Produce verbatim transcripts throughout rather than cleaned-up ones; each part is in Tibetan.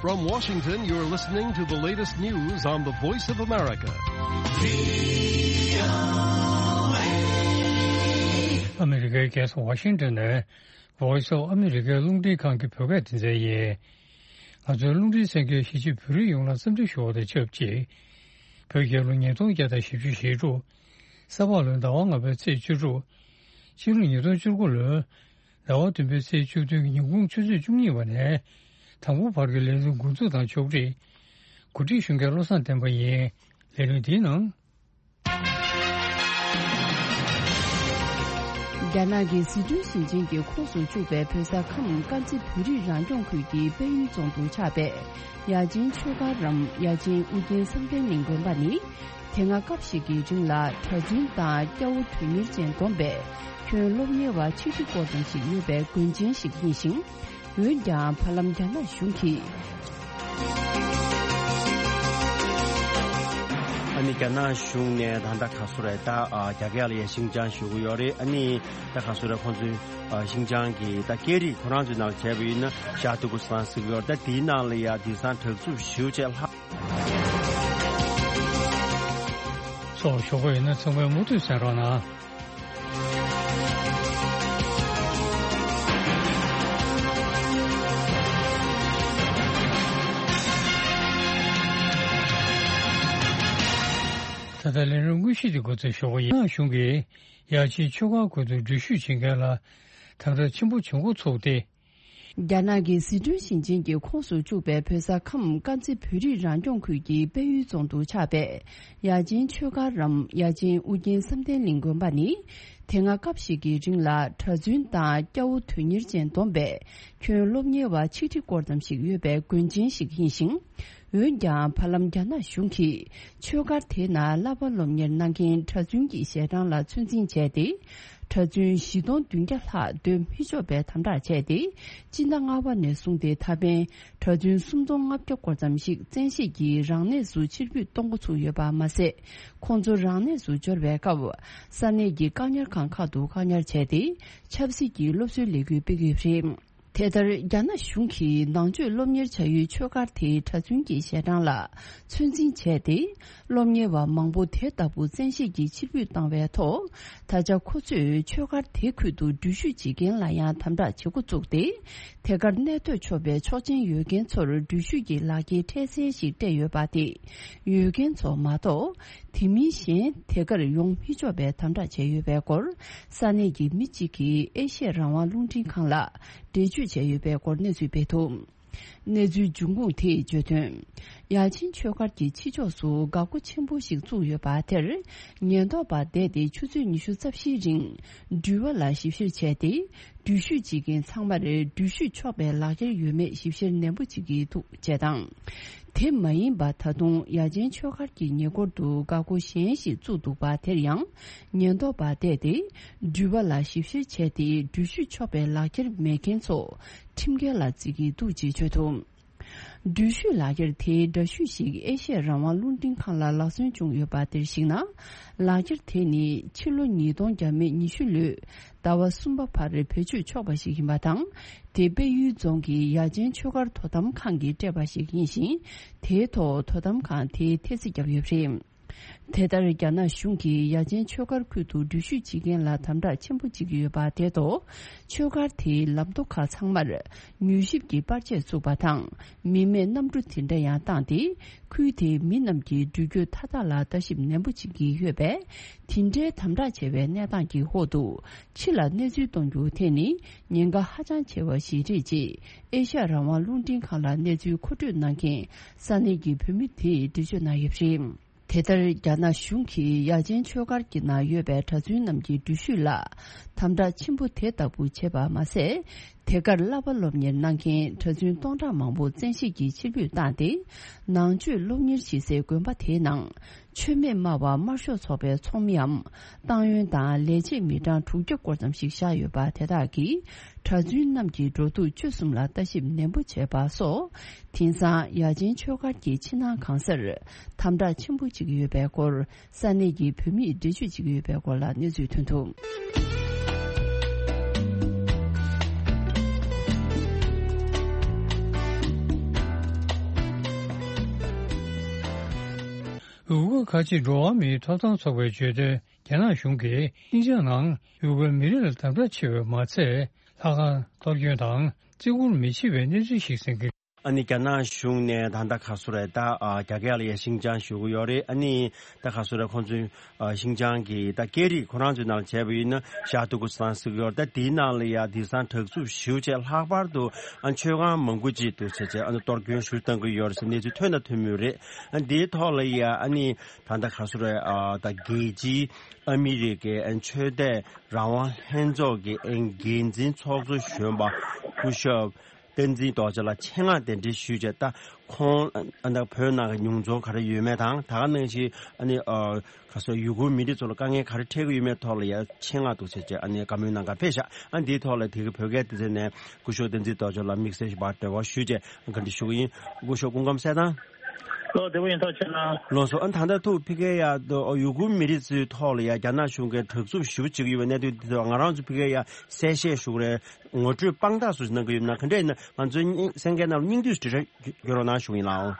From Washington, you're listening to the latest news on the Voice of America. ཨ་མི་རི་ཀའི་རྒྱལ་ས་ཝ་ཤིང་ཏོན་ནས་Voice of America རླུང་འཕྲིན་ཁང་གི་བོད་སྐད་སྡེ་ཚན་ཡིན། ང་ཚོའི་རླུང་འཕྲིན་གསན་མཁན་གཞིས་བྱེས་བོད་རིགས་ཡོངས་ལ་འཚམས་འདྲི་ཞུ་བ་དང་ཆབས་ཅིག་བོད་རྒྱལ་ལོ་ཉིས་སྟོང་བརྒྱ་དང་བཞི་བཅུ་ཞེ་དྲུག་ས་ཕག་ལོའི་ཟླ་བ་ལྔ་པའི་ཚེས་བཅུ་དྲུག་ཕྱི་ལོ་ཉིས་སྟོང་བཅུ་དགུ་ལོའི་ཟླ་བ་བདུན་པའི་ཚེས་བཅུ་བདུན་གྱི་ཉིན་གུང་ཆུ་ཚོད་བཅུ་གཉིས་པ་ནས་དང་པོ་བར་གྱི་ལས་རིམ་འགོ་འཛུགས་དང་ཕྱོགས་སྒྲིག་གོ་སྒྲིག་ཞུ་མཁན་བློ་བཟང་བསྟན་པ་ཡིན། ལས་རིམ་འདིའི་ནང་། རྒྱ་ནག་གི་ཟི་ཁྲོན་ཞིང་ཆེན་གྱི་ཁོངས་སུ་བཅུག་པའི་བོད་ས་ཁམས་དཀར་མཛེས་བོད་རིགས་རང་སྐྱོང་ཁུལ་གྱི་དཔལ་ཡུལ་རྫོང་དུ་ཆགས་པའི་ཡ་ཆེན་ཆོས་སྒར་རམ་ཡ་ཆེན་ཨུ་རྒྱན་བསམ་གཏན་གླིང་དགོན་པ་ནི། དེ་སྔ་སྐབས་ཤིག་གི་རིང་ལ་གྲྭ་བཙུན་དང་སྐྱ་བོ་དོན་གཉེར་ཅན་བསྡོམས་པའི་ཁྱོན་སློབ་གཉེར་བ་ཆིག་ཁྲི་སྐོར་ཙམ་ཞིག་ཡོད་པའི་དགོན་ཆེན་ཞིག་ཡིན་ཞིང་། འོན་ཀྱང་བར་ལམ་རྒྱ་ནག་གཞུང་གིས། ཨ་ནི་རྒྱ་ནག་གཞུང་ནས་ད་ལྟ་ག་སུ་རེད་ད། ཨ། རྒྱ་སྐད་ལ་ཡ་ཤིང་ཅང་ཞུ་གི་ཡོད་རེད། ཨ་ནི་ད་ག་སུ་རེད་ཁོང་ཚོའི་ཨ་ཤིང་ཅང་གི་ད་སྐད་རིགས་ཁོ་རང་ཚོའི་ནང་བྱས་པ་ཡིན་ན་ཞྭ་ཐུ་གུ་སང་ཟེར་གི་ཡོད་རེད། ད་དེའི་ནང་ལ་ཡ་དེང་སང་དྲག་རྩུབ་ཞེ་པོ་ཅིག་ལྷག་སོགས་ཞོགས་པ་ཡིན་ན་ཚང་མས་མུ་མཐུད་གསན་རོགས་གནང་། ད་ལྟ་ལས་རིམ་དངོས་གཞི་དེ་འགོ་འཛུགས་ཞུ་གི་ཡིན། རྒྱ་ནག་གཞུང་གིས་ཡ་ཆེན་ཆོས་སྒར་ཁུལ་དུ་འགྲུལ་བཞུད་བྱེད་མཁན་ལ་དམ་དྲག་ཆེན་པོ་བྱེད་འགོ་ཚུགས་ཏེ། རྒྱ་ནག་གི་ཟི་ཁྲོན་ཞིང་ཆེན་གྱི་ཁོངས་སུ་བཅུག་པའི་བོད་ས་ཁམས་དཀར་མཛེས་བོད་རིགས་རང་སྐྱོང་ཁུལ་གྱི་དཔལ་ཡུལ་རྫོང་དུ་ཆགས་པའི་ཡ་ཆེན་ཆོས་སྒར་རམ་ཡ་ཆེན་ཨུ་རྒྱན་བསམ་གཏན་གླིང་དགོན་པ་ནི། དེ་སྔ་སྐབས་ཤིག་གི་རིང་ལ་གྲྭ་བཙུན་དང་སྐྱ་བོ་དོན་གཉེར་ཅན་བསྡོམས་པས་ཁྱོན་སློབ་གཉེར་བ་ཆིག་ཁྲི་སྐོར་ཙམ་ཞིག་ཡོད་པའི་དགོན་ཆེན་ཞིག་ཡིན་ཞིང་། འོན་ཀྱང་བར་ལམ་རྒྱ་ནག་གཞུང་གིས་ཆོས་སྒར་དེའི་ནང་བསླབ་པ་སློབ་གཉེར་གནང་མཁན་གྲྭ་བཙུན་གྱི་ཞལ་གྲངས་ལ་ཚོད་འཛིན་བྱས་ཏེ། གྲྭ་བཙུན་བཞི་སྟོང་བདུན་བརྒྱ་ལྷག་སྡོད་མི་ཆོག་པའི་དམ་དྲག་བྱས་ཏེ། སྤྱི་ཟླ་ལྔ་པ་ནས་བཟུང་སྟེ་ད་ཕན་གྲྭ་བཙུན་སུམ་སྟོང་ལྔ་བརྒྱ་སྐོར་ཙམ་ཞིག་བཙན་ཤེད་ཀྱིས་རང་གནས་སུ་ཕྱིར་འབུད་གཏོང་འགོ་ཚུགས་ཡོད་པ་མ་ཟད། ཁོང་ཚོ་རང་གནས་སུ་འབྱོར་བའི་སྐབས། ས་གནས་ཀྱི་བཀག་ཉར་ཁང་ཁག་ཏུ་བཀག་ཉར་བྱས་ཏེ། ཆབ་སྲིད་ཀྱི་སློབ་གསོའི་ལས་འགུལ་སྤེལ་གྱི་ཡོད་པ་རེད། དེ་ལྟར་རྒྱ་ནག་གཞུང་གིས་ནང་ཆོས་སློབ་གཉེར་བྱ་ཡུལ་ཆོས་སྒར་དེའི་གྲྭ་བཙུན་གྱི་ཞལ་གྲངས་ལ་ཚོད་འཛིན་བྱས་ཏེ། སློབ་གཉེར་བ་མང་པོ་དེ་ལྟ་བུ་བཙན་ཤེད་ཀྱིས་ཕྱིར་འབུད་བཏང་བའི་ཐོག་ད་ཆ་ཁོ་ཚོས་ཆོས་སྒར་དེ་ཁུལ་དུ་འགྲུལ་བཞུད་བྱེད་མཁན་ལ་ཡང་དམ་དྲག་བྱེད་འགོ་བཙུགས་ཏེ། དེ་གར་གནས་སྡོད་ཆོག་པའི་ཆོག་མཆན་ཡོད་མཁན་ཚོར་འགྲུལ་བཞུད་ཀྱི་ལག་འཁྱེར་འཕྲལ་སེལ་ཞིག་སྤྲད་ཡོད་པ་དེ། ཡོད་མཁན་ཚོ་མ་གཏོགས། དེ་མིན་གཞན་དེ་གར་ཡོང་མི་ཆོག་པའི་དམ་དྲག་བྱས་ཡོད་པའི་སྐོར། ས་གནས་ཀྱི་མི་གཅིག་གིས་ཨེ་ཤེ་ཡ་རང་དབང་རླུང་འཕྲིན་ཁང་ལ་འགྲེལ་བརྗོད་བྱས་ཡོད་པའི་སྐོར་གནས་ཚུལ་སྤེལ་འདུག་གནས་ཚུལ་འབྱུང་ཁུངས་དེས་བརྗོད་དོན། ཡ་ཆེན་ཆོས་སྒར་གྱི་ཕྱི་ཕྱོགས་སུ་འགག་སྒོ་ཆེན་པོ་ཞིག་བཙུགས་ཡོད་པ་དེར། ཉེན་རྟོག་པ་བསྡད་དེ་ཆུ་ཚོད་ཉི་ཤུ་རྩ་བཞིའི་རིང་། འགྲུལ་བ་ལ་ཞིབ་བཤེར་བྱས་ཏེ། འགྲུལ་བཞུད་བྱེད་མཁན་ཚང་མར་འགྲུལ་བཞུད་ཆོག་པའི་ལག་འཁྱེར་ཡོད་མེད་ཞིབ་བཤེར་ནན་པོ་བྱེད་ཀྱི་འདུག་ཅེས་དང་། དེ་མ་ཡིན་པ་ད་དུང་ཡ་ཆེན་ཆོས་སྒར་གྱི་ཉེ་འཁོར་དུ་འགག་སྒོ་གཞན་ཞིག་བཙུགས་འདུག་པ་དེར་ཡང་ཉེན་རྟོག་པ་བསྡད་དེ། འགྲུལ་བ་ལ་ཞིབ་བཤེར་བྱས་ཏེ་འགྲུལ་བཞུད་ཆོག་པའི་ལག་འཁྱེར་མེད་མཁན་ཚོ་ཁྲིམས་འགལ་ལ་བརྩི་གི་འདུག་ཅེས་བརྗོད་འདུག་འགྲུལ་བཞུད་ལག་འཁྱེར་དེའི་འདྲ་བཤུས་ཤིག་ཨེ་ཤེ་ཡ་རང་དབང་རླུང་འཕྲིན་ཁང་ལ་ལག་སོན་བྱུང་ཡོད་པ་དེར་གཞིགས་ན། ལག་འཁྱེར་དེ་ནི་ཕྱི་ལོ་ཉིས་སྟོང་བརྒྱ་མེད་ཉི་ཤུ་ལོའི་ཟླ་བ་གསུམ་པ་བར་བེད་སྤྱོད་ཆོག་པ་ཞིག་ཡིན་པ་དང་། དེ་དཔལ་ཡུལ་རྫོང་གི་ཡ་ཆེན་ཆོས་སྒར་དོ་དམ་ཁང་གིས་སྤྲད་པ་ཞིག་ཡིན་ཞིང་། དེའི་ཐོག་དོ་དམ་ཁང་དེས་ཐེལ་ཙེ་བརྒྱབ་ཡོད་པ་རེད། དེ་ལྟར་རྒྱ་ནག་གཞུང་གིས་ཡ་ཆེན་ཆོས་སྒར་ཁུལ་དུ་འགྲུལ་བཞུད་བྱེད་མཁན་ལ་དམ་དྲག་ཆེན་པོ་བྱེད་ཀྱི་ཡོད་པ་དེ་ཐོག་ཆོས་སྒར་དེའི་ལམ་མདོ་ཁག་ཚང་མར་མྱུལ་ཞིབ་ཀྱི་པར་ཆས་བཙུགས་པ་དང་། མི་མེད་གནམ་གྲུ་དེ་འདྲ་ཡང་བཏང་སྟེ། ཁུལ་དེའི་མི་རྣམས་ཀྱི་འགྲུལ་སྐྱོད་མཐའ་དག་ལ་ལྟ་ཞིབ་ནན་པོ་བྱེད་ཀྱི་ཡོད་པས། དེ་འདྲའི་དམ་དྲག་ཆེ་བའི་གནས་སྟངས་ཀྱི་འོག་ཏུ། ཕྱི་ལ་གནས་ཚུལ་གཏོང་རྒྱུ་དེ་ནི་ཉེན་ཁ་ཧ་ཅང་ཆེ་བ་ཞིག་རེད་ཅེས་ཨེ་ཤ་ཡ་རང་དབང་རླུང་འཕྲིན་ཁང་ལ་གནས་ཚུལ་མཁོ་སྤྲོད་གནང་མཁན་ས་གནས་ཀྱི་བོད་མི་དེས་འགྲེལ་བརྗོད་གནང་ཡོད་པ་རེད། དེ་ལྟར་རྒྱ་ནག་གཞུང་གིས་ཡ་ཆེན་ཆོས་སྒར་གྱི་ནང་ཡོད་པའི་གྲྭ་བཙུན་རྣམས་ཀྱི་འགྲུལ་བཞུད་ལ་དམ་དྲག་ཆེན་པོ་དེ་ལྟ་བུ་བྱས་པ་མ་ཟད། དེ་གར་བསླབ་པ་སློབ་གཉེར་གནང་མཁན་གྲྭ་བཙུན་སྟོང་ཕྲག་མང་པོ་བཙན་ཤེད་ཀྱིས་ཕྱིར་འབུད་བཏང་སྟེ། ནང་ཆོས་སློབ་གཉེར་བྱེད་སའི་དགོན་པ་དེའི་ནང་། མཆོད་མེ་དམར་བ་དམར་ཤོག་ཚོགས་པའི་ཚོགས་མིའམ། ཏང་ཡོན་དང་ལས་བྱེད་མི་གྲངས་དྲུག་བརྒྱ་སྐོར་ཙམ་ཞིག་བཞག་ཡོད་པ་དེ་དག་གིས། གྲྭ་བཙུན་རྣམས་ཀྱི་འགྲོ་འདུག་སྤྱོད་གསུམ་ལ་ལྟ་ཞིབ་ནན་པོ་བྱས་པ་སོགས། དེང་སང་ཡ་ཆེན་ཆོས་སྒར་གྱི་ཕྱི་ནང་གང་སར། དམ་དྲག་ཆེན་པོ་བྱེད་ཀྱི་ཡོད་པའི་སྐོར། ས་གནས་ཀྱི་བོད་མིས་འགྲེལ་བརྗོད་བྱེད་ཀྱི་ཡོད་པའི་སྐོར་ལ་གནས་ཚུལ་ཐོན་འདུག་ཁ་ཆེ་འགྲོ་བ་མིའི་ཐོབ་ཐང་ཚོགས་པའི་བརྗོད་དོན། རྒྱ་ནག་གཞུང་གིས་ཤིན་ཅང་ནང་ཡུ་གུར་མི་རིགས་ལ་དམ་དྲག་ཆེ་བས་མ་ཚད། ལྷ་ཁང་གཏོར་སྐྱོན་དང་བརྩི་བཀུར་མི་བྱེད་པའི་གནས་ཚུལ་ཞིག་གསན་གྱི། ཨ་ནི་རྒྱ་ནག་གཞུང་ནས་ད་ལྟ་ག་སུ་རེད། ད་ཨ་རྒྱ་སྐད་ལ་ཡ་ཤིན་ཅང་ཞུ་གི་ཡོད་རེད། ཨ་ནི་ད་ག་སུ་རེད། ཁོང་ཚོས་ཨ་ཤིན་ཅང་གི་ད་སྐད་རིགས་ཁོ་རང་ཚོའི་ནང་ལ་བྱས་པ་ཡིན་ན་ཤར་ཏུར་ཀུ་སི་ཐན་ཟེར་གི་ཡོད་རེད། ད་དེའི་ནང་ལ་ཡ་དེང་སང་དྲག་རྩུབ་ཞེ་པོ་ཅིག་ལྷག་པར་དུ་ཨ་མཆོད་ཁང་མང་པོ་ཅིག་འདུག་ཟེར་བྱས་ཨ་ནི་གཏོར་སྐྱོན་ཞུ་བཏང་གི་ཡོད་རེད་ཟེར་གནས་ཚུལ་ཐོན་དང་ཐོན་མུས་རེད། ཨ་འདིའི་ཐོག་ལ་ཡ་ཨ་ནི་ད་ལྟ་ག་སུ་རེད། ཨ་ད་རྒྱལ་སྤྱིའི་ཨ་མི་རི་ཀའི་ཨ་ཆོས་དད་རང་དབང་ལྷན་ཚོགས་ཀྱི་ཨ་འགན་འཛིན་ཚོགས་གཙོ་གཞོན་པ་སྐུ་ཞབས་བསྟན་འཛིན་རྡོ་རྗེ་ལགས་ཆེད་མངགས་གདན་འདྲེན་ཞུས་བྱས། ད་ཁོང་ཨ་ད་བོད་ནང་གི་མྱོང་ཚོར་ག་རེ་ཡོད་མེད་དང་། ད་ག་ནང་བཞིན་ཨ་ནི་ཨ་ག་སོ་ཡུ་གུར་མི་རིགས་ཚོ་ལ་དཀའ་ངལ་ག་རེ་འཕྲད་ཀྱི་ཡོད་མེད་ཐོག་ལ་ཡ་ཆེད་མངགས་འདུག་ཟེར་བྱས་ཨ་ནི་བཀའ་མོལ་གནང་གར་ཕེབས་ཤག་ཨ་འདིའི་ཐོག་ལ་དེ་གི་བོད་སྐད་སྡེ་ཚན་ནས་སྐུ་ཞབས་བསྟན་འཛིན་རྡོ་རྗེ་ལགས་དམིགས་བསལ་ཞིག་འབར་འབྲེལ་བ་ཞུས་བྱས་བཀའ་འདྲི་ཞུ་གི་ཡིན། སྐུ་ཞབས་སྐུ་ཁམས་བཟང་། ལགས་སོ། ཨ་ད་ལྟ་ཐུག་ཕ་གིར་ཡ་ཡུ་གུར་མི་རིགས་ཚོའི་ཐོག་ལ་ཡ་རྒྱ་ནག་གཞུང་གིས་དྲག་རྩུབ་ཞེ་པོ་བྱེད་ཀྱི་ཡོད་པའི་གནད་དོན་འདི་ཐོག་ང་རང་ཚོ་ཕ་གིར་ཡ་གསལ་བཤད་ཞུ་གི་རེད། ངོ་སྤྲོད་དཔང་རྟགས་སུ་གནང་གི་ཡོད་ན་ག་འདྲས་ཡིན་ན་ང་ཚོའི་སྙིང་གསན་མཁན་རྣམས་སྙིང་བསྡུས་སུ་འབྲི་རོགས་གནང་ཞུ་གི་ཡིན་ལགས།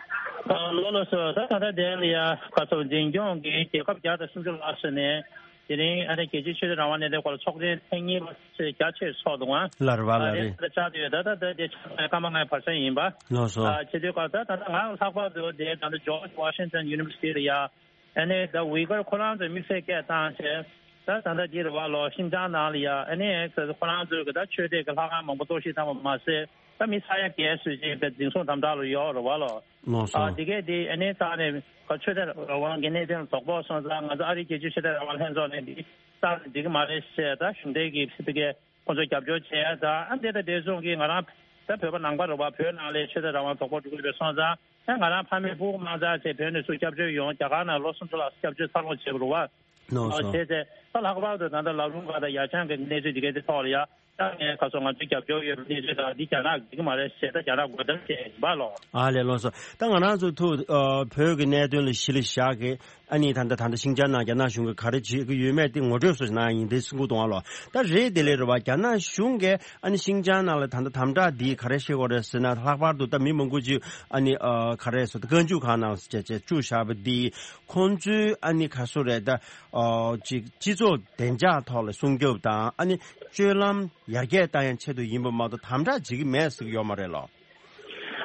ཨ་ལགས་ལགས་སོ། ད་ད་ལྟ་དེ་ལ་ཡ་ག་ཚོད་འཛིན་སྐྱོང་གི་རྒྱལ་ཁབ་བརྒྱ་དང་སུམ་ཅུ་ལྷག་ཙམ་ནས་དེ་རིང་ཨ་ནི་རྒྱལ་སྤྱིའི་ཆོས་དད་རང་དབང་གནད་དོན་སྐོར་ལ་ཚོགས་ཆེན་ཐེངས་གཉིས་པ་རྒྱ་ཆེར་ཚོགས་འདུག་ཨང་། ལགས་རེད་པ། ཨ་ལགས་རེད། དེ་ལ་བཅར་དུ་ཡོད། ད་ད་ད་དེ་ཆ་ཚང་སྐར་མ་ལྔའི་བར་གསེང་ཡིན་པ། ལགས་སོ། ཨ་བྱེད་དུས་སྐབས་ད་ད་ད་ང་ལྷག་པར་དུ་དེ་ད་ལྟ་George Washington University ལ་ཡ་ཨ་ནི་ད་ཝི་གར་ཁོ་རང་ཚོའི་དམིགས་བསལ་སྐད་བཏང་བྱས། ད་ད་ལྟ་འདི་རེད་པ་ལགས། ཤིན་ཅང་ནང་ལ་ཡ་ཨ་ནི་ཁོ་རང་ཚོའི་གི་ད་ཆོས་དད་ཀྱི་ལྷ་ཁང་མང་པོ་གཏོར་བཤིག་བཏང་བ་མ་ཟད། ད་མི་ས་ཡ་བརྒལ་ཙམ་ཅིག་དེ་འཛིན་བཟུང་དམ་དྲག་ལ་ཡོད་རེད་པ་ལགས། ལགས་སོ། ཨ་དེ་གས་དེ་ཨ་ནི་རྩ་ནས་ཆོས་དད་རང་དབང་གི་གནད་དོན་ལ་དོགས་པ་སོང་ཙང་ང་ཚོ་ཨ་རིའི་རྒྱལ་སྤྱིའི་ཆོས་དད་རང་དབང་ལྷན་ཚོགས་ནས་འདི་རྩ་ནས་འགྲིག་གི་མ་རེད་ཟེར་ད་གཞུང་འབྲེལ་གྱི་ཕ་གིའི་ཁོང་ཚོ་རྒྱབ་སྐྱོར་བྱས། ད་ཨ་འདི་ད་དེ་སོང་གི་ང་རང་ད་བོད་པ་ནང་པ་རེད་པ། བོད་ནང་ལ་ཆོས་དད་རང་དབང་དོགས་པ་འགྲོ་གི་རེད་པས་སོང་ཙང་ཨ་ང་རང་ཕ་མས་སྤུ་གུ་མང་ཙམ་བྱས་བོད་ནས་ཚུར་སྐྱབས་བཅོལ་ཡོང་། རྒྱ་གར་ནང་ལོ་སུམ་ཅུ་ལྷག་སྐྱབས་བཅོལ་འཚར་ལོངས་བྱས་པ་རེད་པ། ལགས་སོ། བྱས་ཚེ་ད་ལྷག་པར་དུ་ད་ལྟ་ལ་རུང་ག་དང་ཡ་ཆང་གི་གནས་ཚུལ་འདི་གའི་དེ་ཐོག་ལ་ཡ་ད་ངས་ཁ་སང་ང་ཚོའི་རྒྱབ་སྐྱོར་ཡོད་པའི་གནས་ཚུལ་དང་འདི་རྒྱ་ནག་འགྲིག་གི་མ་རེད་ཟེར། ད་རྒྱ་ནག་དགོད་བྲོ་བྱས་ཡིན་པ་ལགས། ཨ་ལས། ལགས་སོ། ད་ང་རང་ཚོ་ཐུག་ཨ་བོད་ཀྱི་གནད་དོན་ལ་གཞི་ལ་བཞག་གི་ཨ་ནི་ད་ལྟ་ད་ལྟ་ཤིན་ཅང་ནང་རྒྱ་ནག་གཞུང་གིས་ག་རེ་བྱེད་ཀྱི་ཡོད་མེད་དེ་ངོ་སྤྲོད་སོགས་གནང་ཡིན་དེ་གསུང་གི་འདུག་ཨ་ལགས། ད་རེད་དེ་ལས་རེད་པ། རྒྱ་ནག་གཞུང་གིས་ཨ་ནི་ཤིན་ཅང་ནང་ལ་ད་ལྟ་དམ་དྲག་འདི་ག་རེ་བྱེད་དགོས་རེད་ཟེར་ན། ལྷག་པར་དུ་ད་མི་མང་པོ་ཅིག་ཨ་ནི་ཨ་ག་རེ་ཟེར་ད་བཀའ་འཇུག་ཁང་ནང་བྱས་བྱས་བཅུག་བཞག་པ་འདི་ཁོང་ཚོའི་ཨ་ནི་ག་སུ་རེད། ད་ཨ་ཅིག་སྤྱི་ཚོགས་བདེ་འཇགས་ཐོག་ལ་སྲུང་སྐྱོབ་དང་ཨ་ནི་སྤྱོད་ལམ་ཡར་རྒྱས་བཏང་ཡང་ཆེད་དུ་ཡིན་པ་མ་གཏོགས་དམ་དྲག་བྱེད་ཀྱི་མེད་ཟེར་གྱི་ཡོད་མ་རེད་ལགས།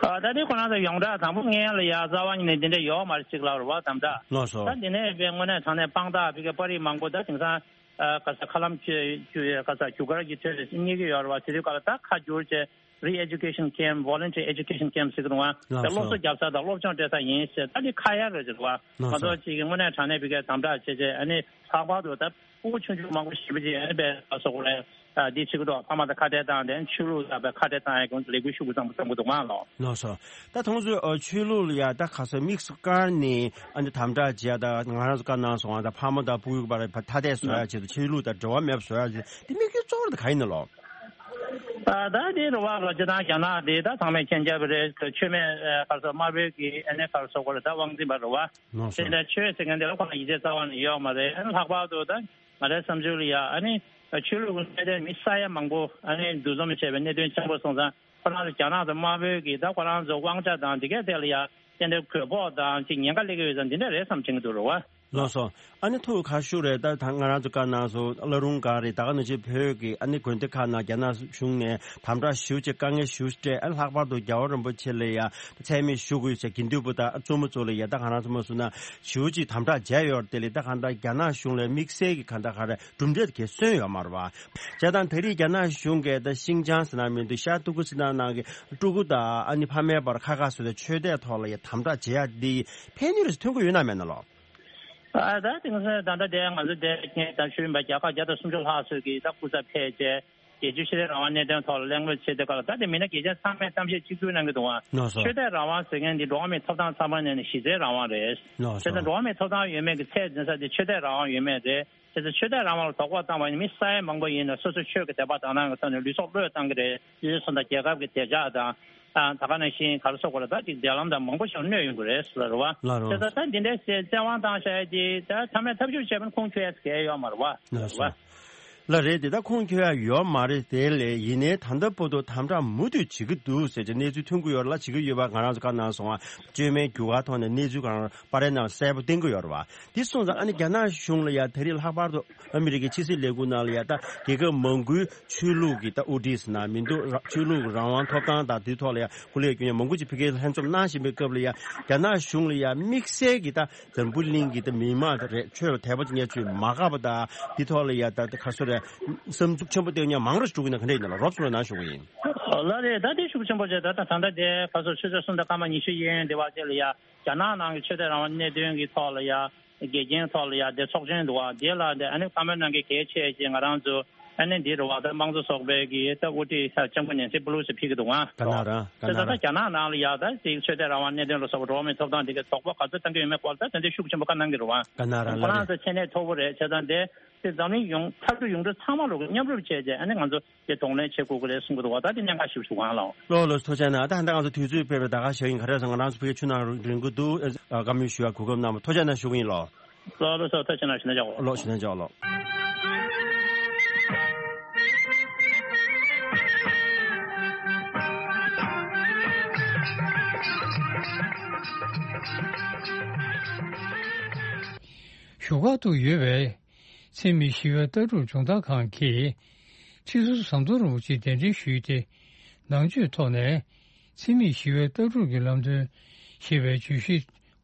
ཨ་ད་དེ་ཁོ་རང་ཚོ་ཡོངས་གྲགས་དང་པོ་སྔོན་ལ་ཡ་རྩ་བ་ཉིད་ནས་འདི་འདྲ་ཡོད་མ་རེད་ཅིག་ལབ་རེད་པ། དམ་དྲག་ལགས་སོ། ད་འདི་ནས་དཔེ་དངོས་གནས་དྲང་གནས་དཔང་རྟགས་ཕ་གི་པར་རིས་མང་པོ་ད་དེང་སང་ཨ་ག་ས་ཁ་ལམ་བཅུ་བཅུ་ག་ས་རྒྱུ་སྐར་གྱི་ཁྲོད་རྙེད་ཀྱི་ཡོད་རེད་པ། དེ་དུས་སྐབས་ལ་ད་ཁ་བསྒྱུར་བྱས་re-education camp, voluntary education camp ཟེར་གི་རེད་པ། ལགས་ད་སློབ་སོ། གསོ་རྒྱག་ས་དང་སློབ་སྦྱོང་སྤྲད་ས་ཡིན་ཟེར། ད་འདི་ཁ་ཡ་རེད་ཟེར་བ། ལགས་ང་སོ། ཚོ་ཅིག་གི་དངོས་གནས་དྲང་གནས་ཕ་གིར་དམ་དྲག་བྱས་བྱས་ཨ་ནི་ལྷག་པར་དུ་ད་ཕྲུ་གུ་ཆུང་ཆུང་མང་པོ་ཞེ་པོ་ཅིག་ཨ་ནི་དཔེ་ག་སོ་གོ་རེད། ཨ་འདི་བྱེད་ཀྱི་འདུག་ཕ་མ་དང་ཁ་བྲལ་བཏང་སྟེ་ཆོས་ལུགས་དང་དཔེ་ཁ་བྲལ་བཏང་ཡ་གི་ལས་འགུལ་ཤུགས་ཆེན་པོ་བརྩམས་ཀྱི་འདུག་ཨང་ལགས། ལགས་སོ། ད་ཁོང་ཚོས་ཨ་ཆོས་ལུགས་ལ་ཡ་ད་ག་སོ་དམིགས་སུ་བཀར་ནས་ཨ་ནི་དམ་དྲག་བྱེད་ཡ། ད་ང་རང་ཚོ་བཀའ་གནང་སོང་ང་། ད་ཕ་མ་དང་ཕྲུ་གུ་བར་ཐ་དད་བཟོ་ཡ་ཆེད་དུ་ཆོས་ལུགས་དང་འབྲེལ་བ་མེད་པ་བཟོ་ཡ་ཆེད་དེ་དམིགས་ཡུལ་གཙོ་བོ་དེ་ག་ཡིན་ནོ་ལགས། ཨ་ད་དེ་རེད་པ་ལགས། སྤྱིར་བཏང་རྒྱ་ནག་དེ་ད་ཚང་མས་མཁྱེན་རྒྱ་བོད་རེད། ཆོས་མེད་ཨ་ག་སོ་དམར་པོའི་གི་ཨ་ནི་ག་སོ་གོ་རེད། ད་དབང་འཛིན་པ་རེད་པ། ལགས་སོ། དེ་འདྲ་ཆོས་ཟེར་མཁན་དེ་ལ་ཁོ་ན་ཡིད་ཆེས་རྩ་བ་ནས་ཡོད་མ་རེད། ཨ་ནི་ལྷག་པར་དུ་ད་ང་རའི་བསམ་ཚུལ་ལ་ཡ་ཨ་ནི་ཆོས་ལུགས་ཀྱི་གནད་དོན་མི་ས་ཡ་མང་པོ་ཨ་ནི་འདུ་འཛོམས་བྱས་པའི་གནད་དོན་ཆེན་པོ་སོང་ཙང་ཁོ་རང་ཚོ་རྒྱ་ནག་དང་དམར་པོའི་གི་ད་ཁོ་རང་ཚོ་དབང་ཆ་དང་དེ་གའི་ཐད་ལ་ཡ་ཏན་ཏན་གུས་ཕོག་དང་ཅིག་ཉེན་ཁ་སླེབས་ཀྱི་ཡོད་ཙང་འདི་འདྲ་རེད་བསམ་བྱེད་ཀྱི་འདུག་རེད་པ། ལགས་སོ། ཨ་ནི་ཐུགས་ཁ་ཤུ་རེད། ད་ད་ང་རང་ཚོ་བཀའ་གནང་སོང་། བླ་རུང་སྒང་རེད། ད་ག་ནང་བཞིན་བོད་ཀྱི་ཨ་ནི་དགོན་སྡེ་ཁག་ནང་རྒྱ་ནག་གཞུང་ནས་དམ་དྲག་ཞེ་པོ་ཅིག་དཀའ་ངལ་ཞེ་པོ་ཅིག་སྤྲད། ཨ་ལྷག་པར་དུ་རྒྱལ་བ་རིན་པོ་ཆེ་ལ་ཡ་མཚན་སྨད་ཞུ་དགོས་ཟེར་དགེ་འདུན་པ་དང་བཙུན་མ་ཚོ་ལ་ཡ་ད་ང་རང་ཚོ་མ་སུ་ན་ཞེ་པོ་ཅིག་དམ་དྲག་བྱས་ཡོད་རེད། དེ་ལས་ད་གང་ལྟར་རྒྱ་ནག་གཞུང་ལ་དམིགས་བསལ་གྱི་གང་ལྟར་ག་རེ་གྲུབ་འབྲས་དེ་གས་སོན་ཡོད་མ་རེད་པ། བྱས་ཙང་ད་རེས་རྒྱ་ནག་གཞུང་གིས་ད་ཤིན་ཅང་ཟེར་ན་མི་འདུག་ཤར་ཏུར་ཀུ་སི་ཐན་ནང་གི་ཀྲུ་གུ་དང་ཨ་ནི་ཕ་མའི་བར་ཁ་ཁ་བཟོས་ཏེ་ཆོས་དད་ཐོག་ལ་ཡ་དམ་དྲག་བྱེད་ཡ་འདི་ཕན་ནུས་རེ་ཐོན་གྱི་ཡོད་ན་མེད་ན་ལགས། ཨ་ད་དེང་སང་ད་ལྟ་དེ་ང་ཚོ་དེ་ངས་ད་ཞུས་པ་རྒྱལ་ཁབ་བརྒྱ་དང་སུམ་ཅུ་ལྷག་ཙམ་གྱིས་ད་སྐུ་ཚབ་ཕེབས་བྱས་རྒྱལ་སྤྱིའི་ཆོས་དད་རང་དབང་གནད་དོན་ཐོག་ལ་གླེང་མོལ་བྱེད་དུས་སྐབས་ལ་ད་དེ་མི་སྣ་གལ་ཆེན་ཚང་མས་གཏམ་བཤད་གཅིག་གྱུར་གནང་གི་འདུག་ཨང་། ལགས་སོ། ཆོས་དད་རང་དབང་ཟེར་མཁན་འདི་འགྲོ་བ་མིའི་ཐོབ་ཐང་ཚང་མ་ནས་ནི་གཞི་རྩའི་རང་དབང་རེད། ལགས་སོ། བྱས་ཙང་འགྲོ་བ་མིའི་ཐོབ་ཐང་ཡོད་མེད་ཀྱི་ཚད་འཛིན་ས་དེ་ཆོས་དད་རང་དབང་ཡོད་མེད་རེད། བྱས་ཙང་ཆོས་དད་རང་དབང་ལ་དོགས་པ་བཏང་བ་ཡིན་ན་མི་ས་ཡ་མང་པོ་ཡིན་ན་སོ་སོ་ཆོས་ཀྱི་དད་པ་དག་སྣང་གི་ཐོག་ནས་ལུས་སྲོག་བློས་བཏང་གི་རེད། ཡུལ་སྲོལ་དང་རྒྱལ་ཁབ་ཀྱི་བདེ་འཇགས་དང་། ཨ་ད་ག་ནང་བཞིན་ག་རེ་ཟེར་དགོས་རེད། ད་ཅིག་འབྲེལ་ལམ་དང་མང་པོ་ཞིག་གནོད་ཡོང་གི་རེད་ཟེར་རེད་བ། ལགས་རེད། བྱས་ཙང་ད་འདི་འདྲའི་བཙན་དབང་བཏང་བཞག་ཡ་དེ་ད་མཐའ་མའི་ཐབས་ཤེས་བྱས་པ་ན་ཁུངས་འཁྱོལ་ཡ་གལ་ཡོད་མ་རེད་བ། ལགས་རེད་བ། སོ། ལ་རེད་དེ། ད་ཁུངས་འཁྱོལ་ཡ་ཡོད་མ་རེད་དེ་ལས། ཡིན་ནའི་ད་ལྟ་བར་དུ་དམ་དྲག་མུ་མཐུད་བྱེད་ཀྱི་འདུག་ཟེར་གྱི་གནས་ཚུལ་ཐོན་གྱི་ཡོད་རེད་ལ། བྱེད་ཀྱི་ཡོད་པ་ང་རང་ཚོ་བཀའ་གནང་སོང་ང་། བཅོས་མའི་རྒྱུ་སྐར་ཐོག་ནས་གནས་ཚུལ་གང་པར་རེ་ནང་གསལ་པོ་བསྟན་གྱི་ཡོད་རེད་བ། དེ་སོང་ཙང་ཨ་ནི་རྒྱ་ནག་གཞུང་ལ་ཡ་ད་རེས་ལྷག་པར་དུ་ཨ་མི་རི་ཀའི་ཕྱི་སྲིད་ལས་ཁུངས་ནང་ལ་ཡ་ད་རྒྱལ་ཁབ་མང་པོའི་ཆོས་ལུགས་ཀྱི་ད་དབུ་ཁྲིད་ཟེར་ན་མི་འདུག་ར་ཆོས་ལུགས་རང་དབང་ཐོབ་ཐང་དང་དེ་ཐོག་ལ་ཡ་སྐུ་ལས་བསྐྱོན་མཁན་མང་པོ་ཅིག་ཕ་གིར་ལྷན་འཛོམས་གནང་བཞིན་པའི་སྐབས་ལ་ཡ་རྒྱ་ནག་གཞུང་ལ་ཡ་དམིགས་བསལ་གྱི་ད་འཛམ་བུ་གླིང་གི་ད་མི་མང་ད་རེད། ཆོས་ལ་དད་པ་བྱེད་མཁན་ཚོས་མ་དགའ་བ་དང་དེ་ཐོག་ལ་ཡ་ད་ད་ག་སོ་རེད། བསམ་ཚུགས་ཆེན་པོ་བསྟན་མཁན་མང་རུ་འགྲོ་གི་ན་ག་འདྲ་ཡིན་ན་ལ་རོབ་ཚོ་ལ་ནང་ཞུ་གི་ཡིན། ལ་རེད། ད་དེ་ཤུགས་ཆེན་པོ་བྱས། ད་ད་ད་ལྟ་དེ་ག་སོ་ཆུ་ཚོད་གསུམ་དང་སྐར་མ་ཉི་ཤུ་ཡན་དེ་བར་ཅིག་ལ་ཡ་རྒྱ་ནག་ནང་གི་ཆོས་དད་རང་དབང་གནད་དོན་གྱི་ཐོག་ལ་ཡ་དགེ་རྒན་ཐོག་ལ་ཡ་དེ་ཚོགས་ཆེན་འདུག་བ། དེ་ལ་དེ་ཨ་ནི་བཀའ་མོལ་གནང་མཁན་གལ་ཆེ་ཅེས་ང་རང་ཚོ་ཨ་ནི་འདི་རུ་བ་ད་དམངས་གཙོ་ཚོགས་པའི་གི་ད་དབུ་ཁྲིད་ལྕམ་སྐུ་ནེན་སི་པེ་ལོ་སི་ཕེབས་ཀྱི་འདུག་ཨ། ག་ན་ར་ག་ན་ར། ད་ད་རྒྱ་ནག་ནང་ལ་ཡ་ད་དེ་ཆོས་དད་རང་དབང་གནད་དོན་ལ་སོགས་པ་འགྲོ་བ་མིའི་ཐོབ་ཐང་དེ་གའི་དོགས་པ་ག་ཚོད་བཏང་གི་ཡོད་མེད་སྐོར་ད་དེ་འདྲའི་ཤུགས་ཆེན་པོ་བཀའ་གནང་གི་རུ་བ། ག་ན་ར་ཁོ་ལ་རང་ཚོ་མཁྱེན་ནས་ཐོབ་པོ་རེད། བྱས་ཙང་དེ་དེ་འཛམ་གླིང་ཡོངས་མཐའ་གྲུ་ཡོངས་གྲུབ་ཚང་མ་ལོག་གི་མཉམ་རུབ་བྱས་རྗེས་ཨ་ནི་ང་ཚོ་དེ་གདོང་ལེན་བྱེད་དགོས་ཀྱི་རེད་གསུང་གི་འདུག་བ། ད་དེ་གནད་འགག་ཞིག་ཞུ་གང་ལ། ལོ་ལོ་ཐུགས་རྗེ་གནང་། ད་ཧ་ད་ང་ཚོ་དུས་ཚོད་ཕེབས་པའི་ད་ག་ཞིག་ཡིན། ག་རེ་ཟེར་ང་རང་ཚོ་ཕ་གི་ཆུ་ནང་རིང་གི་འདུག་བཀའ་མོལ་ཞུ་ཡ་གོ་སྐབས་གནང་བ་ཐུགས་རྗེ་གནང་ཞུ་གི་ཡིན་ལོ། ལོ་ལོ་སོ་ཐུགས་རྗེ་གནང་ཞུ་ན་འཇགས་ལོ། ལོ་ཞུ་ན་འཇགས་ལོ། བཞུགས་སྒར་དུ་ཡོད་པའི་འཚེ་མེད་ཞི་བའི་ལྟ་གྲུབ་སྦྱོང་བརྡར་ཁང་གིས་ཁྲི་ཟུར་ཟམ་གདོང་རིན་པོ་ཆེ་གདན་འདྲེན་ཞུས་ཏེ། ནང་ཆོས་ཐོག་ནས་འཚེ་མེད་ཞི་བའི་ལྟ་གྲུབ་ཀྱི་ལམ་སྟོན་ཞེས་པའི་བརྗོད་གཞི་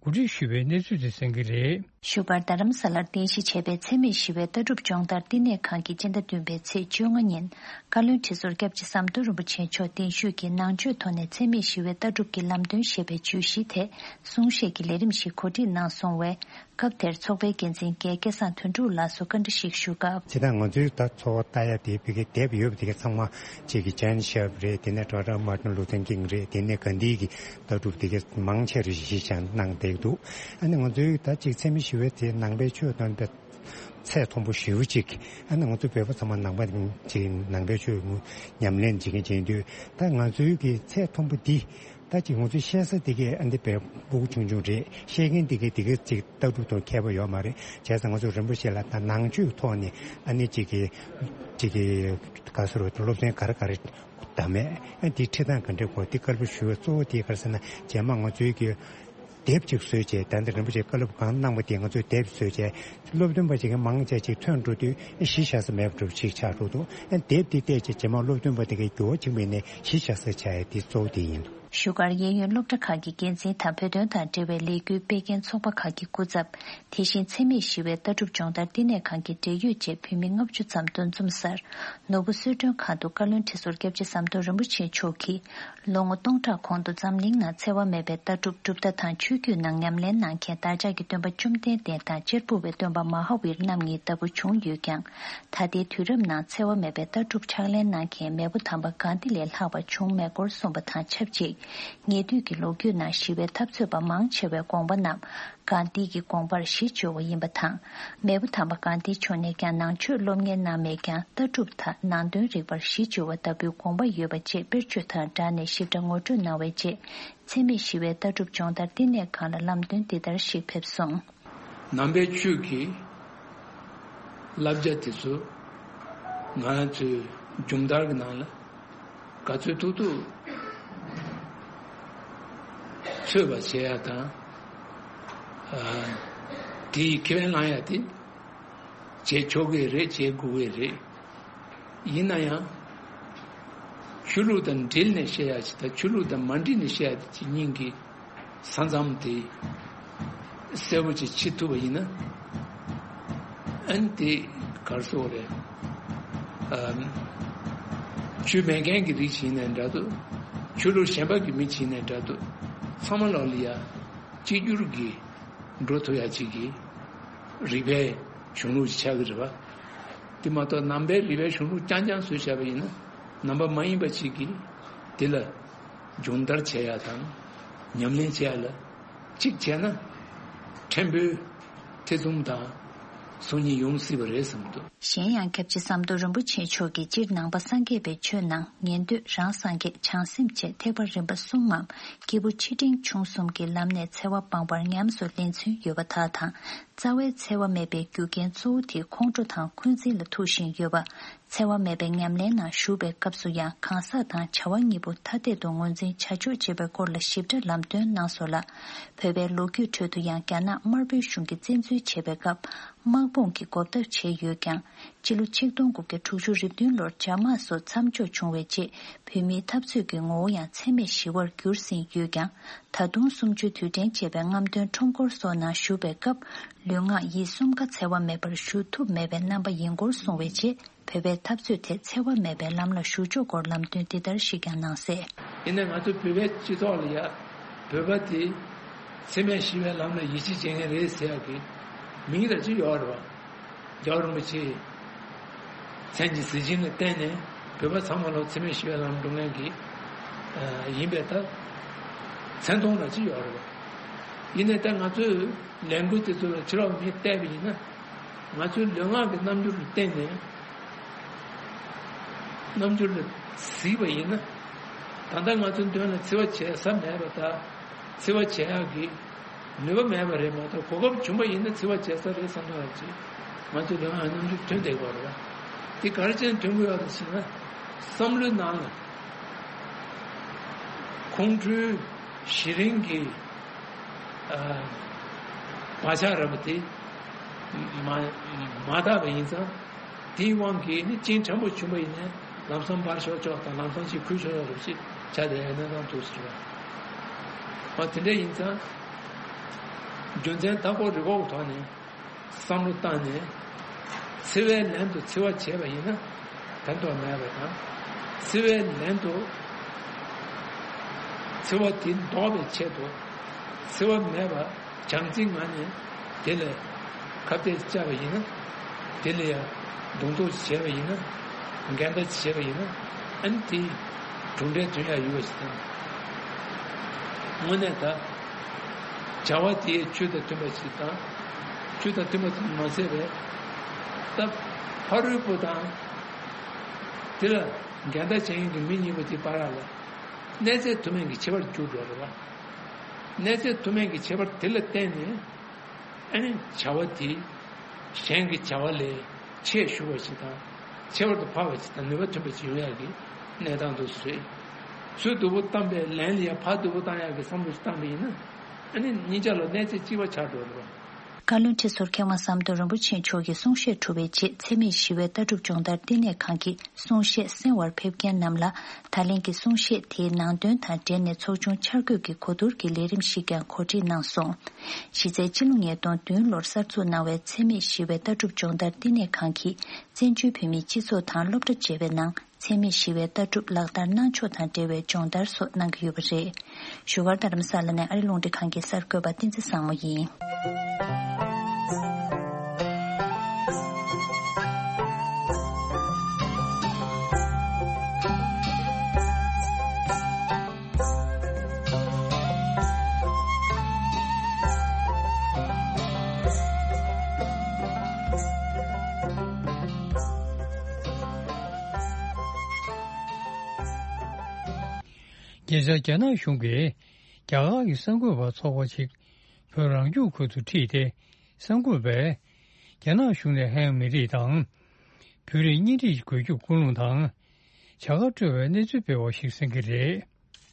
གོ་སྒྲིག་ཞུས་པའི་གནས་ཚུལ་དེ་གསན་གྱི་རེད། བཞུགས་སྒར་རྡ་རམ་ས་ལར་རྟེན་གཞི་བྱས་པའི་འཚེ་མེད་ཞི་བའི་ལྟ་གྲུབ་སྦྱོང་བརྡར་བསྟི་གནས་ཁང་གིས་སྤྱི་ཟླ་བདུན་པའི་ཚེས་བཅོ་ལྔ་ཉིན་བཀའ་བློན་ཁྲི་ཟུར་སྐྱབས་རྗེ་ཟམ་གདོང་རིན་པོ་ཆེ་མཆོག་གདན་ཞུས་ཀྱིས་ནང་ཆོས་ཐོག་ནས་འཚེ་མེད་ཞི་བའི་ལྟ་གྲུབ་ཀྱི་ལམ་སྟོན་ཞེས་པའི་བརྗོད་གཞིའི་ཐད་གསུང་བཤད་ཀྱི་ལས་རིམ་ཞིག་གོ་སྒྲིག་གནང་སོང་བས། སྐབས་དེར་ཚོགས་པའི་འགན་འཛིན་རྒན་སྐལ་བཟང་དོན་གྲུབ་ལགས་སུ་བཀའ་འདྲི་ཞིག་ཞུ་སྐབས། ཇི་ལྟར་ང་ཚོའི་ད་ཚོགས་པ་ལྟ་ཡ་དེ་ཕ་གིའི་དེབ་ཡོད་པ་དེ་ག་ཚང་མ་གཅིག་གི་ཇན་ཤེབ་རེད། དེ་ནས་ཌོག་ཊར་མར་ཏིན་ལུ་ཐར་ཀིང་རེད། དེ་ནས་གྷན་དྷི་གི་ལྟ་གྲུབ་དེ་ག་མང་ཆེ་རེ་གཞི་བཞག་གནང་བསྡད་འདུག་ཨ་ནི་ང་ཚོའི་ད་གཅིག་འཚེ་མེད་ཞི་བའི་དེ་ནང་པའི་ཆོས་དང་ཚད་མཐོན་པོ་ཞེ་པོ་ཅིག་ཨ་ནི་ང་ཚོ་བོད་པ་ཚང་མ་ནང་པ་ཅིག་ནང་པའི་ཆོས་ཉམས་ལེན་བྱེད་མཁན་བྱེད་དུས། ད་ང་ཚོའི་གི་ཚད་མཐོན་པོ་འདི། ད་ཅིག་ང་ཚོའི་བཤད་ས་དེ་གའི་ཨ་འདི་བས་སྤུ་གུ་ཆུང་ཆུང་རེད། བཤད་མཁན་དེ་གའི་དེ་གའི་ཅིག་ལྟ་གྲུབ་དང་མཁས་པ་ཡོད་མ་རེད། བྱས་ཙང་ང་ཚོ་རིན་པོ་ཆེ་ལ་ད་ནང་ཆོས་ཐོག་ནས་ཨ་ནི་ཅིག་གི་ཅིག་གི་ག་ཟེར་བ་སློབ་ཚན་ག་རེ་ག་རེ་བདམས་མེད། ཨ་འདི་ཁྲིད་སྟངས་ག་འདྲ་དགོས་དེ་བཀའ་སློབ་ཞུ་བའི་གཙོ་བོ་དེ་ག་རེ་ཟེར་ན། རྗེས་མ་ང་ཚོའི་གི་དེབ་ཅིག་བཟོས་བྱས། ད་འདི་རིན་པོ་ཆེ་བཀའ་སློབ་གང་གནང་བ་དེ་ང་ཚོས་དེབ་བཟོས་བྱས། སློབ་སྟོན་པ་ཅིག་གི་མང་ཆེ་ཅིག་ཐོན་འགྲོ་དུས་གཞི་བཞག་ས་མེད་པ་འདྲ་པོ་ཅིག་ཆགས་འགྲོ་འདུག་ཨ་དེབ་དེ་བལྟས་བྱས་རྗེས་མ་སློབ་སྟོན་པ་དེ་གའི་འགྱུར་བ་ཅིག་མེད་ནས་གཞི་བཞག་ས་ཆགས་ཡ་དེ་གཙོ་བོ་དེ་ཡིན། བཞུགས་སྒར་གཡས་གཡོན་སློབ་གྲྭ་ཁག་གི་འགན་འཛིན་དང་བོད་དོན་དང་འབྲེལ་བའི་ལས་འགུལ་སྤེལ་མཁན་ཚོགས་པ་ཁག་གི་སྐུ་ཚབ། དེ་བཞིན་འཚེ་མེད་ཞི་བའི་ལྟ་གྲུབ་སྦྱོང་བརྡར་བསྟི་གནས་ཁང་གི་འབྲེལ་ཡོད་བཅས་བོད་མི་ལྔ་བཅུ་ཙམ་འདུ་འཛོམས་སར། ནོར་བུ་གསོལ་མགྲོན་ཁང་དུ་བཀའ་བློན་ཁྲི་ཟུར་སྐྱབས་རྗེ་ཟམ་གདོང་རིན་པོ་ཆེ་མཆོག་གིས། ལོ་ངོ་སྟོང་ཕྲག་གོང་དུ་འཛམ་གླིང་ནང་འཚེ་བ་མེད་པའི་ལྟ་གྲུབ་གྲུབ་མཐའ་དང་ཆོས་བརྒྱུད་ནང་ཉམས་ལེན་གནང་མཁན་བདག་ཅག་གི་སྟོན་པ་བཅོམ་ལྡན་འདས་དང་གཅེར་བུ་བའི་སྟོན་པ་མ་ཧཱ་ཝིར་རྣམ་གཉིས་ལྟ་བུ་བྱུང་ཡོད་ཀྱང་། ད་ལྟའི་དུས་རབས་ནང་འཚེ་བ་མེད་པའི་ལྟ་གྲུབ་ཕྱག་ལེན་གནང་མཁན་མེས་པོ་དམ་པ་གྷན་དྷི་ལས་ལྷག་པ་བྱུང་མེད་སྐོར་གསུངས་པ་དང་ཆབས་ཅིག་ཉེ་དུས་ཀྱི་ལོ་རྒྱུས་ནང་ཞི་བའི་འཐབ་རྩོད་པ་མང་ཆེ་བའི་དགོངས་པ་རྣམས་གྷན་དྷི་གི་དགོངས་པར་གཞི་བཅོལ་བ་ཡིན་པ་དང་། མེས་པོ་དམ་པ་གྷན་དྷི་མཆོག་ནས་ཀྱང་ནང་ཆོས་སློབ་གཉེར་གནང་མེད་ཀྱང་ལྟ་གྲུབ་དང་ནང་དོན་རིག་པར་གཞི་བཅོལ་བ་ལྟ་བུའི་དགོངས་པ་ཡོད་པ་བཅས་དཔེར་བརྗོད་དང་སྦྲགས་ནས་ཞིབ་ཕྲ་ངོ་སྤྲོད་གནང་བའི་རྗེས། འཚེ་མེད་ཞི་བའི་ལྟ་གྲུབ་སྦྱོང་བརྡར་བསྟི་གནས་ཁང་ལ་ལམ་སྟོན་འདི་ལྟར་ཞིག་ཕེབས་སོང་། ནང་པའི་ཆོས་ཀྱི་བསླབ་བྱ་དེ་ཚོ་ང་རང་ཚོའི་སྦྱོང་བརྡར་གྱི་ནང་ལ་ག་ཚོད་ཐུབ་ཐུབ་འཚོལ་བ་བྱེད་ཡ་དང་། ཨ། དེའི་ཁས་ལེན་བླང་ཡ་དེ་བྱེད་ཆོག་གི་རེད། བྱེད་དགོས་ཀྱི་རེད། ཡིན་ན་ཡང་ཆོས་ལུགས་དང་འབྲེལ་ནས་བཤད་ཡ་ཅིག་དང་ཆོས་ལུགས་དང་མ་འབྲེལ་ནས་བཤད་ཡ་ཅིག་གཉིས་ཀྱི་ས་མཚམས་དེ་གསལ་པོ་ཅིག་བྱེད་ཐུབ་པ་ཡིན་ན། ཨ་ནི་དེ་ག་རེ་ཟེར་དགོས་རེད། ཨ། ཆོས་མེད་མཁན་གྱི་རིགས་ཤིག་ཡིན་ནའི་འདྲ་འདུག་ཆོས་ལུགས་གཞན་པ་གི་མི་ཞིག་ཡིན་ནའི་འདྲ་འདུག་ཚང་མ་ལོག་ལ་ཡ་གཅིག་གྱུར་གྱི་འགྲོ་ཐུབ་ཡ་ཅིག་གི་རིག་པའི་གཞུང་ལུགས་ཤིག་ཆགས་ཀྱི་རེད་པ། དེ་མ་གཏོགས་ནང་པའི་རིག་པའི་གཞུང་ལུགས་རྐྱང་རྐྱང་བཟོས་བཞག་པ་ཡིན་ན། ནང་པ་མ་ཡིན་པ་ཅིག་གིས་དེ་ལ་སྦྱོང་བརྡར་བྱེད་ཡ་དང་ཉམས་ལེན་བྱེད་ཡ་ལ་གཅིག་བྱས་ན་ཕྲན་བུ་ཐེ་ཚོམ་དང་ སང་ཉིན་ཡོང་སྲིད་པ་རེད་བསམ་འདུག། གཞན་ཡང་སྐྱབས་རྗེ་ཟམ་གདོང་རིན་པོ་ཆེ་མཆོག་གིས་སྤྱིར་ནང་པ་སངས་རྒྱས་པའི་ཆོས་ནང་ཉན་ཐོས་རང་སངས་རྒྱས་བྱང་སེམས་བཅས་ཐེག་པ་རིམ་པ་གསུམ་མམ་སྐྱེས་བུ་ཆེ་འབྲིང་ཆུང་གསུམ་གྱི་ལམ་ནས་འཚེ་བ་སྤངས་པར་ཉམས་སུ་ལེན་ཚུལ་ཡོད་པ་དག་དང་། རྩ་བའི་འཚེ་བ་མེད་པའི་རྒྱུ་རྐྱེན་གཙོ་བོ་དེ་ཁོང་ཁྲོ་དང་འཁོན་འཛིན་ལ་ཐུག་བཞིན་ཡོད་པ། འཚེ་བ་མེད་པའི་ཉམས་ལེན་ནང་ཞུགས་པའི་སྐབས་སུ་ཡང་གང་ཟག་དང་བྱ་བ་གཉིས་པོ་ཐ་དད་དུ་ངོས་འཛིན་བྱ་ཕྱོགས་བྱེད་པའི་སྐོར་ལ་ཞིབ་ཕྲ་ལམ་སྟོན་གནང་སོང་ལ། བོད་པའི་ལོ་རྒྱུས་ཁྲོད་དུ་ཡང་རྒྱ་ནག་དམར་པོའི་གཞུང་གིས་བཙན་འཛུལ་བྱེད་པའི་སྐབས། དམག་དཔུང་གི་འགོག་ཐབས་བྱས་ཡོད་ཀྱང་། སྤྱི་ལོ་ཆིག་སྟོང་དགུ་བརྒྱ་དྲུག་ཅུ་རེ་བདུན་ལོར་འཇབ་དམག་སོགས་མཚམས་འཇོག་བྱུང་བའི་རྗེས། བོད་མིའི་འཐབ་རྩོད་ཀྱི་ངོ་བོ་ཡང་འཚེ་མེད་ཞི་བར་འགྱུར་ཟིན་ཡོད་ཀྱང་། ད་དུང་གསུམ་བཅུའི་དུས་དྲན་བཅས་པའི་རྔམ་སྟོན་ཁྲོམ་སྐོར་སོགས་ནང་ཞུགས་པའི་སྐབས། ལུས་ངག་ཡིད་གསུམ་ཀ་འཚེ་བ་མེད་པར་ཞུ་ཐུབ་མེད་པའི་རྣམ་པ་ཡིན་སྐོར་གསུངས་པའི་རྗེས། བོད་པའི་འཐབ་རྩོད་དེ་འཚེ་བ་མེད་པའི་ལམ་ལ་ཞུགས་ཕྱོགས་སྐོར་ལམ་སྟོན་འདི་ལྟར་ཞིག་ཀྱང་གནང་གསལ། ཡིན་ནའི་ང་ཚོ་བོད་པའི་སྤྱི་ཚོགས་ལ་ཡ། བོད་པ་དེ་འཚེ་མེད་ཞི་བའི་ལམ་ལ་ཡིད་ཆེས་བྱེད་མཁན་རེད་ཟེར་ཡག་གི་མིང་ར་ཅིག་ཡོད་རེད་བ། རྒྱལ་བ་རིན་པོ་ཆེའི་མཚན་གྱི་གཟི་བྱིན་ལ་བརྟེན་ནས་བོད་པ་ཚང་མ་ལ་འཚེ་མེད་ཞི་བའི་ལམ་འགྲོ་མཁན་གྱི་ཨ་ཡིན་པའི་ད་མཚན་མཐོང་ར་ཅིག་ཡོད་རེད་བ། ཡིན་ནའི་ད་ང་ཚོས་ལས་འགུལ་དེ་ཚོ་ལ་ཕྱི་ལོགས་མིས་བལྟས་པ་ཡིན་ན། ང་ཚོའི་ལུས་ངག་གི་རྣམ་འགྱུར་ལ་བརྟེན་ནས། རྣམ་འགྱུར་ལ་གཟིགས་པ་ཡིན་ན། ད་ལྟ་ང་ཚོའི་མདུན་ལ་འཚེ་བ་བྱེད་ས་མེད་པ་དང་། འཚེ་བ་བྱེད་ཡག་གི་ནུས་པ་མེད་པ་རེད་མ་གཏོགས། གོ་སྐབས་བྱུང་བ་ཡིན་ན་འཚེ་བ་བྱེད་ས་རེད་བསམ་བསྡད་ཡག་ཅིག་ང་ཚོའི་ལུས་ངག་གི་རྣམ་འགྱུར་ཐོན་བསྡད་ཀྱི་ཡོད་རེད་བ། དེ་ག་རེ་བྱས་ནས་ཐོན་གྱི་ཡོད་རེད་ཟེར་ན། བསམ་བློའི་ནང་ལ་ཁོང་ཁྲོའི་ཞེ་རིང་གི་ཨ་བག་ཆགས་ར་བ་དེ་མ་མ་དག་པ་ཡིན་ཙང་། དེའི་དབང་གིས་ནི་གཅིན་ཕྲན་བུ་བྱུང་བ་ཡིན་ནའི་ལམ་སང་འབར་ཤོར་ཆོག་དང་། ལམ་སང་ཅིག་ཁུལ་ཤོར་ཡག་རེད་ཅེས་བྱ་དེ་ཡང་གནས་སྟངས་འདུག་ཟེར་བ། འོ་དེ་འདྲ་ཡིན་ཙང་། རྒྱུ་མཚན་ད་གོ་རི་གོ་གི་ཐོག་ནས་བསམ་བློ་བཏང་ནས། འཚེ་བའི་ལན་དུ་འཚེ་བ་བྱས་པ་ཡིན་ན་ཕན་ཐོགས་མེད་པ་དང་། འཚེ་བའི་ལན་དུ་འཚེ་བ་དེ་ལྡོག་པའི་ཆེད་དུ་འཚེ་བ་མེད་པ་བྱམས་བརྩེའི་ངང་ནས་དེ་ལ་ཁ་གཏད་བཅག་པ་ཡིན་ན། དེ་ལ་ཡང་གདོང་ཐུག་བྱས་པ་ཡིན་ན། འགལ་ཟླ་བྱས་པ་ཡིན་ན། ཨ་ནི་དེ་གྲུབ་འབྲས་ཐོན་ཡག་ཡོད་པ་ཞིག་དང་། དངོས་གནས་ད་བྱ་བ་དེའི་ཆོས་དང་མཐུན་པ་ཞིག་དང་། ཆོས་དང་མཐུན་པ་ཙམ་མ་ཟད་པའི་ད་ཕ་རོལ་པོ་དང་དེ་ལ་འགལ་ཟླ་བྱེད་མཁན་གྱི་མི་གཉིས་པོ་དེ་བར་ལ་གནས་ཚད་དུ་མའི་གི་ཁྱད་པར་འགྱུར་འགྲོ་རེད་བ། གནས་ཚད་དུ་མའི་གི་ཁྱད་པར་དེ་ལ་བརྟེན་ནས། ཨ་ནི་བྱ་བ་དེ་གཞན་གྱི་བྱ་བ་ལས་ཆེས་ཞུ་བ་ཞིག་དང་། ཁྱད་པར་དུ་འཕགས་པ་ཞིག་དང་། ནུས་པ་ཐོན་པ་ཞིག་ཡོང་ཡག་གི་གནས་སྟངས་དུ་བཟོས། ཚུར་སྡུག་པོ་བཏང་པའི་ལན་ལ་ཡང་ཕར་སྡུག་པོ་བཏང་ཡག་གི་བསམ་བློ་ཞིག་བཏང་པ་ཡིན་ན། ཨ་ནི་གཉིས་ཆ་ལ་གནས་ཚད་གཅིག་པ་ཆགས་འགྲོ་རེད་བ། བཀའ་བློན་ཁྲི་ཟུར་མཁས་དབང་ཟམ་གདོང་རིན་པོ་ཆེ་མཆོག་གི་གསུང་བཤད་གྲུབ་པའི་རྗེས། འཚེ་མེད་ཞི་བའི་ལྟ་གྲུབ་སྦྱོང་བརྡར་བསྟི་གནས་ཁང་གི་གསུང་བཤད་གསན་པར་ཕེབས་མཁན་རྣམས་ལ། ད་ལན་གྱི་གསུང་བཤད་དེའི་ནང་དོན་དང་འབྲེལ་ནས་ཚོགས་ཆུང་འཆར་འགོད་ཀྱི་གོ་བསྡུར་གྱི་ལས་རིམ་ཞིག་ཀྱང་གོ་སྒྲིག་གནང་སོང་། གཞི་རྩའི་ཕྱི་ལོ་ཉིས་སྟོང་བདུན་ལོར་གསར་འཛུགས་གནང་བའི་འཚེ་མེད་ཞི་བའི་ལྟ་གྲུབ་སྦྱོང་བརྡར་བསྟི་གནས་ཁང་གིས། བཙན་བྱོལ་བོད་མིའི་སྤྱི་ཚོགས་དང་སློབ་གྲྭ་བཅས་པའི་ནང་། འཚེ་མེད་ཞི་བའི་ལྟ་གྲུབ་ལག་བསྟར་གནང་ཕྱོགས་དང་འབྲེལ་བའི་སྦྱོང་བརྡར་སོགས་གནང་གི་ཡོད་པ་རེད། བཞུགས་སྒར་རྡ་རམ་ས་ལ་ནས་ཨ་རི་རླུང་འཕྲིན་ཁང་གི་གསར་འགོད་པ་བསྟན་འཛིན་བཟང་མོ་ཡིན། ཉེ་ཆར་རྒྱ་ནག་གཞུང་གིས་རྒྱ་གར་གྱི་གསར་འགོད་པ་ཚོགས་པ་ཞིག་བོད་རང་སྐྱོང་ཁུལ་དུ་ཁྲིད་དེ། གསར་འགོད་པས་རྒྱ་ནག་གཞུང་ནས་ཧན་མི་རིགས་དང་། བོད་རིགས་གཉེན་སྒྲིག་དགོས་རྒྱུ་ཀུན་སློང་དང་། བྱ་དགའ་སྤྲོད་པའི་གནས་ཚུལ་སྤེལ་བ་ཞིག་གསན་གྱི་རེད།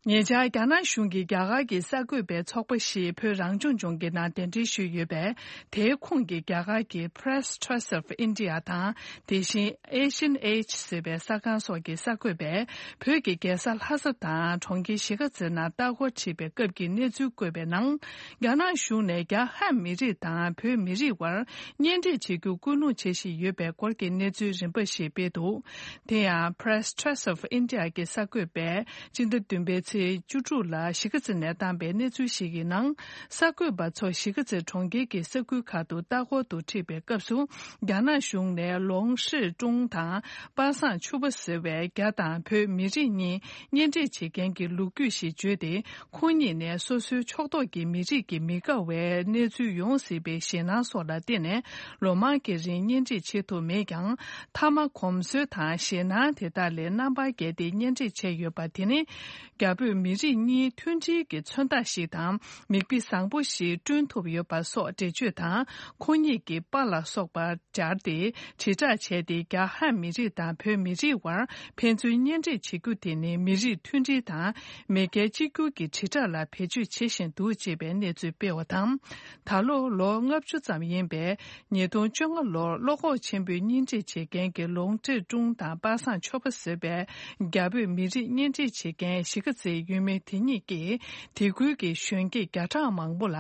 ཉེ་ཆར་རྒྱ་ནག་གཞུང་གིས་རྒྱ་གར་གྱི་གསར་འགོད་པའི་ཚོགས་པ་ཞིག་བོད་རང་སྐྱོང་ལྗོངས་ཀྱི་ནང་གདན་འདྲེན་ཞུས་ཡོད་པས། དེའི་ཁོངས་ཀྱི་རྒྱ་གར་གྱི་Press Trust of India དང་། དེ་བཞིན་Asian Age ཟེར་བའི་གསར་ཁང་སོགས་ཀྱི་གསར་འགོད་པས། བོད་ཀྱི་རྒྱལ་ས་ལྷ་ས་དང་གྲོང་ཁྱེར་གཞིས་ཀ་རྩེ་ནང་ལྟ་སྐོར་ཁྲིད་པའི་སྐབས་ཀྱི་གནས་ཚུལ་བཀོད་པའི་ནང་། རྒྱ་ནག་གཞུང་ནས་རྒྱ་ཧན་མི་རིགས་དང་བོད་མི་རིགས་དབར་གཉེན་སྒྲིག་བྱེད་རྒྱུ་སྐུལ་སློང་བྱེད་བཞིན་ཡོད་པའི་སྐོར་གྱི་གནས་ཚུལ་རིམ་པ་ཞིག་སྤེལ་འདུག། དེ་ཡང་Press Trust of India གྱི་གསར་འགོད་པས་སྤྱི་ཟླ་བདུན་པའི་ ཚེས་བཅུ་དྲུག་ལ་གཞིས་ཀ་རྩེ་ནས་བཏང་པའི་གནས་ཚུལ་ཞིག་གི་ནང་། གསར་འགོད་པ་ཚོ་གཞིས་ཀ་རྩེ་གྲོང་ཁྱེར་གྱི་ས་ཁུལ་ཁག་ཏུ་ལྟ་སྐོར་དུ་ཁྲིད་པའི་སྐབས་སུ། རྒྱ་ནག་གཞུང་ནས་ལོང་ཧྲི་ཀྲུང་དང་པ་སངས་ཆུ་པ་ཟེར་བའི་རྒྱ་དང་བོད་མི་རིགས་གཉིས་གཉེན་སྒྲིག་བྱེད་མཁན་གྱི་ལོ་རྒྱུས་ཤིག་བརྗོད་དེ། ཁོང་གཉིས་ནས་སོ་སོའི་ཕྱོགས་གཏོགས་ཀྱི་མི་རིགས་ཀྱི་མི་དགའ་བའི་གནས་ཚུལ་ཡོང་སྲིད་པའི་ཞེད་སྣང་སོགས་ལ་བརྟེན་ནས། ལོ་མང་གི་རིང་གཉེན་སྒྲིག་བྱེད་ཐུབ་མེད་ཀྱང་། མཐའ་མ་གོམས་སྲོལ་དང་ཞེད་སྣང་དེ་དག་ལས་རྣམ་པར་རྒྱལ་ཏེ་གཉེན་སྒྲིག་བྱས་ཡོད་པ་དེ་ནི། རྒྱ་བོད་མི་རིགས་གཉིས་མཐུན་སྒྲིལ་གྱི་མཚོན་རྟགས་ཤིག་དང་། མིག་དཔེ་བཟང་པོ་ཞིག་བསྐྲུན་ཐུབ་ཡོད་པ་སོགས་འགྲེལ་བརྗོད་དང་། ཁོང་ཉིད་ཀྱི་པཱ་ལགས་སོགས་པ་སྦྱར་ཏེ་དྲིལ་བསྒྲགས་བྱས་ཏེ། རྒྱ་ཧན་མི་རིགས་དང་བོད་མི་རིགས་དབར་ཕན་ཚུན་གཉེན་སྒྲིག་བྱེད་རྒྱུ་དེ་ནི་མི་རིགས་མཐུན་སྒྲིལ་དང་མེས་རྒྱལ་གཅིག་གྱུར་གྱི་དྲིལ་བསྒྲགས་ལ་བེད་སྤྱོད་བྱེད་བཞིན་འདུག་ཅེས་པའི་གནས་ཚུལ་སྤེལ་བ་དང་། ད་ལོ་ལོ་ལྔ་བཅུ་ཙམ་ཡིན་པའི་ཉིས་སྟོང་བཅོ་ལྔ་ལོར་བློ་ཁོག་ཆེན་པོས་གཉེན་སྒྲིག་བྱེད་མཁན་གྱི་ལོང་ཀྲེ་ཀྲུང་དང་པ་སངས་ཆོས་པ་ཟེར་བའི་རྒྱ་བོད་མི་རིགས་གཉེན་སྒྲིག་བྱེད་མཁན་གཞིས་ཀ་རྩེའི་ཡུལ་མི་དེ་གཉིས་ཀྱིས། དེ་ཁུལ་གྱི་གཞོན་སྐྱེས་བརྒྱ་ཕྲག་མང་པོ་ལ་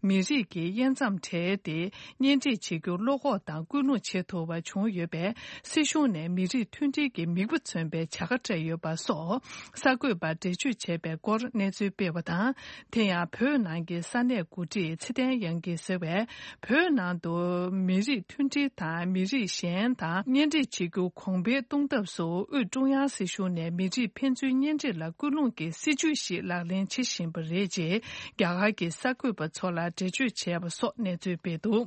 མི་རིགས་ཀྱི་དབྱེ་མཚམས་བྲལ་ཏེ་གཉེན་སྒྲིག་བྱེད་རྒྱུར་བློ་ཁོག་དང་ཀུན་སློང་བྱེད་ཐུབ་པ་བྱུང་ཡོད་པས། སྲིད་གཞུང་ནས་མི་རིགས་མཐུན་སྒྲིལ་གྱི་མིག་དཔེ་མཚོན་པའི་བྱ་དགའ་སྤྲད་ཡོད་པ་སོགས་གསར་འགོད་པར་འགྲེལ་བརྗོད་བྱས་པའི་སྐོར་གནས་ཚུལ་སྤེལ་བ་དང་། དེ་ཡང་བོད་ནང་གི་ས་གནས་འགོ་ཁྲིད་ཚེ་བརྟན་དབྱངས་སྐྱིད་ཟེར་བས། བོད་ནང་དུ་མི་རིགས་མཐུན་སྒྲིལ་དང་མི་རིགས་གཞན་དང་གཉེན་སྒྲིག་བྱེད་རྒྱུ་གོང་འཕེལ་གཏོང་ཐབས་སུ། དབུས་ཀྲུང་དབྱང་སྲིད་གཞུང་ནས་མི་རིགས་ཕན་ཚུན་གཉེན་སྒྲིག་ལ་སྐུལ་སློང་གི་སྲིད་ཇུས་ཤིག་ལག་ལེན་བྱེད་བཞིན་པ་རེད་ཅེས་རྒྱ་གར་གྱི་གསར་འགོད་པ་ཚོ་ལ་འགྲེལ་བརྗོད་བྱས་པ་སོགས་གནས་ཚུལ་སྤེལ་འདུག།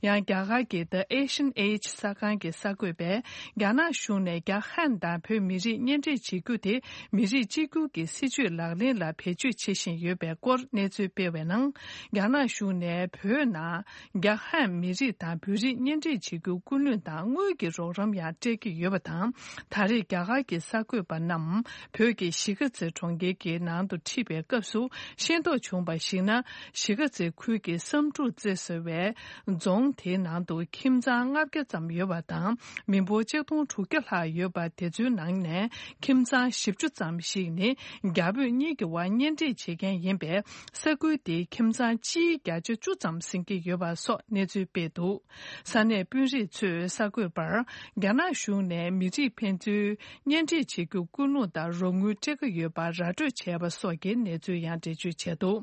ཡང་རྒྱ་གར་གྱི་The Asian Age གསར་ཁང་གི་གསར་འགོད་པས། རྒྱ་ནག་གཞུང་ནས་རྒྱ་ཧན་དང་བོད་མི་རིགས་གཉེན་སྒྲིག་བྱེད་རྒྱུ་དེ་མི་རིགས་གཅིག་གྱུར་གྱི་སྲིད་ཇུས་ལག་ལེན་ལ་བེད་སྤྱོད་བྱེད་བཞིན་ཡོད་པའི་སྐོར་གནས་ཚུལ་སྤེལ་བའི་ནང་། རྒྱ་ནག་གཞུང་ནས་བོད་ནང་རྒྱ་ཧན་མི་རིགས་དང་བོད་རིགས་གཉེན་སྒྲིག་བྱེད་རྒྱུ་སྐུལ་སློང་དང་དངུལ་གྱི་རོགས་རམ་ཡང་སྤྲད་ཀྱི་ཡོད་པ་དང་། ད་རེས་རྒྱ་གར་གྱི་གསར་འགོད་པ་རྣམས་བོད་ཀྱི་གཞིས་ཀ་རྩེ་གྲོང་ཁྱེར་གྱི་ནང་དུ་ཁྲིད་པའི་སྐབས་སུ་ཤེས་རྟོགས་བྱུང་བར་གཞིགས་ན། གཞིས་ཀ་རྩེ་ཁུལ་གྱི་བསམ་གྲུབ་རྩེ་ཟེར་བའི་རྫོང་དེའི་ནང་དུ་ཁྱིམ་ཚང་ལྔ་བརྒྱ་ཙམ་ཡོད་པ་དང་། མི་འབོར་ཆིག་སྟོང་དྲུག་བརྒྱ་ལྷག་ཡོད་པ་དེ་ཚོའི་ནང་ནས་ཁྱིམ་ཚང་བཞི་བཅུ་ཙམ་ཞིག་ནི་རྒྱ་བོད་གཉིས་ཀྱི་དབར་གཉེན་སྒྲིག་བྱེད་མཁན་ཡིན་པས། ས་ཁུལ་དེའི་ཁྱིམ་ཚང་སྤྱིའི་བརྒྱ་ཆ་བཅུ་ཙམ་ཟིན་གྱི་ཡོད་པ་སོགས་གནས་ཚུལ་སྤེལ་འདུག། ས་གནས་དཔོན་རིགས་ཚོས་གསར་འགོད་པར། རྒྱ་ནག་གཞུང་ནས་མི་རིགས་ཕན་ཚུན་གཉེན་སྒྲིག་བྱེད་རྒྱུ་སྐུལ་སློང་དང་རོགས་དངུལ་སྤྲད་ཀྱི་ཡོད་པ་ར་སྤྲོད་བྱས་པ་སོགས་ཀྱི་གནས་ཚུལ་ཡང་འགྲེལ་བརྗོད་བྱས་འདུག།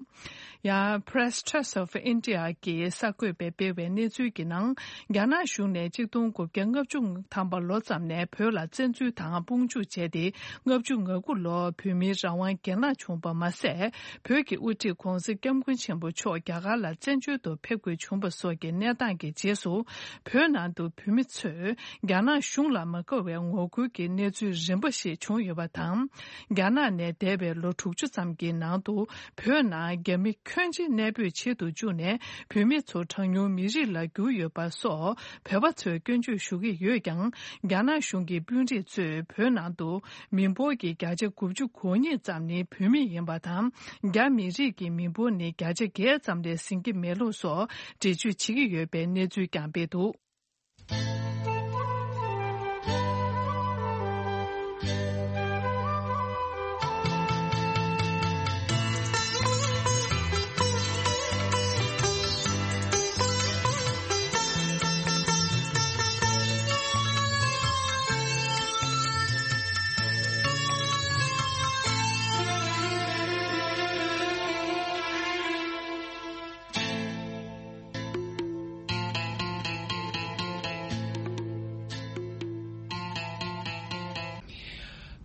ཡང་Press Trust of India གིས་གསར་འགོད་པས་སྤེལ་བའི་གནས་ཚུལ་གྱི་ནང་། རྒྱ་ནག་གཞུང་ནས་ཆིག་སྟོང་དགུ་བརྒྱ་ལྔ་བཅུ་ཐམ་པ་ལོ་ཙམ་ནས་བོད་ལ་བཙན་འཛུལ་དང་དཔུང་འཇུག་བྱས་ཏེ། ལྔ་བཅུ་ང་དགུ་ལོར་བོད་མིའི་རང་དབང་གྱེན་ལངས་བྱུང་བ་མ་ཟད། བོད་ཀྱི་དབུ་ཁྲིད་༧གོང་ས་༧སྐྱབས་མགོན་ཆེན་པོ་མཆོག་རྒྱ་གར་ལ་བཙན་བྱོལ་དུ་ཕེབས་དགོས་བྱུང་བ་སོགས་ཀྱི་གནས་སྟངས་ཀྱི་རྗེས་སུ། བོད་ནང་དུ་བོད་མི་ཚོས་རྒྱ་ནག་གཞུང་ལ་མ་དགའ་བའི་ངོ་རྒོལ་གྱི་གནས་ཚུལ་རིམ་པ་ཞིག་བྱུང་ཡོད་པ་དང་། རྒྱ་ནག་ནས་འདས་པའི་ལོ་དྲུག་ཅུ་ཙམ་གྱི་ནང་དུ། བོད་ནང་རྒྱ་མི་ཁྱོན་ཆེ་གནས་སྤོས་བྱེད་དུ་བཅུག་ནས། བོད་མི་ཚོ་གྲངས་ཉུང་མི་རིགས་ལ་གྱུར་ཡོད་པ་སོགས་བོད་པ་ཚོས་སྐྱོན་བརྗོད་ཞུ་གི་ཡོད་ཀྱང་། རྒྱ་ནག་གཞུང་གི་དཔོན་རིགས་ཚོས་བོད་ནང་དུ་མི་འབོར་གྱི་བརྒྱ་ཆ་དགུ་བཅུ་གོ་གཉིས་ཙམ་ནི་བོད་མི་ཡིན་པ་དང་། རྒྱ་མི་རིགས་ཀྱི་མི་འབོར་ནི་བརྒྱ་ཆ་བརྒྱད་ཙམ་ལས་ཟིན་གྱི་མེད་ལུགས་སོགས་འགྲེལ་བརྗོད་བྱེད་ཀྱི་ཡོད་པའི་གནས་ཚུལ་ཀྱང་སྤེལ་འདུག།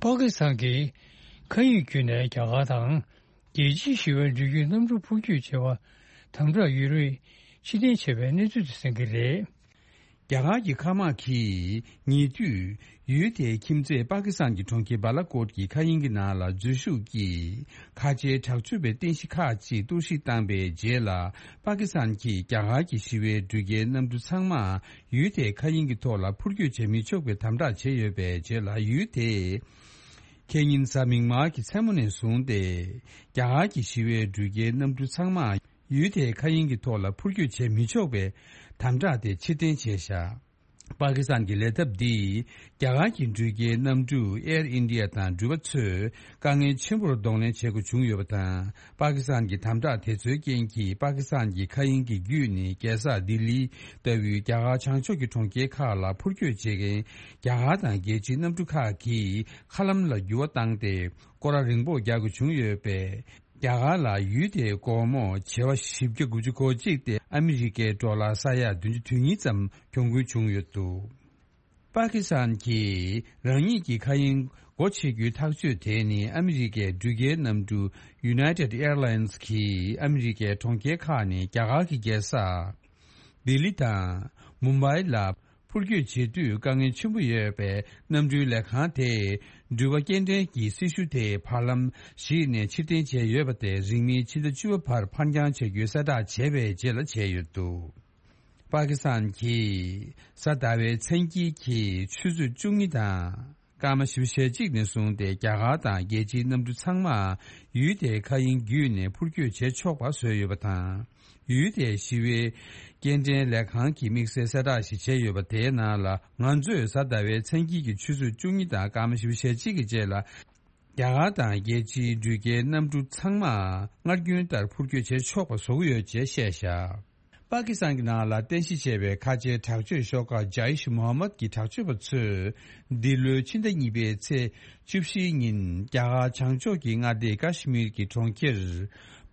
པ་ཀི་སི་ཐན་གྱིས་མཁའ་དབྱིངས་བརྒྱུད་ནས་རྒྱ་གར་དང་རྒྱལ་སྤྱིའི་ཞི་བའི་འགྲུལ་སྐྱོད་གནམ་གྲུ་འཕུར་སྐྱོད་བྱེད་པར་དམ་དྲག་ཡོད་རེད། ཕྱིར་འཐེན་བྱས་པའི་གནས་ཚུལ་དེ་གསན་གྱི་རེད། རྒྱ་གར་གྱི་མཁའ་དམག་གིས་ཉེ་དུས་ཡུལ་དེའི་ཁྱིམ་མཚེས་པ་ཀི་སི་ཐན་གྱི་གྲོང་ཁྱེར་བ་ལ་ཀོཊ་ཀྱི་མཁའ་དབྱིངས་ཀྱི་ནང་ལ་འཛུལ་ཞུགས་ཀྱིས་ཁ་ཆེའི་དྲག་སྤྱོད་པའི་རྟེན་གཞི་ཁག་ཅིག་གཏོར་བཤིག་བཏང་པའི་རྗེས་ལ། པ་ཀི་སི་ཐན་གྱིས་རྒྱ་གར་གྱི་ཞི་བའི་འགྲུལ་སྐྱེལ་གནམ་གྲུ་ཚང་མ་ཡུལ་དེའི་མཁའ་དབྱིངས་ཀྱི་ཐོག་ལ་འཕུར་སྐྱོད་བྱེད་མི་ཆོག་པའི་དམ་དྲག་བྱས་ཡོད་པའི་རྗེས་ལ། ཡུལ་དེས་ཁེ་ཉིན་གཟའ་མིག་དམར་གྱི་མཚན་མོ་ནས་བཟུང་སྟེ། རྒྱ་གར་གྱི་ཞི་བའི་འགྲུལ་སྐྱེལ་གནམ་གྲུ་ཚང་མ་ཡུལ་དེའི་མཁའ་དབྱིངས་ཀྱི་ཐོག་ལ་འཕུར་སྐྱོད་བྱེད་མི་ཆོག་པའི་དམ་དྲག་དེ་ཕྱིར་འཐེན་བྱས་བཞག། པ་ཀི་སི་ཐན་གྱི་ལས་ཐབས་འདིས་རྒྱ་གར་གྱི་འགྲུལ་སྐྱེལ་གནམ་གྲུ་Air India དང་འགྲུལ་པ་ཚོས་དཀའ་ངལ་ཆེན་པོར་གདོང་ལེན་བྱེད་དགོས་བྱུང་ཡོད་པ་དང་། པ་ཀི་སི་ཐན་གྱི་དམ་དྲག་དེ་ཚོའི་རྐྱེན་གྱིས། པ་ཀི་སི་ཐན་གྱི་མཁའ་དབྱིངས་ཀྱི་བརྒྱུད་ནས་རྒྱལ་ས་ལྡི་ལི་ལྟ་བུའི་རྒྱ་གར་བྱང་ཕྱོགས་ཀྱི་གྲོང་ཁྱེར་ཁག་ལ་འཕུར་སྐྱོད་བྱེད་མཁན་རྒྱ་གར་དང་རྒྱལ་སྤྱིའི་གནམ་གྲུ་ཁག་གིས་མཁའ་ལམ་ལ་འགྱུར་བ་བཏང་སྟེ། སྐོར་ར་རིང་པོ་རྒྱག་དགོས་བྱུང་ཡོད་པས། རྒྱ་གར་ལ་ཡུལ་དེའི་སྒོར་མོ་བྱེ་བ་བཞི་བརྒྱ་དགུ་བཅུ་གོ་གཅིག་སྟེ་ཨ་མི་རི་ཀའི་ཌོ་ལར་ས་ཡ་བདུན་ཅུ་དོན་གཉིས་ཙམ་གྱོང་གུན་བྱུང་ཡོད་འདུག། པ་ཀི་སི་ཐན་གྱིས་རང་ཉིད་ཀྱི་མཁའ་དབྱིངས་སྒོ་ཕྱེ་རྒྱུའི་ཐག་གཅོད་དེ་ནི། ཨ་མི་རི་ཀའི་འགྲུལ་སྐྱེལ་གནམ་གྲུ་United Airlines གིས་ཨ་མི་རི་ཀའི་གྲོང་ཁྱེར་ཁག་ནས་རྒྱ་གར་གྱི་རྒྱལ་ས་ལྡི་ལི་དང་མུམ་བྷའི་ལ་འཕུར་སྐྱོད་བྱེད་དུས་དཀའ་ངལ་ཆེན་པོ་ཡོད་པས། གནམ་གྲུའི་ལས་ཁང་དེས་འགྲུལ་པ་སྐྱེལ་འདྲེན་གྱི་སྲི་ཞུ་དེ་བར་ལམ་ཞིག་ནས་ཕྱིར་འཐེན་བྱས་ཡོད་པ་དེ་རིང་མིན་ཕྱི་ཟླ་བཅུ་པ་བར་ཕར་འགྱངས་བྱ་རྒྱུའི་གསལ་བསྒྲགས་བྱས་པའི་རྗེས་ལ་བྱས་ཡོད་འདུག། པ་ཀི་སི་ཐན་གྱིས་གཟའ་ཟླ་བའི་མཚན་དཀྱིལ་གྱི་ཆུ་ཚོད་བཅུ་གཉིས་དང་སྐར་མ་བཞི་བཅུ་ཞེ་གཅིག་ནས་བཟུང་སྟེ་རྒྱ་གར་དང་རྒྱལ་སྤྱིའི་གནམ་གྲུ་ཚང་མ་ཡུལ་དེའི་མཁའ་དབྱིངས་བརྒྱུད་ནས་འཕུར་སྐྱོད་བྱེད་ཆོག་པ་བཟོས་ཡོད་པ་དང་། ཡུལ་དེའི་ཞི་བའི་སྐྱེལ་འདྲེན་ལས་ཁང་གིས་དམིགས་བསལ་གསལ་བསྒྲགས་ཤིག་བྱས་ཡོད་པ་དེའི་ནང་ལ། ང་ཚོས་གཟའ་ཟླ་བའི་མཚན་དཀྱིལ་གྱི་ཆུ་ཚོད་བཅུ་གཉིས་དང་སྐར་མ་བཞི་བཅུ་ཞེ་གཅིག་གི་རྗེས་ལ། རྒྱ་གར་དང་རྒྱལ་སྤྱིའི་འགྲུལ་སྐྱེལ་གནམ་གྲུ་ཚང་མ་སྔར་རྒྱུན་ལྟར་འཕུར་སྐྱོད་བྱེད་ཆོག་པ་བཟོ་གི་ཡོད་ཅེས་བཤད་བཞག། པ་ཀི་སི་ཐན་གྱི་ནང་ལ་རྟེན་གཞི་བྱས་པའི་ཁ་ཆེའི་དྲག་སྤྱོད་ཤོག་ཁག་ཇཱིཤ་མོ་ཧམ་མད་ཀྱི་དྲག་སྤྱོད་པ་ཚོས་འདི་ལོའི་ཕྱི་ཟླ་གཉིས་པའི་ཚེས་བཅུ་བཞིའི་ཉིན་རྒྱ་གར་བྱང་ཕྱོགས་ཀྱི་མངའ་སྡེ་ཀ་ཤི་མིར་གྱི་གྲོང་ཁྱེར་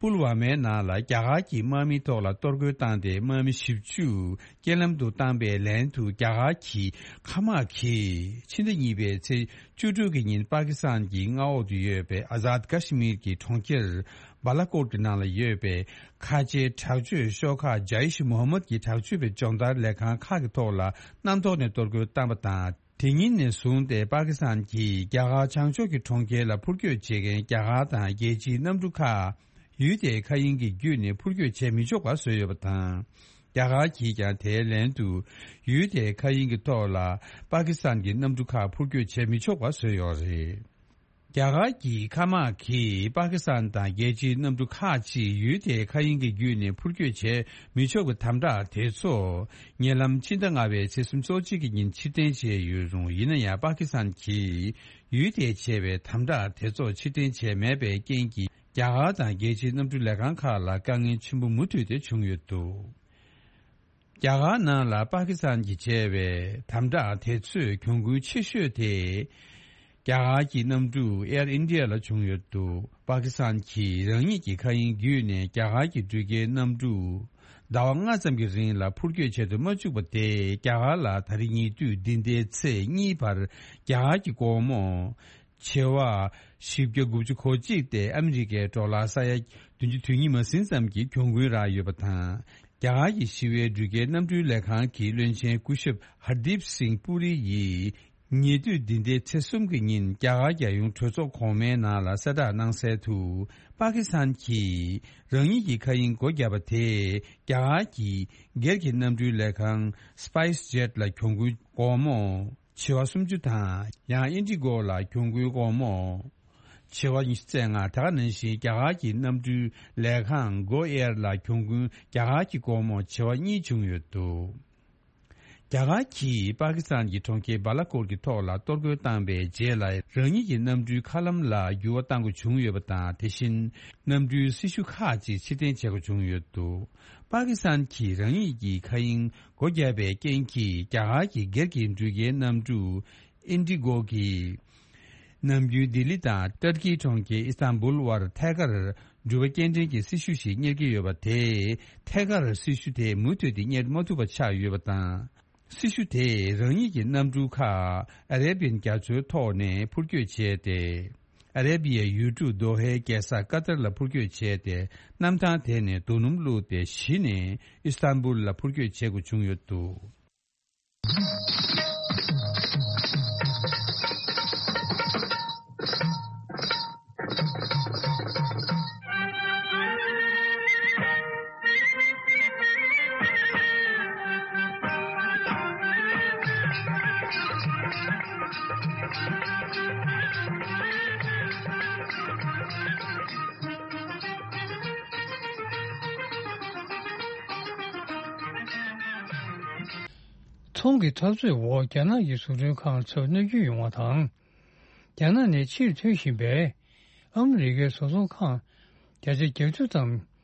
པུལ་ཝ་མའི་ནང་ལ་རྒྱ་གར་གྱི་དམག་མིའི་ཐོག་ལ་གཏོར་རྒོལ་བཏང་སྟེ། དམག་མི་བཞི་བཅུ་རྐྱེན་ལམ་དུ་བཏང་པའི་ལན་དུ། རྒྱ་གར་གྱི་མཁའ་དམག་གིས་ཕྱི་ཟླ་གཉིས་པའི་ཚེས་བཅུ་དྲུག་གི་ཉིན་པ་ཀི་སི་ཐན་གྱི་མངའ་འོག་ཏུ་ཡོད་པའི་ཨ་ཛཱད་ཀ་ཤི་མིར་གྱི་གྲོང་ཁྱེར་བཱ་ལ་ཀོཊ་ཀྱི་ནང་ལ་ཡོད་པའི་ཁ་ཆེའི་དྲག་སྤྱོད་ཤོག་ཁག་ཇཱིཤ་མོ་ཧམ་མད་ཀྱི་དྲག་སྤྱོད་པའི་སྦྱོང་བརྡར་ལས་ཁང་ཁག་གི་ཐོག་ལ་གནམ་ཐོག་ནས་གཏོར་རྒོལ་བཏང་པ་དང་། དེ་ཉིན་ནས་བཟུང་སྟེ་པ་ཀི་སི་ཐན་གྱིས་རྒྱ་གར་བྱང་ཕྱོགས་ཀྱི་གྲོང་ཁྱེར་ལ་འཕུར་སྐྱོད་བྱེད་མཁན་རྒྱ་གར་དང་རྒྱལ་སྤྱིའི་གནམ་གྲུ་ཁག་ཡུལ་དེའི་མཁའ་དབྱིངས་ཀྱི་བརྒྱུད་ནས་འཕུར་སྐྱོད་བྱེད་མི་ཆོག་པ་བཟོས་ཡོད་པ་དང་། རྒྱ་གར་གྱིས་ཀྱང་དེའི་ལན་དུ་ཡུལ་དེའི་མཁའ་དབྱིངས་ཀྱི་ཐོག་ལ་པ་ཀི་སི་ཐན་གྱི་གནམ་གྲུ་ཁག་འཕུར་སྐྱོད་བྱེད་མི་ཆོག་པ་བཟོས་ཡོད་རེད། རྒྱ་གར་གྱི་མཁའ་དམག་གིས་པ་ཀི་སི་ཐན་དང་རྒྱལ་སྤྱིའི་གནམ་གྲུ་ཁག་ཅིག་ཡུལ་དེའི་མཁའ་དབྱིངས་ཀྱི་བརྒྱུད་ནས་འཕུར་སྐྱོད་བྱེད་མི་ཆོག་པའི་དམ་དྲག་དེ་ཚོ་ཉེ་ལམ་ཕྱི་ཟླ་ལྔ་པའི་ཚེས་སོ་གཅིག་གི་ཉིན་ཕྱིར་འཐེན་བྱས་ཡོད་རུང་། ཡིན་ན་ཡང་པ་ཀི་སི་ཐན་གྱིས་ཡུལ་དེས་བྱས་པའི་དམ་དྲག་དེ་ཚོ་ཕྱིར་འཐེན་བྱས་མེད་པའི་རྐྱེན་གྱིས། རྒྱ་གར་དང་རྒྱལ་སྤྱིའི་གནམ་གྲུ་ལས་ཁང་ཁག་ལ་དཀའ་ངལ་ཆེན་པོ་མུ་མཐུད་དེ་བྱུང་ཡོད་འདུག། རྒྱ་གར་ནང་ལ་པ་ཀི་སི་ཐན་གྱིས་བྱས་པའི་དམ་དྲག་དེ་ཚོས་གྱོང་གུན་ཆེ་ཤོས་དེ། རྒྱ་གར་གྱི་གནམ་གྲུ་Air India ལ་བྱུང་ཡོད་འདུག། པ་ཀི་སི་ཐན་གྱིས་རང་ཉིད་ཀྱི་མཁའ་དབྱིངས་བརྒྱུད་ནས་རྒྱ་གར་གྱི་འགྲུལ་སྐྱེལ་གནམ་གྲུ་ཟླ་བ་ལྔ་ཙམ་གྱི་རིང་ལ་འཕུར་སྐྱོད་བྱེད་དུ་མ་བཅུག་པ་དེས། རྒྱ་གར་ལ་ད་རེས་ཉེ་དུས་འདི་ཟླའི་ཚེས་གཉིས་བར་རྒྱ་གར་གྱི་སྒོར་མོ་བྱེ་བ་བཞི་བརྒྱ་དགུ་བཅུ་གོ་གཅིག་སྟེ་ཨ་མི་རི་ཀའི་ཌོ་ལར་ས་ཡ་བདུན་ཅུ་དོན་གཉིས་མ་ཟིན་ཙམ་གྱི་གྱོང་གུན་རག་ཡོད་པ་དང་། རྒྱ་གར་གྱི་ཞི་བའི་འགྲུལ་སྐྱེལ་གནམ་གྲུའི་ལས་ཁང་གི་བློན་ཆེན་སྐུ་ཞབས་ཧར་དིབ་སིང་པུ་རི་ཡིས། ཉེ་དུས་འདི་ཟླའི་ཚེས་གསུམ་གྱི་ཉིན་རྒྱ་གར་རྒྱལ་ཡོངས་གྲོས་ཚོགས་གོང་མའི་ནང་ལ་གསལ་བསྒྲགས་གནང་གསལ་དུ། པ་ཀི་སི་ཐན་གྱིས་རང་ཉིད་ཀྱི་མཁའ་དབྱིངས་སྒོ་བརྒྱབ་པ་དེས། རྒྱ་གར་གྱི་སྒེར་གྱི་གནམ་གྲུའི་ལས་ཁང་སི་པའི་སི་ཇེཊ་ལ་གྱོང་གུན་སྒོར་མོ་བྱེ་བ་སུམ་ཅུ་དང་། ཡང་ཨིན་ཌི་གོ་ལ་གྱོང་གུན་སྒོར་མོ་བྱེ་བ་ཉི་ཤུ་རྩ་ལྔ། དེ་ག་ནང་བཞིན་རྒྱ་གར་གྱི་གནམ་གྲུའི་ལས་ཁང་གོ་ཨེར་ལ་གྱོང་གུན་རྒྱ་གར་གྱི་སྒོར་མོ་བྱེ་བ་གཉིས་བྱུང་ཡོད་འདུག། རྒྱ་གར་གྱིས་པ་ཀི་སི་ཐན་གྱི་གྲོང་ཁྱེར་བཱ་ལ་ཀོཊ་ཀྱི་ཐོག་ལ་གཏོར་རྒོལ་བཏང་པའི་རྗེས་ལ། རང་ཉིད་ཀྱི་གནམ་གྲུའི་མཁའ་ལམ་ལ་འགྱུར་བ་གཏང་དགོས་བྱུང་ཡོད་པ་དང་། དེ་བཞིན་གནམ་གྲུའི་སྲི་ཞུ་ཁག་ཅིག་ཕྱིར་འཐེན་བྱེད་དགོས་བྱུང་ཡོད་འདུག། པ་ཀི་སི་ཐན་གྱིས་རང་ཉིད་ཀྱི་མཁའ་དབྱིངས་སྒོ་བརྒྱབ་པའི་རྐྱེན་གྱིས། རྒྱ་གར་གྱི་སྒེར་གྱི་འགྲུལ་སྐྱེལ་གནམ་གྲུ་ཨིན་ཌི་གོ་གིས་ནམ་རྒྱུན་ལྡི་ལི་དང་ཏར་ཀིའི་གྲོང་ཁྱེར་ཨི་སྟན་བུལ་བར་ཐད་ཀར་འགྲུལ་པ་སྐྱེལ་འདྲེན་གྱི་སྲི་ཞུ་ཞིག་གཉེར་གྱི་ཡོད་པ་དེས། ཐད་ཀར་སྲི་ཞུ་དེ་མུ་མཐུད་དེ་གཉེར་མ་ཐུབ་པ་ཆགས་ཡོད་པ་དང་། སྲི་ཞུ་དེས་རང་ཉིད་ཀྱི་གནམ་གྲུ་ཁག་ཨ་རེ་བིའན་རྒྱ་མཚོའི་ཐོག་ནས་འཕུར་སྐྱོད་བྱས་ཏེ། ཨ་རེ་བི་ཡའི་ཡུལ་གྲུ་དོ་ཧའི་རྒྱལ་ས་ཀ་ཏར་ལ་འཕུར་སྐྱོད་བྱས་ཏེ། གནམ་ཐང་དེ་ནས་རྡོ་སྣུམ་བླུགས་ཏེ་གཞི་ནས་ཨི་སྟན་བུལ་ལ་འཕུར་སྐྱོད་བྱེད་དགོས་བྱུང་ཡོད་འདུག། ཚོང་གི་འཐབ་རྩོད་འོག་རྒྱ་ནག་གི་བཟོ་སྐྲུན་ཁང་ཚོར་གནོད་སྐྱོན་ཡོང་བ་དང་། རྒྱ་ནག་ནས་ཕྱིར་ཐོན་བཞིན་པའི་ཨ་མི་རི་ཀའི་བཟོ་ཚོང་ཁང་བརྒྱ་ཆ་བརྒྱད་ཅུ་ཙམ་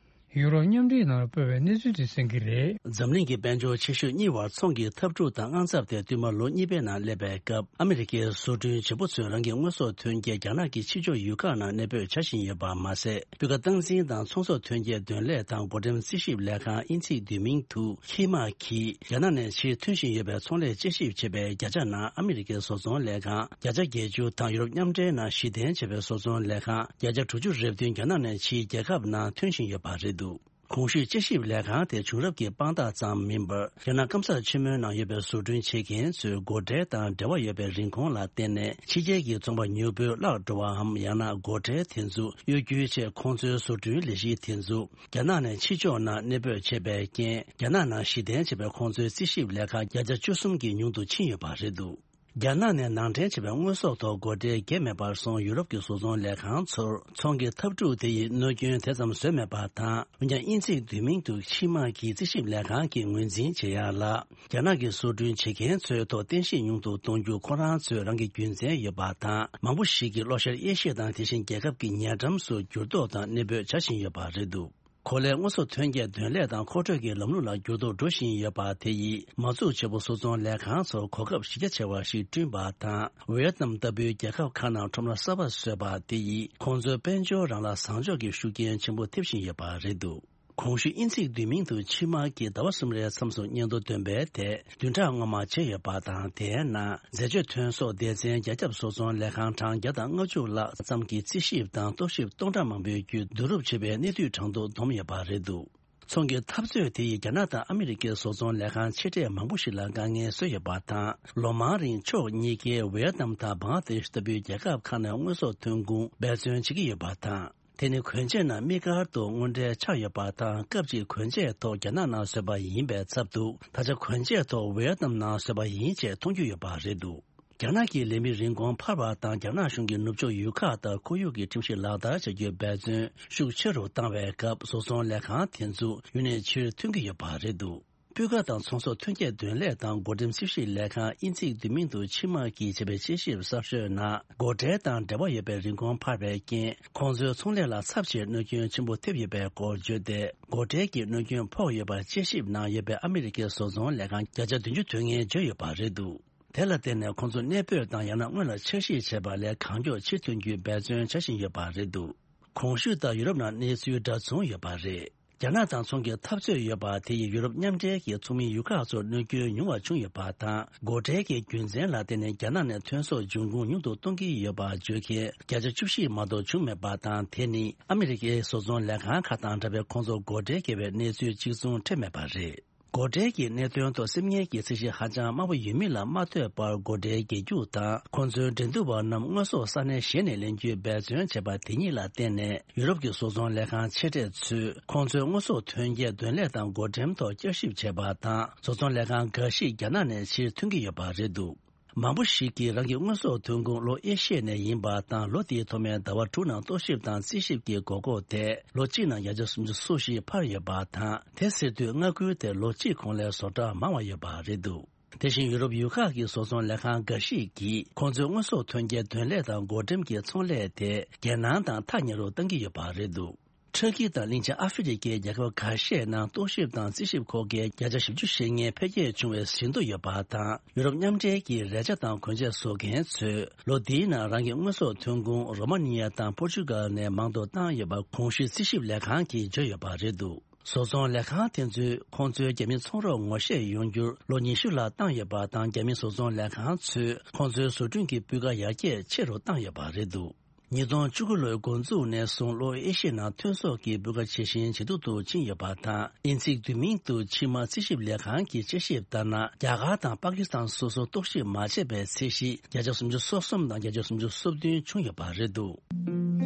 ཡུ་རོབ་མཉམ་འབྲེལ་ནང་སྤོས་པའི་གནས་ཚུལ་དེ་གསན་གྱི་རེད། འཛམ་གླིང་གི་དཔལ་འབྱོར་ཆེ་ཤོས་གཉིས་བར་ཚོང་གི་འཐབ་འཁྲུག་དང་དངངས་འཚབ་དེ་བསྟུད་མར་ལོ་གཉིས་པའི་ནང་སླེབས་པའི་སྐབས། ཨ་མི་རི་ཀའི་བཟོ་སྐྲུན་བྱེད་པོ་ཚོས་རང་གི་དངོས་ཟོག་ཐོན་སྐྱེད་རྒྱ་ནག་གི་ཕྱི་ཕྱོགས་ཡུལ་ཁག་ནང་གནས་སྤོས་བྱ་བཞིན་ཡོད་པ་མ་ཟད། སྤུས་ཀ་སྟངས་འཛིན་དང་ཚོང་ཟོག་ཐོན་སྐྱེད་འདོན་ལས་དང་བགོ་འགྲེམས་རྩིས་ཞིབ་ལས་ཁང་དབྱིན་ཚིག་བསྡུས་མིང་དུ་ཧི་མ་གིས། རྒྱ་ནག་ནས་ཕྱིར་ཐོན་བཞིན་ཡོད་པའི་ཚོང་ལས་དཔྱད་ཞིབ་བྱེད་པའི་བརྒྱ་ཆ་ནང་ཨ་མི་རི་ཀའི་བཟོ་ཚོང་ལས་ཁང་བརྒྱ་ཆ་བརྒྱད་ཅུ་དང་ཡུ་རོབ་མཉམ་འབྲེལ་ནང་གཞི་རྟེན་བྱས་པའི་བཟོ་ཚོང་ལས་ཁང་བརྒྱ་ཆ་དྲུག་ཅུ་རེ་བདུན་རྒྱ་ནག་ནས་ཕྱིའི་རྒྱལ་ཁབ་ནང་ཐོན་བཞིན་ཡོད་པ་རེད་འདུག། གོང་ཞུས་དཔྱད་ཞིབ་ལས་ཁང་དེ་བྱུང་རབས་ཀྱི་དཔང་རྟགས་ཙམ་མིན་པར། རྒྱ་ནག་སྐམ་ས་ཆེན་མོའི་ནང་ཡོད་པའི་བཟོ་སྐྲུན་བྱེད་མཁན་ཚོའི་སྒོ་ཁྲལ་དང་འབྲེལ་བ་ཡོད་པའི་རིན་གོང་ལ་བརྟེན་ནས། ཕྱི་རྒྱལ་གྱི་ཚོང་པ་མྱུར་པོའི་བརླག་འགྲོ་བའམ། ཡང་ན་སྒོ་ཁྲལ་དེ་ཚོ་གཡོ་སྒྱུ་ཆེད། ཁོང་ཚོའི་བཟོ་སྐྲུན་ལས་གཞི་དེ་ཚོ་རྒྱ་ནག་ནས་ཕྱི་ཕྱོགས་ནང་གནས་སྤོས་བྱས་པའི་རྐྱེན། རྒྱ་ནག་ནང་གཞི་རྟེན་བྱས་པའི་ཁོང་ཚོའི་རྩིས་ཞིབ་ལས་ཁང་བརྒྱ་ཆ་བཅུ་གསུམ་གྱིས་ཉུང་དུ་ཕྱིན་ཡོད་པ་རེད་འདུག། རྒྱ་ནག་ནས་ནང་འདྲེན་བྱས་པའི་དངོས་ཟོག་ཐོག་སྒོ་ཁྲལ་བརྒྱབ་མེད་པར་སོང་། ཡུ་རོབ་ཀྱི་བཟོ་ཚོང་ལས་ཁང་ཚོར་ཚོང་གི་འཐབ་འཁྲུག་དེ་ཡིས་གནོད་སྐྱོན་དེ་ཙམ་བཟོས་མེད་པ་དང་། འོན་ཀྱང་། དབྱིན་ཚིག་བསྡུས་མིང་དུ་ཕྱི་མ་གི་རྩིས་ཞིབ་ལས་ཁང་གིས་ངོས་འཛིན་བྱེད་ཡག་ལ། རྒྱ་ནག་གི་བཟོ་སྐྲུན་བྱེད་མཁན་ཚོའི་ཐོག་རྟེན་གཞི་ཉུང་དུ་གཏོང་རྒྱུ་ཁོ་རང་ཚོའི་རང་གི་རྒྱུ་མཚན་ཡོད་པ་དང་། མང་པོ་ཞིག་གིས་ལྷོ་ཤར་ཨེ་ཤི་ཡ་དང་དེ་བཞིན་རྒྱལ་ཁབ་ཀྱི་ཉེ་འགྲམ་སུ་འགྱུར་ལྡོག་དང་གནས་སྤོས་བྱ་བཞིན་ཡོད་པ་རེད་འདུག། གོ་ལའི་དངོས་ཟོག་ཐོན་སྐྱེད་འདོན་ལས་དང་མཁོ་སྤྲོད་ཀྱི་ལམ་ལུགས་ལ་འགྱུར་ལྡོག་འགྲོ་བཞིན་ཡོད་པ་དེ་ཡིས། མ་འཛུགས་བྱེད་པོ་བཟོ་ཚོང་ལས་ཁང་ཚོར་གོ་སྐབས་གཞི་རྒྱ་ཆེ་བ་ཞིག་བསྐྲུན་པ་དང་། ཝེ་ཡེད་ནམ་ལྟ་བུའི་རྒྱལ་ཁབ་ཁག་ནང་ཁྲོམ་ར་གསར་པ་བཟོས་པ་དེ་ཡིས། ཁོང་ཚོའི་དཔལ་འབྱོར་རང་ལ་བཟང་ཕྱོགས་ཀྱི་ཤུགས་རྐྱེན་ཆེན་པོ་ཐེབས་བཞིན་ཡོད་པ་རེད་འདུག། གོང་ཞུས་དབྱིན་ཚིག་བསྡུས་མིང་དུ་ཕྱི་མ་གིས་ཟླ་བ་གསུམ་རེའི་མཚམས་སུ་སྙན་ཐོ་འདོན་པའི་ཐད་བདུན་ཕྲག་སྔོན་མ་བྱས་ཡོད་པ་དང་། དེའི་ནང་འཛད་སྤྱོད་ཐོན་ཟོག་སྡེ་ཚན་རྒྱ་ཁྱབ་བཟོ་ཚོང་ལས་ཁང་གྲངས་བརྒྱ་དང་ལྔ་བཅུ་ལྷག་ཙམ་གྱི་རྩིས་ཞིབ་དང་རྟོག་ཞིབ་སྟོང་ཕྲག་མང་པོའི་བརྒྱུད་བསྡུ་རུབ་བྱས་པའི་གནས་དུས་གྲངས་ཐོ་བསྡོམས་ཡོད་པ་རེད་འདུག། ཚོང་གི་འཐབ་རྩོད་དེ་ཡིས་རྒྱ་ནག་དང་ཨ་མི་རི་ཀའི་བཟོ་ཚོང་ལས་ཁང་ཆེ་གྲས་མང་པོ་ཞིག་ལ་དཀའ་ངལ་བཟོས་ཡོད་པ་དང་། ལོ་མང་རིང་ཕྱོགས་གཉིས་ཀས་ཝེ་ཡེད་ནམ་དང་བང་ལ་དེ་ཤི་ལྟ་བུའི་རྒྱལ་ཁབ་ཁག་ནས་དངོས་ཟོག་ཐོན་ཁུངས་འབད་བརྩོན་བྱེད་ཀྱི་ཡོད་པ་དང་། དེ་ནི་གོན་ཆས་ནང་དམིགས་བཀར་དུ་དངོས་འབྲེལ་ཆགས་ཡོད་པ་དང་། སྐབས་གཅིག་གོན་ཆས་ཐོག་རྒྱ་ནག་ནང་བཟོས་པ་ཡིན་པའི་ཚབ་ཏུ། ད་ཆ་གོན་ཆས་ཐོག་ཝེ་ཡེད་ནམ་ནང་བཟོས་པ་ཡིན་ཅེས་མཐོང་རྒྱུ་ཡོད་པ་རེད་འདུག། རྒྱ་ནག་གི་ལས་མི་རིན་གོང་འཕར་བ་དང་། རྒྱ་ནག་གཞུང་གིས་ནུབ་ཕྱོགས་ཡུལ་ཁག་དང་ཁོར་ཡུག་གི་ཁྲིམས་གཞི་ལག་བསྟར་བྱ་རྒྱུའི་འབད་བརྩོན་ཤུགས་ཆེ་རུ་བཏང་བའི་སྐབས། བཟོ་ཚོང་ལས་ཁང་དེ་ཚོ་ཡུན་ནས་ཕྱིར་ཐོན་གྱི་ཡོད་པ་རེད་འདུག། སྤུས་ཀ་དང་ཚོང་ཟོག་ཐོན་སྐྱེད་འདོན་ལས་དང་སྒོ་འགྲེམས་རྩིས་ཞིབ་ལས་ཁང་། དབྱིན་ཚིག་བསྡུས་མིང་དུ་ཕྱི་མ་གིས་བྱས་པའི་དཔྱད་ཞིབ་གསར་ཤོས་ནང་། སྒོ་ཁྲལ་དང་འབྲེལ་བ་ཡོད་པའི་རིན་གོང་འཕར་བའི་རྐྱེན། ཁོང་ཚོའི་ཚོང་ལས་ལ་ཚབས་ཆེའི་གནོད་སྐྱོན་ཆེན་པོ་ཐེབས་ཡོད་པའི་སྐོར་བརྗོད་དེ། སྒོ་ཁྲལ་གྱི་གནོད་སྐྱོན་ཕོག་ཡོད་པར་དཔྱད་ཞིབ་གནང་ཡོད་པའི་ཨ་མི་རི་ཀའི་བཟོ་ཚོང་ལས་ཁང་བརྒྱ་ཆ་བདུན་ཅུ་དོན་ལྔས་བརྗོད་ཡོད་པ་རེད་འདུག། དེ་ལ་བརྟེན་ནས་ཁོང་ཚོ་གནས་སྤོས་དང་ཡང་ན་སྔོན་ལ་འཆར་གཞི་བྱས་པ་ལས་གང་མགྱོགས་ཕྱིར་ཐོན་རྒྱུའི་འབད་བརྩོན་བྱ་བཞིན་ཡོད་པ་རེད་འདུག། གོང་ཞུས་ལྟར་ཡུ་རོབ་ནང་གནས་ཚུལ་འདྲ་མཚུངས་ཡོད་པ་རེད། རྒྱ་ནག་དང་ཚོང་གི་འཐབ་རྩོད་ཡོད་པ་དེ་ཡིས་ཡུ་རོབ་མཉམ་འབྲེལ་གྱི་ཚོགས་མི་ཡུལ་ཁག་ཚོར་གནོད་སྐྱོན་ཉུང་བ་བྱུང་ཡོད་པ་དང་། སྒོ་ཁྲལ་གྱི་རྒྱུ་མཚན་ལ་བརྟེན་ནས་རྒྱ་ནག་ནས་ཐོན་ཟོག་འབྱུང་ཁུངས་ཉུང་དུ་གཏོང་གི་ཡོད་པ་བརྗོད་མཁན་བརྒྱ་ཆ་བཅུ་བཞི་མ་གཏོགས་བྱུང་མེད་པ་དང་། དེ་ནི་ཨ་མི་རི་ཀའི་བཟོ་ཚོང་ལས་ཁང་ཁག་དང་འདྲ་བའི་ཁོང་ཚོར་སྒོ་ཁྲལ་བརྒྱབ་པའི་གནས་ཚུལ་གཅིག་མཚུངས་འཕྲད་མེད་པ་རེད། སྒོ་ཁྲལ་གྱི་གནད་དོན་ཐོག་སེམས་ངལ་གྱི་ཚད་གཞི་ཧ་ཅང་དམའ་པོ་ཡོད་མིན་ལ་མ་ལྟོས་པར། སྒོ་ཁྲལ་རྒྱག་རྒྱུ་དང་ཁོང་ཚོའི་འགྲན་བསྡུར་བ་རྣམས་དངོས་ཟོག་ས་གནས་གཞན་ནས་ལེན་རྒྱུའི་འབད་བརྩོན་བྱས་པ་དེ་ཉིད་ལ་བརྟེན་ནས། ཡུ་རོབ་ཀྱི་བཟོ་ཚོང་ལས་ཁང་ཆེ་གྲས་ཚོས་ཁོང་ཚོའི་དངོས་ཟོག་ཐོན་སྐྱེད་འདོན་ལས་དང་སྒོ་འགྲེམས་ཐོག་བསྐྱར་ཞིབ་བྱས་པ་དང་། བཟོ་ཚོང་ལས་ཁང་འགའ་ཞིག་རྒྱ་ནག་ནས་ཕྱིར་ཐོན་གྱི་ཡོད་པ་རེད་འདུག། མང་པོ་ཞིག་གིས་རང་གི་དངོས་ཟོག་ཐོན་ཁུངས་ལྷོ་ཨེ་ཤི་ཡ་ནས་ཡིན་པ་དང་། ལོ་དེའི་ཐོག་མའི་ཟླ་བ་དྲུག་ནང་རྟོག་ཞིབ་དང་རྩིས་ཞིབ་ཀྱི་དགོས་མཁོ་དེ་ལོ་གཅིག་ནང་བརྒྱ་ཆ་སུམ་ཅུ་སོ་བཞི་འཕར་ཡོད་པ་དང་། དེ་ཟེར་དུས་མངའ་ཁུལ་དེར་ལོ་གཅིག་གོང་ལས་བཟོ་གྲྭ་མང་བ་ཡོད་པ་རེད་འདུག། དེ་བཞིན་ཡུ་རོབ་ཡུལ་ཁག་གི་བཟོ་ཚོང་ལས་ཁང་འགའ་ཞིག་གིས་ཁོང་ཚོའི་དངོས་ཟོག་ཐོན་སྐྱེད་འདོན་ལས་དང་སྒོ་འགྲེམས་ཀྱི་ཚོང་ལས་དེ་རྒྱལ་ནང་དང་ཐག་ཉེ་རུ་གཏང་གི་ཡོད་པ་རེད་འདུག། ཊར་ཀི་དང་གླིང་ཆེན་ཨ་ཧྥེ་རི་ཁའི་རྒྱལ་ཁབ་ཁ་ཤས་ནང་རྟོག་ཞིབ་དང་རྩིས་ཞིབ་ཁོག་རྒྱའི་བརྒྱ་ཆ་བཞི་བཅུ་ཞེ་ལྔའི་འཕེལ་རྒྱས་བྱུང་བའི་ཟིན་ཐོ་ཡོད་པ་དང་། ཡུ་རོབ་མཉམ་འབྲེལ་གྱི་རས་ཆ་དང་གོན་ཆས་བཟོ་མཁན་ཚོས་ལོ་འདིའི་ནང་རང་གི་དངོས་ཟོག་ཐོན་ཁུངས་རོ་མ་ནི་ཡ་དང་པོར་ཅུ་གལ་ནས་མང་དུ་བཏང་ཡོད་པ་གོང་ཞུས་རྩིས་ཞིབ་ལས་ཁང་གིས་བརྗོད་ཡོད་པ་རེད་འདུག། བཟོ་ཚོང་ལས་ཁང་དེ་ཚོས་ཁོང་ཚོའི་རྒྱ་མི་ཚོང་རོགས་ངོ་ཤེས་ཡོང་རྒྱུར་ལོ་ཉི་ཤུ་ལྷག་བཏང་ཡོད་པ་དང་། རྒྱ་མི་བཟོ་ཚོང་ལས་ཁང་ཚོས་ཁོང་ཚོའི་བཟོ་སྐྲུན་གྱི་སྤུས་ཀ་ཡར་རྒྱས་ཆེ་རུ་བཏང་ཡོད་པ་རེད་འདུག། ཉིས་སྟོང་བཅུ་དགུ་ལོའི་འགོ་འཛུགས་ནས་བཟུང་ལྷོ་ཨེ་ཤི་ཡའི་ནང་ཐོན་ཟོག་གི་སྤུས་ཀ་ཇེ་ཞན་ཇེ་སྡུག་ཏུ་ཕྱིན་ཡོད་པ་དང་། དབྱིན་ཚིག་བསྡུས་མིང་དུ་ཕྱི་མ་རྩིས་ཞིབ་ལས་ཁང་གིས་དཔྱད་ཞིབ་ལྟར་ན། རྒྱ་གར་དང་པ་ཀི་སི་ཐན་སོ་སོར་རྟོག་ཞིབ་མ་བྱས་པའི་ཚད་གཞི་བརྒྱ་ཆ་སུམ་ཅུ་སོ་གསུམ་དང་བརྒྱ་ཆ་སུམ་ཅུ་སོ་བདུན་བྱུང་ཡོད་པ་རེད་འདུག།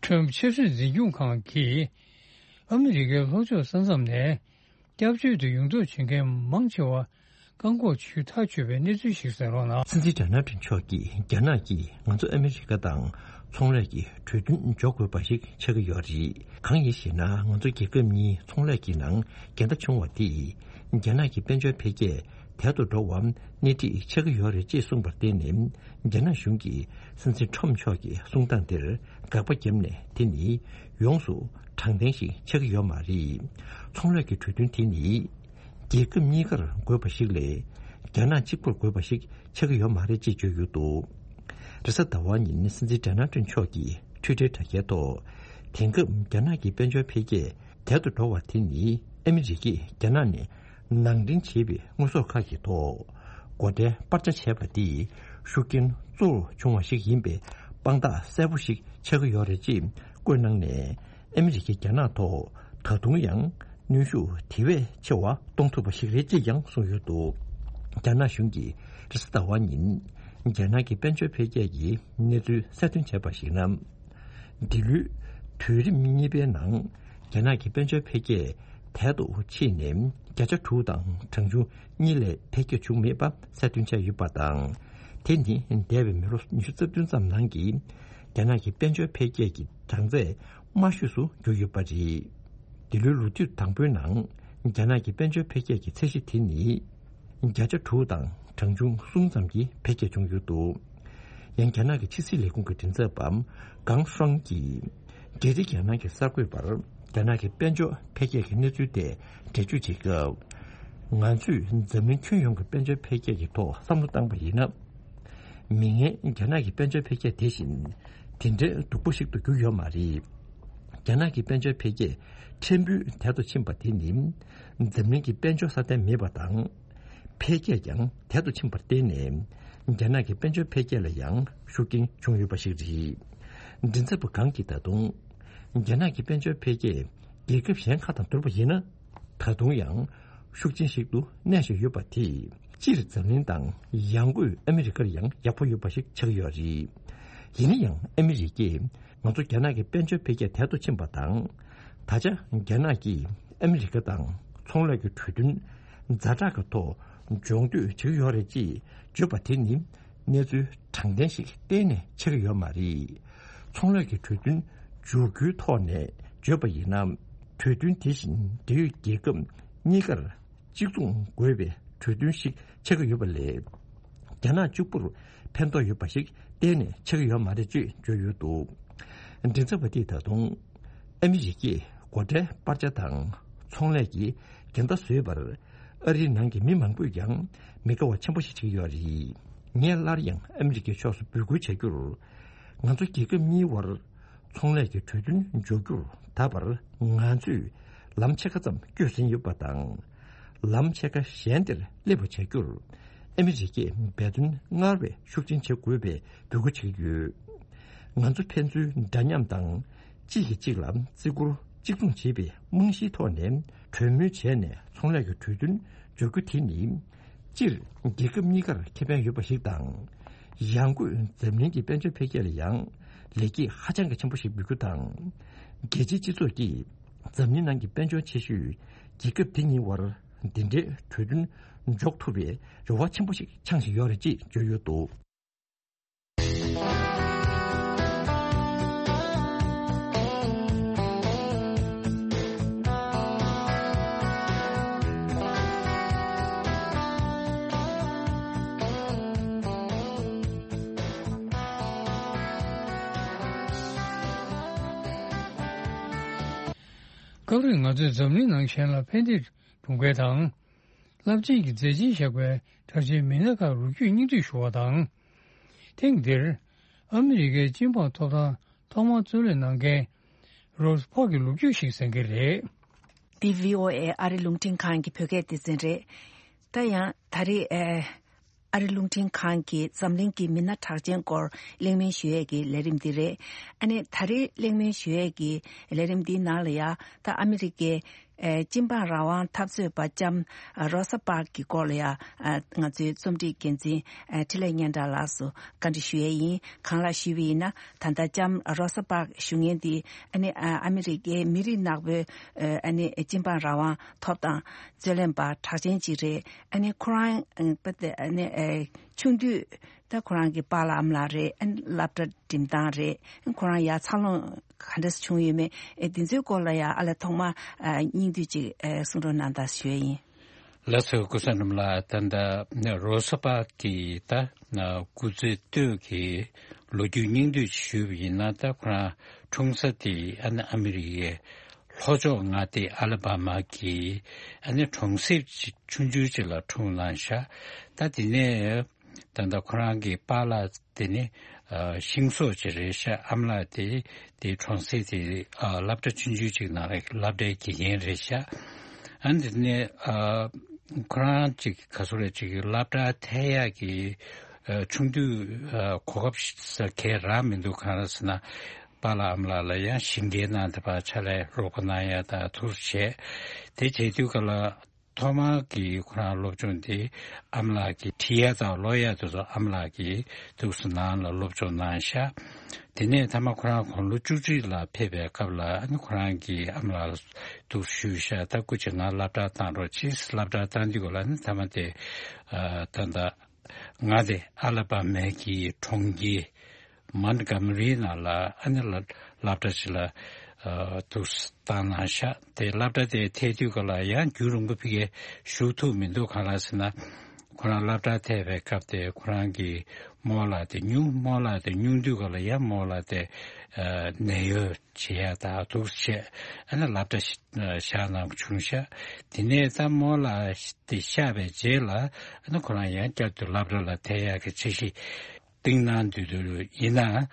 ཁྲོམ་ཆབ་སྲིད་འཛིན་སྐྱོང་ཁང་གིས་ཨ་མི་རི་ཀའི་ལྷོ་ཕྱོགས་ས་མཚམས་ནས་སྐྱབས་བཅོལ་དུ་ཡོང་འདོད་བྱེད་མཁན་མང་ཆེ་བ་བཀག་འགོག་བྱེད་ཐག་ཆོད་པའི་གནས་ཚུལ་ཞིག་གསན་རོགས་གནང་། སྲིད་འཛིན་ཌོ་ནལ་ཊམ་མཆོག་གིས་རྒྱ་ནག་གིས་ང་ཚོ་ཨ་མི་རི་ཀ་དང་ཚོང་ལས་ཀྱི་གྲོས་མཐུན་འཇོག་དགོས་པ་ཞིག་ཆགས་ཀྱི་ཡོད་རེད། གང་ཡིན་ཞེ་ན། ང་ཚོ་རྒྱལ་ཁབ་གཉིས་ཚོང་ལས་ཀྱི་ནང་འགལ་ཟླ་བྱུང་བ་དེས་རྒྱ་ནག་གི་དཔལ་འབྱོར་འཕེལ་རྒྱས་དལ་དུ་འགྲོ་བར་སྣེ་ཁྲིད་ཆགས་ཀྱི་ཡོད་རེད་ཅེས་གསུངས་པར་བརྟེན་ནས། རྒྱ་ནག་གཞུང་གིས་སྲིད་འཛིན་ཊམ་མཆོག་གི་གསུང་སྟངས་དེར་དགག་པ་བརྒྱབ་ནས། དེ་ནི་ཡོངས་སུ་དྲང་བདེན་ཞིག་ཆགས་ཀྱི་ཡོད་མ་རེད། ཚོང་ལས་ཀྱི་གྲོས་མཐུན་དེ་ནི་རྒྱལ་ཁབ་གཉིས་ཀར་དགོས་པ་ཞིག་ལས། རྒྱ་ནག་གཅིག་པུར་དགོས་པ་ཞིག་ཆགས་ཀྱི་ཡོད་མ་རེད་ཅེས་བརྗོད་ཡོད་འདུག་རེས་གཟའ་ཟླ་བ་ཉིན་སྲིད་འཛིན་ཌོ་ནལ་ཊམ་མཆོག་གིས་ཊུའི་ཊར་དྲ་རྒྱའི་ཐོག་དེང་སྐབས་རྒྱ་ནག་གི་དཔལ་འབྱོར་འཕེལ་རྒྱས་དལ་དུ་འགྲོ་བ་དེ་ནི་ཨ་མི་རི་ཀས་རྒྱ་ནག་ནས་ནང་འདྲེན་བྱས་པའི་དངོས་ཟོག་ཁག་གི་ཐོག་སྒོ་ཁྲལ་སྤར་ཆ་བྱས་པ་དེས་ཤུགས་རྐྱེན་གཙོ་བོར་བྱུང་བ་ཞིག་ཡིན་པའི་དཔང་རྟགས་གསལ་པོ་ཞིག་ཆགས་ཀྱི་ཡོད་རེད་ཅེས་བཀོད་གནང་ནས། ཨ་མི་རི་ཀས་རྒྱ་ནག་ཐོག་ད་དུང་ཡང་གནོན་ཤུགས་དེ་བས་ཆེ་བ་གཏོང་ཐུབ་པ་ཞིག་རེད་ཅེས་ཀྱང་གསུངས་ཡོད་འདུག་རྒྱ་ནག་གཞུང་གིས་རེས་གཟའ་ཟླ་བ་ཉིན་རྒྱ་ནག་གི་དཔལ་འབྱོར་འཕེལ་རྒྱས་ཀྱི་གནས་ཚུལ་གསལ་སྟོན་བྱས་པར་གཞིགས་ན། འདི་ལོའི་དུས་རིམ་གཉིས་པའི་ནང་རྒྱ་ནག་གི་དཔལ་འབྱོར་འཕེལ་རྒྱས་དལ་དུ་ཕྱིན་ནས། བརྒྱ་ཆ་དྲུག་དང་གྲངས་ཆུང་གཉིས་ལས་འཕེལ་རྒྱས་བྱུང་མེད་པ་གསལ་སྟོན་བྱས་ཡོད་པ་དང་། དེ་ནི་འདས་པའི་མི་ལོ་ཉི་ཤུ་རྩ་བདུན་ཙམ་ནང་གི་རྒྱ་ནག་གི་དཔལ་འབྱོར་འཕེལ་རྒྱས་ཀྱི་གྲངས་ཚད་དམའ་ཤོས་སུ་གྱུར་ཡོད་པ་རེད། འདི་ལོའི་ལོ་དུས་དང་པོའི་ནང་རྒྱ་ནག་གི་དཔལ་འབྱོར་འཕེལ་རྒྱས་ཀྱི་ཚད་གཞི་དེ་ནི་བརྒྱ་ཆ་དྲུག་དང་གྲངས་ཆུང་གསུམ་ཙམ་གྱི་འཕེལ་རྒྱས་བྱུང་ཡོད་འདུག་ཡང་རྒྱ་ནག་གི་ཕྱི་སྲིད་ལས་ཁུངས་ཀྱི་མགྲིན་ཚབ་པ་ཀང་ཧྲང་གིས། རྒྱལ་སྤྱིའི་རྒྱལ་ནང་གི་གསར་འགོད་པར་རྒྱ་ནག་གི་དཔལ་འབྱོར་འཕེལ་རྒྱས་ཀྱི་གནས་ཚུལ་དེ་འགྲེལ་བརྗོད་བྱེད་སྐབས། ང་ཚོས་འཛམ་གླིང་ཁྱོན་ཡོངས་ཀྱི་དཔལ་འབྱོར་འཕེལ་རྒྱས་ཀྱི་ཐོག་བསམ་བློ་བཏང་པ་ཡིན་ན། མིག་སྔའི་རྒྱ་ནག་གི་དཔལ་འབྱོར་འཕེལ་རྒྱས་དེ་བཞིན་དེ་འདྲའི་སྡུག་པོ་ཞིག་ཏུ་གྱུར་ཡོད་མ་རེད། རྒྱ་ནག་གི་དཔལ་འབྱོར་འཕེལ་རྒྱས་ཕྲན་བུ་དལ་དུ་ཕྱིན་པ་དེ་ནི། འཛམ་གླིང་གི་དཔལ་འབྱོར་སྲ་བརྟན་མེད་པ་དང་། འཕེལ་རྒྱས་ཀྱང་དལ་དུ་ཕྱིན་པར་བརྟེན་ནས། རྒྱ་ནག་གི་དཔལ་འབྱོར་འཕེལ་རྒྱས་ལ་ཡང་ཤུགས་རྐྱེན་བྱུང་ཡོད་པ་ཞིག་རེད། མགྲིན་ཚབ་པ་ཀང་གིས་ད་དུང་། རྒྱ་ནག་གི་དཔལ་འབྱོར་འཕེལ་རྒྱས་རྒྱལ་ཁབ་གཞན་ཁག་དང་བསྡུར་བ་ཡིན་ན། ད་དུང་ཡང་ཤུགས་ཆེན་ཞིག་ཏུ་གནས་བཞིན་ཡོད་པ་དེས། སྤྱིར་འཛམ་གླིང་དང་ཡང་སྒོས་ཨ་མི་རི་ཀར་ཡང་ཡག་པོ་ཡོད་པ་ཞིག་ཆགས་ཀྱི་ཡོད་རེད། ཡིན་ན་ཡང་ཨ་མི་རི་ཀས་ང་ཚོ་རྒྱ་ནག་གི་དཔལ་འབྱོར་འཕེལ་རྒྱས་དལ་དུ་ཕྱིན་པ་དང་། ད་ཆ་རྒྱ་ནག་གིས་ཨ་མི་རི་ཀ་དང་ཚོང་ལས་ཀྱི་གྲོས་མཐུན་ཛ་དྲག་གི་ཐོག་འཇོག་འདོད་བྱེད་ཀྱི་ཡོད་རེད་ཅེས་བརྗོད་པ་དེ་ནི་གནས་ཚུལ་དྲང་བདེན་ཞིག་གཏན་ནས་ཆགས་ཀྱི་ཡོད་མ་རེད། ཚོང་ལས་ཀྱི་གྲོས་མཐུན་འཇོག་རྒྱུའི་ཐོག་ནས་བརྗོད་པ་ཡིན་ན། གྲོས་མཐུན་དེ་བཞིན་འབྲེལ་ཡོད་རྒྱལ་ཁབ་གཉིས་ཀར་གཅིག་མཚུངས་དགོས་པའི་གྲོས་མཐུན་ཞིག་ཆགས་ཀྱི་ཡོད་པ་ལས། རྒྱ་ནག་གཅིག་པུར་ཕན་ཐོགས་ཡོད་པ་ཞིག་གཏན་ནས་ཆགས་ཀྱི་ཡོད་མ་རེད་ཅེས་བརྗོད་ཡོད་འདུག་མགྲིན་ཚབ་པ་དེས་ད་དུང་། ཨ་མི་རི་ཀས་སྒོ་ཁྲལ་སྤར་ཆ་དང་ཚོང་ལས་ཀྱི་འགལ་ཟླ་བཟོས་པར། ཨ་རིའི་ནང་གི་མི་མང་པོས་ཀྱང་མི་དགའ་བ་ཆེན་པོ་ཞིག་བྱེད་ཀྱི་ཡོད་རེད། ངས་སླར་ཡང་ཨ་མི་རི་ཀའི་ཕྱོགས་སུ་འབོད་སྐུལ་བྱ་རྒྱུར། ང་ཚོ་རྒྱལ་ཁབ་གཉིས་དབར་ཚོང་ལས་ཀྱི་གྲོས་མཐུན་འཇོག་རྒྱུར་ད་བར་ང་ཚོས་ལམ་ཕྱེད་ཀ་ཙམ་བསྐྱོད་ཟིན་ཡོད་པ་དང་། ལམ་ཕྱེད་ཀ་གཞན་དེར་སླེབས་པ་བྱ་རྒྱུར། ཨ་མི་རི་ཀས་འབད་བརྩོན་སྔར་བས་ཤུགས་ཆེན་བྱེད་དགོས་པའི་འབོད་སྐུལ་བྱེད་ཀྱི་ཡོད། ང་ཚོ་ཕན་ཚུན་འདྲ་མཉམ་དང་། གཅིག་གིས་གཅིག་ལ་བརྩི་བཀུར་གཅིག་མཚུངས་བྱེད་པའི་རྨང་གཞིའི་ཐོག་ནས་གྲོས་མོལ་བྱས་ནས་ཚོང་ལས་ཀྱི་གྲོས་མཐུན་འཇོག་རྒྱུ་དེ་ནི། སྤྱིར་རྒྱལ་ཁབ་གཉིས་ཀར་ཁེ་ཕན་ཡོད་པ་ཞིག་དང་། ཡང་སྒོས་འཛམ་གླིང་གི་དཔལ་འབྱོར་འཕེལ་རྒྱས་ལ་ཡང་ལེགས་སྐྱེས་ཧ་ཅང་གི་ཆེན་པོ་ཞིག་འབུལ་རྒྱུ་དང་། རྒྱལ་སྤྱིའི་སྤྱི་ཚོགས་ཀྱིས་འཛམ་གླིང་ནང་གི་དཔལ་འབྱོར་ཆེ་ཤོས་རྒྱལ་ཁབ་དེ་གཉིས་དབར་འདི་འདྲའི་གྲོས་མཐུན་འཇོག་ཐུབ་པའི་རེ་བ་ཆེན་པོ་ཞིག་འཆང་བཞིན་ཡོད་རེད་ཅེས་བརྗོད་ཡོད་འདུག་སྐབས་རེ་ང་ཚོས་འཛམ་གླིང་ནང་གཞན་ལ་ཕན་བདེ་སྒྲུབ་མཁན་དང་། རླབས་ཆེན་གྱི་མཛད་རྗེས་བཞག་པའི་གྲགས་ཅན་མི་སྣ་ཁག་ལོ་རྒྱུས་སྙིང་བསྡུས་ཞུ་བ་དང་། ཐེངས་འདིར་ཨ་མི་རི་ཀའི་སྤྱི་འབངས་ཐོབ་ཐང་ཐོག་མར་གཙོ་ལས་གནང་མཁན་རོབ་པག་གི་ལོ་རྒྱུས་ཤིག་གསན་གྱི་རེད། འདི་བྷི་ཨོ་ཨེ་ཨ་རི་རླུང་འཕྲིན་ཁང་གི་བོད་སྐད་སྡེ་ཚན་རེད། ད་ཡང་ད་རེས་ཨ་ཨ་རི་རླུང་འཕྲིན་ཁང་གིས་འཛམ་གླིང་གི་མི་སྣ་གྲགས་ཅན་སྐོར་གླེང་མོལ་ཞུ་ཡས་ཀྱི་ལས་རིམ་འདི་རེད། ཨ་ནི་ད་རེས་གླེང་མོལ་ཞུ་ཡས་ཀྱི་ལས་རིམ་འདིའི་ནང་ལ་ཡ་ད་ཨ་མི་རི་ཀའི་ ཨེ། སྤྱི་འབངས་རང་དབང་འཐབ་རྩོད་པ་ལྕམ་རོ་ས་པཱརྐ་གི་སྐོར་ལ་ཡང་ང་ཚོའི་རྩོམ་སྒྲིག་འགན་འཛིན་ཨེ། འཕྲིན་ལས་སྙན་གྲགས་ལགས་སུ་བཀའ་འདྲི་ཞུ་ཡས་ཡིན། གང་ལགས་ཞུས་པ་ཡིན་ན། ད་ལྟ་ལྕམ་རོ་ས་པཱརྐ་ཞུ་མཁན་འདི་ཨ་ནི་ཨ་ཨ་མི་རི་ཀའི་མི་རིགས་ནག་པོའི་ཨ་ནི་སྤྱི་འབངས་རང་དབང་ཐོབ་ཐང་རྩོད་ལེན་པ་གྲགས་ཅན་ཅིག་རེད། ཨ་ནི་ཁོ་རང་ཨ་ནི་ཨེ། ཆུང་དུས། ད་ཁོ་རང་གི་པཱ་ལགས་ཨ་མ་ལགས་རེད། ཨ་ནི་སློབ་གྲྭ་འགྲིམ་སྟངས་རེད། ཨ་ནི་ཁོ་རང་ཡར་འཚར་ལོངས་ག་འདྲ་བྱུང་ཡོད་མེད། ཨེ། འདི་ཚོའི་སྐོར་ལ་ཡང་ཨ་ལས་ཐོག་མ་ཨ་སྙིང་བསྡུས་ཅིག་ཨེ་གསུང་རོགས་གནང་དང་ཞུ་ཡས་ཡིན། ལགས་སོ། སྐུ་ཚེ་རིང་ལགས། ད་ལྟ་རོ་ས་པཱརྐ་གི་ད་སྐུ་ཚེ་སྟོད་ཀྱི་ལོ་རྒྱུས་སྙིང་བསྡུས་ཞུས་པ་ཡིན་ན། ད་ཁོ་རང་འཁྲུངས་ས་དེ་ཨ་ནི་ཨ་མི་རི་ཀའི་ལྷོ་ཕྱོགས་མངའ་སྡེ་ཨ་ལ་བྷ་མ་གི་ཨ་ནི་གྲོང་གསེབ་ཆུང་ཆུང་ཅིག་ལ་འཁྲུངས་གནང་ཤག་ད་དེ་ནས་ད་ལྟ་ཁོ་རང་གི་པཱ་ལགས་དེ་ནི་ཨ་ཤིང་བཟོ་ཅིག་རེད་ཤག་ཨ་མ་ལགས་དེ་དེ་གྲོང་གསེབ་དེ་ཨ་སློབ་གྲྭ་ཆུང་ཆུང་ཅིག་ནང་ལ་སློབ་གྲྭའི་དགེ་རྒན་རེད་ཤག་ཨ་ནི་དེ་ནས་ཨ་ཁོ་རང་ཅིག་ག་ཚོད་རེད། ཅིག་སློབ་གྲྭ་ཐད་ཡག་གི་ཨ་ཆུང་དུས་ཨ་གོ་སྐབས་ཤ་ག་རག་མི་འདུག་གང་ལགས་ཟེར་ན། པཱ་ལགས་ཨ་མ་ལགས་ལ་ཡང་ཞིང་ཁའི་ནང་དེ་ཕར་ཕྱག་ལས་རོགས་པ་གནང་ཡ་དང་ཐུགས་བྱས། དེ་བྱེད་དུས་ག་ལ་ཐོག་མར་གྱི་ཁོ་རང་སློབ་སྦྱོང་དེ་ཨ་མ་ལགས་ཀྱིས་བྲིས་ཡ་དང་ཀློག་ཡ་དེ་ཚོ་ཨ་མ་ལགས་ཀྱིས་ཐུགས་སུ་ནང་ལ་སློབ་སྦྱོང་གནང་ཤག་དེ་ནས་མཐའ་མ་ཁོ་རང་དགུང་ལོ་བཅུ་གཅིག་ལ་ཕེབས་པའི་སྐབས་ལ་ཨ་ནི་ཁོ་རང་གིས་ཨ་མ་ལགས་ལ་ཐུགས་ཞུས་ཤག་ད་སྐུ་མཁྱེན་ང་སློབ་གྲྭར་བཏང་རོགས་གྱིས། སློབ་གྲྭར་བཏང་དུས་ག་ལ་ཨ་ནི་མཐའ་མ་དེ་ཨ་ད་ལྟ་མངའ་སྡེ་ཨ་ལ་བྷ་མའི་གི་གྲོང་ཁྱེར་མོན་གྷོ་མ་རི་ནང་ལ་ཨ་ནི་སློབ་སློབ་གྲྭ་ཞིག་ལ་ཨ་ཐུགས་བཏང་གནང་ཤག་དེ་སློབ་གྲྭ་དེ་ཐད་དུས་ག་ལ་ཡང་རྒྱུན་རིང་པོ་ཕ་གིར་བཞུགས་ཐུབ་མི་འདུག་གང་ལགས་ཟེར་ན། ཁོ་རང་སློབ་གྲྭ་ཐད་པའི་སྐབས་དེ་ཁོ་རང་གི་རྨོ་ལགས་དེ་སྨྱུང་། རྨོ་ལགས་དེ་སྨྱུང་དུས་ག་ལ་ཡང་རྨོ་ལགས་དེ་ཨ་ནད་གཡོག་བྱེད་ཡ་དང་འདུག་བྱས། ཨ་ནི་སློབ་གྲྭ་ཞིག་བཞག་གནང་བྱུང་ཤག་དེ་ནས་ད་རྨོ་ལགས་དེ་གཤགས་པའི་རྗེས་ལ་ཨ་ནི་ཁོ་རང་ཡང་བསྐྱར་དུ་སློབ་གྲྭ་ལ་ཐད་ཡག་གི་འཆར་གཞི་བཏིང་གནང་དུས་དུ་ཡིན་ན།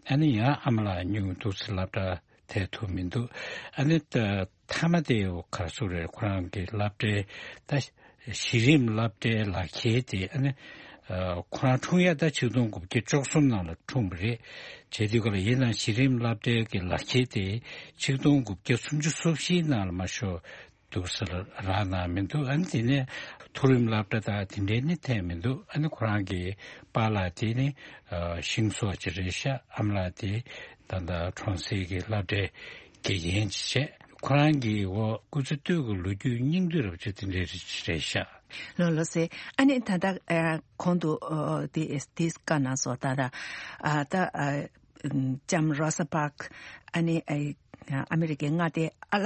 ཨ་ནི་ཡང་ཨ་མ་ལགས་སྨྱུང་འདུག་སེ་སློབ་གྲྭ་ཐད་ཐུབ་མི་འདུག་ཨ་ནི་ད་མཐའ་མ་དེ་ག་རེ་ཟེར་རེད། ཁོ་རང་གི་སློབ་གྲྭའི་ད་གཞི་རིམ་སློབ་གྲྭའི་ལག་ཁྱེར་དེ་ཨ་ནི་ཨ་ཁོ་རང་འཁྲུངས་ཡ་ད་ཆིག་སྟོང་དགུ་བརྒྱ་བཅུ་གསུམ་ནང་ལ་འཁྲུངས་པ་རེད། བྱས་དུས་ག་ལ་ཡིན་ནའང་གཞི་རིམ་སློབ་གྲྭའི་གི་ལག་ཁྱེར་དེ་ཆིག་སྟོང་དགུ་བརྒྱ་སུམ་ཅུ་སོ་བཞིའི་ནང་ལ་མ་ཤོར་འདུག་སེ་རག་གནང་མི་འདུག་ཨ་ནི་དེ་ནས་མཐོ་རིམ་སློབ་གྲྭ་དང་དེ་འདྲའི་ནི་ཐད་མི་འདུག་ཨ་ནི་ཁོ་རང་གི་པཱ་ལགས་དེ་ནི་ཨ་ཤིང་བཟོ་ཅིག་རེད་ཤག་ཨ་མ་ལགས་དེ་ད་ལྟ་གྲོང་གསེབ་ཀྱི་སློབ་གྲྭའི་དགེ་རྒན་ཅིག་བྱས། ཁོ་རང་གི་འོ་སྐུ་ཚེ་སྟོད་ཀྱི་ལོ་རྒྱུས་སྙིང་བསྡུས་རབ་ཅིག་དེ་འདྲའི་རེད་ཤག་ལགས་ལགས་སེ། ཨ་ནི་ད་ལྟ་ཨ་གོང་དུ་ཨ་དེ་དེ་བཀའ་གནང་སོང་། ད་ལྟ་ཨ་ད་ཨ་ལྕམ་རོ་ས་པཱརྐ་ཨ་ནི་ཨ་ཨ་མི་རི་ཀའི་མངའ་སྡེ་ཨ་ལ་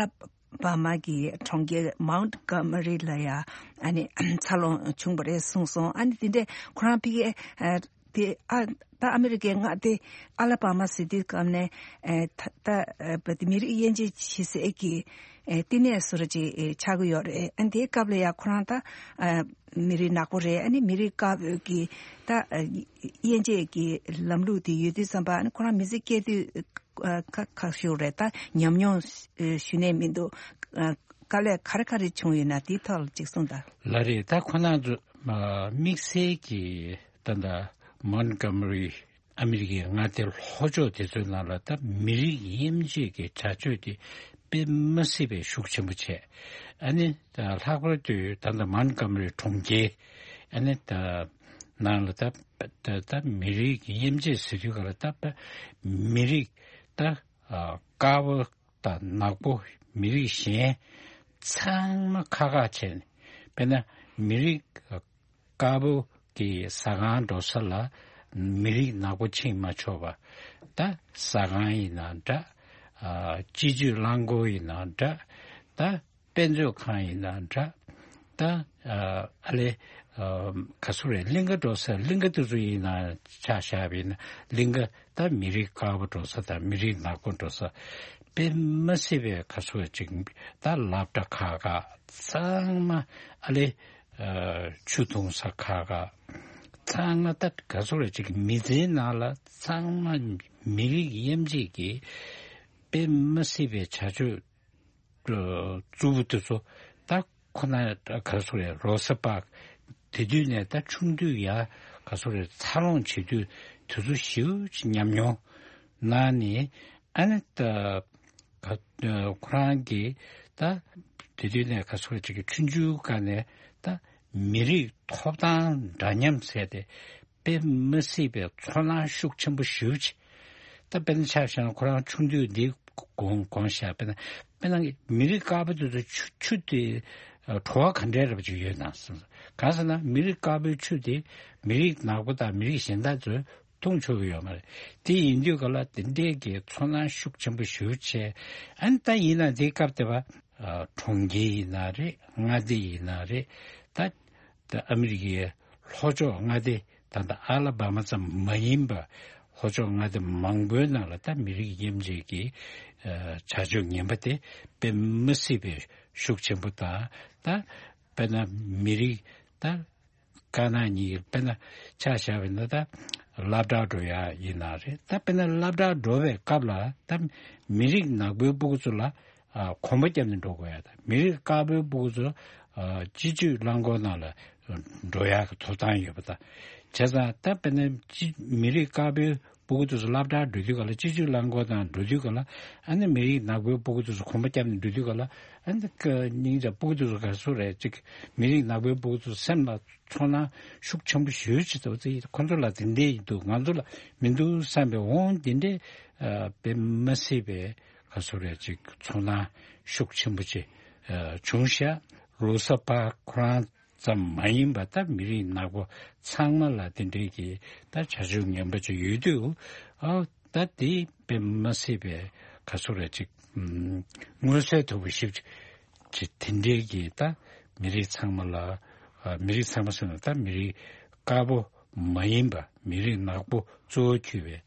བྷ་མ་གི་གྲོང་ཁྱེར་མའུན་ཀ་མ་རི་ལ་ཡ་ཨ་ནི་འཚར་ལོངས་བྱུང་བ་རེད་གསུངས་སོང་། ཨ་ནི་དེ་འདྲས་ཁོ་རང་ཕ་གིའི་ཨ་དེ་ཨ་ད་ཨ་མི་རི་ཀའི་མངའ་སྡེ་ཨ་ལ་བྷ་མ་ཟེར་དུས་སྐབས་ནས་ཨ་ད་ད་ཨ་བ་དེ་མི་རིགས་དབྱེ་འབྱེད་བྱེད་སའི་གི་ཨ་བསྟི་གནས་བཟོ་འདྲ་ཅིག་ཨ་ཆགས་ཀྱི་ཡོད་རེད། ཨ་ནི་དེའི་སྐབས་ལ་ཡ་ཁོ་རང་ད་ཨ་མི་རིགས་ནག་པོ་རེད། ཨ་ནི་མི་རིགས་དཀར་པོའི་གི་ད་ཨ་དབྱེ་འབྱེད་ཀྱི་ལམ་ལུགས་དེ་ཡོད་དུས་ཙམ་པ། ཨ་ནི་ཁོ་རང་མི་ཚེ་སྐྱེལ་དུས་ཨ་ཁ་ཁ་ཤོར་རེད། ད་ཉམས་མྱོང་ཨ་ཞུ་ནས་མི་འདུག་ཨ་དཀའ་ལས་ག་རེ་ག་རེ་བྱུང་ཡོད་ན་དེའི་ཐོག་ལ་ཅིག་གསུངས་དང་། ལགས་རེད། ད་ཁོ་རང་ཚོ་ཨ་དམིགས་བསལ་གྱི་ད་ལྟ་མོན་གྷོ་མ་རི་ཨ་མི་རི་ཀའི་མངའ་སྡེ་ལྷོ་ཕྱོགས་དེ་ཚོའི་ནང་ལ་ད་མི་རིགས་དབྱེ་འབྱེད་ཀྱི་བྱ་སྤྱོད་དེ་དཔེ་མ་སྲིད་པའི་ཤུགས་ཆེན་པོ་བྱས། ཨ་ནི་ད་ལྷག་པར་དུ་ད་ལྟ་མོན་གྷོ་མ་རི་གྲོང་ཁྱེར་ཨ་ནི་ད་ནང་ལ་ད་ད་ད་མི་རིགས་དབྱེ་འབྱེད་ཟེར་དུས་ག་ལ་ད་མི་རིགས་ད་ཨ་དཀར་པོ་དང་ནག་པོ་མི་རིགས་གཞན་ཚང་མ་ཁག་ཁག་བྱས་ནས། དཔེར་ན་མི་རིགས་དཀར་པོ་གི་ཟ་ཁང་འགྲོ་ས་ལ་མི་རིགས་ནག་པོ་ཕྱིན་མ་ཆོག་པ། ད་ཟ་ཁང་ཡིན་ན་འདྲ། ཨ་སྤྱི་སྤྱོད་རླངས་འཁོར་ཡིན་ན་འདྲ། ད་དཔེ་མཛོད་ཁང་ཡིན་ན་འདྲ། ད་ཨ་ཨ་ལེ་ཨ་ག་ཚོད་རེད། གླིང་ག་འགྲོ་ས་གླིང་ག་དེ་ཚོ་ཡིན་ན་ཆ་བཞག་པ་ཡིན་ན་གླིང་ག་ད་མི་རིགས་དཀར་པོ་འགྲོ་ས་དང་མི་རིགས་ནག་པོ་འགྲོ་ས་དཔེ་མ་སྲིད་པའི་ག་ཚོད་ཅིག་ད་སློབ་གྲྭ་ཁག་ཁག་ཚང་མ་ཨ་ལེ་ཨ་ཆུ་འཐུང་ས་ཁག་ཁག་ཚང་མ་ད་ག་ཚོད་རེད། ཅིག་མི་ཚེའི་ནང་ལ་ཚང་མ་མི་རིགས་དབྱེ་འབྱེད་ཀྱི་དཔེ་མ་སྲིད་པའི་བྱ་སྤྱོད་རྩུབ་པོ་དེ་ཚོ་ད་ཁོ་ན་ག་རེ་ཟེར་རེད། རོ་ས་པཱརྐ་དེ་དུས་ནས་ད་ཆུང་དུས་ཡ་ག་རེ་ཟེར་རེད། འཚར་ལོངས་བྱེད་དུས་དེ་ཚོ་ཞེ་པོ་ཅིག་ཉམས་མྱོང་གནང་ནས། ཨ་ནི་ད་ག་ཁོ་རང་གིས་ད་ དེ་དུས་ནས་ག་ཚོད་ཅིག་གི་ཆུང་ཆུང་སྒང་ནས་ད་མི་རིགས་ཐོབ་ཐང་འདྲ་མཉམ་ཟེར་ཏེ་དཔེ་མི་སྲིད་པའི་ཚོར་སྣང་ཤུགས་ཆེན་པོ་ཞེ་པོ་ཅིག་ད་དཔེར་ན་ཆ་བཞག་ན་ཁོ་རང་ཆུང་དུས་འདི་དགོངས་དགོངས་བཞག་དཔེར་ན་དཔེར་ན་མི་རིགས་དཀར་པོ་དེ་ཚོ་ཆུ་ཆུ་དེ་ཨ་བྲོ་བ་ག་འདྲས་རབ་ཅིག་ཡོད་དང་ཟེར། གང་ཟེར་ན་མི་རིགས་དཀར་པོའི་ཆུ་དེ་མི་རིགས་ནག་པོ་དང་མི་རིགས་གཞན་དག་ཚོས་འཐུང་ཆོག་གི་ཡོད་མ་རེད། དེ་ཡིན་དུས་ག་ལ་དེ་འདྲས་ཀྱི་ཚོར་སྣང་ཤུགས་ཆེན་པོ་ཞེ་པོ་བྱས། ཨ་ནི་ད་ཡིན་ན་དེའི་སྐབས་དེ་བ་ཨ་གྲོང་ཁྱེར་ཡིན་ན་རེད། མངའ་སྡེ་ཡིན་ན་རེད། ད་ད་ཨ་མི་རི་ཀའི་ལྷོ་ཕྱོགས་མངའ་སྡེ་ད་ལྟ་ཨ་ལ་བྷ་མ་ཙམ་མ་ཡིན་པ་ལྷོ་ཕྱོགས་མངའ་སྡེ་མང་པོའི་ནང་ལ་ད་མི་རིགས་དབྱེ་འབྱེད་ཀྱི་ཨ་བྱ་སྤྱོད་ངན་པ་དེ་དཔེ་མི་སྲིད་པའི་ཤུགས་ཆེན་པོ་དང་། ད་དཔེར་ན་མི་རིགས་ད་དཀར་ནག་གཉིས་དཔེར་ན་ཆ་བཞག་པ་ཡིན་ན་ད་སློབ་གྲྭ་འགྲོ་ཡ་ཡིན་ན་རེད། ད་དཔེར་ན་སློབ་གྲྭ་འགྲོ་བའི་སྐབས་ལ་ད་མི་རིགས་ནག་པོའི་སྤུ་གུ་ཚོ་ལ་ཨ་གོམ་པ་བརྒྱབ་ནས་འགྲོ་དགོས་ཡ་དང་། མི་རིགས་དཀར་པོའི་སྤུ་གུ་ཚོ་ཨ་སྤྱི་སྤྱོད་རླངས་འཁོར་ནང་ལ་འགྲོ་ཡ་གི་ཐོབ་ཐང་ཡོད་པ་དང་། བྱས་ཙང་ད་དཔེར་ན་སྤྱི་མི་རིགས་དཀར་པོའི་སྤུ་གུ་དེ་ཚོ་སློབ་གྲྭར་འགྲོ་དུས་ག་ལ་སྤྱི་སྤྱོད་རླངས་འཁོར་དང་འགྲོ་དུས་ག་ལ་ཨ་ནི་མི་རིགས་ནག་པོའི་སྤུ་གུ་དེ་ཚོ་གོམ་པ་བརྒྱབ་ནས་འགྲོ་དུས་ག་ལ་ཨ་ནི་ཀ་སྙིང་རྗེ་སྤུ་གུ་དེ་ཚོ་ག་ཚོད་རེད་ཅིག་མི་རིགས་ནག་པོའི་སྤུ་གུ་དེ་ཚོ་སེམས་ལ་ཚོར་སྣང་ཤུགས་ཆེན་པོ་ཞེ་པོ་ཅིག་འདུག་ཚེ་ཁོ་ཚོ་ལ་དེ་འདྲས་ཡིན་འདུག་ང་ཚོ་ལ་མི་འདུག་བསམ་པའི་འོང་དེ་འདྲས་ཨ་དཔེ་མ་སྲིད་པའི་ག་ཚོད་རེད་ཅིག་ཚོར་སྣང་ཤུགས་ཆེན་པོ་ཅིག་ཨ་བྱུང་ཤག་རོ་ས་པར་ཁོ་རང་ཙམ་མ་ཡིན་པ་ད་མི་རིགས་ནག་པོ་ཚང་མ་ལ་དེ་འདྲའི་གི་ད་བྱ་སྤྱོད་ངན་པ་ཅིག་ཡོད་དུས། ཨ་ད་དེ་དཔེ་མ་སྲིད་པའི་ག་ཚོད་རེད་ཅིག་ཨམ་མངོན་གསལ་དོད་པོ་ཞིབ་ཅིག་དེ་འདྲའི་གི་ད་མི་རིགས་ཚང་མ་ལ་ཨ་མི་རིགས་ཚང་མ་ཟེར་ན་ད་མི་རིགས་དཀར་པོ་མ་ཡིན་པ་མི་རིགས་ནག་པོ་གཙོ་བོ་གྱུར་པའི་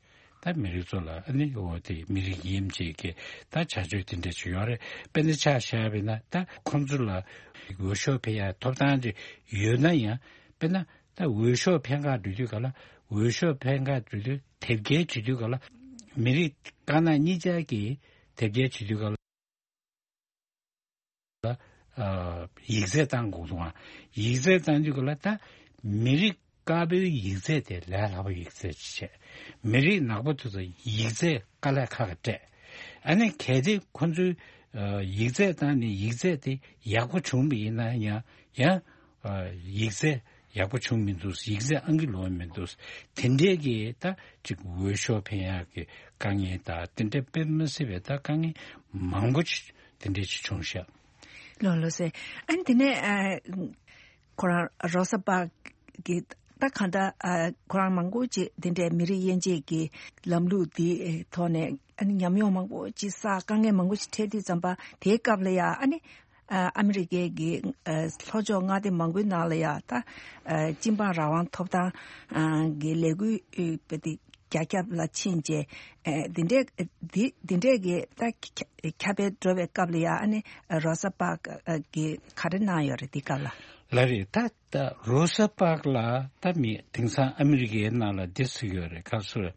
ད་མི་རིགས་ཚོ་ལ་ཨ་ནི་འོ་དེ་མི་རིགས་དབྱེ་འབྱེད་ཀྱི་ད་བྱ་སྤྱོད་དེ་འདྲ་ཅིག་ཡོད་རེད། དཔེར་ན་ཆ་བཞག་པ་ཡིན་ན་ད་ཁོང་ཚོ་ལ་འོས་ཤོག་འཕེན་ཡ་ཐོབ་ཐང་ཅིག་ཡོད་ན་ཡང་དཔེར་ན་ད་འོས་ཤོག་འཕེན་ག་འགྲོ་དུས་ག་ལ་འོས་ཤོག་འཕེན་ག་འགྲོ་དུས་དེབ་སྐྱེལ་བྱེད་དུས་ག་ལ་མི་རིགས་དཀར་ནག་གཉིས་ཆར་གྱི་དེབ་སྐྱེལ་བྱེད་དུས་ག་ལ། ལ་ཨ་ཡིག་ཚད་བཏང་དགོས་འདུག་ཨ། ཡིག་ཚད་བཏང་དུས་ག་ལ་ད་མི་རིགས་དཀར་པོའི་ཡིག་ཚད་དེ་ལས་སླ་པོ་ཡིག་ཚད་ཅིག་བྱས། མི་རིགས་ནག་པོ་དེ་ཚོ་ཡིག་ཚད་དཀའ་ལས་ཁག་ག་སྤྲད། ཨ་ནི་གལ་ཏེ་ཁོ་ཚོས་ཨ་ཡིག་ཚད་བཏང་ནས་ཡིག་ཚད་དེ་ཡག་པོ་བྱུང་བ་ཡིན་ན་ཡང་ཡང་ཨ་ཡིག་ཚད་ཡག་པོ་བྱུང་མི་འདུག་ཡིག་ཚད་ཨང་ཀི་ལོག་མི་འདུག་དེ་འདྲས་ཀྱི་ད་ཅིག་འོས་ཤོག་འཕེན་ཡག་གི་དཀའ་ངལ་དང་དེ་འདྲས་དཔེ་མི་སྲིད་པའི་ད་དཀའ་ངལ་མང་པོ་ཅིག་དེ་འདྲས་ཅིག་བྱུང་ཤག་ལགས་ལགས་སེ། ཨ་ནི་དེ་ནས་ཨ་ཁོ་རང་རོ་ས་པར་གི་ད་གང་ལྟར་ཨ་ཁོ་རང་མང་པོ་ཅིག་དེ་འདྲས་མི་རིགས་དབྱེ་འབྱེད་ཀྱི་ལམ་ལུགས་འདི་ཐོག་ནས་ཨ་ནི་ཉམས་མྱོང་མང་པོ་ཅིག་བསགས། དཀའ་ངལ་མང་པོ་ཅིག་འཕྲད་དུས་ཙམ་པ་དེའི་སྐབས་ལ་ཡ་ཨ་ནི་ཨ་ཨ་མི་རི་ཀའི་གི་ཨ་ལྷོ་ཕྱོགས་མངའ་སྡེ་མང་པོའི་ནང་ལ་ཡ་ད་ཨ་སྤྱི་འབངས་རང་དབང་ཐོབ་ཐང་ཨ་གི་ལས་འགུལ་ཨ་དཔེ་དེ་རྒྱ་ཁྱབ་ལ་ཕྱིན་རྗེས་ཨ་འདི་འདྲས་འདི་འདི་འདྲས་ཀྱི་ད་ཁྱ་ཁྱབ་སྤེལ་འགྲོ་བའི་སྐབས་ལ་ཡ་ཨ་ནི་རོ་ས་པར་ཨ་གི་ག་རེ་གནང་ཡོད་རེད་འདི་སྐབས་ལ། ལགས་རེད། ད་ད་རོ་ས་པར་ལ་ད་མི་དེང་སང་ཨ་མི་རི་ཀའི་ནང་ལ་འདི་ཟེར་ཡོད་རེད། ག་ཚོད་རེད།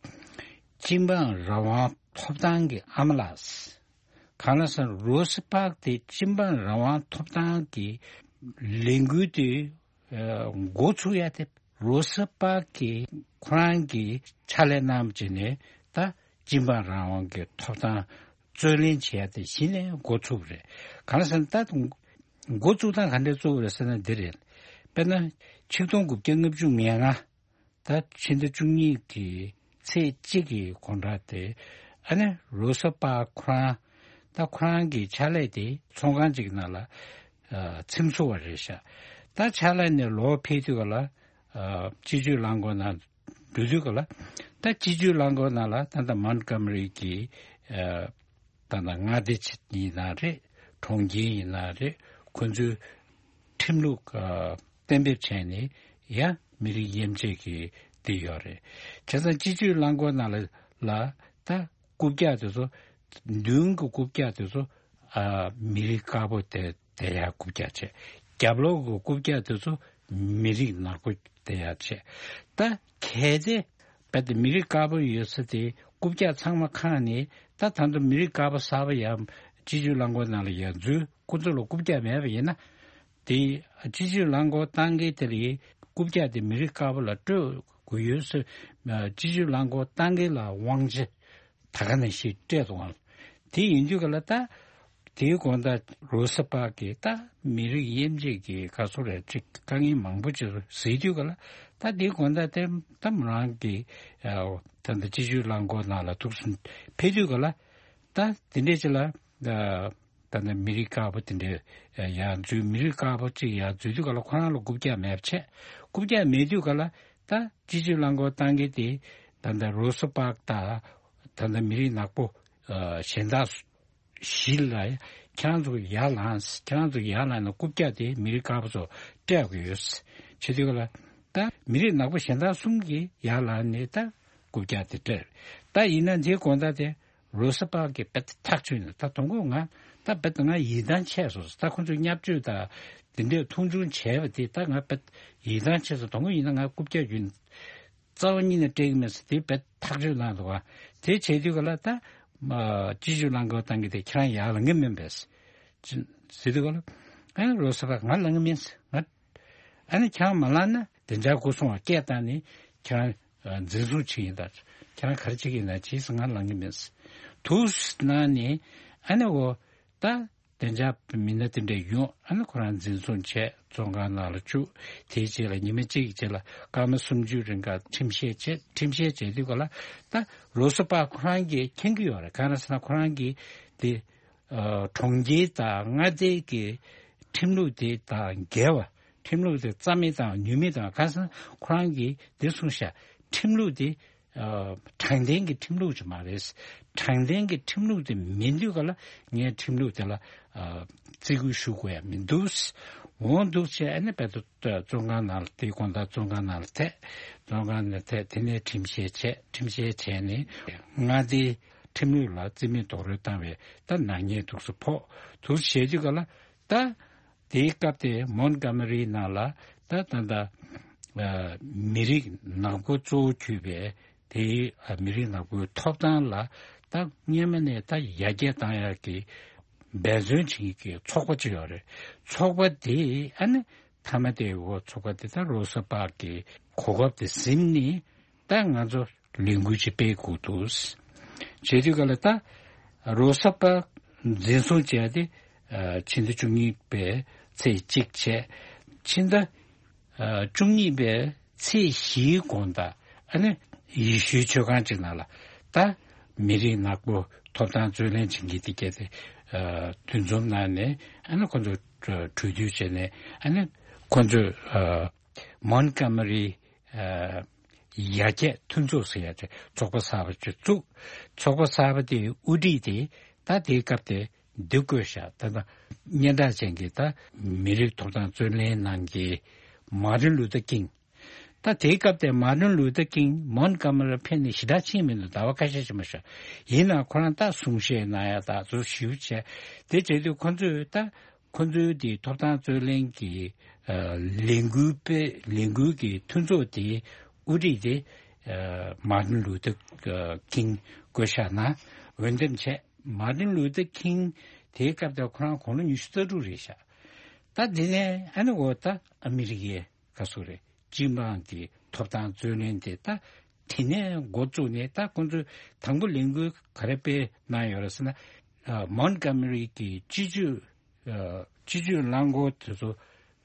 སྤྱི་འབངས་རང་དབང་ཐོབ་ཐང་གི་ཨ་མ་ལགས། གང་ལ་སོང་རོ་ས་པར་དེ་སྤྱི་འབངས་རང་དབང་ཐོབ་ཐང་གི་ལས་འགུལ་དེ་ཨ་འགོ་ཚུགས་ཡ་དེ་རོ་ས་པར་གྱི་ཁོ་རང་གི་ཕྱག་ལས་གནང་བྱས་ནས་ད་སྤྱི་འབངས་རང་དབང་གི་ཐོབ་ཐང་རྩོད་ལེན་བྱེད་ཡ་དེ་གཞི་ནས་འགོ་ཚུགས་པ་རེད། གང་ལ་སོང་ད་འགོ་བཙུགས་སྟངས་ག་འདྲས་བཙུགས་པ་རེད་ཟེར་ན་འདི་རེད། དཔེར་ན་ཆིག་སྟོང་དགུ་བརྒྱ་ལྔ་བཅུ་ང་ལྔ། ད་ཕྱི་ཟླ་བཅུ་གཉིས་ཀྱི་ཚེས་གཅིག་གི་དགོང་དག་དེ་ཨ་ནི་རོ་ས་པར་ཁོ་རང་ད་ཁོ་རང་གི་ཕྱག་ལས་དེ་ཚོང་ཁང་ཅིག་ནང་ལ་ཨ་ཚེམ་བཟོ་བ་རེད་ཤག་ད་ཕྱག་ལས་ནས་ལོག་ཕེབས་དུས་ག་ལ་ཨ་སྤྱི་སྤྱོད་རླངས་འཁོར་ནང་འགྲོ་དུས་ག་ལ་ད་སྤྱི་སྤྱོད་རླངས་འཁོར་ནང་ལ་ད་ལྟ་མོན་གྷོ་མ་རི་གི་ཨ་ད་ལྟ་མངའ་སྡེ་ཆེ་ཡིན་ན་རེད། གྲོང་ཁྱེར་ཡིན་ན་རེད། ཁོ་ཚོའི་ཁྲིམས་ལུགས་ཨ་གཏན་འབེབས་བྱས་ནས་ཡང་མི་རིགས་དབྱེ་འབྱེད་ཀྱི་དེ་ཡོད་རེད། བྱས་ཙང་སྤྱི་སྤྱོད་རླངས་འཁོར་ནང་ལ་ལ་ད་རྐུབ་བཀྱག་དེ་ཚོ་མདུན་གྱི་རྐུབ་བཀྱག་དེ་ཚོ་ཨ་མི་རིགས་དཀར་པོ་དེ་དེ་ཡང་རྐུབ་བཀྱག་བྱས། རྒྱབ་ལོགས་ཀྱི་རྐུབ་བཀྱག་དེ་ཚོ་མི་རིགས་ནག་པོ་དེ་ཡང་བྱས། ད་གལ་ཏེ་རྦད་དེ་མི་རིགས་དཀར་པོ་ཡོད་ས་དེ་རྐུབ་བཀྱག་ཚང་མ་ཁེངས་ནས་ད་ད་དུང་མི་རིགས་དཀར་པོ་གསར་པ་ཡང་སྤྱི་སྤྱོད་རླངས་འཁོར་ནང་ལ་ཡང་འཛུལ། ཁོ་ཚོ་ལ་རྐུབ་བཀྱག་མེད་པ་ཡིན་ན། དེ་སྤྱི་སྤྱོད་རླངས་འཁོར་བཏང་མཁན་དེ་ལ་རྐུབ་བཀྱག་དེ་མི་རིགས་དཀར་པོ་ལ་སྤྲོད་དགོས་ཡོད་ཟེར། སྤྱི་སྤྱོད་རླངས་འཁོར་བཏང་མཁན་ལ་དབང་ཆ་ད་ག་ནང་བཞིན་སྤྲད་འདུག་ག་དེ་ཡིན་དུས་ག་ལ་ད། དེའི་དགོང་དག་རོ་ས་པར་གྱིས་ད་མི་རིགས་དབྱེ་འབྱེད་ཀྱི་ག་ཚོད་རེད་ཅིག་དཀའ་ངལ་མང་པོ་ཅིག་གཟིགས་དུས་ག་ལ། ད་དེའི་དགོང་དག་དེ་ད་མོ་རང་གི་ད་ལྟ་སྤྱི་སྤྱོད་རླངས་འཁོར་ནང་ལ་ཐུག་སོང་ཕེབས་དུས་ག་ལ། ད་དེ་འདྲས་ཅིག་ལ་ད་ད་ལྟ་མི་རིགས་དཀར་པོ་དེ་འདྲས་ཡར་འཛུལ། མི་རིགས་དཀར་པོ་ཅིག་ཡར་འཛུལ་དུས་ག་ལ་ཁོ་རང་ལ་རྐུབ་བཀྱག་མེད་པ་བྱས། རྐུབ་བཀྱག་མེད་དུས་ག་ལ་ད་སྤྱི་སྤྱོད་རླངས་འཁོར་བཏང་མཁན་དེ་ད་ལྟ་རོ་ས་པར་དང་ད་ལྟ་མི་རིགས་ནག་པོ་གཞན་དག་གཞི་ལ་ཁྱེད་རང་ཚོ་ཡར་ལངས། ཁྱེད་རང་ཚོ་ཡར་ལངས་ནས་རྐུབ་བཀྱག་དེ་མི་རིགས་དཀར་པོ་ཚོ་སྤྲད་དགོས་ཡོད་བྱེད་དུས་ག་ལ། ད་མི་རིགས་ནག་པོ་གཞན་དག་གསུམ་གྱིས་ཡར་ལངས་ནས་ད་རྐུབ་བཀྱག་དེ་སྤྲད། ད་ཡིན་ན་དེའི་དགོང་དག་དེ་རོ་ས་པར་གྱིས་རྦད་དེ་ཐག་ཆོད་ནས། ད་དང་པོ་ང་ད་རྦད་དེ་ང་ཡིད་ཐང་ཆད་སོང་། ད་ཁོ་ཚོས་བརྙས་བཅོས་དང་དེ་འདྲས་མཐོང་ཆུང་བྱས་པ་དེ་ད་ང་རྦད་ཡིད་ཐང་ཆད་སོང་། དང་པོ་ཡིན་ན་ང་རྐུབ་བཀྱག་རྒྱུན་རྩ་བ་ཉིད་ནས་སྤྲད་ཀྱི་མེད་ཟེར་དེ་རྦད་ཐག་གཅོད་གནང་འདུག་ག་དེ་བྱས་དུས་ག་ལ་ད་སྤྱི་སྤྱོད་རླངས་འཁོར་བཏང་གི་དེ་ཁྱེད་རང་ཡར་ལངས་ཀྱི་མིན་པས་ཟེར་དུས་ག་ལ། ཨ་ནི་རོ་ས་པར་ང་ལངས་ཀྱི་མིན་ཟེར། ང་ཨ་ནི་ཁྱེད་རང་མ་ལངས་ན་བདེ་འཇགས་སྒོ་སྲུང་བ་སྐད་བཏང་ནས་ཁྱེད་རང་འཛིན་བཟུང་བྱེད་ཀྱི་ཡིན། ད་ཁྱེད་རང་ག་རེ་བྱེད་ཀྱི་ཡིན་ན་བྱེད་ཟེར། ང་ལངས་ཀྱི་མིན་ཟེར། འདུག་སེ་གནང་ནས་ཨ་ནི་འོ་ད་བདེ་འཇགས་མི་སྣ་དེ་འདྲས་ཡོང་། ཨ་ནི་ཁོ་རང་འཛིན་བཟུང་བྱས་བཙོན་ཁང་ནང་ལ་བཅུག་དེའི་རྗེས་ལ་ཉི་མ་གཅིག་གི་རྗེས་ལ་སྐར་མ་སུམ་ཅུ་རིང་ག་ཁྲིམས་བཤེར་བྱས། ཁྲིམས་བཤེར་བྱས་དུས་ག་ལ་ད་རོ་ས་པར་ཁོ་རང་གིས་མཁྱེན་གྱི་ཡོད་རེད། གང་རེད་ཟེར་ན་ཁོ་རང་གིས་དེ་ཨ་གྲོང་ཁྱེར་དང་མངའ་སྡེ་གི་ཁྲིམས་ལུགས་དེ་དང་འགལ་བ། ཁྲིམས་ལུགས་དེ་རྩ་མེད་དང་ནུས་མེད་དང་། གང་ཟེར་ན་ཁོ་རང་གིས་དེ་གསུངས་ཤག་ཁྲིམས་ལུགས་དེ་ཨ་དྲང་བདེན་གྱི་ཁྲིམས་ལུགས་ཅིག་མ་རེད། དྲང་བདེན་གྱི་ཁྲིམས་ལུགས་དེ་མིན་དུས་ག་ལ་ངས་ཁྲིམས་ལུགས་དེ་ལ་ཨ་བརྩི་བཀུར་ཞུ་དགོས་ཡ་མི་འདུག་འོ་འདུག་བྱས། ཨ་ནི་རྦད་དེ་བཙོན་ཁང་ནང་ལ། དེའི་དགོང་དག་བཙོན་ཁང་ནང་ལ་ཐད། བཙོན་ཁང་ནང་ཐད། དེ་ནས་ཁྲིམས་བཤེར་བྱས། ཁྲིམས་བཤེར་བྱས་ནས་མངའ་སྡེའི་ཁྲིམས་ལུགས་ལ་བརྩི་མེད་རྡོག་རོལ་བཏང་བའི་ད་ནག་ཉེས་འདུག་སེ་ཕོག་འདུག་བྱས་དུས་ག་ལ་ད། དེའི་སྐབས་དེ་མོན་གྷོ་མ་རིའི་ནང་ལ་ད་ད་ད་ཨ་མི་རིགས་ནག་པོ་གཙོ་བོ་གྱུར་པའི་དེའི་ཨ་མི་རིགས་ནག་པོའི་ཐོབ་ཐང་ལ་ད་སྔོན་མ་ནས་ད་ཡར་རྒྱས་བཏང་ཡག་གི་འབད་བརྩོན་བྱེད་མཁན་གྱི་ཚོགས་པ་ཅིག་ཡོད་རེད། ཚོགས་པ་དེ་ཨ་ནི་མཐའ་མ་དེ་འོ་ཚོགས་པ་དེ་ད་རོ་ས་པར་གྱི་གོ་སྐབས་དེ་ཟིན་ནས་ད་ང་ཚོ་ལས་འགུལ་ཅིག་སྤེལ་དགོས་འདུག་བྱེད་དུས་ག་ལ་ད་རོ་ས་པར་འཛིན་བཟུང་བྱས་ཏེ་ཨ་ཕྱི་ཟླ་བཅུ་གཉིས་པའི་ཚེས་གཅིག་བྱས། ཕྱི་ཟླ་ཨ་བཅུ་གཉིས་པའི་ཚེས་བཞིའི་དགོང་དག་ཨ་ནི་ཡེ་ཤུའི་མཆོད་ཁང་ཅིག་ནང་ལ་ད་མི་རིགས་ནག་པོ་ཐོབ་ཐང་རྩོད་ལེན་བྱེད་མཁན་དེ་གྱད་དེ་ཨ་འདུ་འཛོམས་གནང་ནས་ཨ་ནི་ཁོ་ཚོ་གྲོས་བསྡུར་བྱས་ནས་ཨ་ནི་ཁོ་ཚོས་ཨ་མོན་གྷོ་མ་རི་ཨ་ཡར་རྒྱས་མཐུན་ཚོགས་ཟེར་ཡ་དེ་ཚོགས་པ་གསར་པ་ཅིག་བཙུགས། ཚོགས་པ་གསར་པ་དེའི་དབུ་ཁྲིད་དེ་ད་དེའི་སྐབས་དེ་འདི་བསྐོས་ཤག་ད་ལྟ་སྙན་གྲགས་ཅན་གྱི་ད་མི་རིགས་ཐོབ་ཐང་རྩོད་ལེན་གནང་མཁན་མར་ཏིན་ལུ་ཐར་ཀིང་། ད་དེའི་སྐབས་དེ་མར་ཏིན་ལུ་ཐར་ཀིང་མོན་གྷོ་མ་རི་ལ་ཕེབས་ནས་ཞེ་དྲག་ཕྱིན་མི་འདུག་ཟླ་བ་ཁ་ཤས་ཕྱིན་པ་ཤག་ཡིན་ནའང་ཁོ་རང་ད་གསུང་བཤད་གནང་ཡ་ད་ཚོ་ཞིབ་བྱས། དེ་བྱེད་དུས་ཁོ་ཚོས་ད་ཁོ་ཚོའི་དེ་ཐོབ་ཐང་རྩོད་ལེན་གྱི་ཨ་ལས་འགུལ་སྤེལ། ལས་འགུལ་གྱི་མཐུན་ཚོགས་དེའི་དབུ་ཁྲིད་དེ་ཨ་མར་ཏིན་ལུ་ཐར་ཨ་ཀིང་བསྐོས་བཞག་ན་འོས་འདེམས་བྱས། མར་ཏིན་ལུ་ཐར་ཀིང་དེའི་སྐབས་དེ་ཁོ་རང་དགུང་ལོ་ཉི་ཤུ་རྩ་དྲུག་རེད་ཤག་ད་དེ་ནས་ཨ་ནི་འོ་ད་ཨ་མི་རི་ཀའི་ག་ཚོད་རེད། སྤྱི་འབངས་ཀྱི་ཐོབ་ཐང་རྩོད་ལེན་དེ་ད་དེ་ནས་འགོ་བཙུགས་ནས་ད་ཁོང་ཚོས་དང་པོ་ལས་འགུལ་ག་རེ་སྤེལ་གནང་ཡོད་རེད་ཟེར་ན། ཨ་མོན་གྷོ་མ་རི་གི་སྤྱི་སྤྱོད་ཨ་སྤྱི་སྤྱོད་རླངས་འཁོར་དེ་ཚོ་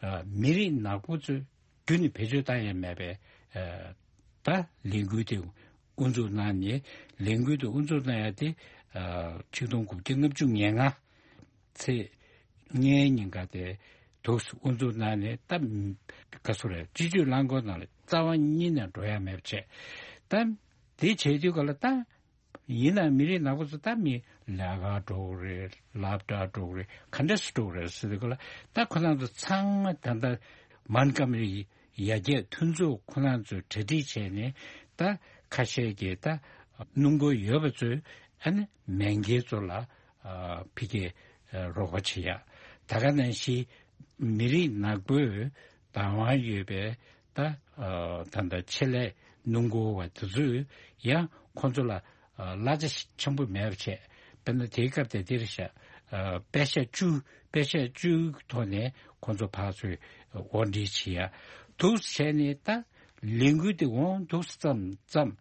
ཨ་མི་རིགས་ནག་པོ་ཚོས་རྒྱུན་ནས་བེད་སྤྱོད་བཏང་ཡ་མེད་པའི་ཨ་ད་ལས་འགུལ་དེ་དབུ་འཛུགས་གནང་ནས། ལས་འགུལ་དེ་དབུ་འཛུགས་གནང་ཡ་དེ་ཨ་ཆིག་སྟོང་དགུ་བརྒྱ་ལྔ་བཅུ་ང་ལྔ་ཚེས་ལྔའི་ཉིན་ཀ་དེ་འདུག་སེ་དབུ་འཛུགས་གནང་ནས། ད་ག་ཚོད་རེད། སྤྱི་སྤྱོད་རླངས་འཁོར་ནང་ལ་རྩ་བ་ཉིད་ནས་འགྲོ་ཡ་མེད་པ་བྱས། ད་དེ་བྱས་དུས་ག་ལ་ད་ཡིན་ན་མི་རིགས་ནག་པོ་ཚོ་ད་མི་ལས་ཀ་འགྲོ་གི་རེད། སློབ་གྲྭ་འགྲོ་གི་རེད། ག་འདྲ་སེ་འགྲོ་གི་རེད་ཟེར་དུས་ག་ལ་ད་ཁོ་རང་ཚོ་ཚང་མ་ད་ལྟ་མོན་གྷོ་མ་རི་ཡར་རྒྱས་མཐུན་ཚོགས་ཁོ་རང་ཚོས་གྲ་སྒྲིག་བྱས་ནས། ད་ཁ་ཤས་ཀྱིས་ད་སྣུམ་འཁོར་ཡོད་པ་ཚོས་ཨ་ནི་མེས་རྒྱལ་ཚོ་ལ་ཨ་ཕ་གིར་ཨ་རོགས་པ་བྱེད་ཡ། ད་ག་ནང་བཞིན་མི་རིགས་ནག་པོས་བདག་དབང་ཡོད་པའི་ད་ཨ་ད་ལྟ་ཆེད་ལས་སྣུམ་འཁོར་བ་དེ་ཚོས་ཡང་ཁོང་ཚོ་ལ་ཨ་གླ་ཆ་ཆེན་པོ་མེད་པ་བྱས། དཔེར་ན་དེའི་སྐབས་དེ་དེར་བཞག་ཨ་པེ་ཤ་བཅུ། པེ་ཤ་བཅུའི་ཐོག་ནས་ཁོང་ཚོ་ཕར་ཚུར་དབོར་འདྲེན་བྱེད་ཡ། འདུག་སེ་བྱས་ནས་ད་ལས་འགུལ་དེ་འོང་འདུག་སེ་བརྩམས་བརྩམས།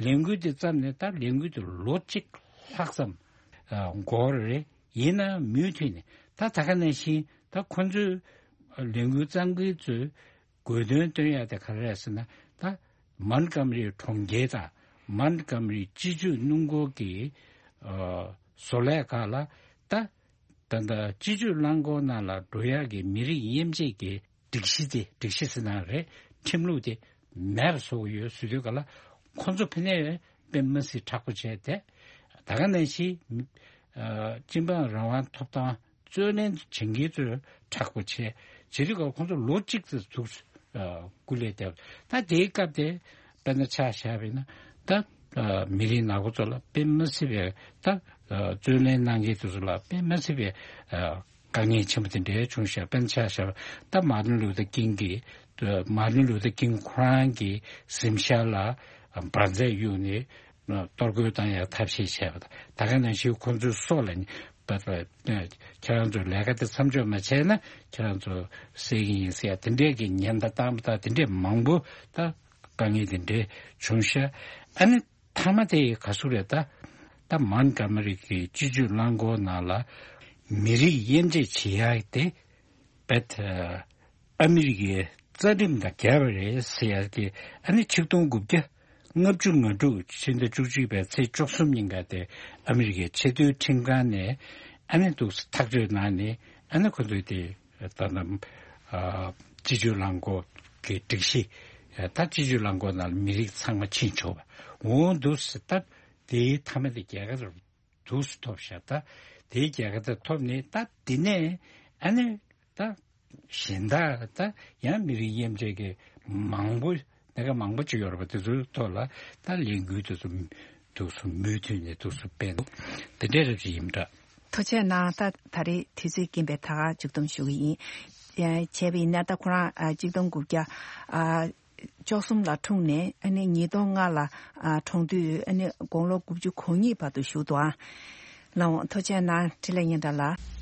ལས་འགུལ་དེ་བརྩམས་ནས་ད་ལས་འགུལ་དེ་ལོ་གཅིག་ལྷག་ཙམ་ཨ་འགོར་རེད། ཡིན་ན་མུ་མཐུད་ནས་ད་ད་ག་ནང་བཞིན་ད་ཁོ་ཚོའི་ལས་འགུལ་རྩ་འགུལ་ཚོའི་དགོས་འདུན་བཏོན་ཡ་དེ་ག་རེ་རེད་ཟེར་ན། ད་མོན་གྷོ་མ་རི་གྲོང་ཁྱེར་དང་མོན་གྷོ་མ་རི་སྤྱི་སྤྱོད་སྣུམ་འཁོར་གྱི་ཨ་བཟོ་ལས་ཁག་ལ་ད་ད་ལྟ་སྤྱི་སྤྱོད་རླངས་འཁོར་ནང་ལ་འགྲོ་ཡག་གི་མི་རིགས་དབྱེ་འབྱེད་ཀྱི་སྒྲིག་གཞི་དེ། སྒྲིག་གཞི་ཟེར་ན་རེད། ཁྲིམས་ལུགས་དེ་མེད་པ་བཟོ་གི་ཡོད་ཟེར་དུས་ག་ལ། ཁོ་ཚོ་ཕ་ནས་དཔེ་མི་སྲིད་མཁྲེགས་པོ་བྱས་ཏེ། ད་ག་ནང་བཞིན་ཨ་སྤྱི་འབངས་རང་དབང་ཐོབ་ཐང་རྩོད་ལེན་བྱེད་མཁན་ཚོས་མཁྲེགས་པོ་བྱས། བྱེད་དུས་ག་ཁོ་ཚོ་ལོ་གཅིག་ཙམ་འདུག་སེ་ཨ་སྐུ་ལས་བསྐྱབས། ད་དེའི་སྐབས་དེ་དཔེར་ན་ཆ་བཞག་པ་ཡིན་ན། ད་ཨ་མི་རིགས་ནག་པོ་ཚོ་ལ་དཔེ་མི་སྲིད་པའི། ད་ཨ་རྩོད་ལེན་གནང་མཁན་དེ་ཚོ་ལ་དཔེ་མི་སྲིད་པའི་ཨ་དཀའ་ངལ་ཆེན་པོ་དེ་འདྲའི་བྱུང་ཤག་དཔེར་ན་ཆ་བཞག་པ། ད་མར་ཏིན་ལུ་ཐར་ཀིང་གིས། མར་ཏིན་ལུ་ཐར་ཀིང་ཁོ་རང་གི་གཟིམ་ཤག་ལ་འབར་རྫས་གཡུགས་ནས་གཏོར་རྒོལ་བཏང་ཡག་ཐབས་ཤེས་བྱས་པ་དང་། ད་ག་ནང་བཞིན་ཁོ་ཚོའི་སྲོག་ལ་ནི་ཁྱེད་རང་ཚོ་ལས་ཀ་དེ་མཚམས་འཇོག་མ་བྱས་ན་ཁྱེད་རང་ཚོ་བསད་ཀྱི་ཡིན་ཟེར་ཡ་དེ་འདྲའི་གི་ཉེན་བརྡ་བཏང་པ་དང་། དེ་འདྲའི་མང་པོ། ད་དཀའ་ངལ་དེ་འདྲའི་བྱུང་ཤག་ཨ་ནི་མཐའ་མ་དེ་ག་ཟུག་རེད། ད་ད་མོན་གྷོ་མ་རི་གི་སྤྱི་སྤྱོད་རླངས་འཁོར་ནང་ལ་མི་རིགས་དབྱེ་འབྱེད་བྱེད་ཡག་དེ་བེད་ཨ་མི་རི་ཀའི་རྩ་ཁྲིམས་དང་འགལ་བ་རེད་ཟེར་ཡག་གི། ཨ་ནི་ཆིག་སྟོང་དགུ་བརྒྱ་ལྔ་བཅུ་ང་དྲུག་ཕྱི་ཟླ་བཅུ་གཅིག་པའི་ཚེས་བཅུ་གསུམ་ཉིན་ཀ་དེ་ཨ་མི་རི་ཀའི་ཆེས་མཐོའི་ཁྲིམས་ཁང་ནས་ཨ་ནི་འདུག་སེ་ཐག་གཅོད་གནང་ནས། ཨ་ནི་ཁོ་ཚོས་དེ་ད་ལྟ་ཨ་སྤྱི་སྤྱོད་རླངས་འཁོར་གྱི་སྒྲིག་གཞི། ད་སྤྱི་སྤྱོད་རླངས་འཁོར་ནང་ལ་མི་རིགས་ཚང་མ་ཕྱིན་ཆོག་པ་འོང་འདུག་སེ། ད་དེའི་མཐའ་མ་དེ་རྒྱལ་ཁ་འདུག་སེ་ཐོབ་ཤག་ད་དེའི་རྒྱལ་ཁ་དེ་ཐོབ་ནས། ད་དེ་ནས་ཨ་ནི་ད་གཞན་དག་ད་ཡང་མི་རིགས་དབྱེ་འབྱེད་ཀྱི་མང་པོ། སྣ་ཁ་མང་པོ་ཅིག་ཡོད་རེད་པ། དེ་ཚོའི་ཐོག་ལ་ད་ལས་འགུལ་དེ་ཚོ་འདུག་སེ་མུ་མཐུད་ནས་འདུག་སེ་སྤེལ་འདུག་དེ་འདྲའི་རབ་ཅིག་ཡིན་འདྲ། ཐུགས་རྗེ་གནང་། ད་ད་རེས་དུས་ཚོད་ཀྱིན་པས་ད་ག་མཇུག་བསྡོམས་ཞུ་གི་ཡིན། ཨ་བྱས་པ་ཡིན་ན། ད་ཁོ་རང་ཨ་གཅིག་སྟོང་དགུ་བརྒྱ་ཨ་བཅུ་གསུམ་ལ་འཁྲུངས་ནས། ཨ་ནི་ཉིས་སྟོང་ལྔ་ལ་ཨ་གྲོངས་དུས་ཨ་ནི་དགུང་ལོ་དགུ་བཅུ་གོ་གཉིས་བར་དུ་བཞུགས་འདུག་ཨ། ལགས་འོང་། ཐུགས་རྗེ་གནང་། འཕྲིན་ལས་སྙན་གྲགས་ལགས།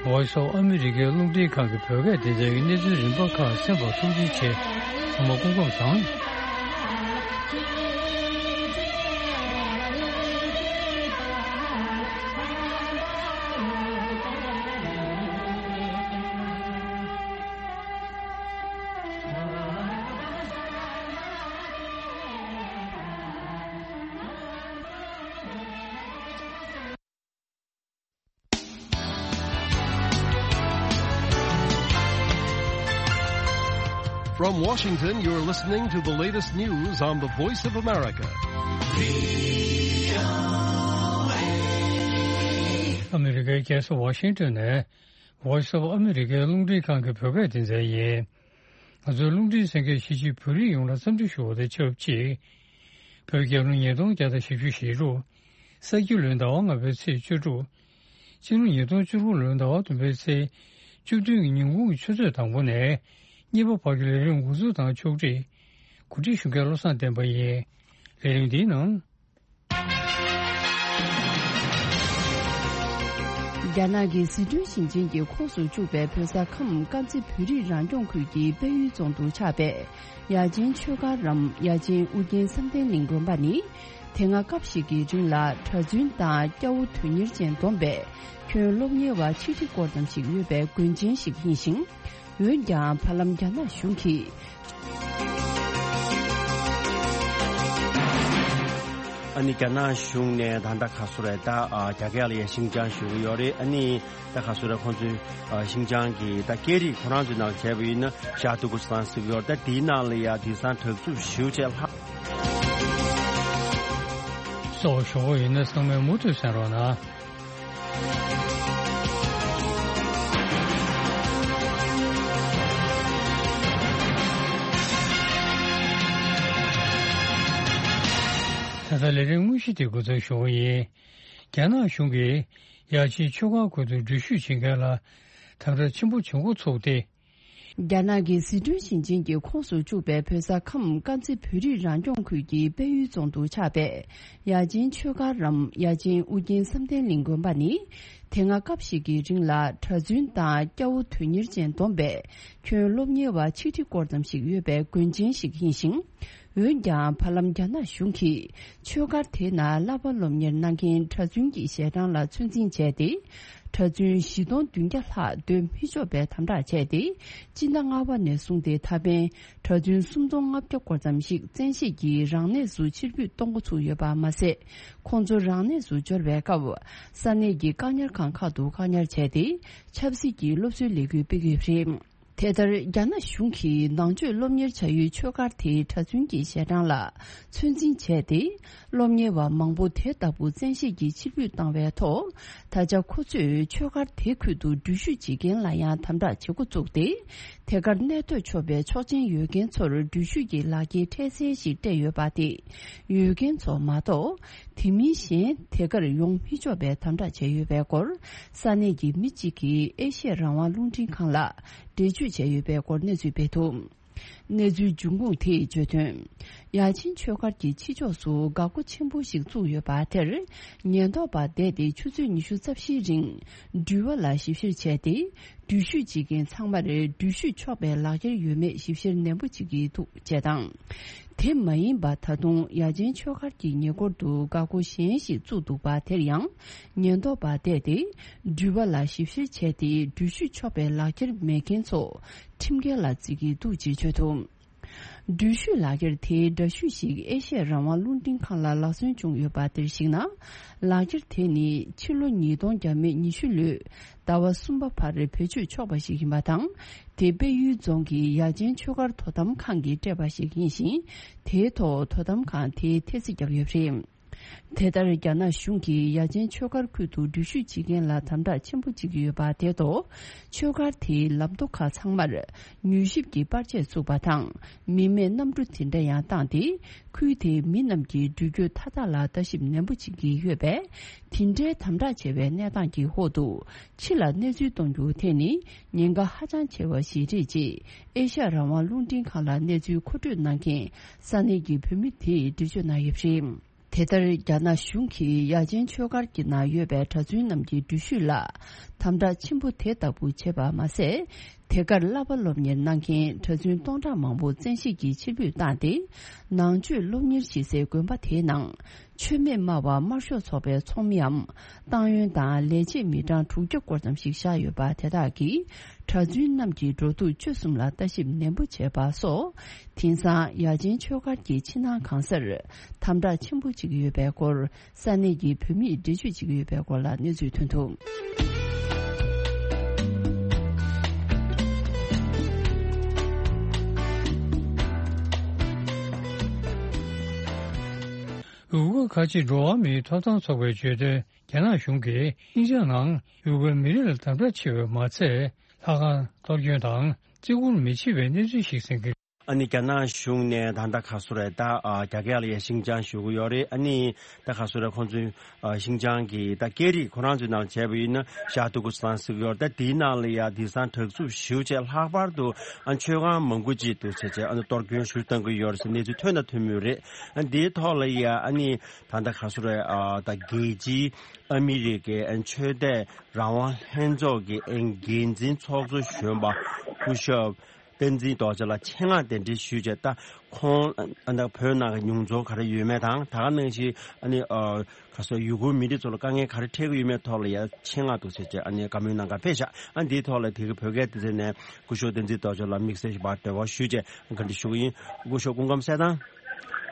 Voice of America རླུང་འཕྲིན་ཁང་གི་བོད་སྐད་སྡེ་ཚན་གྱི་གནས་ཚུལ་རིམ་པ་ཁག་གསན་པར་ཐུགས་རྗེ་ཆེ། ཚང་མ་སྐུ་ཁམས་བཟང་། From Washington, you're listening to the latest news on the Voice of America. ཨ་མི་རི་ཀའི་རྒྱལ་ས་ཝ་ཤིང་ཏོན་ནས་Voice of America རླུང་འཕྲིན་ཁང་གི་བོད་སྐད་སྡེ་ཚན་ཡིན། ང་ཚོའི་རླུང་འཕྲིན་གསན་མཁན་གཞིས་བྱེས་བོད་རིགས་ཡོངས་ལ་འཚམས་འདྲི་ཞུ་བ་དང་ཆབས་ཅིག་བོད་རྒྱལ་ལོ་ཉིས་སྟོང་བརྒྱ་དང་བཞི་བཅུ་ཞེ་དྲུག་ས་ཁྱི་ལོའི་ཟླ་བ་ལྔ་པའི་ཚེས་བཅུ་དྲུག་སྤྱི་ལོ་ཉིས་སྟོང་བཅུ་དགུ་ལོའི་ཟླ་བ་བདུན་པའི་ཚེས་བཅུ་བདུན་གྱི་ཉིན་གུང་གི་ཆུ་ཚོད་དང་པོ་ནས་གཉིས་པ་བར་གྱི་ལས་རིམ་འགོ་འཛུགས་དང་ཕྱོགས་སྒྲིག་གོ་སྒྲིག་ཞུ་མཁན་བློ་བཟང་བསྟན་པ་ཡིན། ལས་རིམ་འདིའི་ནང་། རྒྱ་ནག་གི་ཟི་ཁྲོན་ཞིང་ཆེན་གྱི་ཁོངས་སུ་བཅུག་པའི་བོད་ས་ཁམས་དཀར་མཛེས་བོད་རིགས་རང་སྐྱོང་ཁུལ་གྱི་དཔལ་ཡུལ་རྫོང་དུ་ཆགས་པའི་ཡ་ཆེན་ཆོས་སྒར་རམ་ཡ་ཆེན་ཨུ་རྒྱན་བསམ་གཏན་གླིང་དགོན་པ་ནི། དེ་སྔ་སྐབས་ཤིག་གི་རིང་ལ་གྲྭ་བཙུན་དང་སྐྱ་བོ་དོན་གཉེར་ཅན་བསྡོམས་པས་ཁྱོན་སློབ་གཉེར་བ་ཆིག་ཁྲི་སྐོར་ཙམ་ཞིག་ཡོད་པའི་དགོན་ཆེན་ཞིག་ཡིན་ཞིང་། འོན་ཀྱང་བར་ལམ་རྒྱ་ནག་གཞུང་གིས། ཨ་ནི་རྒྱ་ནག་གཞུང་ནས་ད་ལྟ་ག་སུ་རེད་ད། ཨ་རྒྱ་སྐད་ལ་ཡ་ཤིང་ཅང་ཞུ་གི་ཡོད་རེད། ཨ་ནི་ད་ག་སུ་རེད། ཁོང་ཚོའི་ཨ་ཤིང་ཅང་གི་ད་སྐད་རིགས་ཁོ་རང་ཚོའི་ནང་བྱས་པ་ཡིན་ན་ཤ་ཏུ་ཀུ་སི་ཏང་ཟེར་གི་ཡོད་རེད། ད་དེའི་ནང་ལ་ཡ་དེང་སང་དྲག་རྩུབ་ཞེ་པོ་ཅིག་ལྷག་སོགས་ཞུ་གི་ཡོད་ན་ཚང་མས་མུ་མཐུད་གསན་རོགས་གནང་། ད་ལྟ་ལས་རིམ་དངོས་གཞི་དེ་འགོ་འཛུགས་ཞུ་གི་ཡིན། རྒྱ་ནག་གཞུང་གིས་ཡ་ཆེན་ཆོས་སྒར་ཁུལ་དུ་འགྲུལ་བཞུད་བྱེད་མཁན་ལ་དམ་དྲག་ཆེན་པོ་བྱེད་འགོ་ཚུགས་ཏེ། རྒྱ་ནག་གི་ཟི་ཁྲོན་ཞིང་ཆེན་གྱི་ཁོངས་སུ་བཅུག་པའི་བོད་ས་ཁམས་དཀར་མཛེས་བོད་རིགས་རང་སྐྱོང་ཁུལ་གྱི་དཔལ་ཡུལ་རྫོང་དུ་ཆགས་པའི་ཡ་ཆེན་ཆོས་སྒར་རམ་ཡ་ཆེན་ཨུ་རྒྱན་བསམ་གཏན་གླིང་དགོན་པ་ནི། དེ་སྔ་སྐབས་ཤིག་གི་རིང་ལ་གྲྭ་བཙུན་དང་སྐྱ་བོ་དོན་གཉེར་ཅན་བསྡོམས་པས་ཁྱོན་སློབ་གཉེར་བ་ཆིག་ཁྲི་སྐོར་ཙམ་ཞིག་ཡོད་པའི་དགོན་ཆེན་ཞིག་ཡིན་ཞིང་། འོན་ཀྱང་བར་ལམ་རྒྱ་ནག་གཞུང་གིས་ཆོས་སྒར་དེའི་ནང་བསླབ་པ་སློབ་གཉེར་གནང་མཁན་གྲྭ་བཙུན་གྱི་ཞལ་གྲངས་ལ་ཚོད་འཛིན་བྱས་ཏེ། གྲྭ་བཙུན་བཞི་སྟོང་བདུན་བརྒྱ་ལྷག་སྡོད་མི་ཆོག་པའི་དམ་དྲག་བྱས་ཏེ། སྤྱི་ཟླ་ལྔ་པ་ནས་བཟུང་སྟེ་ད་ཕན་གྲྭ་བཙུན་སུམ་སྟོང་ལྔ་བརྒྱ་སྐོར་ཙམ་ཞིག་བཙན་ཤེད་ཀྱིས་རང་གནས་སུ་ཕྱིར་འབུད་གཏོང་འགོ་ཚུགས་ཡོད་པ་མ་ཟད། ཁོང་ཚོ་རང་གནས་སུ་འབྱོར་བའི་སྐབས་ས་གནས་ཀྱི་བཀག་ཉར་ཁང་ཁག་ཏུ་བཀག་ཉར་བྱས་ཏེ། ཆབ་སྲིད་ཀྱི་སློབ་གསོའི་ལས་འགུལ་སྤེལ་གྱི་ཡོད་པ་རེད། དེ་ལྟར་རྒྱ་ནག་གཞུང་གིས་ནང་ཆོས་སློབ་གཉེར་བྱ་ཡུལ་ཆོས་སྒར་དེའི་གྲྭ་བཙུན་གྱི་ཞལ་གྲངས་ལ་ཚོད་འཛིན་བྱས་ཏེ། སློབ་གཉེར་བ་མང་པོ་དེ་ལྟ་བུ་བཙན་ཤེད་ཀྱིས་ཕྱིར་འབུད་བཏང་བའི་ཐོག་ད་ཆ་ཁོ་ཚོས་ཆོས་སྒར་དེ་ཁུལ་དུ་འགྲུལ་བཞུད་བྱེད་མཁན་ལ་ཡང་དམ་དྲག་བྱེད་འགོ་བཙུགས་ཏེ། དེ་གར་གནས་སྡོད་ཆོག་པའི་ཆོག་མཆན་ཡོད་མཁན་ཚོར་འགྲུལ་བཞུད་ཀྱི་ལག་འཁྱེར་འཕྲལ་སེལ་ཞིག་སྤྲད་ཡོད་པ་དེ། ཡོད་མཁན་ཚོ་མ་གཏོགས། དེ་མིན་གཞན་དེ་གར་ཡོང་མི་ཆོག་པའི་དམ་དྲག་བྱས་ཡོད་པའི་སྐོར། ས་གནས་ཀྱི་མི་གཅིག་གིས་ཨེ་ཤེ་ཡ་རང་དབང་རླུང་འཕྲིན་ཁང་ལ་འགྲེལ་བརྗོད་བྱས་ཡོད་པའི་སྐོར་གནས་ཚུལ་སྤེལ་འདུག་གནས་ཚུལ་འབྱུང་ཁུངས་དེས་བརྗོད་དོན། ཡ་ཆེན་ཆོས་སྒར་གྱི་ཕྱི་ཕྱོགས་སུ་འགག་སྒོ་ཆེན་པོ་ཞིག་བཙུགས་ཡོད་པ་དེར། ཉེན་རྟོག་པ་བསྡད་དེ་ཆུ་ཚོད་ཉི་ཤུ་རྩ་བཞིའི་རིང་འགྲུལ་བ་ལ་ཞིབ་བཤེར་བྱས་ཏེ། འགྲུལ་བཞུད་བྱེད་མཁན་ཚང་མར་འགྲུལ་བཞུད་ཆོག་པའི་ལག་འཁྱེར་ཡོད་མེད་ཞིབ་བཤེར་ནན་པོ་བྱེད་ཀྱི་འདུག་ཅེས་དང་། དེ་མ་ཡིན་པ་ད་དུང་ཡ་ཆེན་ཆོས་སྒར་གྱི་ཉེ་འཁོར་དུ་འགག་སྒོ་གཞན་ཞིག་བཙུགས་འདུག་པ་དེར་ཡང་ཉེན་རྟོག་པ་བསྡད་དེ། འགྲུལ་པ་ལ་ཞིབ་བཤེར་བྱས་ཏེ་འགྲུལ་བཞུད་ཆོག་པའི་ལག་འཁྱེར་མེད་མཁན་ཚོ་ཁྲིམས་འགལ་ལ་བརྩི་གི་འདུག་ཅེས་བརྗོད་འདུག་འགྲུལ་བཞུད་ལག་འཁྱེར་དེའི་འདྲ་བཤུས་ཤིག་ཨེ་ཤེ་ཡ་རང་དབང་རླུང་འཕྲིན་ཁང་ལ་ལག་སོན་བྱུང་ཡོད་པ་དེར་གཞིགས་ན། ལག་འཁྱེར་དེ་ནི་ཕྱི་ལོ་ཉིས་སྟོང་བརྒྱ་མེད་ཉི་ཤུ་ལོའི་ཟླ་བ་གསུམ་པ་བར་བེད་སྤྱོད་ཆོག་པ་ཞིག་ཡིན་པ་དང་། དེ་དཔལ་ཡུལ་རྫོང་གི་ཡ་ཆེན་ཆོས་སྒར་དོ་དམ་ཁང་གིས་སྤྲད་པ་ཞིག་ཡིན་ཞིང་། དེའི་ཐོག་དོ་དམ་ཁང་དེས་ཐེལ་ཙེ་བརྒྱབ་ཡོད་པ་རེད། དེ་ལྟར་རྒྱ་ནག་གཞུང་གིས་ཡ་ཆེན་ཆོས་སྒར་ཁུལ་དུ་འགྲུལ་བཞུད་བྱེད་མཁན་ལ་དམ་དྲག་ཆེན་པོ་བྱེད་ཀྱི་ཡོད་པ་དེའི་ཐོག་ཆོས་སྒར་དེའི་ལམ་མདོ་ཁག་ཚང་མར་མྱུལ་ཞིབ་ཀྱི་པར་ཆས་བཙུགས་པ་དང་། མི་མེད་གནམ་གྲུ་དེ་འདྲ་ཡང་བཏང་སྟེ། ཁུལ་དེའི་མི་རྣམས་ཀྱི་འགྲུལ་སྐྱོད་མཐའ་དག་ལ་ལྟ་ཞིབ་ནན་པོ་བྱེད་ཀྱི་ཡོད་པས། དེ་འདྲའི་དམ་དྲག་ཆེ་བའི་གནས་སྟངས་ཀྱི་འོག་ཏུ། ཕྱི་ལ་གནས་ཚུལ་གཏོང་རྒྱུ་དེ་ནི་ཉེན་ཁ་ཧ་ཅང་ཆེ་བ་ཞིག་རེད་ཅེས་ཨེ་ཤ་ཡ་རང་དབང་རླུང་འཕྲིན་ཁང་ལ་གནས་ཚུལ་མཁོ་སྤྲོད་གནང་མཁན་ས་གནས་ཀྱི་བོད་མི་དེས་འགྲེལ་བརྗོད་གནང་ཡོད་པ་རེད། དེ་ལྟར་རྒྱ་ནག་གཞུང་གིས་ཡ་ཆེན་ཆོས་སྒར་གྱི་ནང་ཡོད་པའི་གྲྭ་བཙུན་རྣམས་ཀྱི་འགྲུལ་བཞུད་ལ་དམ་དྲག་ཆེན་པོ་དེ་ལྟ་བུ་བྱས་པ་མ་ཟད། དེ་གར་བསླབ་པ་སློབ་གཉེར་གནང་མཁན་གྲྭ་བཙུན་སྟོང་ཕྲག་མང་པོ་བཙན་ཤེད་ཀྱིས་ཕྱིར་འབུད་བཏང་སྟེ། ནང་ཆོས་སློབ་གཉེར་བྱེད་སའི་དགོན་པ་དེའི་ནང་ཆོས་མེད་སྨྲ་བ་དམར་ཤོག་ཚོགས་པའི་ཚོགས་མིའམ་ཏང་ཡོན་དང་ལས་བྱེད་མི་གྲངས་དྲུག་བརྒྱ་སྐོར་ཙམ་ཞིག་བཞག་ཡོད་པ་དེ་དག་གིས་གྲྭ་བཙུན་རྣམས་ཀྱི་འགྲོ་འདུག་སྤྱོད་གསུམ་ལ་ལྟ་ཞིབ་ནན་པོ་བྱས་པ་སོགས། དེང་སང་ཡ་ཆེན་ཆོས་སྒར་གྱི་ཕྱི་ནང་གང་སར་དམ་དྲག་ཆེན་པོ་བྱེད་ཀྱི་ཡོད་པའི་སྐོར། ས་གནས་ཀྱི་བོད་མིས་འགྲེལ་བརྗོད་བྱེད་ཀྱི་ཡོད་པའི་སྐོར་ལ་གནས་ཚུལ་ཐོན་འདུག་ཡུ་གུར་ཁ་ཆེ་འགྲོ་བ་མིའི་ཐོབ་ཐང་ཚོགས་པས་བརྗོད་དོན། རྒྱ་ནག་གཞུང་གིས་ཤིན་ཅང་ནང་ཡུ་གུར་མི་རིགས་ལ་དམ་དྲག་ཆེ་བས་མ་ཚད། ལྷ་ཁང་གཏོར་སྐྱོན་དང་བརྩི་བཀུར་མི་བྱེད་པའི་གནས་ཚུལ་ཞིག་གསན་གྱི། ཨ་ནི་རྒྱ་ནག་གཞུང་ནས་ད་ལྟ་ག་སུ་རེད་ད། ཨ་རྒྱ་སྐད་ལ་ཡ་ཤིན་ཅང་ཞུ་གི་ཡོད་རེད། ཨ་ནི་ད་ག་སུ་རེད་ཁོང་ཚོའི་ཨ་ཤིན་ཅང་གི་ད་སྐད་རིགས་ཁོ་རང་ཚོའི་ནང་བྱས་པ་ཡིན་ན་ཤར་ཏུར་ཀུ་སི་ཐན་ཟེར་གི་ཡོད་རེད། ད་དེའི་ནང་ལ་ཡ་དེང་སང་དྲག་རྩུབ་ཞེ་པོ་ཅིག་ལྷག་པར་དུ་ཨ་མཆོད་ཁང་མང་པོ་ཅིག་འདུག་ཟེར་བྱས་ཨ་ནི་གཏོར་སྐྱོན་ཞུ་བཏང་གི་ཡོད་རེད་ཟེར་གནས་ཚུལ་ཐོན་དང་ཐོན་མུས་རེད། ཨ་དེའི་ཐོག་ལ་ཡ་ཨ་ནི་ད་ལྟ་ག་སུ་རེད་ཨ་ད་རྒྱལ་སྤྱིའི་ཨ་མི་རི་ཀའི་ཨ་ཆོས་དད་རང་དབང་ལྷན་ཚོགས་ཀྱི་ཨ་འགན་འཛིན་ཚོགས་གཙོ་གཞོན་པ་སྐུ་ཞབས་བསྟན་འཛིན་རྡོ་རྗེ་ལགས་ཆེད་མངགས་གདན་འདྲེན་ཞུས་བྱས། ད་ཁོང་ཨ་ད་བོད་ནང་གི་མྱོང་ཚོར་ག་རེ་ཡོད་མེད་དང་། ད་ག་ནང་བཞིན་ཨ་ནི་ཨ་ག་སོ་ཡུ་གུར་མི་རིགས་ཚོ་ལ་དཀའ་ངལ་ག་རེ་འཕྲད་ཀྱི་ཡོད་མེད་ཐོག་ལ་ཡ་ཆེད་མངགས་འདུག་ཟེར་བྱས་ཨ་ནི་བཀའ་མོལ་གནང་གར་ཕེབས་ཤག་ཨ་འདིའི་ཐོག་ལ་དེ་གི་བོད་སྐད་སྡེ་ཚན་ནས་སྐུ་ཞབས་བསྟན་འཛིན་རྡོ་རྗེ་ལགས་དམིགས་བསལ་ཞིག་ཕར་འབྲེལ་བ་ཞུས་བྱས་བཀའ་འདྲི་ཞུ་གི་ཡིན། སྐུ་ཞབས་སྐུ་ཁམས་གསལ་ཐང་།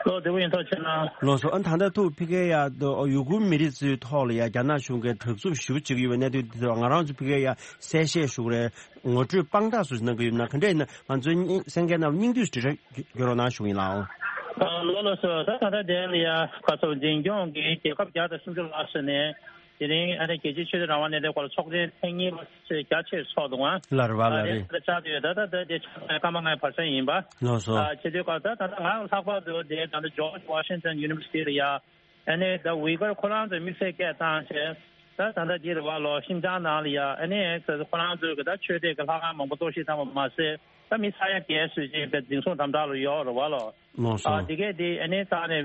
ལོ་བདེ་པོ་ཡིན་ཐོག་ཆེ་ན། ལགས་སོ། ཨ་ད་ལྟ་ཐུག་ཕ་གིའི་ཡ་ཡུ་གུར་མི་རིགས་ཚོའི་ཐོག་ལ་ཡ་རྒྱ་ནག་གཞུང་གིས་དྲག་རྩུབ་ཞེ་པོ་བྱེད་ཀྱི་ཡོད་པའི་གནད་དོན་དེ་ཚོ་ང་རང་ཚོ་ཕ་གིའི་ཡ་གསལ་བཤད་ཞུ་གི་རེད། ངོ་སྤྲོད་དཔང་རྟགས་སུ་གནང་གི་ཡོད་ན་ག་འདྲ་ཡིན་ན་ང་ཚོའི་སྙིང་གསན་མཁན་རྣམས་སྙིང་བསྡུས་སུ་འགྲེལ་བཤད་རྒྱག་རོགས་གནང་ཞུ་གི་ཡིན་ལགས། ཨ་ལོ་ལགས་སོ། ད་ད་ལྟ་དེ་ལ་ཡ་ག་ཚོད་འཛིན་སྐྱོང་གིས་རྒྱལ་ཁབ་བརྒྱ་དང་སུམ་ཅུ་ལྷག་ཙམ་ནས་དེ་རིང་ཨ་ནི་རྒྱལ་སྤྱིའི་ཆོས་དད་རང་དབང་གནས་བརྟན་སྐོར་ལ་ཚོགས་ཆེན་ཐེངས་གཉིས་པ་རྒྱ་ཆེར་ཚོགས་འདུག་ཨ། ལགས་རེད་པ། ཨ་ལགས་རེད། དེ་ཆགས་བསྡད་ཡོད། ད་ད་ད་དེ་ཆགས་སྐར་མ་ལྔའི་བར་མཚམས་ཡིན་པ། ལགས་སོ། ཨ་བྱེད་དུས་སྐབས་ད་ད་ལྟ་ང་ལྷག་པར་དུ་དེ་ད་ལྟ་ཇོརྗ་ཝ་ཤིང་ཊོན་ཡུ་ནི་ཝར་སི་ཊི་ལ་ཡ། ཨ་ནི་ད་ཝི་གར་ཁོ་རང་ཚོས་དམིགས་བསལ་སྐད་བཏང་བྱས། ད་ད་ལྟ་འདི་རེད་བ་ལོ། ཤིན་ཅང་ནང་ལ་ཡ་ཨ་ནི་ཁོ་རང་ཚོས་གི་ད་ཆོས་དད་ཀྱི་ལྷ་ཁང་མང་པོ་གཏོར་བཤིག་བཏང་བ་མ་ཟད། ད་མི་ས་ཡ་བརྒལ་ཙམ་ཅིག་དཔེ་འཛིན་བཟུང་དམ་དྲག་ལ་ཡོད་རེད་བ་ལོ། ལགས་སོ། ཨ་དེ་གས་དེ་ཨ་ནི་ད་ནི་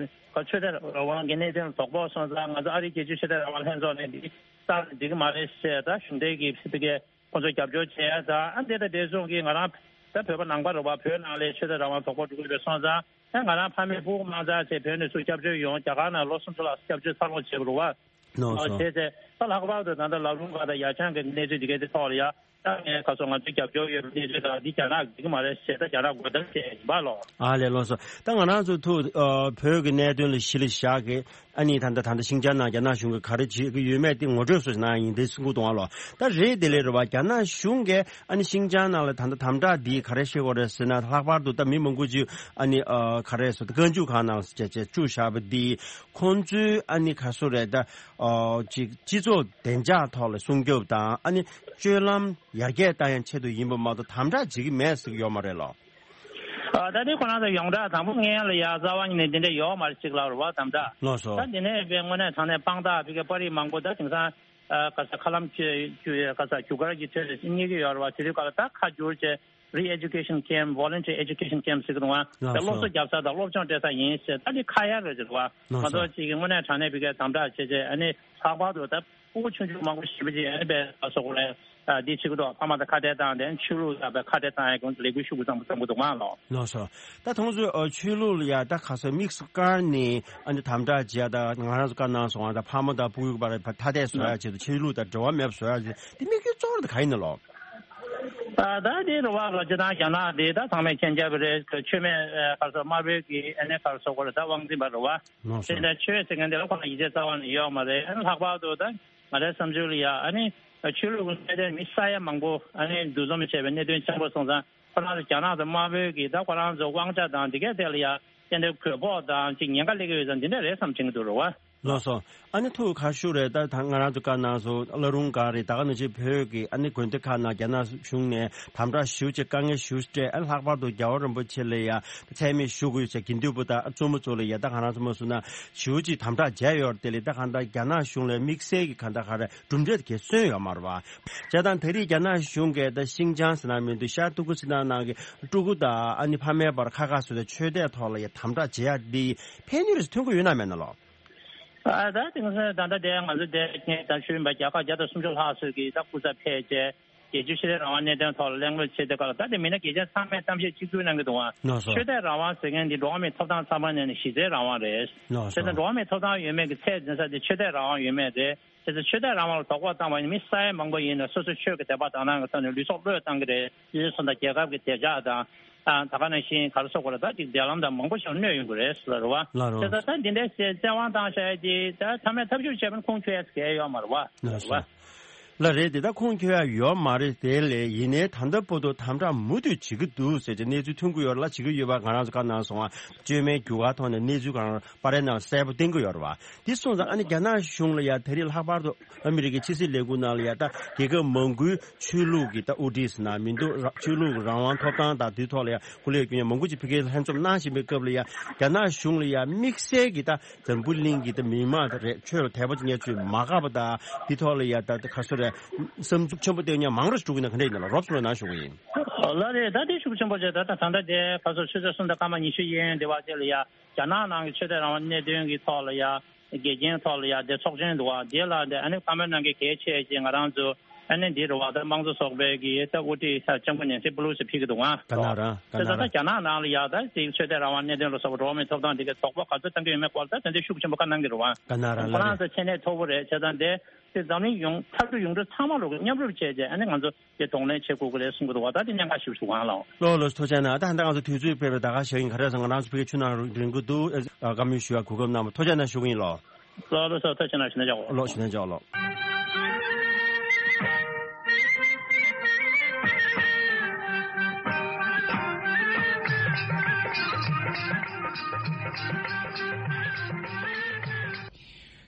ཆོས་དད་རང་དབང་གི་གནད་དོན་ལ་དོགས་པ་སོང་ཙང་ང་ཚོ་ཨ་རིའི་རྒྱལ་སྤྱིའི་ཆོས་དད་རང་དབང་ལྷན་ཚོགས་ནས་འདི་ལྟར་འགྲིག་གི་མ་རེད་ཟེར། ད་གཞུང་འབྲེལ་གྱི་ཕ་གི་ཁོ་ཚོ་རྒྱབ་སྐྱོར་བྱས། ད་ཨ་འདི་ད་དེ་སོང་གི་ང་རང་ད་བོད་པ་ནང་པ་རེད་བ། བོད་ནང་ལ་ཆོས་དད་རང་དབང་དོགས་པ་འགྲོ་གི་ཡོད་པ་སོང་ཙང་། ད་ང་རང་ཕ་མས་སྤུ་གུ་མང་ཙག་བྱས་བོད་ནས་ཚུར་སྐྱབས་བཅོལ་ཡོང་། རྒྱ་གར་ནང་ལོ་སུམ་ཅུ་ལྷག་སྐྱབས་བཅོལ་འཚར་ལོངས་བྱས་པ་རེད་བ། ལགས་སོ། བྱས་ཚེ་ད་ལྷག་པར་དུ་ད་ལྟ་ལ་རུང་སྒར་དང་ཡ་ཆང་གི་གནས་ཚུལ་འདི་གའི་དེ་ཐོག་ལ་ཡ། ད་ངས་ཁ་སང་ང་ཚོའི་རྒྱབ་སྐྱོར་ཡོད་པའི་གནས་ཚུལ་དང་འདི་རྒྱ་ནག་འགྲིག་གི་མ་རེད་ཟེར། ད་རྒྱ་ནག་དགོས་འདོད་བྱས་ཡིན་པ་ལོ། ཨ་ལས། ལགས་སོ། ད་ང་རང་ཚོ་ཐུག་ཨ་བོད་ཀྱི་གནད་དོན་ལ་གཞི་ལ་བཞག་གི་ཨ་ནི་ད་ལྟ་ད་ལྟ་ཤིན་ཅང་ནང་རྒྱ་ནག་གཞུང་གིས་ག་རེ་བྱེད་ཀྱི་ཡོད་མེད་དེ་ངོ་སྤྲོད་སོགས་གནང་ཡིན་དེ་གསུང་གི་འདུག་ཨ་ལོ། ད་རེད་དེ་ལས་རེད་བ། རྒྱ་ནག་གཞུང་གིས་ཨ་ནི་ཤིན་ཅང་ནང་ལ་ད་ལྟ་དམ་དྲག་འདི་ག་རེ་བྱེད་དགོས་རེད་ཟེར་ན། ལྷག་པར་དུ་ད་མི་མང་པོ་ཅིག་ཨ་ནི་ཨ་ག་རེ་ཟེར་ད་བཀའ་འཇུག་ཁང་ནང་བཅུག་བཅུག་བཞག་པ་འདི་ཁོང་ཚོའི་ཨ་ནི་ག་སུ་རེད་ད། ཨ་ཅིག་སྤྱི་ཚོགས་བདེ་འཇགས་ཐོག་ལ་སྲུང་སྐྱོབ་དང་ཨ་ནི་སྤྱོད་ལམ་ཡར་རྒྱས་བཏང་ཡང་ཆེད་དུ་ཡིན་པ་མ་གཏོགས་དམ་དྲག་བྱེད་ཀྱི་མེད་ཟེར་གྱི་ཡོད་མ་རེད་ལོ། ཨ་ད་དེ་ཁོ་རང་ཚོ་ཡོངས་གྲགས་དང་པོ་སྔོན་ལ་ཡ་རྩ་བ་ཉིད་ནས་འདི་འདྲ་ཡོད་མ་རེད་ཅིག་ལབ་རེད་བ། དམ་དྲག་ལགས་སོ། ད་འདི་ནས་དཔེ་དངོས་གནས་དྲང་གནས་དཔང་རྟགས་ཕ་གི་པར་རིས་མང་པོ་ད་དེང་སང་ཨ་ག་ས་ཁ་ལམ་གྱི་ག་ས་རྒྱུ་སྐར་གྱི་ཁྲོད་རྙེད་ཀྱི་ཡོད་རེད་བ། དེ་དུས་སྐབས་ལ་ད་ཁ་བསྒྱུར་བྱས་Re-education Camp, Voluntary Education Camp ཟེར་གི་འདུག་བ། ལགས་སོ། དེ་སློབ་གསོ་རྒྱབ་ས་དང་སློབ་སྦྱོང་སྤྲད་ས་ཡིན་ཟེར། ད་འདི་ཁ་ཡ་རེད་ཟེར་བ། ལགས་སོ། ང་ཚོ་གཅིག་གི་དངོས་གནས་དྲང་གནས་ཕ་གིའི་དམ་དྲག་བྱས་བྱས་ཨ་ནི་ལྷག་པར་དུ་ད་ཕྲུ་གུ་ཆུང་ཆུང་མང་པོ་ཞེ་པོ་ཅིག་ཨ་ནི་དཔེ་ག་སོ་གོ་རེད། ཨ་འདི་བྱེད་ཀྱི་འདུག་ཕ་མ་དང་ཁ་བྲལ་བཏང་སྟེ་ཆོས་ལུགས་ལ་དཔེ་ཁ་བྲལ་བཏང་ཡ་གི་ལས་འགུལ་ཤུགས་ཆེན་པོ་བརྩམས་ཀྱི་འདུག་མ་ལོ། ལགས་སོ། ད་ཁོང་ཚོས་ཨ་ཆོས་ལུགས་ལ་ཡ་ད་ག་སོ་དམིགས་སུ་བཀར་ནས་ཨ་ནི་དམ་དྲག་བྱེད་ཡ་ད་ང་རང་ཚོ་བཀའ་གནང་སོང་བ། ད་ཕ་མ་དང་ཕྲུ་གུ་བར་ཐ་དད་བཟོ་ཡ་ཆེད་དུ་ཆོས་ལུགས་དང་འབྲེལ་བ་མེད་པ་བཟོ་ཡ་ཆེད་དུ་དེ་དམིགས་ཡུལ་གཙོ་བོ་དེ་ག་ཡིན་ན་ལོ། ད་ད་དེ་རུ་བ་ལོ་སྤྱི་བཏང་རྒྱ་ནག་དེ་ད་ཚང་མས་མཁྱེན་རྒྱ་བོད་རེད། ཆོས་མེད་ག་སོ་དམར་པོའི་གི་ཨ་ནི་ག་སོ་གོ་རེད། ད་དབང་འཛིན་པ་རུ་བ། ལགས་སོ། དེ་འདྲ་ཆོས་ཟེར་མཁན་དེ་ལ་ཁོ་ན་ཡིད་ཆེས་རྩ་བ་ནས་ཡོད་མ་རེད། ཨ་ནི་ལྷག་པར་དུ་ད་ང་རའི་བསམ་ཚུལ་ལ་ཡ་ཨ་ནི་ཆོས་ལུགས་ཀྱི་གནད་དོན་མི་ས་ཡ་མང་པོ་ཨ་ནི་འདུ་འཛོམས་བྱས་པའི་གནད་དོན་ཆེན་པོ་སོང་ཙང་ཁོ་རང་ཚོ་རྒྱ་ནག་དང་དམར་པོའི་གི་ད་ཁོ་རང་ཚོ་དབང་ཆ་དང་དེ་གའི་ཐད་ལ་ཡ་ཏན་ཏན་རྒོལ་ཕོག་དང་ཅིག་ཉེན་ཁ་སླེབས་ཀྱི་ཡོད་ཙང་འདི་འདྲ་རེད་བསམ་དྲན་གྱི་འདུག་རུ་བ། ལགས་སོ། ཨ་ནི་ཐུགས་ཁ་ཤུ་རེད། ད་ད་ང་རང་ཚོ་བཀའ་གནང་སོང་། བླ་རུང་སྒར་རེད། ད་ག་ནང་བཞིན་བོད་ཀྱི་ཨ་ནི་དགོན་སྡེ་ཁག་ནང་རྒྱ་ནག་གཞུང་ནས་དམ་དྲག་ཞེ་པོ་ཅིག་དཀའ་ངལ་ཞེ་པོ་ཅིག་སྤྲད། ཨ་ནི་ལྷག་པར་དུ་རྒྱལ་བ་རིན་པོ་ཆེ་ལ་ཡ་མཚན་སྨད་ཞུ་དགོས་ཟེར་དགེ་འདུན་པ་དང་བཙུན་མ་ཚོ་ལ་ཡ་ད་ག་རང་ཚོ་མ་སུ་ན་ཞེ་པོ་ཅིག་དམ་དྲག་བྱས་ཡོད་རེད། དེ་ལས་ད་ག་ད་རྒྱ་ནག་གཞུང་ལ་དམིགས་བསལ་གྱི་ག་ད་ག་རེ་གྲུབ་འབྲས་དེ་གས་སོན་ཡོད་མ་རེད་བ། བྱས་ཙང་ད་རེས་རྒྱ་ནག་གཞུང་གིས་ད་ཤིན་ཅང་ཟེར་ན་མི་འདུག་ཤར་ཏུར་ཀུ་སི་ཐན་ནང་གི་ཕྲུ་གུ་དང་ཨ་ནི་ཕ་མའི་བར་ཁ་ཁ་བཟོས་ཏེ་ཆོས་དད་ཐོག་ལ་ཡ་དམ་དྲག་བྱེད་ཡ་འདི་ཕན་ནུས་རེ་ཐོན་གྱི་ཡོད་ན་མེད་ན་ལོ། ཨ་ད་དེང་སང་ད་ལྟ་དེ་ང་ཚོ་དེ་ངས་ད་ཞུས་པ་རྒྱལ་ཁབ་བརྒྱ་དང་སུམ་ཅུ་ལྷག་ཙམ་གྱིས་ད་སྐུ་ཚབ་ཕེབས་བྱས་རྒྱལ་སྤྱིའི་ཆོས་དད་རང་དབང་གནད་དོན་ཐོག་ལ་གླེང་སློང་བྱེད་དུས་སྐབས་ལ། ད་དེ་མི་སྣ་གལ་ཆེན་ཚང་མས་གཏམ་བཤད་གཅིག་གྱུར་གནང་གི་འདུག་ཨང་། ལགས་སོ། ཆོས་དད་རང་དབང་ཟེར་མཁན་འདི་འགྲོ་བ་མིའི་ཐོབ་ཐང་ཚང་མ་ནས་ནི་གཞི་རྩའི་རང་དབང་རེད། ལགས་སོ། བྱས་ཙང་འགྲོ་བ་མིའི་ཐོབ་ཐང་ཡོད་མེད་ཀྱི་ཚད་འཛིན་ས་དེ་ཆོས་དད་རང་དབང་ཡོད་མེད་རེད། བྱས་ཙང་ཆོས་དད་རང་དབང་ལ་དོགས་པ་བཏང་བ་ཡིན་ན་མི་ས་ཡ་མང་པོ་ཡིན་ན་སོ་སོའི་ཆོས་ཀྱི་དད་པ་དག་སྣང་གི་ཐོག་ནས་ལུས་སྲོག་བློས་བཏང་གི་རེད། དེ་ཚོ་དང་རྒྱལ་ཁབ་ཀྱི་བདེ་འཇགས་དང་། ཨ་ད་ག་ནང་བཞིན་ག་རེ་ཟེར་དགོས་རེད། ད་ཅིག་འབྲེལ་ལམ་དང་མང་པོ་ཞིག་གནོད་ཡོང་གི་རེད་ཟེར་བ་རེད་བ། ལགས་རེད། བྱས་ཙང་ད་འདི་འདྲའི་བཙན་དབང་བཏང་བཞག་ཡ་དེ་ད་མཐའ་མའི་ཐབས་ཤུགས་བྱས་པ་ན་ཁུངས་འཁྱོལ་ཡ་གལ་ཡོད་མ་རེད་བ། ལགས་རེད་བ། སོ། ལགས་རེད། དེ་ད་ཁུངས་འཁྱོལ་ཡ་ཡོད་མ་རེད། དེ་ལས་ཡིན་ནའི་ད་ལྟ་བར་དུ་དམ་དྲག་མུ་མཐུད་བྱེད་ཀྱི་འདུག་ཟེར་གྱི་གནས་ཚུལ་ཐོན་གྱི་ཡོད་རེད་ལ། བྱེད་ཀྱི་ཡོད་པ་ང་རང་ཚོ་བཀའ་གནང་སོང་བ། བཅོས་མའི་རྒྱུ་སྐར་ཐོག་ནས་གནས་ཚུལ་གང་པར་ནང་གསལ་པོ་བསྟན་གྱི་ཡོད་རེད་བ། དེ་སོང་ཙང་ཨ་ནི་རྒྱ་ནག་གཞུང་ལ་ཡ་ད་རེས་ལྷག་པར་དུ་ཨ་མི་རི་ཀའི་ཕྱི་སྲིད་ལས་ཁུངས་ནང་ལ་ཡ་ད་རྒྱལ་ཁབ་མང་པོའི་ཆོས་ལུགས་ཀྱི་ད་དབུ་ཁྲིད་ཟེར་ན་མི་འདུག། ར་ཆོས་ལུགས་རང་དབང་ཐོབ་ཐང་དང་དེའི་ཐོག་ལ་ཡ་སྐུ་ལས་བསྐྱོན་མཁན་མང་པོ་ཅིག་ཕ་གིར་ལྷན་འཛོམས་གནང་བཞིན་པའི་སྐབས་ལ་ཡ་རྒྱ་ནག་གཞུང་ལ་ཡ་དམིགས་བསལ་གྱི་ད་འཛམ་བུ་གླིང་གི་ད་མི་མང་རེད། ཆོས་ལ་དད་པ་ཅན་ཚོས་མ་དགའ་བ་དང་དེའི་ཐོག་ལ་ཡ་ད་ག་རེ་ཟེར་རེད། བསམ་ཚུལ་ཆེན་པོ་བཏོན་མཁན་མང་རུ་འགྲོ་གི་ན་ག་འདྲ་ཡིན་ན་ལ་རོབ་ཙམ་ལ་ནང་ཞུ་གི་ཡིན། ལགས་རེད། ད་དེ་ཤུགས་ཆེན་པོ་བྱས་ད་ད་ད་ལྟ་དེ་ག་རེ་ཟེར་ཆུ་ཚོད་གསུམ་དང་སྐར་མ་ཉི་ཤུ་ཡན་ཡན་དེ་བར་དེ་ལ་ཡ་རྒྱ་ནག་ནང་གི་ཆོས་དད་རང་དབང་གནད་དོན་གྱི་ཐོག་ལ་ཡ། དགེ་རྒན་ཐོག་ལ་ཡ་དེ་ཚོགས་ཆེན་འདུག་བ། དེ་ལ་དེ་ཨ་ནི་བཀའ་མོལ་གནང་མཁན་གལ་ཆེ་ཞེས་ང་རང་ཚོ་ཨ་ནི་འདི་རུ་བ་ད་དམངས་གཙོ་ཚོགས་པའི་གི་ད་དབུ་ཁྲིད་ལྕམ་སྐུ་ནེན་སི་པེ་ལོ་སི་ཕེབས་ཀྱི་འདུག་ཨང་། ག་ན་ར་ག་ན་ར། དེ་ད་ལྟ་རྒྱ་ནག་ནང་ལ་ཡ་ད་དེ་ཆོས་དད་རང་དབང་གནད་དོན་ལ་སོགས་པ་འགྲོ་བ་མིའི་ཐོབ་ཐང་དེ་གའི་དོགས་པ་ག་ཚོད་བཏང་གི་ཡོད་མེད་སྐོར་ད་དེ་འདྲའི་ཤུགས་ཆེན་པོ་བཀའ་གནང་གི་རེད་བ། ག་ན་ར། ཁོ་རང་ཚོ་ཆེ་ནས་མཐོ་པོ་རེད། བྱས་ཙང་དེ་དེ་འཛམ་གླིང་ཡོངས་འཐབ་གྲོགས་ཡོངས་གྲགས་ཚང་མ་ལོག་གི་མཉམ་རུབ་བྱས་རྗེས་ཨ་ནི་ང་ཚོ་དེ་གདོང་ལེན་བྱེད་དགོས་ཀྱི་རེད་གསུང་གི་འདུག་བ། ད་དེ་གནད་འགག་ཞིག་འདུག་ཨང་ལགས། ལགས་ལགས། ཐུགས་རྗེ་གནང་། ད་ཧན་ད་ང་ཚོ་དུས་ཚོད་ཕེབས་པའི་ད་ག་ཞག་ཡིན། ག་རེ་ཟེར་ང་རང་ཚོ་ཕ་གིའི་ཆུ་ནང་རིང་པོ་འདུག། ཨ་བཀའ་མོལ་ཞུ་བ་གོ་སྐབས་གནང་བ་ཐུགས་རྗེ་གནང་ཞུ་གི་ཡིན་ལགས། ལགས་ལགས་སོ། ཐུགས་རྗེ་གནང་། ཞུ་ན་ཆོག་གོ། ལགས་ཞུ་ན་ཆོག་ལགས།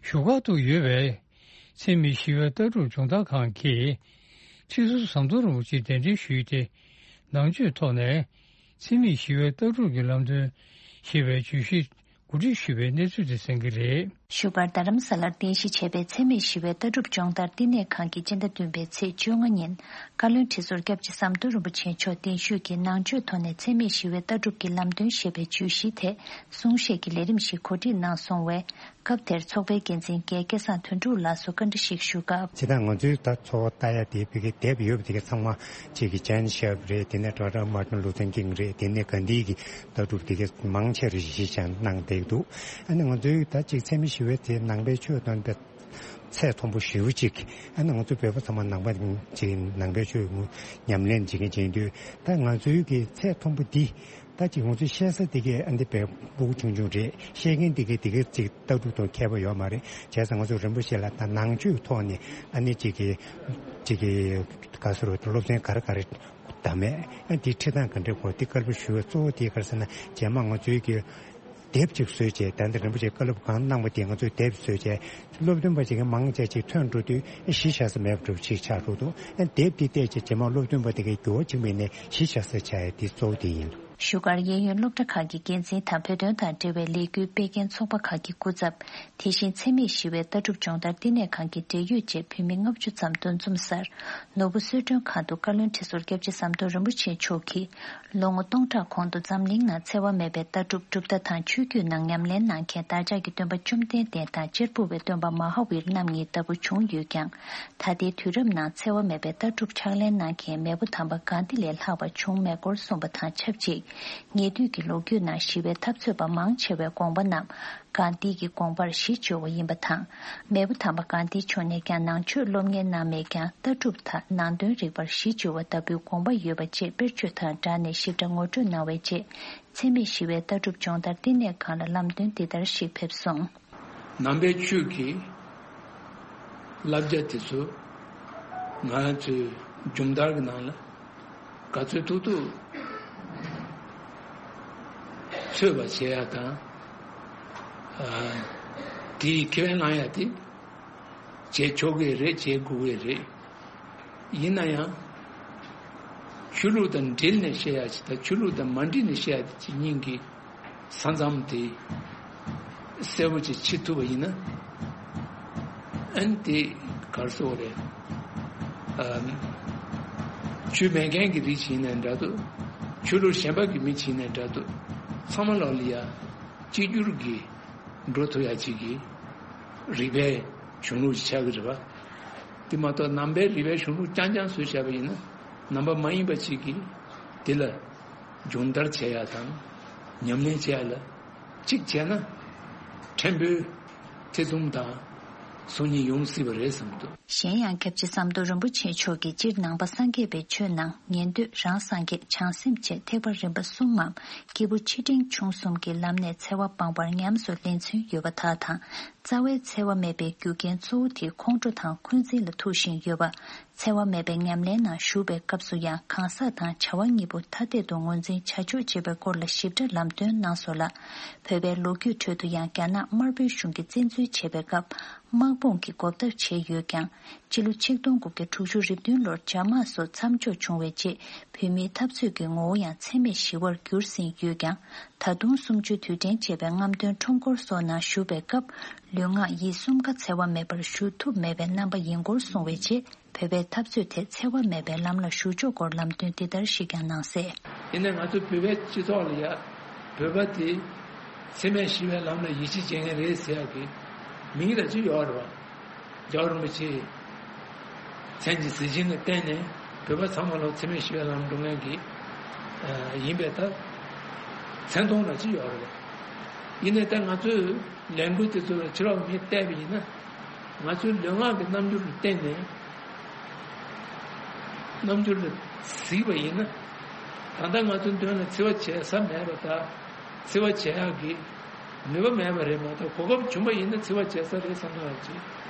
བཞུགས་སྒར་དུ་ཡོད་པའི་འཚེ་མེད་ཞི་བའི་ལྟ་གྲུབ་སྦྱོང་བརྡར་ཁང་གིས་ཁྲི་ཟུར་ཟམ་གདོང་རིན་པོ་ཆེ་གདན་འདྲེན་ཞུས་ཏེ། ནང་ཆོས་ཐོག་ནས་འཚེ་མེད་ཞི་བའི་ལྟ་གྲུབ་ཀྱི་ལམ་སྟོན་ཞེས་པའི་བརྗོད་གཞི་གོ་སྒྲིག་ཞུས་པའི་གནས་ཚུལ་དེ་གསན་གྱི་རེད། བཞུགས་སྒར་རྡ་རམ་ས་ལར་རྟེན་གཞི་བྱས་པའི་འཚེ་མེད་ཞི་བའི་ལྟ་གྲུབ་སྦྱོང་བརྡར་བསྟི་གནས་ཁང་གིས་སྤྱི་ཟླ་བདུན་པའི་ཚེས་བཅོ་ལྔ་ཉིན་བཀའ་བློན་ཁྲི་ཟུར་སྐྱབས་རྗེ་ཟམ་གདོང་རིན་པོ་ཆེ་མཆོག་གདན་ཞུས་ཀྱིས་ནང་ཆོས་ཐོག་ནས་འཚེ་མེད་ཞི་བའི་ལྟ་གྲུབ་ཀྱི་ལམ་སྟོན་ཞེས་པའི་བརྗོད་གཞིའི་ཐད་གསུང་བཤད་ཀྱི་ལས་རིམ་ཞིག་གོ་སྒྲིག་གནང་སོང་བས། སྐབས་དེར་ཚོགས་པའི་འགན་འཛིན་རྒན་སྐལ་བཟང་དོན་གྲུབ་ལགས་སུ་བཀའ་འདྲི་ཞིག་ཞུ་སྐབས། སྤྱིར་བཏང་ང་ཚོའི་ད་ཚོགས་པ་ལྟ་ཡ་དེ་བོད་ཀྱི་དེབ་ཡོད་པ་དེ་ག་ཚང་མ་གཅིག་གི་ཇན་ཤེབ་རེད། དེ་ནས་ཌོག་ཊར་མར་ཊིན་ལུ་ཐར་ཀིང་རེད། དེ་ནས་གྷན་དྷི་གི་ལྟ་གྲུབ་དེ་ག་མང་ཆེ་རེ་གཞི་བཞག་གནང་བསྡད་འདུག། ཨ་ནི་ང་ཚོའི་ད་གཅིག་འཚེ་མེད་ཞི་བའི་དེ་ནང་པའི་ཆོས་དང་པའི་ཚད་མཐོན་པོ་ཞེ་པོ་ཅིག། ཨ་ནི་ང་ཚོ་བོད་པ་ཚང་མ་ནང་པ་ཅིག་ནང་པའི་ཆོས་ཉམས་ལེན་བྱེད་མཁན་བྱེད་དུས་ད་ང་ཚོའི་གི་ཚད་མཐོན་པོ་འདི། ད་ཅིག་ང་ཚོས་བཤད་ས་དེ་གའི་ཨ་འདི་བས་སྤུ་གུ་ཆུང་ཆུང་རེད། བཤད་མཁན་དེ་གའི་དེ་གའི་ཅིག་ལྟ་གྲུབ་དང་ཁྱད་པར་ཡོད་མ་རེད། བྱས་ཙང་ང་ཚོ་རིན་པོ་ཆེ་ལ་ད་ནང་ཆོས་ཐོག་ནས་ཨ་ནི་ཅིག་གི་ཅིག་གི་ག་ཟེར་རོ། སློབ་ཚན་ག་རེ་ག་རེ་བདམས་མེད། ཨ་འདི་ཁྲིད་སྟངས་ག་འདྲས་གོ་འདི་བཀའ་སློབ་ཞུ་བའི་གཙོ་བོ་དེ་ག་རེ་ཟེར་ན། རྗེས་མ་ང་ཚོའི་གི་དེབ་ཅིག་བཟོས་བྱས། ད་འདི་རིན་པོ་ཆེ་བཀའ་སློབ་གང་གནང་པ་དེ་ང་ཚོས་དེབ་བཟོས་བྱས། སློབ་སྟོན་པ་ཅིག་གི་མང་ཆེ་ཅིག་ཐོན་འགྲོ་དུས་ཨ་གཞི་བཞག་ས་མེད་པ་འདྲ་པོ་ཅིག་ཆགས་འགྲོ་འདུག། ཨ་དེབ་འདི་བལྟས་བྱས་རྗེས་མ་སློབ་སྟོན་པ་དེ་གའི་འགྱུར་བ་ཅིག་མིན་ནས་གཞི་བཞག་ས་ཆགས་ཡ་དེ་གཙོ་བོ་དེ་ཡིན། བཞུགས་སྒར་གཡས་གཡོན་སློབ་གྲྭ་ཁག་གི་འགན་འཛིན་དང་བོད་དོན་དང་འབྲེལ་བའི་ལས་འགུལ་སྤེལ་མཁན་ཚོགས་པ་ཁག་གི་སྐུ་ཚབ། དེ་བཞིན་འཚེ་མེད་ཞི་བའི་ལྟ་གྲུབ་སྦྱོང་བརྡར་བསྟི་གནས་ཁང་གི་འབྲེལ་ཡོད་བཅས་བོད་མི་ལྔ་བཅུ་ཙམ་འདུ་འཛོམས་སར། ནོར་བུ་གསོལ་མགྲོན་ཁང་དུ་བཀའ་བློན་ཁྲི་ཟུར་སྐྱབས་རྗེ་ཟམ་གདོང་རིན་པོ་ཆེ་མཆོག་གིས། ལོ་ངོ་སྟོང་ཕྲག་གོང་དུ་འཛམ་གླིང་ནང་འཚེ་བ་མེད་པའི་ལྟ་གྲུབ་གྲུབ་མཐའ་དང་ཆོས་བརྒྱུད་ནང་ཉམས་ལེན་གནང་མཁན་བདག་ཅག་གི་སྟོན་པ་བཅོམ་ལྡན་འདས་དང་གཅེར་བུ་བའི་སྟོན་པ་མ་ཧཱ་ཝིར་རྣམ་གཉིས་ལྟ་བུ་བྱུང་ཡོད་ཀྱང་། ད་ལྟའི་དུས་རབས་ནང་འཚེ་བ་མེད་པའི་ལྟ་གྲུབ་ཕྱག་ལེན་གནང་མཁན་མེས་པོ་དམ་པ་གྷན་དྷི་ལས་ལྷག་པ་བྱུང་མེད་སྐོར་གསུངས་པ་དང་ཆབས་ཅིག། ཉེ་དུས་ཀྱི་ལོ་རྒྱུས་ནང་ཞི་བའི་འཐབ་རྩོད་པ་མང་ཆེ་བའི་དགོངས་པ་རྣམས་གྷན་དྷི་གི་དགོངས་པར་གཞི་བཅོལ་བ་ཡིན་པ་དང་། མེས་པོ་དམ་པ་གྷན་དྷི་མཆོག་ནས་ཀྱང་ནང་ཆོས་སློབ་གཉེར་གནང་མེད་ཀྱང་ལྟ་གྲུབ་དང་ནང་དོན་རིག་པར་གཞི་བཅོལ་བ་ལྟ་བུའི་དགོངས་པ་ཡོད་པ་བཅས་དཔེར་བརྗོད་དང་སྦྲགས་ནས་ཞིབ་ཕྲ་ངོ་སྤྲོད་གནང་བའི་རྗེས། འཚེ་མེད་ཞི་བའི་ལྟ་གྲུབ་སྦྱོང་བརྡར་བསྟི་གནས་ཁང་ལ་ལམ་སྟོན་འདི་ལྟར་ཞིག་ཕེབས་སོང་། ནང་པའི་ཆོས་ཀྱི་བསླབ་བྱ་དེ་ཚོ་ང་ཚོའི་སྦྱོང་བརྡར་གྱི་ནང་ལ་ག་ཚོད་ཐུབ་ཐུབ་ཚོད་པ་བྱེད་ཡ་དང་། ཨ་དེའི་ཁེ་ཕན་བླང་ཡ་དེ་བྱེད་ཆོག་གི་རེད། བྱེད་དགོས་ཀྱི་རེད། ཡིན་ན་ཡང་ཆོས་ལུགས་དང་འབྲེལ་ནས་བཤད་ཡ་ཅིག་དང་ཆོས་ལུགས་དང་མ་འབྲེལ་ནས་བཤད་ཡ་དེ་གཉིས་ཀྱི་ས་མཚམས་དེ་གསལ་པོ་ཅིག་ཕྱེ་ཐུབ་པ་ཡིན་ན། ཨ་ནི་དེ་ག་རེ་ཟེར་དགོས་རེད། ཨ་ཆོས་མེད་མཁན་གྱི་རིགས་ཅིག་ཡིན་ནའི་འདྲ་འདུག། ཆོས་ལུགས་གཞན་པ་གི་མི་ཅིག་ཡིན་ནའི་འདྲ་འདུག། ཚང་མ་ལོག་ལ་ཡ་གཅིག་གྱུར་གྱིས་འགྲོ་ཐུབ་ཡ་ཅིག་གི་ རིག་པའི་གཞུང་ལུགས་ཤིག་ཆགས་ཀྱི་རེད་པ། དེ་མ་གཏོགས་ནང་པའི་རིག་པའི་གཞུང་ལུགས་རྐྱང་རྐྱང་བཟོས་བཞག་པ་ཡིན་ན། ནང་པ་མ་ཡིན་པ་ཅིག་གིས་དེ་ལ་སྦྱོང་བརྡར་བྱེད་ཡ་དང་ཉམས་ལེན་བྱེད་ཡ་ལ་གཅིག་བྱས་ན་ཕྲན་བུ་ཐེ་ཚོམ་དང་སོམ་ཉི་ཡོང་སྲིད་པ་རེད་བསམ་འདུག། གཞན་ཡང་། སྐྱབས་རྗེ་ཟམ་གདོང་རིན་པོ་ཆེ་མཆོག་གིས་སྤྱིར་ནང་པ་སངས་རྒྱས་པའི་ཆོས་ནང་ཉན་ཐོས་རང་སངས་རྒྱས་བྱང་སེམས་བཅས་ཐེག་པ་རིམ་པ་གསུམ་མམ། སྐྱེས་བུ་ཆེ་འབྲིང་ཆུང་གསུམ་གྱི་ལམ་ནས་འཚེ་བ་སྤངས་པར་ཉམས་སུ་ལེན་ཚུལ་ཡོད་པ་དག་དང་། རྩ་བའི་འཚེ་བ་མེད་པའི་རྒྱུ་རྐྱེན་གཙོ་བོ་དེ་ཁོང་ཁྲོ་དང་འཁོན་འཛིན་ལ་ཐུག་བཞིན་ཡོད་པ། འཚེ་བ་མེད་པའི་ཉམས་ལེན་ནང་ཞུགས་པའི་སྐབས་སུ་ཡང་གང་ཟག་དང་བྱ་བ་གཉིས་པོ་ཐ་དད་དུ་ངོས་འཛིན་བྱ་ཆོག་ཅེས་པའི་སྐོར་ལ་ཞིབ་ཕྲ་ལམ་སྟོན་གནང་སོང་ལ། བོད་པའི་ལོ་རྒྱུས་ཁྲོད་དུ་ཡང་རྒྱ་ནག་དམར་པོའི་གཞུང་གིས་བཙན་འཛུལ་བྱེད་པའི་སྐབས། དམག་དཔུང་གིས་འགོག་ཐབས་བྱས་ཡོད་ཀྱང་། སྤྱི་ལོ་ཆིག་སྟོང་དགུ་བརྒྱ་དྲུག་ཅུ་རེ་བདུན་ལོར་འཇབ་དམག་སོགས་མཚམས་འཇོག་བྱུང་བའི་རྗེས། བོད་མིའི་འཐབ་རྩོད་ཀྱི་ངོ་བོ་ཡང་འཚེ་མེད་ཞི་བར་འགྱུར་ཟིན་ཡོད་ཀྱང་། ད་དུང་གསུམ་བཅུའི་དུས་དྲན་ཅེས་པའི་རྔམ་སྟོན་ཁྲོམ་སྐོར་སོགས་ནང་ཞུགས་པའི་སྐབས། ལུས་ངག་ཡིད་གསུམ་ཀ་འཚེ་བ་མེད་པར་ཞུ་ཐུབ་མེད་པའི་རྣམ་པ་ཡིན་སྐོར་གསུངས་པའི་རྗེས། བོད་པའི་འཐབ་རྩོད་དེ་འཚེ་བ་མེད་པའི་ལམ་ལ་ཞུགས་ཕྱོགས་སྐོར་ལམ་སྟོན་འདི་ལྟར་ཞིག་ཀྱང་གནང་གསལ། ཡིན་ནའི་ང་ཚོ་བོད་པའི་སྤྱི་ཚོགས་ལ་ཡ། བོད་པ་དེ་འཚེ་མེད་ཞི་བའི་ལམ་ལ་ཡིད་ཆེས་བྱེད་མཁན་རེད་ཟེར་ཡག་གི་མིང་ར་ཅིག་ཡོད་རེད་བ། རྒྱལ་བ་རིན་པོ་ཆེ་མཚན་གྱི་གཟི་བྱིན་ལ་བརྟེན་ནས་བོད་པ་ཚང་མ་ལ་འཚེ་མེད་ཞི་བའི་ལམ་འགྲོ་མཁན་གྱི་ཡིན་པའི་ད་མཚན་མཐོང་ར་ཅིག་ཡོད་རེད་བ། ཡིན་ནའི་ད་ང་ཚོས་ལས་འགུལ་དེ་ཚོ་ལ་ཕྱི་ལོགས་མིས་བལྟས་པ་ཡིན་ན། ང་ཚོའི་ལུས་ངག་གི་རྣམ་འགྱུར་ལ་བརྟེན་ནས་རྣམ་འགྱུར་ལ་གཟིགས་པ་ཡིན་ན། ད་ལྟ་ང་ཚོའི་མདུན་ལ་འཚེ་བ་བྱེད་ས་མེད་པ་དང་། འཚེ་བ་བྱེད་ཡག་གི་ནུས་པ་མེད་པ་རེད་མ་གཏོགས། གོ་སྐབས་བྱུང་པ་ཡིན་ན་འཚེ་བ་བྱེད་ས་རེད་བསམ་ན་ཡང་ཅིག་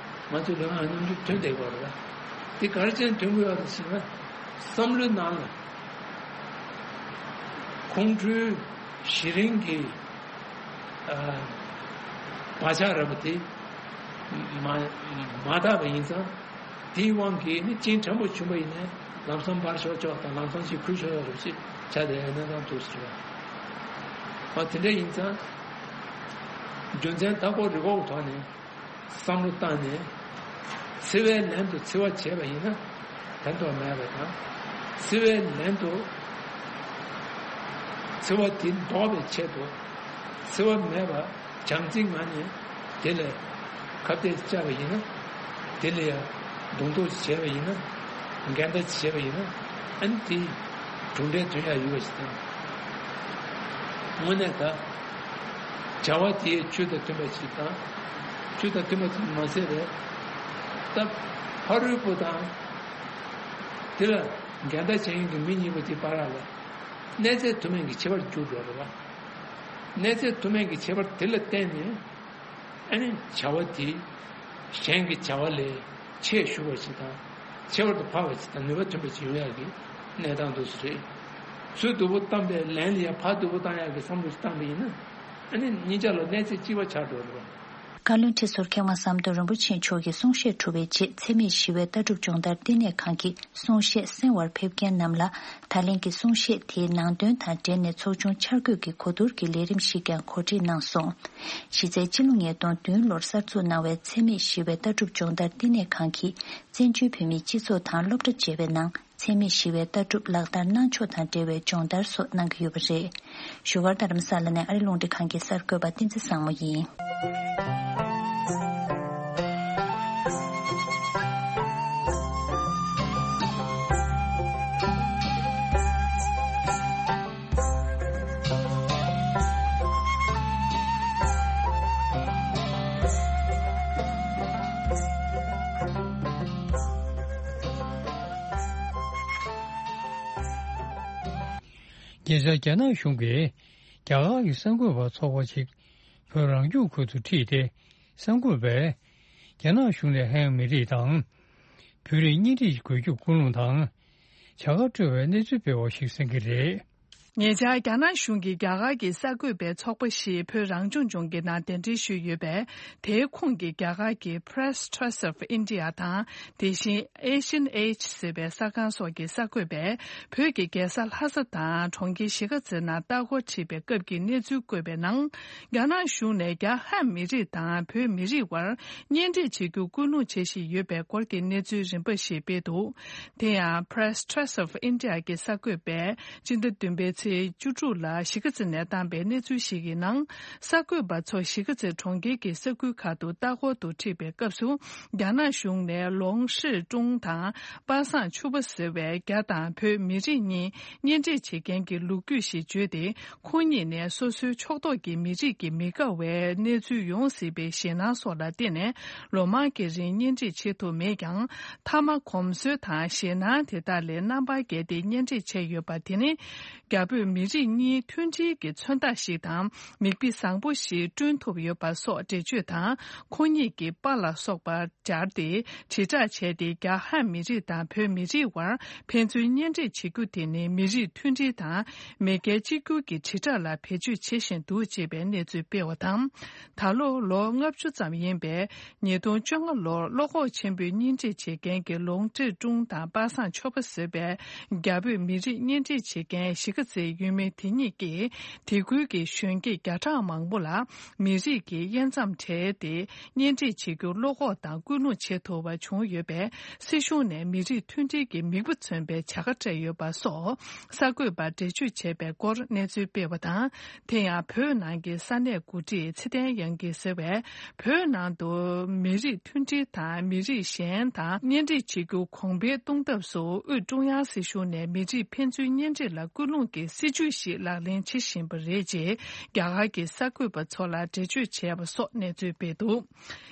ང་ཚོའི་ལུས་ངག་གི་རྣམ་འགྱུར་ཐོན་བསྡད་ཀྱི་ཡོད་རེད། དེ་ག་རེ་བྱས་ནས་ཐོན་གྱི་ཡོད་རེད་ཟེར་ན། བསམ་བློའི་ནང་ལ་ཁོང་ཁྲོའི་གཞི་རིམ་གྱི་བག་ཆགས་ར་བ་དེ་མ་མ་དག་པ་ཡིན་ཙང་། དེའི་དབང་གིས་ནི་གཅིན་ཕྲན་བུ་བྱུང་བ་ཡིན་ནའི་ལམ་སང་འབར་ཆོག་ཆོག་དང་ལམ་སང་ཅིག་ཁུར་ཆོག་ཆོག་རེ་བ་ཅིག་ཆགས་བསྡད་ཡོད་ན་ཙང་འདུག་ཟེར་བ། ཨ་དེ་འདྲ་ཡིན་ཙང་། རྒྱུ་མཚན་དག་གོ་རི་གོ་གི་ཐོག་ནས་བསམ་བློ་བཏང་ནས། འཚེ་བའི་ལན་དུ་འཚེ་བ་བྱས་པ་ཡིན་ན་ཕན་ཐོགས་མེད་པ་དང་། འཚེ་བའི་ལན་དུ་འཚེ་བ་དེ་ཟློག་པའི་ཆེད་དུ་འཚེ་བ་མེད་པ་བྱམས་བརྩེའི་ངང་ནས་དེ་ལ་ཁ་གཏད་བཅག་པ་ཡིན་ན། དེ་ལ་ཡང་གདོང་གཏུག་བྱས་པ་ཡིན་ན། འགལ་ཟླ་བྱས་པ་ཡིན་ན། ཨ་ནི་དེ་གྲུབ་འབྲས་ཐོན་ཡག་ཡོད་པ་ཞིག་དང་། དངོས་གནས་ད་བྱ་བ་དེའི་ཆོས་དང་མཐུན་པ་ཞིག་དང་། ཆོས་དང་མཐུན་པ་ཙམ་མ་ཟད་པའི་ད་ཕ་རོལ་པོ་དང་དེ་ལ་འགལ་ཟླ་བྱེད་མཁན་གྱི་མི་གཉིས་པོ་དེ་བར་ལ་གནས་ཚད་མཐོ་དམན་གྱི་ཁྱད་པར་འགྱུར་འགྲོ་རེད་བ། གནས་ཚད་མཐོ་དམན་གྱི་ཁྱད་པར་དེ་ལ་བརྟེན་ནས། ཨ་ནི་བྱ་བ་དེ་གཞན་གྱི་བྱ་བ་ལས་ཆེས་ཞུ་བ་ཞིག་དང་། ཁྱད་པར་དུ་འཕགས་པ་ཞིག་དང་ནུས་པ་ཐོན་པ་ཞིག་ཡོང་ཡག་གི་གནས་སྟངས་འདུག་སེ་རེད། ཚུར་སྡུག་པོ་བཏང་པའི་ལན་ལ་ཡང་ཕར་སྡུག་པོ་བཏང་ཡག་གི་བསམ་བློ་ཞིག་བཏང་པ་ཡིན་ན། ཨ་ནི་གཉིས་ཆ་ལ་གནས་ཚད་གཅིག་པ་ཆགས་འགྲོ་རེད་བ། བཀའ་བློན་ཁྲི་ཟུར་མཁས་དབང་ཟམ་གདོང་རིན་པོ་ཆེ་མཆོག་གི་གསུང་བཤད་གྲུབ་པའི་རྗེས། འཚེ་མེད་ཞི་བའི་ལྟ་གྲུབ་སྦྱོང་བརྡར་བསྟི་གནས་ཁང་གིས་གསུང་བཤད་གསན་པར་ཕེབས་མཁན་རྣམས་ལ། ད་ལན་གྱི་གསུང་བཤད་དེའི་ནང་དོན་དང་འབྲེལ་ནས་ཚོགས་ཆུང་འཆར་འགོད་ཀྱི་གོ་བསྡུར་གྱི་ལས་རིམ་ཞིག་ཀྱང་གོ་སྒྲིག་གནང་སོང་། གཞི་རྩའི་ཕྱི་ལོ་ཉིས་སྟོང་བདུན་ལོར་གསར་འཛུགས་གནང་བའི་འཚེ་མེད་ཞི་བའི་ལྟ་གྲུབ་སྦྱོང་བརྡར་བསྟི་གནས་ཁང་གིས། བཙན་བྱོལ་བོད་མིའི་སྤྱི་ཚོགས་དང་སློབ་གྲྭ་བཅས་པའི་ནང་འཚེ་མེད་ཞི་བའི་ལྟ་གྲུབ་ལག་བསྟར་གནང་ཕྱོགས་དང་འབྲེལ་བའི་སྦྱོང་བརྡར་སོགས་གནང་གི་ཡོད་པ་རེད། བཞུགས་སྒར་རྡ་རམ་ས་ལ་ནས་ཨ་རི་རླུང་འཕྲིན་ཁང་གི་གསར་འགོད་པ་བསྟན་འཛིན་བཟང་མོ་ཡིན། ཉེ་ཆར་རྒྱ་ནག་གཞུང་གིས་རྒྱ་གར་གྱི་གསར་འགོད་པ་ཚོགས་པ་ཞིག་བོད་རང་སྐྱོང་ཁུལ་དུ་ཁྲིད་དེ། གསར་འགོད་པས་རྒྱ་ནག་གཞུང་ནས་ཧན་མི་རིགས་དང་། བོད་རིགས་གཉེན་སྒྲིག་དགོས་རྒྱུ་ཀུན་སློང་དང་། བྱ་དགའ་སྤྲོད་པའི་གནས་ཚུལ་སྤེལ་བ་ཞིག་གསན་གྱི་རེད། ཉེ་ཆར་རྒྱ་ནག་གཞུང་གིས་རྒྱ་གར་གྱི་གསར་འགོད་པའི་ཚོགས་པ་ཞིག་བོད་རང་སྐྱོང་ལྗོངས་ཀྱི་ནང་གདན་འདྲེན་ཞུས་ཡོད་པས། དེའི་ཁོངས་ཀྱི་རྒྱ་གར་གྱི་Press Trust of India དང་། དེ་བཞིན་Asian Age ཟེར་བའི་གསར་ཁང་སོགས་ཀྱི་གསར་འགོད་པས། བོད་ཀྱི་རྒྱལ་ས་ལྷ་ས་དང་གྲོང་ཁྱེར་གཞིས་ཀ་རྩེ་ནང་ལྟ་སྐོར་ཁྲིད་པའི་སྐབས་ཀྱི་གནས་ཚུལ་བཀོད་པའི་ནང་། རྒྱ་ནག་གཞུང་ནས་རྒྱ་ཧན་མི་རིགས་དང་བོད་མི་རིགས་དབར་གཉེན་སྒྲིག་བྱེད་རྒྱུ་སྐུལ་སློང་བྱེད་བཞིན་ཡོད་པའི་སྐོར་གྱི་གནས་ཚུལ་རིམ་པ་ཞིག་སྤེལ་འདུག། དེ་ཡང་Press Trust of India གྱི་གསར་འགོད་པས་སྤྱི་ཟླ་བདུན་པའི་ ཚེས་བཅུ་དྲུག་ལ་གཞིས་ཀ་རྩེ་ནས་བཏང་པའི་གནས་ཚུལ་ཞིག་གི་ནང་། གསར་འགོད་པ་ཚོ་གཞིས་ཀ་རྩེ་གྲོང་ཁྱེར་གྱི་ས་ཁུལ་ཁག་ཏུ་ལྟ་སྐོར་དུ་ཁྲིད་པའི་སྐབས་སུ། རྒྱ་ནག་གཞུང་ནས་ལོང་ཧྲི་ཀྲུང་དང་པ་སངས་ཆུ་པ་ཟེར་བའི་རྒྱ་དང་བོད་མི་རིགས་གཉིས་གཉེན་སྒྲིག་བྱེད་མཁན་གྱི་ལོ་རྒྱུས་ཤིག་བརྗོད་དེ། ཁོང་གཉིས་ནས་སོ་སོའི་ཕྱོགས་གཏོགས་ཀྱི་མི་རིགས་ཀྱི་མི་དགའ་བའི་གནས་ཚུལ་ཡོང་སྲིད་པའི་ཞེད་སྣང་སོགས་ལ་བརྟེན་ནས། ལོ་མང་གི་རིང་གཉེན་སྒྲིག་བྱེད་ཐུབ་མེད་ཀྱང་། མཐའ་མ་གོམས་སྲོལ་དང་ཞེད་སྣང་དེ་དག་ལས་རྣམ་པར་རྒྱལ་ཏེ་གཉེན་སྒྲིག་བྱས་ཡོད་པ་དེ་ནི། རྒྱ་བོད་མི་རིགས་གཉིས་མཐུན་སྒྲིལ་གྱི་མཚོན་རྟགས་ཤིག་དང་། མིག་དཔེ་བཟང་པོ་ཞིག་བསྐྲུན་ཐུབ་ཡོད་པ་སོགས་འགྲེལ་བརྗོད་དང་། ཁོང་ཉིད་ཀྱི་པཱ་ལགས་སོགས་པ་སྦྱར་ཏེ་དྲིལ་བསྒྲགས་བྱས་ཏེ། རྒྱ་ཧན་མི་རིགས་དང་བོད་མི་རིགས་དབར་ཕན་ཚུན་གཉེན་སྒྲིག་བྱེད་རྒྱུ་དེ་ནི་མི་རིགས་མཐུན་སྒྲིལ་དང་མེས་རྒྱལ་གཅིག་གྱུར་གྱི་དྲིལ་བསྒྲགས་ལ་བེད་སྤྱོད་བྱེད་བཞིན་འདུག་ཅེས་པའི་གནས་ཚུལ་སྤེལ་བ་དང་། ད་ལོ་ལོ་ལྔ་བཅུ་ཙམ་ཡིན་པའི་ཉིས་སྟོང་བཅོ་ལྔ་ལོར་བློ་ཁོག་ཆེན་པོས་གཉེན་སྒྲིག་བྱེད་མཁན་གྱི་ལོང་ཀྲི་ཀྲུང་དང་པ་སངས་ཆོས་པ་ཟེར་བའི་རྒྱ་བོད་མི་རིགས་གཉེན་སྒྲིག་བྱེད་མཁན་གཞིས་ཀ་རྩེའི་ཡུལ་མི་དེ་ཉིད་ཀྱིས། དེ་ཁུལ་གྱི་གཞོན་སྐྱེས་བརྒྱ་ཕྲག་མང་པོ་ལ་མི་རིགས་ཀྱི་དབྱེ་མཚམས་བྲལ་ཏེ་གཉེན་སྒྲིག་བྱེད་རྒྱུར་བློ་ཁོག་དང་ཀུན་སློང་བྱེད་ཐུབ་པ་བྱུང་ཡོད་པས། སྲིད་གཞུང་ནས་མི་རིགས་མཐུན་སྒྲིལ་གྱི་མིག་དཔེ་མཚོན་པའི་བྱ་དགའ་སྤྲད་ཡོད་པ་སོགས་གསར་འགོད་པར་འགྲེལ་བརྗོད་བྱས་པའི་སྐོར་གནས་ཚུལ་སྤེལ་བ་དང་། དེ་ཡང་བོད་ནང་གི་ས་གནས་འགོ་ཁྲིད་ཚེ་བརྟན་དབྱངས་སྐྱིད་ཟེར་བས། བོད་ནང་དུ་མི་རིགས་མཐུན་སྒྲིལ་དང་མི་རིགས་གཞན་དང་གཉེན་སྒྲིག་བྱེད་རྒྱུ་གོང་འཕེལ་གཏོང་ཐབས་སུ། དབུས་ཀྲུང་དབྱང་སྲིད་གཞུང་ནས་མི་རིགས་ཕན་ཚུན་གཉེན་སྒྲིག་ལ་སྐུལ་སློང་གི་སྲིད་ཇུས་ཤིག་ལག་ལེན་བྱེད་བཞིན་པ་རེད་ཅེས་རྒྱ་གར་གྱི་གསར་འགོད་པ་ཚོ་ལ་འགྲེལ་བརྗོད་བྱས་པ་སོགས་གནས་ཚུལ་སྤེལ་འདུག།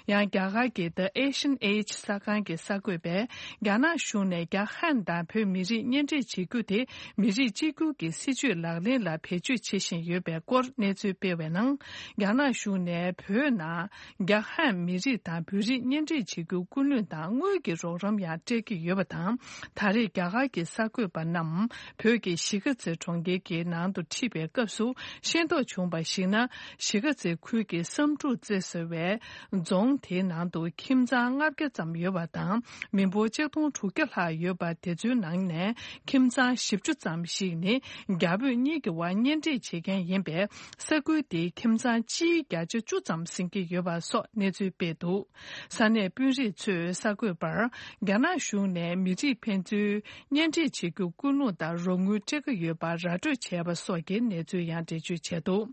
ཡང་རྒྱ་གར་གྱི་The Asian Age གསར་ཁང་གི་གསར་འགོད་པས། རྒྱ་ནག་གཞུང་ནས་རྒྱ་ཧན་དང་བོད་མི་རིགས་གཉེན་སྒྲིག་བྱེད་རྒྱུ་དེ་མི་རིགས་གཅིག་གྱུར་གྱི་སྲིད་ཇུས་ལག་ལེན་ལ་བེད་སྤྱོད་བྱེད་བཞིན་ཡོད་པའི་སྐོར་གནས་ཚུལ་སྤེལ་བའི་ནང་། རྒྱ་ནག་གཞུང་ནས་བོད་ནང་རྒྱ་ཧན་མི་རིགས་དང་བོད་རིགས་གཉེན་སྒྲིག་བྱེད་རྒྱུ་སྐུལ་སློང་དང་དངུལ་གྱི་རོགས་རམ་ཡང་སྤྲད་ཀྱི་ཡོད་པ་དང་། ད་རེས་རྒྱ་གར་གྱི་གསར་འགོད་པ་རྣམས་བོད་ཀྱི་གཞིས་ཀ་རྩེ་གྲོང་ཁྱེར་གྱི་ནང་དུ་ཁྲིད་པའི་སྐབས་སུ་ཤེས་རྟོགས་བྱུང་བར་གཞིགས་ན། གཞིས་ཀ་རྩེ་ཁུལ་གྱི་བསམ་གྲུབ་རྩེ་ཟེར་བའི་རྫོང་དེའི་ནང་དུ་ཁྱིམ་ཚང་ལྔ་བརྒྱ་ཙམ་ཡོད་པ་དང་། མི་འབོར་ཆིག་སྟོང་དྲུག་བརྒྱ་ལྷག་ཡོད་པ། དེ་ཚོའི་ནང་ནས་ཁྱིམ་ཚང་བཞི་བཅུ་ཙམ་ཞིག་ནི་རྒྱ་བོད་གཉིས་ཀྱི་དབར་གཉེན་སྒྲིག་བྱེད་མཁན་ཡིན་པས། ས་ཁུལ་དེའི་ཁྱིམ་ཚང་སྤྱིའི་བརྒྱ་ཆ་བཅུ་ཙམ་ཟིན་གྱི་ཡོད་པ་སོགས་གནས་ཚུལ་སྤེལ་འདུག། ས་གནས་དཔོན་རིགས་ཚོས་གསར་འགོད་པར། རྒྱ་ནག་གཞུང་ནས་མི་རིགས་ཕན་ཚུན་གཉེན་སྒྲིག་བྱེད་རྒྱུ་སྐུལ་སློང་དང་རོགས་དངུལ་སྤྲད་ཀྱི་ཡོད་པ་ར་སྤྲོད་བྱས་པ་སོགས་ཀྱི་གནས་ཚུལ་ཡང་འགྲེལ་བརྗོད་བྱས་འདུག།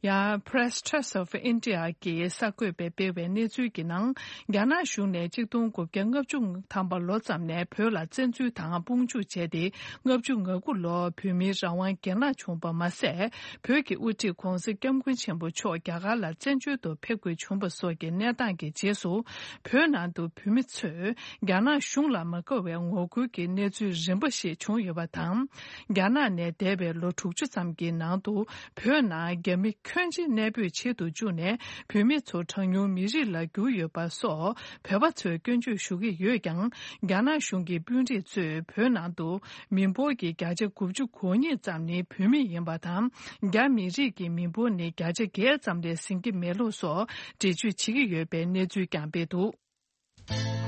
ཡང་Press Trust of India གིས་གསར་འགོད་པས་སྤེལ་བའི་གནས་ཚུལ་གྱི་ནང་། རྒྱ་ནག་གཞུང་ནས་ཆིག་སྟོང་དགུ་བརྒྱ་ལྔ་བཅུ་ཐམ་པ་ལོ་ཙམ་ནས་བོད་ལ་བཙན་འཛུལ་དང་དཔུང་འཇུག་བྱས་ཏེ། ལྔ་བཅུ་ང་དགུ་ལོར་བོད་མིའི་རང་དབང་གྱེན་ལངས་བྱུང་པ་མ་ཟད། བོད་ཀྱི་དབུ་ཁྲིད་༧གོང་ས་༧སྐྱབས་མགོན་ཆེན་པོ་མཆོག་རྒྱ་གར་ལ་བཙན་བྱོལ་དུ་ཕེབས་དགོས་བྱུང་བ་སོགས་ཀྱི་གནས་སྟངས་ཀྱི་རྗེས་སུ། བོད་ནང་དུ་བོད་མི་ཚོས་རྒྱ་ནག་གཞུང་ལ་མ་དགའ་བའི་ངོ་རྒོལ་གྱི་གནས་ཚུལ་རིམ་པ་ཞིག་བྱུང་ཡོད་པ་དང་། རྒྱ་ནག་ནས་འདས་པའི་ལོ་དྲུག་ཅུ་ཙམ་གྱི་ནང་དུ། བོད་ནང་རྒྱ་མི་ཁྱོན་ཆེ་གནས་སྤོས་བྱེད་དུ་བཅུག་ནས། བོད་མི་ཚོ་གྲངས་ཉུང་མི་རིགས་ལ་གྱུར་ཡོད་པ་སོགས་བོད་པ་ཚོས་སྐྱོན་བརྗོད་ཞུ་གི་ཡོད་ཀྱང་། རྒྱ་ནག་གཞུང་གི་དཔོན་རིགས་ཚོས་བོད་ནང་དུ་མི་འབོར་གྱི་བརྒྱ་ཆ་དགུ་བཅུ་གོ་གཉིས་ཙམ་ནི་བོད་མི་ཡིན་པ་དང་། རྒྱ་མི་རིགས་ཀྱི་མི་འབོར་ནི་བརྒྱ་ཆ་བརྒྱད་ཙམ་ལས་ཟིན་གྱི་མེད་ལུགས་སོགས་འགྲེལ་བརྗོད་བྱེད་ཀྱི་ཡོད་པའི་གནས་ཚུལ་ཀྱང་སྤེལ་འདུག།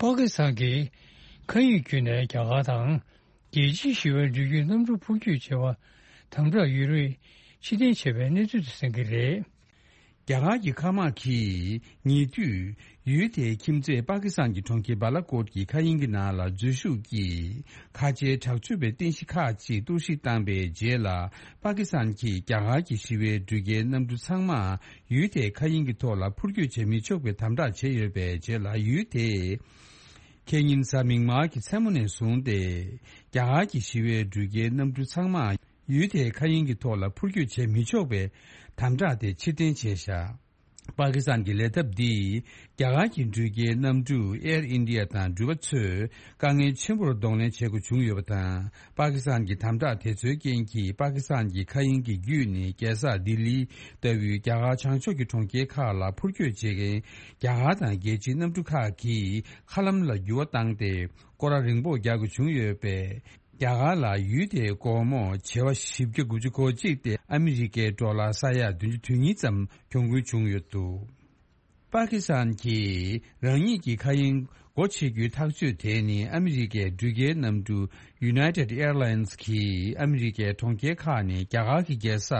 པ་ཀི་སི་ཐན་གྱིས་མཁའ་དབྱིངས་བརྒྱུད་ནས་རྒྱ་གར་དང་རྒྱལ་སྤྱིའི་ཞི་བའི་འགྲུལ་སྐྱོད་གནམ་གྲུ་འཕུར་སྐྱོད་བྱ་བར་དམ་དྲག་ཡོད་རེད། ཕྱིར་འཐེན་བྱས་པའི་གནས་ཚུལ་དུ་གསན་གྱི་རེད། རྒྱ་གར་གྱི་མཁའ་དམག་གིས་ཉེ་དུས་ཡུལ་དེའི་ཁྱིམ་མཚེས་པ་ཀི་སི་ཐན་གྱི་གྲོང་ཁྱེར་བ་ལ་ཀོཊ་ཀྱི་མཁའ་དབྱིངས་ཀྱི་ནང་ལ་འཛུལ་ཞུགས་ཀྱིས་ཁ་ཆེའི་དྲག་སྤྱོད་པའི་རྟེན་གཞི་ཁག་ཅིག་གཏོར་བཤིག་བཏང་པའི་རྗེས་ལ། པ་ཀི་སི་ཐན་གྱིས་རྒྱ་གར་གྱི་ཞི་བའི་འགྲུལ་སྐྱེལ་གནམ་གྲུ་ཚང་མ་ཡུལ་དེའི་མཁའ་དབྱིངས་ཀྱི་ཐོག་ལ་འཕུར་སྐྱོད་བྱེད་མི་ཆོག་པའི་དམ་དྲག་བྱས་ཡོད་པའི་རྗེས་ལ། ཡུལ་དེས་ཁེ་ཉིན་གཟའ་མིག་དམར་གྱི་མཚན་མོ་ནས་བཟུང་སྟེ། རྒྱ་གར་གྱི་ཞི་བའི་འགྲུལ་སྐྱེལ་གནམ་གྲུ་ཚང་མ་ཡུལ་དེའི་མཁའ་དབྱིངས་ཀྱི་ཐོག་ལ་འཕུར་སྐྱོད་བྱེད་མི་ཆོག་པའི་དམ་དྲག་དེ་ཕྱིར་འཐེན་བྱས་བཞག། པ་ཀི་སི་ཐན་གྱི་ལས་ཐབས་འདིས་རྒྱ་གར་གྱི་འགྲུལ་སྐྱེལ་གནམ་གྲུ་ཨེར་ཨིན་ཌི་ཡ་དང་འགྲུལ་པ་ཚོས་དཀའ་ངལ་ཆེན་པོར་གདོང་ལེན་བྱེད་དགོས་བྱུང་ཡོད་པ་དང་། པ་ཀི་སི་ཐན་གྱི་དམ་དྲག་དེ་ཚོའི་རྐྱེན་གྱིས། པ་ཀི་སི་ཐན་གྱི་མཁའ་དབྱིངས་ཀྱི་བརྒྱུད་ནས་རྒྱལ་ས་ལྡི་ལི་ལྟ་བུའི་རྒྱ་གར་བྱང་ཕྱོགས་ཀྱི་གྲོང་ཁྱེར་ཁག་ལ་འཕུར་སྐྱོད་བྱེད་མཁན་རྒྱ་གར་དང་རྒྱལ་སྤྱིའི་གནམ་གྲུ་ཁག་གིས་མཁའ་ལམ་ལ་འགྱུར་བ་བཏང་སྟེ། སྐོར་ར་རིང་པོ་རྒྱག་དགོས་བྱུང་ཡོད་པས། རྒྱ་གར་ལ་ཡུལ་དེའི་སྒོར་མོ་བྱེ་བ་བཞི་བརྒྱ་དགུ་བཅུ་གོ་གཅིག་སྟེ་ཨ་མི་རི་ཀའི་ཌོ་ལར་ས་ཡ་བདུན་ཅུ་དོན་གཉིས་ཙམ་གྱོང་གུན་བྱུང་ཡོད་འདུག། པ་ཀི་སི་ཐན་གྱིས་རང་ཉིད་ཀྱི་མཁའ་དབྱིངས་སྒོ་ཕྱེ་རྒྱུའི་ཐག་གཅོད་དེ་ནི། ཨ་མི་རི་ཀའི་འགྲུལ་སྐྱེལ་གནམ་གྲུ་United Airlines གིས་ཨ་མི་རི་ཀའི་གྲོང་ཁྱེར་ཁག་ནས་རྒྱ་གར་གྱི་རྒྱལ་ས་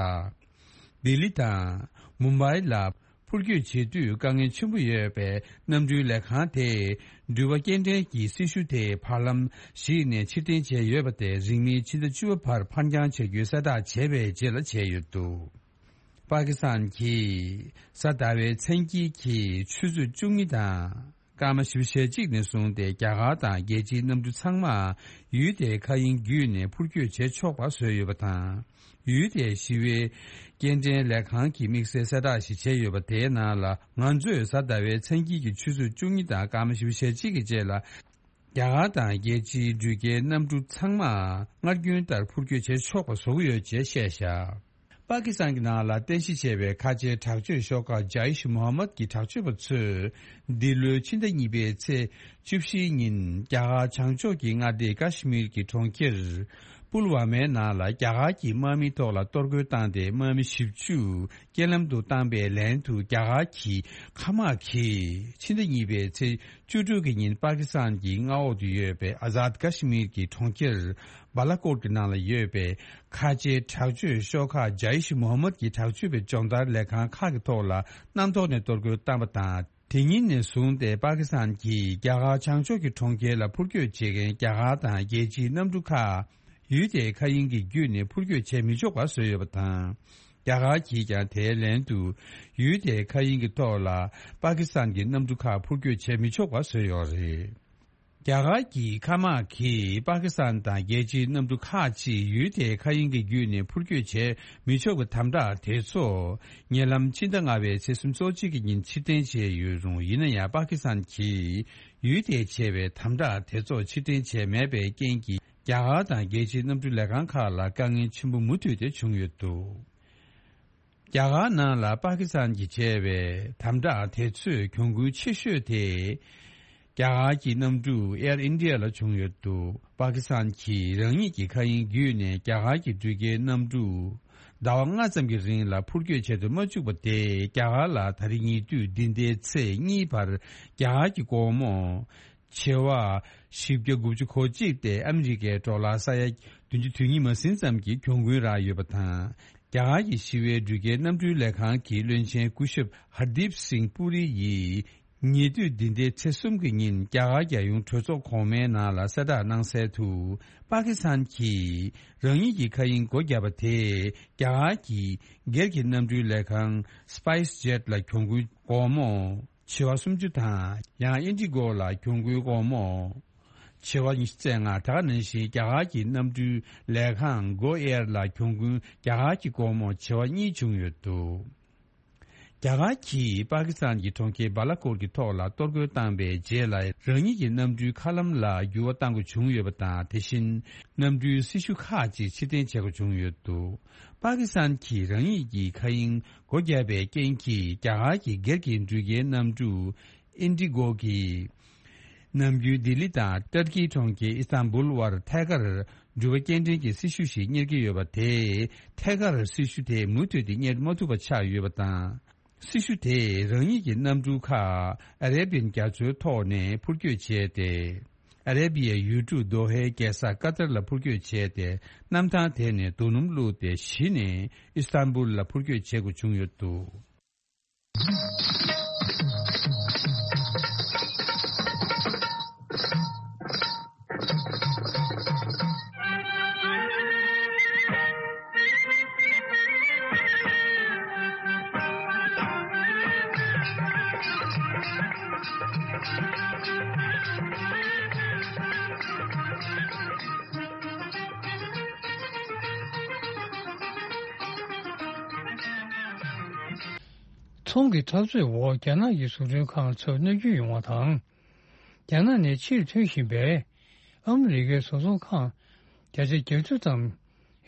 ལྡི་ལི་དང་མུམ་བྷའི་ལ་འཕུར་སྐྱོད་བྱེད་དུས་དཀའ་ངལ་ཆེན་པོ་ཡོད་པས། གནམ་གྲུའི་ལས་ཁང་དེས་འགྲུལ་པ་སྐྱེལ་འདྲེན་གྱི་སྲི་ཞུ་དེ་བར་ལམ་ཞིག་ནས་ཕྱིར་འཐེན་བྱས་ཡོད་པ་དེ་རིང་མིན་ཕྱི་ཟླ་བཅུ་པ་བར་ཕར་འགྱངས་བྱ་རྒྱུའི་གསལ་བསྒྲགས་བྱས་པའི་རྗེས་ལ་བྱས་ཡོད་འདུག། པ་ཀི་སི་ཐན་གྱིས་གཟའ་ཟླ་བའི་མཚན་དཀྱིལ་གྱི་ཆུ་ཚོད་བཅུ་གཉིས་དང་སྐར་མ་བཞི་བཅུ་ཞེ་གཅིག་ནས་བཟུང་སྟེ། རྒྱ་གར་དང་རྒྱལ་སྤྱིའི་གནམ་གྲུ་ཚང་མ་ཡུལ་དེའི་མཁའ་དབྱིངས་བརྒྱུད་ནས་འཕུར་སྐྱོད་བྱེད་ཆོག་པ་བཟོས་ཡོད་པ་དང་། ཡུལ་དེའི་ཞི་བའི་སྐྱེལ་འདྲེན་ལས་ཁང་གིས་དམིགས་བསལ་གསལ་བསྒྲགས་ཤིག་བྱས་ཡོད་པ་དེའི་ནང་ལ། ང་ཚོས་གཟའ་ཟླ་བའི་མཚན་དཀྱིལ་གྱི་ཆུ་ཚོད་བཅུ་གཉིས་དང་སྐར་མ་བཞི་བཅུ་ཞེ་གཅིག་གི་རྗེས་ལ། རྒྱ་གར་དང་རྒྱལ་སྤྱིའི་འགྲུལ་སྐྱེལ་གནམ་གྲུ་ཚང་མ་སྔར་རྒྱུན་ལྟར་འཕུར་སྐྱོད་བྱེད་ཆོག་པ་བཟོ་གི་ཡོད་ཅེས་བཤད་བཞག། པ་ཀི་སི་ཐན་གྱི་ནང་ལ་རྟེན་གཞི་བྱས་པའི་ཁ་ཆེའི་དྲག་སྤྱོད་ཤོག་ཁག་ཇཱིཤ་མོ་ཧམ་མད་ཀྱི་དྲག་སྤྱོད་པ་ཚོས་འདི་ལོའི་ཕྱི་ཟླ་གཉིས་པའི་ཚེས་བཅུ་བཞིའི་ཉིན། རྒྱ་གར་བྱང་ཕྱོགས་ཀྱི་མངའ་སྡེ་ཀ་ཤི་མིར་གྱི་གྲོང་ཁྱེར་པུལ་ཝ་མའི་ནང་ལ་རྒྱ་གར་གྱི་དམག་མིའི་ཐོག་ལ་གཏོར་རྒོལ་བཏང་སྟེ། དམག་མི་བཞི་བཅུ་རྐྱེན་ལམ་དུ་བཏང་པའི་ལན་དུ། རྒྱ་གར་གྱི་མཁའ་དམག་གིས་ཕྱི་ཟླ་གཉིས་པའི་ཚེས་བཅུ་དྲུག་གི་ཉིན་པ་ཀི་སི་ཐན་གྱི་མངའ་འོག་ཏུ་ཡོད་པའི་ཨ་ཛཱད་ཀ་ཤི་མིར་གྱི་གྲོང་ཁྱེར་བཱ་ལ་ཀོཊ་ཀྱི་ནང་ལ་ཡོད་པའི་ཁ་ཆེའི་དྲག་སྤྱོད་ཤོག་ཁག་ཇཱིཤ་མོ་ཧམ་མད་ཀྱི་དྲག་སྤྱོད་པའི་སྦྱོང་བརྡར་ལས་ཁང་ཁག་གི་ཐོག་ལ་གནམ་ཐོག་ནས་གཏོར་རྒོལ་བཏང་པ་དང་། དེ་ཉིན་ནས་བཟུང་སྟེ་པ་ཀི་སི་ཐན་གྱིས་རྒྱ་གར་བྱང་ཕྱོགས་ཀྱི་གྲོང་ཁྱེར་ལ་འཕུར་སྐྱོད་བྱེད་མཁན་རྒྱ་གར་དང་རྒྱལ་སྤྱིའི་གནམ་གྲུ་ཁག་ཡུལ་དེའི་མཁའ་དབྱིངས་ཀྱི་བརྒྱུད་ནས་འཕུར་སྐྱོད་བྱེད་མི་ཆོག་པ་བཟོས་ཡོད་པ་དང་། རྒྱ་གར་གྱིས་ཀྱང་དེའི་ལན་དུ་ཡུལ་དེའི་མཁའ་དབྱིངས་ཀྱི་ཐོག་ལ་པ་ཀི་སི་ཐན་གྱི་གནམ་གྲུ་ཁག་འཕུར་སྐྱོད་བྱེད་མི་ཆོག་པ་བཟོས་ཡོད་རེད། རྒྱ་གར་གྱི་མཁའ་དམག་གིས་པ་ཀི་སི་ཐན་དང་རྒྱལ་སྤྱིའི་གནམ་གྲུ་ཁག་ཅིག་ཡུལ་དེའི་མཁའ་དབྱིངས་ཀྱི་བརྒྱུད་ནས་འཕུར་སྐྱོད་བྱེད་མི་ཆོག་པའི་དམ་དྲག་དེ་ཚོ་ཉེ་ལམ་ཕྱི་ཟླ་ལྔ་པའི་ཚེས་སོ་གཅིག་གི་ཉིན་ཕྱིར་འཐེན་བྱས་ཡོད་རུང་། ཡིན་ན་ཡང་པ་ཀི་སི་ཐན་གྱིས་ཡུལ་དེས་བྱས་པའི་དམ་དྲག་དེ་ཚོ་ཕྱིར་འཐེན་བྱས་མེད་པའི་རྐྱེན་གྱིས། རྒྱ་གར་དང་རྒྱལ་སྤྱིའི་གནམ་གྲུ་ལས་ཁང་ཁག་ལ་དཀའ་ངལ་ཆེན་པོ་མུ་མཐུད་དེ་བྱུང་ཡོད་འདུག། རྒྱ་གར་ནང་ལ་པ་ཀི་སི་ཐན་གྱིས་བྱས་པའི་དམ་དྲག་དེ་ཚོའི་གྱོང་གུན་ཆེ་ཤོས་དེ། རྒྱ་གར་གྱི་གནམ་གྲུ་ཨེར་ཨིན་ཌི་ཡ་ལ་བྱུང་ཡོད་འདུག། པ་ཀི་སི་ཐན་གྱིས་རང་ཉིད་ཀྱི་མཁའ་དབྱིངས་བརྒྱུད་ནས་རྒྱ་གར་གྱི་འགྲུལ་སྐྱེལ་གནམ་གྲུ་ཟླ་བ་ལྔ་ཙམ་གྱི་རིང་ལ་འཕུར་སྐྱོད་བྱེད་དུ་མ་བཅུག་པ་དེས། རྒྱ་གར་ལ་ད་རེས་ཉེ་དུས་འདི་ཟླའི་ཚེས་གཉིས་བར་རྒྱ་གར་གྱི་སྒོར་མོ་བྱེ་བ་བཞི་བརྒྱ་དགུ་བཅུ་གོ་གཅིག་སྟེ་ཨ་མི་རི་ཀའི་ཌོ་ལར་ས་ཡ་བདུན་ཅུ་དོན་གཉིས་མ་ཟིན་ཙམ་གྱི་གྱོང་གུན་རག་ཡོད་པ་དང་། རྒྱ་གར་གྱི་ཞི་བའི་འགྲུལ་སྐྱེལ་གནམ་གྲུའི་ལས་ཁང་གི་བློན་ཆེན་སྐུ་ཞབས་ཧར་དིབ་སིང་པུ་རི་ཡིས། ཉེ་དུས་འདི་ཟླའི་ཚེས་གསུམ་གྱི་ཉིན་རྒྱ་གར་རྒྱལ་ཡོངས་གྲོས་ཚོགས་གོང་མའི་ནང་ལ་གསལ་བསྒྲགས་གནང་གསལ་དུ། པ་ཀི་སི་ཐན་གྱིས་རང་ཉིད་ཀྱི་མཁའ་དབྱིངས་སྒོ་བརྒྱབ་པ་དེས། རྒྱ་གར་གྱི་སྒེར་གྱི་གནམ་གྲུའི་ལས་ཁང་སི་པའི་སི་ཇེཊ་ལ་གྱོང་གུན་སྒོར་མོ་བྱེ་བ་སུམ་ཅུ་དང་། ཡང་ཨིན་ཌི་གོ་ལ་གྱོང་གུན་སྒོར་མོ་བྱེ་བ་ཉི་ཤུ་རྩ་ལྔ། དེ་ག་ནང་བཞིན་རྒྱ་གར་གྱི་གནམ་གྲུའི་ལས་ཁང་གོ་ཨེར་ལ་གྱོང་གུན་རྒྱ་གར་གྱི་སྒོར་མོ་བྱེ་བ་གཉིས་བྱུང་ཡོད་འདུག། རྒྱ་གར་གྱིས་པ་ཀི་སི་ཐན་གྱི་གྲོང་ཁྱེར་བཱ་ལ་ཀོཊ་ཀྱི་ཐོག་ལ་གཏོར་རྒོལ་བཏང་པའི་རྗེས་ལ། རང་ཉིད་ཀྱི་གནམ་གྲུའི་མཁའ་ལམ་ལ་འགྱུར་བ་གཏང་དགོས་བྱུང་ཡོད་པ་དང་། དེ་བཞིན་གནམ་གྲུའི་སྲི་ཞུ་ཁག་ཅིག་ཕྱིར་འཐེན་བྱེད་དགོས་བྱུང་ཡོད་འདུག། པ་ཀི་སི་ཐན་གྱིས་རང་ཉིད་ཀྱི་མཁའ་དབྱིངས་སྒོ་བརྒྱབ་པའི་རྐྱེན་གྱིས། རྒྱ་གར་གྱི་སྒེར་གྱི་འགྲུལ་སྐྱེལ་གནམ་གྲུ་ཨིན་ཌི་གོ་གིས། ནམ་རྒྱུན་ལྡི་ལི་དང་ཏར་ཀིའི་གྲོང་ཁྱེར་ཨི་སྟན་བུལ་བར་ཐད་ཀར་འགྲུལ་པ་སྐྱེལ་འདྲེན་གྱི་སྲི་ཞུ་ཞིག་གཉེར་གྱི་ཡོད་པ་དེས། ཐད་ཀར་སྲི་ཞུ་དེ་མུ་མཐུད་དེ་གཉེར་མ་ཐུབ་པ་ཆགས་ཡོད་པ་དང་། སྲི་ཞུ་དེས་རང་ཉིད་ཀྱི་གནམ་གྲུ་ཁག་ཨ་རེ་བིའན་རྒྱ་མཚོའི་ཐོག་ནས་འཕུར་སྐྱོད་བྱས་ཏེ། ཨ་རེ་བི་ཡའི་ཡུལ་གྲུ་དོ་ཧའི་རྒྱལ་ས་ཀ་ཏར་ལ་འཕུར་སྐྱོད་བྱས་ཏེ། གནམ་ཐང་དེ་ནས་རྡོ་སྣུམ་བླུགས་ཏེ་གཞི་ནས་ཨི་སྟན་བུལ་ལ་འཕུར་སྐྱོད་བྱེད་དགོས་བྱུང་ཡོད་འདུག། ཚོང་གི་འཐབ་རྩོད་འོག་རྒྱ་ནག་གི་བཟོ་སྐྲུན་ཁང་ཚོར་གནོད་སྐྱོན་ཡོང་བ་དང་། རྒྱ་ནག་ནས་ཕྱིར་ཐོན་བཞིན་པའི་ཨ་མི་རི་ཀའི་བཟོ་ཚོང་ཁང་བརྒྱ་ཆ་བརྒྱད་ཅུ་ཙམ་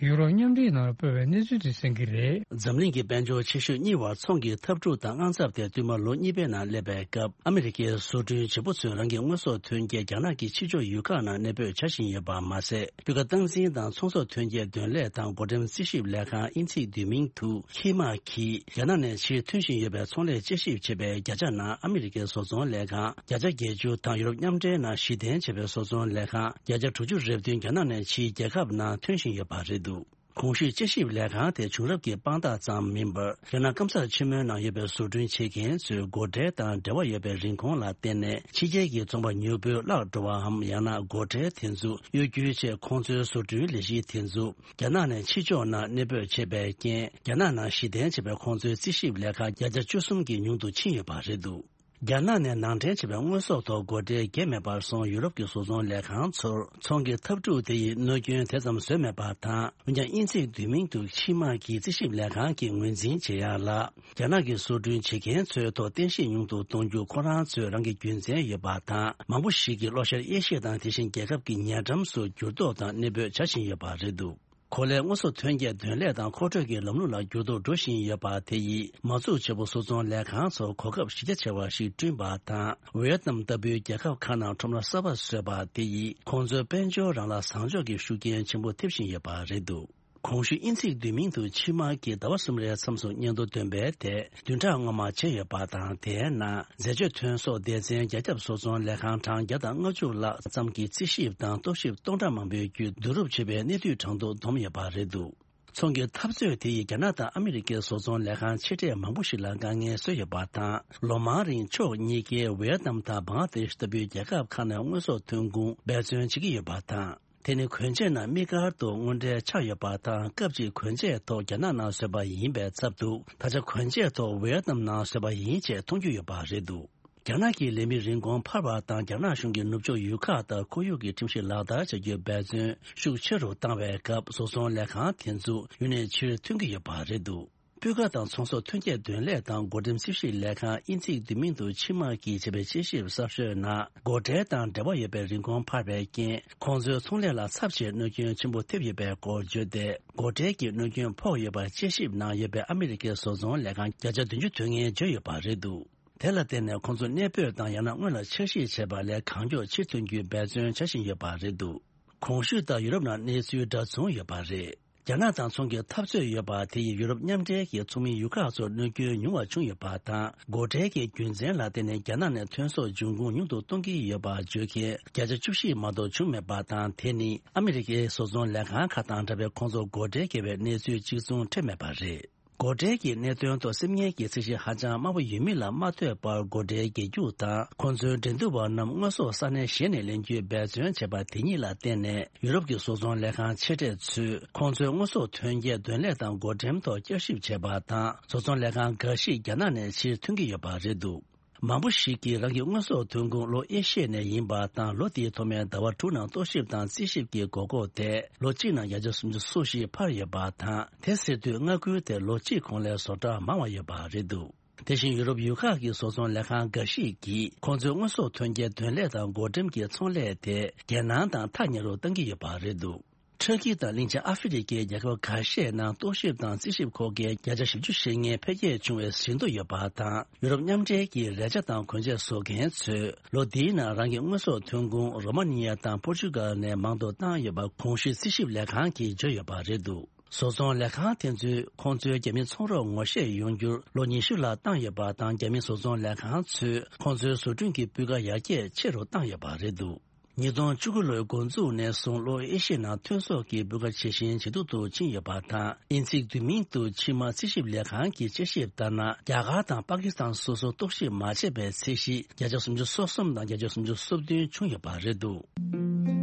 ཡུ་རོབ་མཉམ་འབྲེལ་ནང་སྤོས་པའི་གནས་ཚུལ་དེ་གསན་གྱི་རེད། འཛམ་གླིང་གི་དཔལ་འབྱོར་ཆེ་ཤོས་གཉིས་བར་ཚོང་གི་འཐབ་འཁྲུག་དང་དངངས་འཚབ་དེ་བསྟུད་མར་ལོ་གཉིས་པའི་ནང་སླེབས་པའི་སྐབས། ཨ་མི་རི་ཀའི་བཟོ་སྐྲུན་བྱེད་པོ་ཚོས་རང་གི་དངོས་ཟོག་ཐོན་སྐྱེད་རྒྱ་ནག་གི་ཕྱི་ཕྱོགས་ཡུལ་ཁག་ནང་གནས་སྤོས་བྱ་བཞིན་ཡོད་པ་མ་ཟད། སྤུས་ཀ་སྟངས་འཛིན་དང་ཚོང་ཟོག་ཐོན་སྐྱེད་འདོན་ལས་དང་བགོ་འགྲེམས་རྩིས་ཞིབ་ལས་ཁང་དབྱིན་ཚིག་བསྡུས་མིང་དུ་ཁི་མ་གིས། རྒྱ་ནག་ནས་ཕྱིར་ཐོན་བཞིན་ཡོད་པའི་ཚོང་ལས་དཔྱད་ཞིབ་བྱེད་པའི་བརྒྱ་ཆ་ནང་ཨ་མི་རི་ཀའི་བཟོ་ཚོང་ལས་ཁང་བརྒྱ་ཆ་བརྒྱད་ཅུ་དང་ཡུ་རོབ་མཉམ་འབྲེལ་ནང་གཞི་རྟེན་བྱས་པའི་བཟོ་ཚོང་ལས་ཁང་བརྒྱ་ཆ་དྲུག་ཅུ་རེ་བདུན་རྒྱ་ནག་ནས་ཕྱིའི་རྒྱལ་ཁབ་ནང་ཐོན་བཞིན་ཡོད་པ་རེད་འདུག། གོང་ཞུས་དཔྱད་ཞིབ་ལས་ཁང་དེ་བྱུང་རབས་ཀྱི་དཔང་རྟགས་ཙམ་མིན་པར། རྒྱ་ནག་སྐམ་སར་ཆེན་མོའི་ནང་ཡོད་པའི་བཟོ་སྐྲུན་བྱེད་མཁན་ཚོའི་སྒོ་ཁྲལ་དང་འབྲེལ་བ་ཡོད་པའི་རིན་གོང་ལ་བརྟེན་ནས། ཕྱི་རྒྱལ་གྱི་ཚོང་པ་མྱུར་པོས་བརླག་འགྲོ་བའམ། ཡང་ན་སྒོ་ཁྲལ་དེ་ཚོ་གཡོ་སྒྱུ་ཆེད། ཁོང་ཚོའི་བཟོ་སྐྲུན་ལས་གཞི་དེ་ཚོ་རྒྱ་ནག་ནས་ཕྱི་ཕྱོགས་ནང་གནས་སྤོས་བྱས་པའི་རྐྱེན། རྒྱ་ནག་ནང་གཞི་རྟེན་བྱས་པའི་ཁོང་ཚོའི་རྩིས་ཞིབ་ལས་ཁང་བརྒྱ་ཆ་བཅུ་གསུམ་གྱིས་ཉུང་དུ་ཕྱིན་ཡོད་པ་རེད་འདུག། རྒྱ་ནག་ནས་ནང་འདྲེན་བྱས་པའི་དངོས་ཟོག་ཐོག་སྒོ་ཁྲལ་འགེལ་མེད་པར་སོང་། ཡུ་རོབ་ཀྱི་བཟོ་ཚོང་ལས་ཁང་ཚོར་ཚོང་གི་འཐབ་འཁྲུག་དེ་ཡིས་གནོད་སྐྱོན་དེ་ཙམ་བཟོས་མེད་པ་དང་། འོན་ཀྱང་། དབྱིན་ཚིག་བསྡུས་མིང་དུ་ཕྱི་མ་གི་རྩིས་ཞིབ་ལས་ཁང་གིས་ངོས་འཛིན་བྱེད་ཡག་ལ། རྒྱ་ནག་གི་བཟོ་སྐྲུན་བྱེད་མཁན་ཚོའི་ཐོག་རྟེན་གཞི་ཉུང་དུ་གཏོང་རྒྱུ་ཁོ་རང་ཚོའི་རང་གི་རྒྱུ་མཚན་ཡོད་པ་དང་། མང་པོ་ཞིག་གིས་ལྷོ་ཤར་ཨེ་ཤི་ཡ་དང་དེ་བཞིན་རྒྱལ་ཁབ་ཀྱི་ཉེ་འགྲམ་སུ་འགྱུར་ལྡོག་དང་གནས་སྤོས་བྱ་བཞིན་ཡོད་པ་རེད་འདུག། གོ་ལའི་དངོས་ཟོག་ཐོན་སྐྱེད་འདོན་ལས་དང་མཁོ་སྤྲོད་ཀྱི་ལམ་ལུགས་ལ་འགྱུར་ལྡོག་འགྲོ་བཞིན་ཡོད་པ་དེ་ཡིས། མ་འཛུགས་བྱེད་པོ་བཟོ་ཚོང་ལས་ཁང་ཚོར་གོ་སྐབས་གཞི་རྒྱ་ཆེ་བ་ཞིག་བསྐྲུན་པ་དང་། ཝེ་ཏི་ནམ་ལྟ་བུའི་རྒྱལ་ཁབ་ཁག་ནང་ཁྲོམ་ར་གསར་པ་བཟོས་པ་དེ་ཡིས། ཁོང་ཚོའི་དཔལ་འབྱོར་རང་ལ་བཟང་ཕྱོགས་ཀྱི་ཤུགས་རྐྱེན་ཆེན་པོ་ཐེབས་བཞིན་ཡོད་པ་རེད་འདུག། གོང་ཞུས་དབྱིན་ཚིག་བསྡུས་མིང་དུ་ཕྱི་མ་གིས་ཟླ་བ་གསུམ་རེའི་མཚམས་སུ་སྙན་ཐོ་འདོན་པའི་ཐད་བདུན་ཕྲག་སྔོན་མ་བྱས་ཡོད་པ་དང་། དེའི་ནང་འཛད་སྤྱོད་ཐོན་ཟོག་སྡེ་ཚན་རྒྱ་ཁྱབ་བཟོ་ཚོང་ལས་ཁང་གྲངས་བརྒྱ་དང་ལྔ་བཅུ་ལྷག་ཙམ་གྱི་རྩིས་ཞིབ་དང་རྟོག་ཞིབ་སྟོང་ཕྲག་མང་པོའི་བརྒྱུད་བསྡུ་རུབ་བྱས་པའི་གནས་བསྡུས་གྲངས་ཐོ་བསྡོམས་ཡོད་པ་རེད་འདུག། ཚོང་གི་འཐབ་རྩོད་དེ་ཡིས་རྒྱ་ནག་དང་ཨ་མི་རི་ཀའི་བཟོ་ཚོང་ལས་ཁང་ཆེ་གྲས་མང་པོ་ཞིག་ལ་དཀའ་ངལ་བཟོས་ཡོད་པ་དང་། ལོ་མང་རིང་ཕྱོགས་གཉིས་ཀས་ཝེ་ཏི་ནམ་དང་བང་ལ་དེ་ཤི་ལྟ་བུའི་རྒྱལ་ཁབ་ཁག་ནས་དངོས་ཟོག་ཐོན་ཁུངས་འབད་བརྩོན་བྱེད་ཀྱི་ཡོད་པ་དང་། དེ་ནི་གོན་ཆས་ནང་དམིགས་བཀར་དུ་དངོས་འབྲེལ་ཆགས་ཡོད་པ་དང་། སྐབས་གཅིག་གོན་ཆས་ཐོག་རྒྱ་ནག་ནང་བཟོས་པ་ཡིན་པའི་ཚབ་ཏུ། ད་ཆ་གོན་ཆས་ཐོག་ཝེ་ཏི་ནམ་ནང་བཟོས་པ་ཡིན་ཅེས་མཐོང་རྒྱུ་ཡོད་པ་རེད་འདུག། རྒྱ་ནག་གི་ལས་མིའི་རིན་གོང་འཕར་བ་དང་། རྒྱ་ནག་གཞུང་གིས་ནུབ་ཕྱོགས་ཡུལ་ཁག་དང་ཁོར་ཡུག་གི་ཁྲིམས་གཞི་ལག་བསྟར་བྱ་རྒྱུའི་འབད་བརྩོན་ཤུགས་ཆེ་རུ་བཏང་བའི་སྐབས། བཟོ་ཚོང་ལས་ཁང་དེ་ཚོ་ཡུལ་ནས་ཕྱིར་ཐོན་གྱི་ཡོད་པ་རེད་འདུག། སྤུས་ཀ་དང་ཚོང་ཟོག་ཐོན་སྐྱེད་འདོན་ལས་དང་འགོ་འགྲེམས་རྩིས་ཞིབ་ལས་ཁང་། དབྱིན་ཚིག་བསྡུས་མིང་དུ་ཕྱི་མ་གིས་བྱས་པའི་དཔྱད་ཞིབ་གསར་ཤོས་ནང་། སྒོ་ཁྲལ་དང་འབྲེལ་བ་ཡོད་པའི་རིན་གོང་འཕར་བའི་རྐྱེན། ཁོང་ཚོའི་ཚོང་ལས་ལ་ཚབས་ཆེའི་གནོད་སྐྱོན་ཆེན་པོ་ཐེབས་ཡོད་པའི་སྐོར་བརྗོད་དེ། སྒོ་ཁྲལ་གྱི་གནོད་སྐྱོན་ཕོག་ཡོད་པར་དཔྱད་ཞིབ་ནང་ཡོད་པའི་ཨ་མི་རི་ཀའི་བཟོ་ཚོང་ལས་ཁང་བརྒྱ་ཆ་བདུན་ཅུ་དོན་ལྔས་བརྗོད་ཡོད་པ་རེད་འདུག། དེ་ལ་བརྟེན་ནས་ཁོང་ཚོ་གནས་སྤོས་དང་། ཡང་ན་སྔོན་ལ་འཆར་གཞི་བྱས་པ་ལས་གང་མགྱོགས་ཕྱིར་ཐོན་རྒྱུའི་འབད་བརྩོན་བྱ་བཞིན་ཡོད་པ་རེད་འདུག། གོང་ཞུས་ལྟར་ཡུ་རོབ་ནང་གནས་ཚུལ་འདྲ་མཚུངས་ཡོད་པ་རེད། རྒྱ་ནག་དང་ཚོང་གི་འཐབ་རྩོད་ཡོད་པ་དེ་ཡིས་ཡུ་རོབ་མཉམ་འབྲེལ་གྱི་ཚོགས་མིའི་ཡུལ་ཁག་ཚོར་གནོད་སྐྱོན་ཉུང་བ་བྱུང་ཡོད་པ་དང་། སྒོ་ཁྲལ་གྱི་རྒྱུ་མཚན་ལ་བརྟེན་ནས་རྒྱ་ནག་ནས་ཐོན་ཟོག་འབྱུང་ཁུངས་ཉུང་དུ་གཏོང་གི་ཡོད་པ་བརྗོད་མཁན་བརྒྱ་ཆ་བཅུ་བཞི་མ་གཏོགས་བྱུང་མེད་པ་དང་། དེ་ནི་ཨ་མི་རི་ཀའི་བཟོ་ཚོང་ལས་ཁང་ཁག་དང་འདྲ་བའི་ཁོང་ཚོར་སྒོ་ཁྲལ་འགེལ་བའི་གནས་ཚུལ་གཅིག་མཚུངས་འཕྲད་མེད་པ་རེད། སྒོ་ཁྲལ་གྱི་གནད་དོན་ཐོག་སེམས་ངལ་གྱི་ཚད་གཞི་ཧ་ཅང་དམའ་པོ་ཡོད་མིན་ལ་མ་ལྟོས་པར། སྒོ་ཁྲལ་འགེལ་རྒྱུ་དང་། ཁོང་ཚོའི་འགྲན་བསྡུར་བ་རྣམས་དངོས་ཟོག་ས་གནས་གཞན་ནས་ལེན་རྒྱུའི་འབད་བརྩོན་བྱས་པ་དེ་གཉིས་ལ་བརྟེན་ནས། ཡུ་རོབ་ཀྱི་བཟོ་ཚོང་ལས་ཁང་ཆེ་གྲས་ཚོས་ཁོང་ཚོའི་དངོས་ཟོག་ཐོན་སྐྱེད་འདོན་ལས་དང་བགོ་འགྲེམས་ཐོག་བསྐྱར་ཞིབ་བྱས་པ་དང་། བཟོ་ཚོང་ལས་ཁང་འགའ་ཞིག་རྒྱ་ནག་ནས་ཕྱིར་ཐོན་གྱི་ཡོད་པ་རེད་འདུག། མང་པོ་ཞིག་གིས་རང་གི་དངོས་ཟོག་ཐོན་ཁུངས་ལྷོ་ཨེ་ཤི་ཡ་ནས་ཡིན་པ་དང་། ལོ་དེའི་ཐོག་མའི་ཟླ་བ་དྲུག་ནང་རྟོག་ཞིབ་དང་རྩིས་ཞིབ་ཀྱི་དགོས་མཁོ་དེ་ལོ་གཅིག་ནང་བརྒྱ་ཆ་སུམ་ཅུ་སོ་བཞི་འཕར་ཡོད་པ་དང་། དེ་ཟེར་དུས་མངའ་ཁུལ་དེར་ལོ་གཅིག་གོང་ལས་བཟོ་གྲྭ་མང་བ་ཡོད་པ་རེད་འདུག། དེ་བཞིན་ཡུ་རོབ་ཡུལ་ཁག་གི་བཟོ་ཚོང་ལས་ཁང་འགའ་ཞིག་གིས་ཁོང་ཚོའི་དངོས་ཟོག་ཐོན་སྐྱེད་འདོན་ལས་དང་བགོ་འགྲེམས་ཀྱི་ཚོང་ལས་དེ་རྒྱལ་ནང་དང་ཐག་ཉེ་རུ་གཏང་གི་ཡོད་པ་རེད་འདུག། ཊར་ཀི་དང་གླིང་ཆེན་ཨ་ཧྥེ་རི་ཁའི་རྒྱལ་ཁབ་ཁ་ཤས་ནང་རྟོག་ཞིབ་དང་རྩིས་ཞིབ་མཁོ་མཁན་བརྒྱ་ཆ་བཞི་བཅུ་ཞེ་ལྔའི་འཕེལ་རྒྱས་བྱུང་བའི་ཟིན་ཐོ་ཡོད་པ་དང་། ཡུ་རོབ་མཉམ་འབྲེལ་གྱི་རས་ཆ་དང་གོན་ཆས་བཟོ་མཁན་ཚོས་ལོ་འདིའི་ནང་རང་གི་དངོས་ཟོག་ཐོན་ཁུངས་རོ་མ་ནི་ཡ་དང་པོར་ཅུ་གལ་ནས་མང་དུ་བཏང་ཡོད་པ་གོང་ཞུས་རྩིས་ཞིབ་ལས་ཁང་གིས་བརྗོད་ཡོད་པ་རེད་འདུག། བཟོ་ཚོང་ལས་ཁང་དེ་ཚོས་ཁོང་ཚོའི་རྒྱ་མི་ཚོང་རོགས་ངོ་ཤེས་ཡོང་རྒྱུར་ལོ་ཉི་ཤུ་ལྷག་བཏང་ཡོད་པ་དང་། རྒྱ་མི་བཟོ་ཚོང་ལས་ཁང་ཚོས་ཁོང་ཚོའི་བཟོ་སྐྲུན་གྱི་སྤུས་ཀ་ཡར་རྒྱས་ཆེ་རུ་བཏང་ཡོད་པ་རེད་འདུག། ཉིས་སྟོང་བཅུ་དགུ་ལོའི་འགོ་འཛུགས་ནས་བཟུང་ལྷོ་ཨེ་ཤི་ཡའི་ནང་ཐོན་ཟོག་གི་སྤུས་ཀ་ཇེ་ཞན་ཇེ་སྡུག་ཏུ་ཕྱིན་ཡོད་པ་དང་། དབྱིན་ཚིག་བསྡུས་མིང་དུ་ཕྱི་མ་རྩིས་ཞིབ་ལས་ཁང་གིས་དཔྱད་ཞིབ་ལྟར་ན། རྒྱ་གར་དང་པ་ཀི་སི་ཐན་སོ་སོར་རྟོག་ཞིབ་མ་བྱས་པའི་ཚད་གཞི་བརྒྱ་ཆ་སུམ་ཅུ་སོ་གསུམ་དང་བརྒྱ་ཆ་སུམ་ཅུ་སོ་བདུན་བྱུང་ཡོད་པ་རེད་འདུག།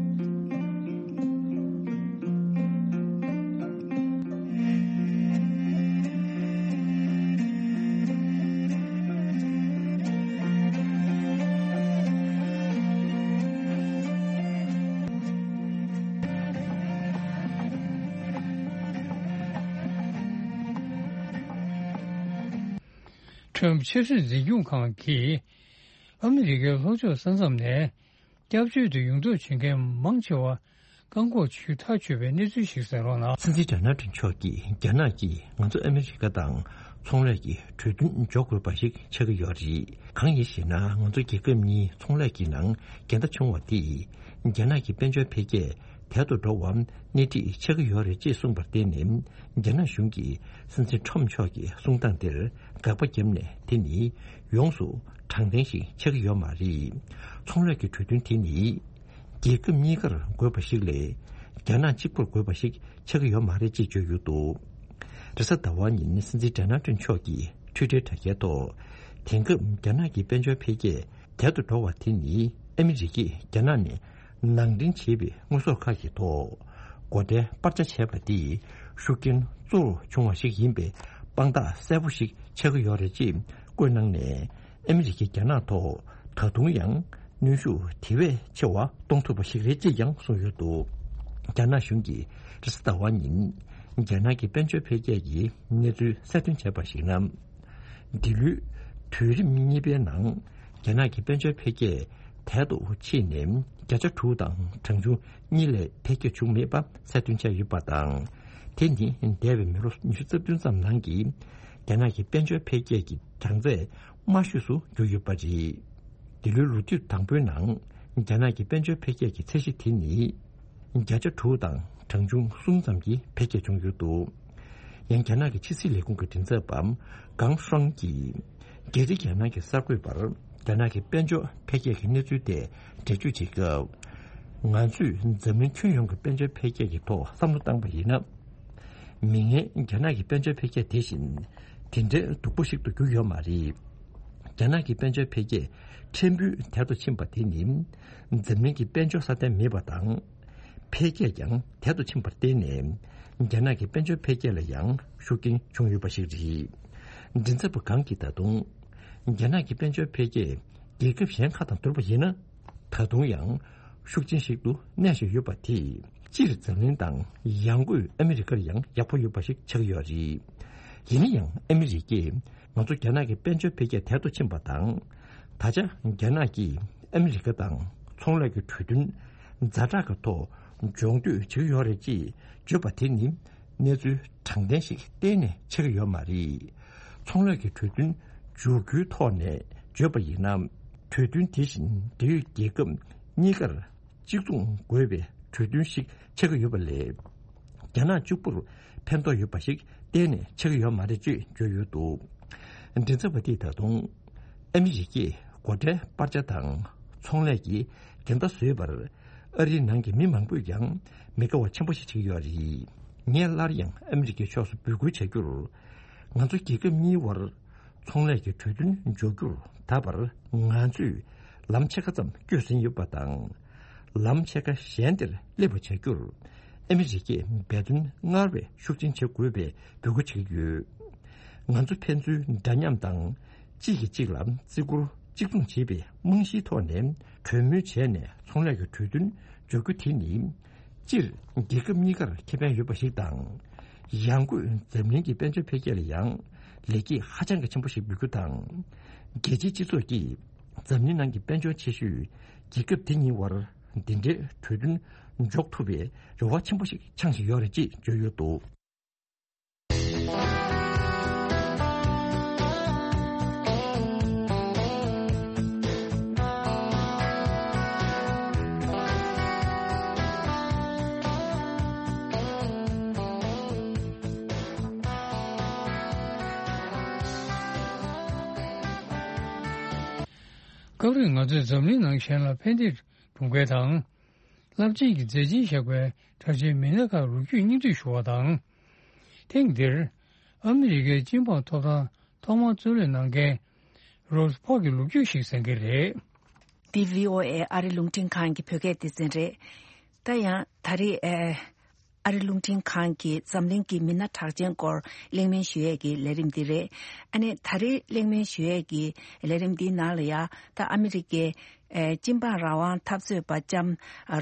ཊམ་ཕྱི་སྲིད་འཛིན་སྐྱོང་ཁང་གིས་ཨ་མི་རི་ཀའི་ལྷོ་ཕྱོགས་ས་མཚམས་ནས་སྐྱབས་བཅོལ་དུ་ཡོང་འདོད་བྱེད་མཁན་མང་ཆེ་བ་བཀག་འགོག་བྱེད་ཐག་ཆོད་པའི་གནས་ཚུལ་ཞིག་གསན་རོགས་གནང་། སྲིད་འཛིན་ཌོ་ནལ་ཊམ་མཆོག་གིས་རྒྱ་ནག་གིས་ང་ཚོ་ཨ་མི་རི་ཀ་དང་ཚོང་ལས་ཀྱི་གྲོས་མཐུན་འཇོག་དགོས་པ་ཞིག་ཆགས་ཀྱི་ཡོད་རེད། གང་ཡིན་ཞེ་ན། ང་ཚོ་རྒྱལ་ཁབ་གཉིས་ཚོང་ལས་ཀྱི་ནང་འགལ་ཟླ་བྱུང་བ་དེས་རྒྱ་ནག་གི་དཔལ་འབྱོར་འཕེལ་རྒྱས་དལ་དུ་འགྲོ་བར་སྣེ་ཁྲིད་ཆགས་ཀྱི་ཡོད་རེད་ཅེས་གསུངས་པར་བརྟེན་ནས། རྒྱ་ནག་གཞུང་གིས་སྲིད་འཛིན་ཊམ་མཆོག་གི་གསུང་སྟངས་དེར་དགག་པ་བརྒྱབ་ནས། དེ་ནི་ཡོངས་སུ་དྲང་བདེན་ཞིག་ཆགས་ཀྱི་ཡོད་མ་རེད། ཚོང་ལས་ཀྱི་གྲོས་མཐུན་དེ་ནི་རྒྱལ་ཁབ་གཉིས་ཀར་དགོས་པ་ཞིག་ལས། རྒྱ་ནག་གཅིག་པུར་དགོས་པ་ཞིག་ཆགས་ཀྱི་ཡོད་མ་རེད་ཅེས་བརྗོད་ཡོད་འདུག་རེས་གཟའ་ཟླ་བ་ཉིན་སྲིད་འཛིན་ཌོ་ནལ་ཊམ་མཆོག་གིས་ཊུའི་ཊར་དྲ་རྒྱའི་ཐོག་དེང་སྐབས་རྒྱ་ནག་གི་དཔལ་འབྱོར་འཕེལ་རྒྱས་དལ་དུ་འགྲོ་བ་དེ་ནི་ཨ་མི་རི་ཀས་རྒྱ་ནག་ནས་ནང་འདྲེན་བྱས་པའི་དངོས་ཟོག་ཁག་གི་ཐོག་སྒོ་ཁྲལ་སྤར་ཆ་བྱས་པ་དེས་ཤུགས་རྐྱེན་གཙོ་བོར་བྱུང་བ་ཞིག་ཡིན་པའི་དཔང་རྟགས་གསལ་པོ་ཞིག་ཆགས་ཀྱི་ཡོད་རེད་ཅེས་བཀོད་གནང་ནས། ཨ་མི་རི་ཀས་རྒྱ་ནག་ཐོག་ད་དུང་ཡང་གནོན་ཤུགས་དེ་བས་ཆེ་བ་གཏོང་ཐུབ་པ་ཞིག་རེད་ཅེས་ཀྱང་གསུངས་ཡོད་འདུག་རྒྱ་ནག་གཞུང་གིས་རེས་གཟའ་ཟླ་བ་ཉིན་རྒྱ་ནག་གི་དཔལ་འབྱོར་འཕེལ་རྒྱས་ཀྱི་གནས་ཚུལ་གསལ་སྟོན་བྱས་པར་གཞིགས་ན། འདི་ལོའི་དུས་རིམ་གཉིས་པའི་ནང་རྒྱ་ནག་གི་དཔལ་འབྱོར་འཕེལ་རྒྱས་དལ་དུ་ཕྱིན་ནས་བརྒྱ་ཆ་དྲུག་དང་གྲངས་ཆུང་གཉིས་ལས་འཕེལ་རྒྱས་བྱུང་མེད་པ་གསལ་སྟོན་བྱས་ཡོད་པ་དང་། དེ་ནི་འདས་པའི་མི་ལོ་ཉི་ཤུ་རྩ་བདུན་ཙམ་ནང་གི་རྒྱ་ནག་གི་དཔལ་འབྱོར་འཕེལ་རྒྱས་ཀྱི་གྲངས་ཚད་དམའ་ཤོས་སུ་གྱུར་ཡོད་པ་རེད། འདི་ལོའི་ལོ་དུས་དང་པོའི་ནང་རྒྱ་ནག་གི་དཔལ་འབྱོར་འཕེལ་རྒྱས་ཀྱི་ཚད་གཞི་དེ་ནི་བརྒྱ་ཆ་དྲུག་དང་གྲངས་ཆུང་གསུམ་ཙམ་གྱི་འཕེལ་རྒྱས་བྱུང་ཡོད་འདུག་ཡང་རྒྱ་ནག་གི་ཕྱི་སྲིད་ལས་ཁུངས་ཀྱི་མགྲིན་ཚབ་པ་ཀང་ཧྲང་གིས། རྒྱལ་སྤྱིའི་རྒྱལ་ནང་གི་གསར་འགོད་པར་རྒྱ་ནག་གི་དཔལ་འབྱོར་འཕེལ་རྒྱས་ཀྱི་གནས་ཚུལ་དེ་འགྲེལ་བརྗོད་བྱེད་སྐབས། ང་ཚོས་འཛམ་གླིང་ཁྱོན་ཡོངས་ཀྱི་དཔལ་འབྱོར་འཕེལ་རྒྱས་ཀྱི་ཐོག་བསམ་བློ་བཏང་པ་ཡིན་ན། མིག་སྔའི་རྒྱ་ནག་གི་དཔལ་འབྱོར་འཕེལ་རྒྱས་དེ་བཞིན་དེ་འདྲའི་སྡུག་པོ་ཞིག་ཏུ་གྱུར་ཡོད་མ་རེད། རྒྱ་ནག་གི་དཔལ་འབྱོར་འཕེལ་རྒྱས་ཕྲན་བུ་དལ་དུ་ཕྱིན་པ་དེ་ནི། འཛམ་གླིང་གི་དཔལ་འབྱོར་སྲ་བརྟན་མེད་པ་དང་། འཕེལ་རྒྱས་ཀྱང་དལ་དུ་ཕྱིན་པར་བརྟེན་ནས། རྒྱ་ནག་གི་དཔལ་འབྱོར་འཕེལ་རྒྱས་ལ་ཡང་ཤུགས་རྐྱེན་བྱུང་ཡོད་པ་ཞིག་རེད། མགྲིན་ཚབ་པ་ཀང་གིས་ད་དུང་། རྒྱ་ནག་གི་དཔལ་འབྱོར་འཕེལ་རྒྱས་རྒྱལ་ཁབ་གཞན་ཁག་དང་བསྡུར་བ་ཡིན་ན། ད་དུང་ཡང་ཤུགས་ཆེན་ཞིག་ཏུ་གནས་བཞིན་ཡོད་པ་དེས། སྤྱིར་འཛམ་གླིང་དང་ཡང་སྒོས་ཨ་མི་རི་ཀར་ཡང་ཡག་པོ་ཡོད་པ་ཞིག་ཆགས་ཀྱི་ཡོད་རེད། ཡིན་ན་ཡང་ཨ་མི་རི་ཀས་ང་ཚོ་རྒྱ་ནག་གི་དཔལ་འབྱོར་འཕེལ་རྒྱས་དལ་དུ་ཕྱིན་པ་དང་། ད་ཆ་རྒྱ་ནག་གིས་ཨ་མི་རི་ཀ་དང་ཚོང་ལས་ཀྱི་གྲོས་མཐུན་ཛ་དྲག་གི་ཐོག་འཇོག་འདོད་བྱེད་ཀྱི་ཡོད་རེད་ཅེས་བརྗོད་པ་དེ་ནི་གནས་ཚུལ་དྲང་བདེན་ཞིག་གཏན་ནས་ཆགས་ཀྱི་ཡོད་མ་རེད། ཚོང་ལས་ཀྱི་གྲོས་མཐུན་འཇོག་རྒྱུའི་ཐོག་ནས་བརྗོད་པ་ཡིན་ན། གྲོས་མཐུན་དེ་བཞིན་འབྲེལ་ཡོད་རྒྱལ་ཁབ་གཉིས་ཀར་གཅིག་མཚུངས་དགོས་པའི་གྲོས་མཐུན་ཞིག་ཆགས་ཀྱི་ཡོད་པ་ལས། རྒྱ་ནག་གཅིག་པུར་ཕན་ཐོགས་ཡོད་པ་ཞིག་གཏན་ནས་ཆགས་ཀྱི་ཡོད་མ་རེད་ཅེས་བརྗོད་ཡོད་འདུག་མགྲིན་ཚབ་པ་དེས་ད་དུང་། ཨ་མི་རི་ཀས་སྒོ་ཁྲལ་སྤར་ཆ་དང་ཚོང་ལས་ཀྱི་འགལ་ཟླ་བཟོས་པར་ཨ་རིའི་ནང་གི་མི་མང་པོས་ཀྱང་མི་དགའ་བ་ཆེན་པོ་ཞིག་བྱེད་ཀྱི་ཡོད་རེད། ངས་སླར་ཡང་ཨ་མི་རི་ཀའི་ཕྱོགས་སུ་འབོད་སྐུལ་བྱ་རྒྱུར། ང་ཚོ་རྒྱལ་ཁབ་གཉིས་དབར་ཚོང་ལས་ཀྱི་གྲོས་མཐུན་འཇོག་རྒྱུར་ད་བར་ང་ཚོས་ལམ་ཕྱེད་ཀ་ཙམ་བསྐྱོད་ཟིན་ཡོད་པ་དང་། ལམ་ཕྱེད་ཀ་གཞན་དེར་སླེབས་པ་བྱ་རྒྱུར་ཨ་མི་རི་ཀས་འབད་བརྩོན་སྔར་བས་ཤུགས་ཆེན་བྱེད་དགོས་པའི་འབོད་སྐུལ་བྱེད་ཀྱི་ཡོད། ང་ཚོ་ཕན་ཚུན་འདྲ་མཉམ་དང་གཅིག་གིས་གཅིག་ལ་བརྩི་བཀུར་གཅིག་མཚུངས་བྱེད་པའི་རྨང་གཞིའི་ཐོག་ནས་གྲོས་མོལ་བྱས་ནས་ཚོང་ལས་ཀྱི་གྲོས་མཐུན་འཇོག་རྒྱུ་དེ་ནི། སྤྱིར་རྒྱལ་ཁབ་གཉིས་ཀར་ཁེ་ཕན་ཡོད་པ་ཞིག་དང་། ཡང་སྒོས་འཛམ་གླིང་གི་དཔལ་འབྱོར་འཕེལ་རྒྱས་ལ་ཡང་ལེགས་སྐྱེས་ཧ་ཅང་གི་ཆེན་པོ་ཞིག་འབུལ་རྒྱུ་དང་། རྒྱལ་སྤྱིའི་སྤྱི་ཚོགས་ཀྱིས་འཛམ་གླིང་ནང་གི་དཔལ་འབྱོར་ཆེ་ཤོས་རྒྱལ་ཁབ་དེ་གཉིས་དབར་འདི་འདྲའི་གྲོས་མཐུན་འཇོག་ཐུབ་པའི་རེ་བ་ཆེན་པོ་ཞིག་འཆང་བཞིན་ཡོད་རེད་ཅེས་བརྗོད་ཡོད་འདུག་སྐབས་རེ་ང་ཚོས་འཛམ་གླིང་ནང་གཞན་ལ་ཕན་བདེ་སྒྲུབ་མཁན་དང་། རླབས་ཆེན་གྱི་མཛད་རྗེས་བཞག་པའི་གྲགས་ཅན་མི་སྣ་ཁག་ལོ་རྒྱུས་སྙིང་བསྡུས་ཞུ་བ་དང་། ཐེངས་འདིར་ཨ་མི་རི་ཀའི་སྤྱི་འབངས་ཐོབ་ཐང་ཐོག་མར་རྩོད་གླེང་གནང་མཁན་རོབ་ཕོག་གི་ལོ་རྒྱུས་ཤིག་གསན་གྱི་རེད། འདི་བྷི་ཨོ་ཨེ་ཨ་རི་རླུང་འཕྲིན་ཁང་གི་བོད་སྐད་སྡེ་ཚན་རེད། ད་ཡང་ད་རེས་ཨ་ཨ་རི་རླུང་འཕྲིན་ཁང་གིས་འཛམ་གླིང་གི་མི་སྣ་གྲགས་ཅན་སྐོར་གླེང་མོལ་ཞུ་ཡས་ཀྱི་ལས་རིམ་འདི་རེད། ཨ་ནི་ད་རེས་གླེང་མོལ་ཞུ་ཡས་ཀྱི་ལས་རིམ་འདིའི་ནང་ལ་ཡ་ད་ཨ་མི་རི་ཀའི་ ཨེ་སྤྱི་འབངས་རང་དབང་འཐབ་རྩོད་པ་ལྕམ་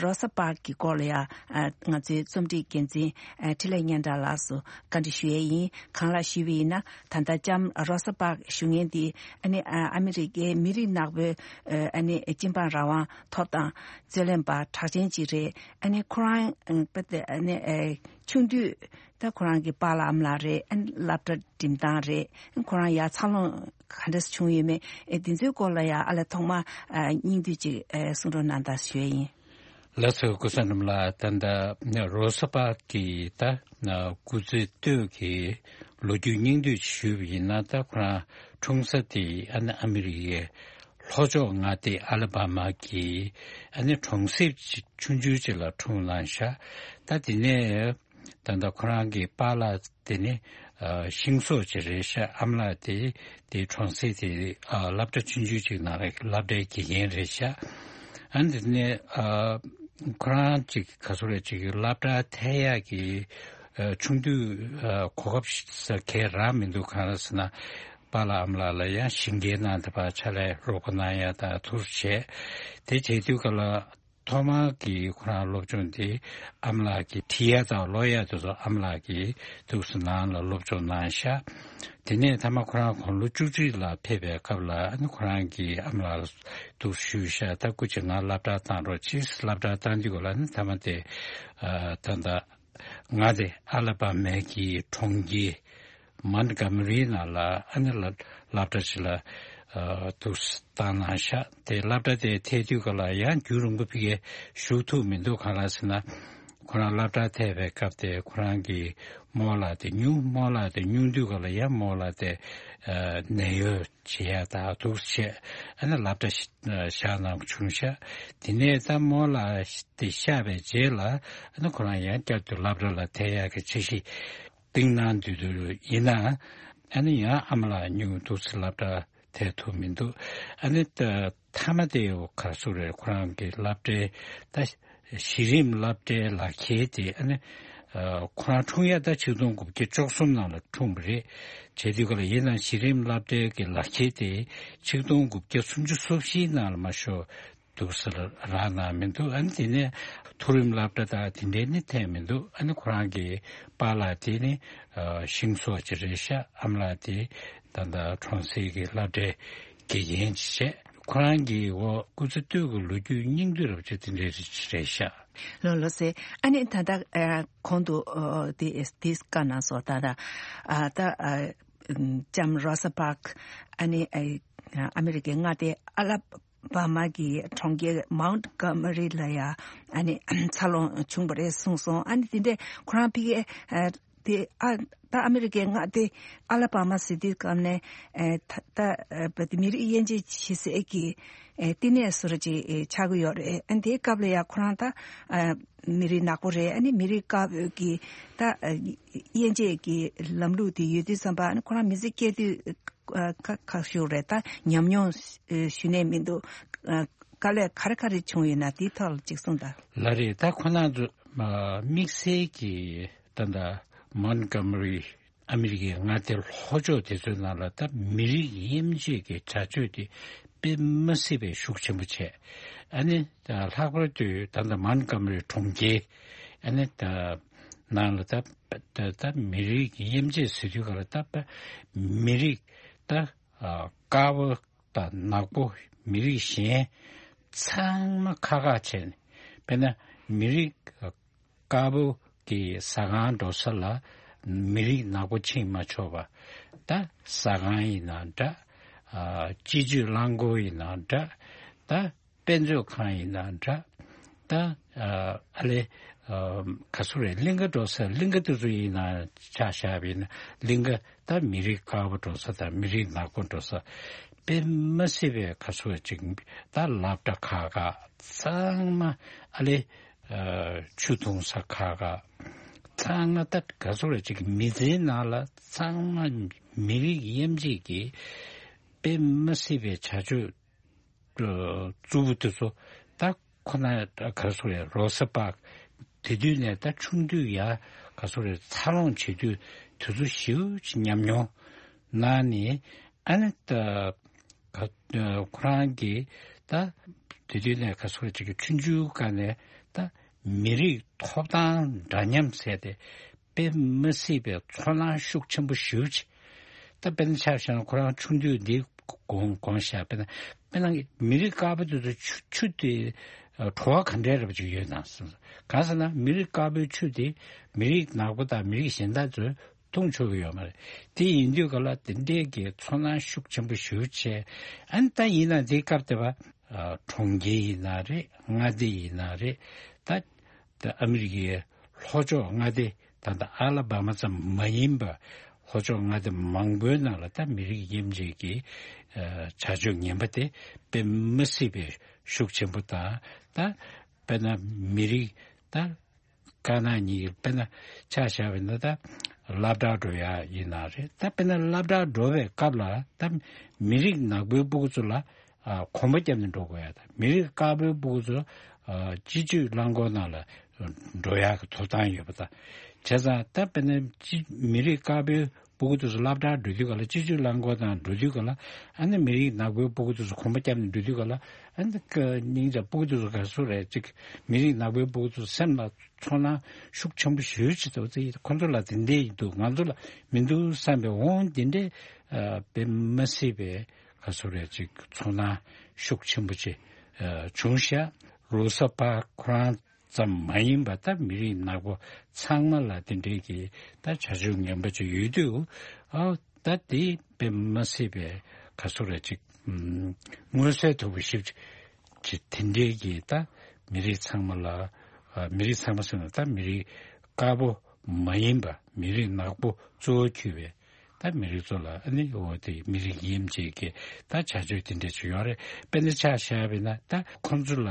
རོ་ས་པཱག་གི་སྐོར་ལ་ཡང་ཨ་ང་ཚོའི་རྩོམ་སྒྲིག་འགན་འཛིན་ཨ་འཕྲིན་ལས་སྙན་གྲགས་ལགས་སུ་བཀའ་འདྲི་ཞུ་ཡས་ཡིན། གང་ལགས་ཞུས་པ་ཡིན་ན། ད་ལྟ་ལྕམ་རོ་ས་པཱག་ཞུ་མཁན་འདི་ཨ་ནི་ཨ་ཨ་མི་རི་ཀའི་མི་རིགས་ནག་པོའི་ཨ་ནི་སྤྱི་འབངས་རང་དབང་ཐོབ་ཐང་རྩོད་ལེན་པ་གྲགས་ཅན་ཅིག་རེད། ཨ་ནི་ཁོ་རང་ཨ་ནི་ཨ་ཆུང་དུས་ད་ཁོ་རང་གི་པཱ་ལགས་ཨ་མ་ལགས་རེད། ཨ་ནི་སློབ་གྲྭ་འགྲིམ་སྟངས་རེད། ཁོ་རང་ཡར་འཚར་ལོངས་ག་འདྲ་བྱུང་ཡོད་མེད། ཨེ་འདི་ཚོའི་སྐོར་ལ་ཡང་ཨ་ལས་ཐོག་མ་ཨ་སྙིང་བསྡུས་ཅིག་ཨེ་གསུང་རོགས་གནང་དང་ཞུ་ཡས་ཡིན། ལགས་སོ། སྐུ་ཚེ་རིང་ལགས། ད་ལྟ་རོ་ས་པཱག་གི་ད་སྐུ་ཚེ་སྟོད་ཀྱི་ལོ་རྒྱུས་སྙིང་བསྡུས་ཞུས་པ་ཡིན་ན། ད་ཁོ་རང་འཁྲུངས་ས་དེ་ཨ་ནི་ཨ་མི་རི་ཀའི་ལྷོ་ཕྱོགས་མངའ་སྡེ་ཨ་ལ་བ་མ་གི་ཨ་ནི་གྲོང་གསེབ་ཅིག་ཆུང་ཆུང་ཅིག་ལ་འཁྲུངས་གནང་ཤག་ད་དེ་ནས་ད་ལྟ་ཁོ་རང་གི་པཱ་ལགས་དེ་ནི་ཨ་ཤིང་བཟོ་ཅིག་རེད་ཤག་ཨ་མ་ལགས་དེ་དེ་གྲོང་གསེབ་དེ་ཨ་སློབ་གྲྭ་ཆུང་ཆུང་ཅིག་ནང་ལ་སློབ་གྲྭའི་དགེ་རྒན་རེད་ཤག་ཨ་ནི་དེ་ནས་ཨ་ཁོ་རང་ཅིག་ག་ཚོད་རེད། ཅིག་སློབ་གྲྭ་ཐད་ཡག་གི་ཨ་ཆུང་དུས་ཨ་གོ་སྐབས་ས་གས་རག་མི་འདུག་གང་ལགས་ཟེར་ན། པཱ་ལགས་ཨ་མ་ལགས་ལ་ཡང་ཞིང་ཁའི་ནང་དེ་པར་ཕྱག་ལས་རོགས་པ་གནང་ཡ་དང་དེ་ཚོ་བྱས། དེ་བྱེད་དུས་སྐབས་ལ་ཐོག་མར་གྱི་ཁོ་རང་སློབ་སྦྱོང་དེ་ཨ་མ་ལགས་ཀྱིས་བྲིས་ཡ་དང་ཀློག་ཡ་དེ་ཚོ་ཨ་མ་ལགས་ཀྱིས་འདུག་སེ་ནང་ལ་སློབ་སྦྱོང་གནང་ཤག་དེ་ནས་མཐའ་མ་ཁོ་རང་དགུང་ལོ་བཅུ་གཅིག་ལ་ཕེབས་པའི་སྐབས་ལ་ཨ་ནི་ཁོ་རང་གིས་ཨ་མ་ལགས་ལ་འདུག་ཞུས་ཤག་ད་སྐུ་མཁྱེན་ང་སློབ་གྲྭར་བཏང་རོགས་གྱིས། སློབ་གྲྭར་བཏང་དུས་སྐབས་ལ་ཨ་ནི་མཐའ་མ་དེ་ཨ་ད་ལྟ་མངའ་སྡེ་ཨ་ལ་བ་མའི་གི་གྲོང་ཁྱེར་མོན་གྷོ་མ་རི་ནང་ལ་ཨ་ནི་ལ་སློབ་གྲྭ་ཞིག་ལ་ཨ་འདུག་སེ་བཏང་གནང་ཤག་དེ་སློབ་གྲྭ་དེ་ཐད་དུས་སྐབས་ལ་ཡང་རྒྱུན་རིང་པོ་ཕ་གིར་བཞུགས་ཐུབ་མི་འདུག་གང་ལགས་ཟེར་ན། ཁོ་རང་སློབ་གྲྭར་ཐད་པའི་སྐབས་དེ་ཁོ་རང་གི་རྨོ་ལགས་དེ་སྨྱོ། རྨོ་ལགས་དེ་སྨྱོ་དུས་སྐབས་ལ་ཡང་རྨོ་ལགས་དེ་ཨ་ནད་གཡོག་བྱེད་ཡ་དང་འདུག་སེ་བྱས། ཨ་ནི་སློབ་གྲྭ་ཞིག་བཞག་གནང་བྱུང་ཤག་དེ་ནས་ད་རྨོ་ལགས་དེ་གཤགས་པའི་རྗེས་ལ་ཨ་ནི་ཁོ་རང་ཡང་བསྐྱར་དུ་སློབ་གྲྭ་ལ་ཐད་ཡག་གི་འཆར་གཞི་བཏིང་གནང་དུས་དུ་ཡིན་ན། ཨ་ནི་ཡང་ཨ་མ་ལགས་སྨྱོ་འདུག་སེ་སློབ་གྲྭ་ཐད་ཐུབ་མི་འདུག་ཨ་ནི་ད་མཐའ་མ་དེ་ག་རེ་ཟེར་རེད། ཁོ་རང་གི་སློབ་གྲྭའི་ད་གཞི་རིམ་སློབ་གྲྭའི་ལག་ཁྱེར་དེ་ཨ་ནི་ཨ་ཁོ་རང་འཁྲུངས་ཡ་ད་ཆིག་སྟོང་དགུ་བརྒྱ་བཅུ་གསུམ་ནང་ལ་འཁྲུངས་པ་རེད། བྱས་དུས་སྐབས་ལ་ཡིན་ནའང་གཞི་རིམ་སློབ་གྲྭའི་གི་ལག་ཁྱེར་དེ་ཆིག་སྟོང་དགུ་བརྒྱ་སུམ་ཅུ་སོ་བཞིའི་ནང་ལ་མ་གཞི་འདུག་སེ་རག་གནང་མི་འདུག་ཨ་ནི་དེ་ནས་མཐོ་རིམ་སློབ་གྲྭ་དང་དེ་འདྲའི་ནི་ཐད་མི་འདུག་ཨ་ནི་ཁོ་རང་གི་པཱ་ལགས་དེ་ནི་ཨ་ཤིང་བཟོ་ཅིག་རེད་ཤག་ཨ་མ་ལགས་དེ་ད་ལྟ་གྲོང་གསེབ་ཀྱི་སློབ་གྲྭའི་དགེ་རྒན་ཅིག་བྱས། ཁོ་རང་གི་འོ་སྐུ་ཚེ་སྟོད་ཀྱི་ལོ་རྒྱུས་སྙིང་བསྡུས་རབ་ཅིག་དེ་འདྲའི་རེད་ཤག་ལགས་ལགས་སེ། ཨ་ནི་ད་ལྟ་ཨ་གོང་དུ་ཨ་དེ་དེ་བཀའ་གནང་སོང་། ད་ལྟ་ཨ་ད་ཨ་ལྕམ་རོ་ས་པཱག་ཨ་ནི་ཨ་ཨ་མི་རི་ཀའི་མངའ་སྡེ་ཨ་ལ་བ་མ་གི་གྲོང་ཁྱེར་མོན་གྷོ་མ་རི་ལ་ཡ་ཨ་ནི་འཚར་ལོངས་བྱུང་བ་རེད་གསུངས་སོང་། ཨ་ནི་དེ་འདྲས་ཁོ་རང་ཕ་གིར་ཨ་དེ་ཨ་ད་ཨ་མི་རི་ཀའི་མངའ་སྡེ་ཨ་ལ་བ་མ་ཟེར་དུས་སྐབས་ནས་ཨ་ད་ད་ཨ་བ་དེ་མི་རིགས་དབྱེ་འབྱེད་བྱེད་སའི་གི་ཨ་བསྟི་གནས་བཟོ་འདྲ་ཅིག་ཨ་ཆགས་ཀྱི་ཡོད་རེད། ཨ་དེའི་སྐབས་ལ་ཡ་ཁོ་རང་ད་ཨ་མི་རིགས་ནག་པོ་རེད། ཨ་ནི་མི་རིགས་དཀར་པོའི་གི་ད་ཨ་དབྱེ་འབྱེད་ཀྱི་ལམ་ལུགས་དེ་ཡོད་དུས་ཙམ་པ། ཨ་ནི་ཁོ་རང་མི་ཚེ་སྐྱེལ་དུས་ཨ་ཁ་ཁ་ཤོར་རེད། ད་ཉམས་མྱོང་ཨ་ཞུ་ནས་མི་འདུག་ཨ་དཀའ་ལས་ག་རེ་ག་རེ་བྱུང་ཡོད་ན་དེའི་ཐོག་ལ་ཅིག་གསུངས་དང་། ལགས་རེད། ད་ཁོ་རང་ཚོ་ཨ་དམིགས་བསལ་གྱི་ད་ལྟ་མོན་གྷོ་མ་རི་ཨ་མི་རི་ཀའི་མངའ་སྡེ་ལྷོ་ཕྱོགས་དེ་ཚོའི་ནང་ལ་ད་མི་རིགས་དབྱེ་འབྱེད་ཀྱི་བྱ་སྤྱོད་དེ་དཔེ་མ་སྲིད་པའི་ཤུགས་ཆེན་པོ་བྱས། ཨ་ནི་ད་ལྷག་པར་དུ་ད་ལྟ་མོན་གྷོ་མ་རི་གྲོང་ཁྱེར་ཨ་ནི་ད་ནང་ལ་ད་ད་ད་མི་རིགས་དབྱེ་འབྱེད་ཟེར་དུས་སྐབས་ལ་ད་མི་རིགས་ད་ཨ་དཀར་པོ་དང་ནག་པོ། མི་རིགས་གཞན་ཚང་མ་ཁག་ཁག་བྱས་ནས། དཔེར་ན་མི་རིགས་དཀར་པོ་གི་ཟ་ཁང་འགྲོ་ས་ལ་མི་རིགས་ནག་པོ་ཕྱིན་མ་ཆོག་པ། ད་ཟ་ཁང་ཡིན་ན་འདྲ། ཨ་སྤྱི་སྤྱོད་རླངས་འཁོར་ཡིན་ན་འདྲ། ད་དཔེ་མཛོད་ཁང་ཡིན་ན་འདྲ། ད་ཨ་ཨ་ལེ་ཨ་ག་ཚོད་རེད། གླིང་ག་འགྲོ་ས་གླིང་ག་དེ་ཚོ་ཡིན་ན་ཆ་བཞག་པ་ཡིན་ན་གླིང་ག་ད་མི་རིགས་དཀར་པོ་འགྲོ་ས་དང་མི་རིགས་ནག་པོ་འགྲོ་ས་དཔེ་མ་སྲིད་པའི་ག་ཚོད་ཅིག་ད་སློབ་གྲྭ་ཁག་ཁག་ཚང་མ་ཨ་ལེ་ཨ་ཆུ་འཐུང་ས་ཁག་ཁག་ཚང་མ་ད་ག་ཚོད་རེད། ཅིག་མི་ཚེའི་ནང་ལ་ཚང་མ་མི་རིགས་དབྱེ་འབྱེད་ཀྱི་དཔེ་མ་སྲིད་པའི་བྱ་སྤྱོད་རྩུབ་པོ་དེ་ཚོ་ད་ཁོ་ན་ག་རེ་ཟེར་རེད། རོ་ས་པཱག་དེ་དུས་ནས་ད་ཆུང་དུས་ཡ་ག་རེ་ཟེར་རེད། འཚར་ལོངས་བྱེད་དུས་དུས་ཚོད་ཞེ་པོ་ཅིག་ཉམས་མྱོང་གནང་ནས། ཨ་ནི་ད་ག་ཁོ་རང་གིས་ད་ དེ་དུས་ནས་ག་སོ་ཅིག་གི་ཆུང་ཆུང་སྒང་ནས་ད་མི་རིགས་ཐོབ་ཐང་འདྲ་མཉམ་ཟེར་ཏེ་དཔེ་མི་སྲིད་པའི་ཚོར་སྣང་ཤུགས་ཆེན་པོ་ཞེ་པོ་ཅིག་ད་དཔེར་ན་ཆ་བཞག་ན་ཁོ་རང་ཆུང་དུས་འདི་དགོངས་དགོངས་བཞག་དཔེར་ན་དཔེར་ན་མི་རིགས་དཀར་པོ་དེ་ཚོ་ཆུ་ཆུ་དེ་བྲོ་བ་ག་འདྲས་རབ་ཅིག་ཡོད་ན་གང་ཟེར་ན་མི་རིགས་དཀར་པོའི་ཆུ་དེ་མི་རིགས་ནག་པོ་དང་མི་རིགས་གཞན་དག་ཚོས་འཐུང་ཆོག་གི་ཡོད་མ་རེད། དེ་ཡིན་དུས་ག་ལ་དེ་འདྲས་ཀྱི་ཚོར་སྣང་ཤུགས་ཆེན་པོ་ཞེ་པོ་བྱས། ཨ་ནི་ད་ཡིན་ན་དེའི་སྐབས་དེ་བ་གྲོང་ཁྱེར་ཡིན་ན་རེད། མངའ་སྡེ་ཡིན་ན་རེད། ད་ད་ཨ་མི་རི་ཀའི་ལྷོ་ཕྱོགས་མངའ་སྡེ་ད་ད་ཨ་ལ་བྷ་མ་ཙམ་མ་ཡིན་པ་ལྷོ་ཕྱོགས་མངའ་སྡེ་མང་པོའི་ནང་ལ་ད་མི་རིགས་དབྱེ་འབྱེད་ཀྱི་བྱ་སྤྱོད་ངན་པ་དེ་དཔེ་མི་སྲིད་པའི་ཤུགས་ཆེན་པོ་དང་། ད་དཔེར་ན་མི་རིགས་ད་དཀར་ནག་གཉིས་དཔེར་ན་ཆ་བཞག་པ་ཡིན་ན་ད་སློབ་གྲྭ་འགྲོ་ཡ་ཡིན་ན་རེད། ད་དཔེར་ན་སློབ་གྲྭ་འགྲོ་བའི་སྐབས་ལ་ད་མི་རིགས་ནག་པོའི་སྤུ་གུ་ཚོ་ལ་ཨ་གོམ་པ་བརྒྱབ་ནས་འགྲོ་དགོས་ཡ་དང་། མི་རིགས་དཀར་པོའི་སྤུ་གུ་ཚོ་ཨ་སྤྱི་སྤྱོད་རླངས་འཁོར་ནང་ལ་འགྲོ་ཡ་གི་ཐོབ་ཐང་ཡོད་པ་དང་། བྱས་ཙང་ད་དཔེར་ན་སྤྱི་མི་རིགས་དཀར་པོའི་སྤུ་གུ་དེ་ཚོ་སློབ་གྲྭར་འགྲོ་དུས་ག་ལ་སྤྱི་སྤྱོད་རླངས་འཁོར་དང་འགྲོ་དུས་ག་ལ་ཨ་ནི་མི་རིགས་ནག་པོའི་སྤུ་གུ་དེ་ཚོ་གོམ་པ་བརྒྱབ་ནས་འགྲོ་དུས་ག་ལ་ཨ་ནི་ཀ་སྙིང་རྗེ་སྤུ་གུ་དེ་ཚོ་ག་སུ་རེད་ཅིག་མི་རིགས་ནག་པོའི་སྤུ་གུ་དེ་ཚོ་སེམས་ལ་ཚོར་སྣང་ཤུགས་ཆེན་པོ་ཞེ་པོ་ཅིག་འདུག་ཚེ་ཁོ་ཚོ་ལ་དེ་འདྲས་ཡིན་འདུག་ང་ཚོ་ལ་མི་འདུག་བསམ་པའི་འོང་དེ་འདྲས་ཨ་དཔེ་མ་སྲིད་པའི་ག་སུ་རེད་ཅིག་ཚོར་སྣང་ཤུགས་ཆེན་པོ་ཅིག་ཨ་བྱུང་ཤག་རོ་ས་པར་ཁོ་རང་ཙམ་མ་ཡིན་པ་ད་མི་རིགས་ནག་པོ་ཚང་མ་ལ་དེ་འདྲའི་གི་ད་བྱ་སྤྱོད་ངན་པ་ཅིག་ཡོད་དུས་ཨ་ད་དེ་དཔེ་མ་སྲིད་པའི་ག་སུ་རེད་ཅིག་ཨུམ་མངོན་གསལ་དོད་པོ་ཞིབ་ཅིག་དེ་འདྲའི་གི་ད་མི་རིགས་ཚང་མ་ལ་ཨ་མི་རིགས་ཚང་མ་ཟེར་ན་ད་མི་རིགས་དཀར་པོ་མ་ཡིན་པ་མི་རིགས་ནག་པོ་གཙོ་བོ་གྱུར་བའི་ད་མི་རིགས་ཚོ་ལ་ཨ་ནི་འོ་དེ་མི་རིགས་དབྱེ་འབྱེད་ཀྱི་ད་བྱ་སྤྱོད་དེ་འདྲ་ཅིག་ཡོད་རེད། དཔེར་ན་ཆ་བཞག་པ་ཡིན་ན་ད་ཁོང་ཚོ་ལ་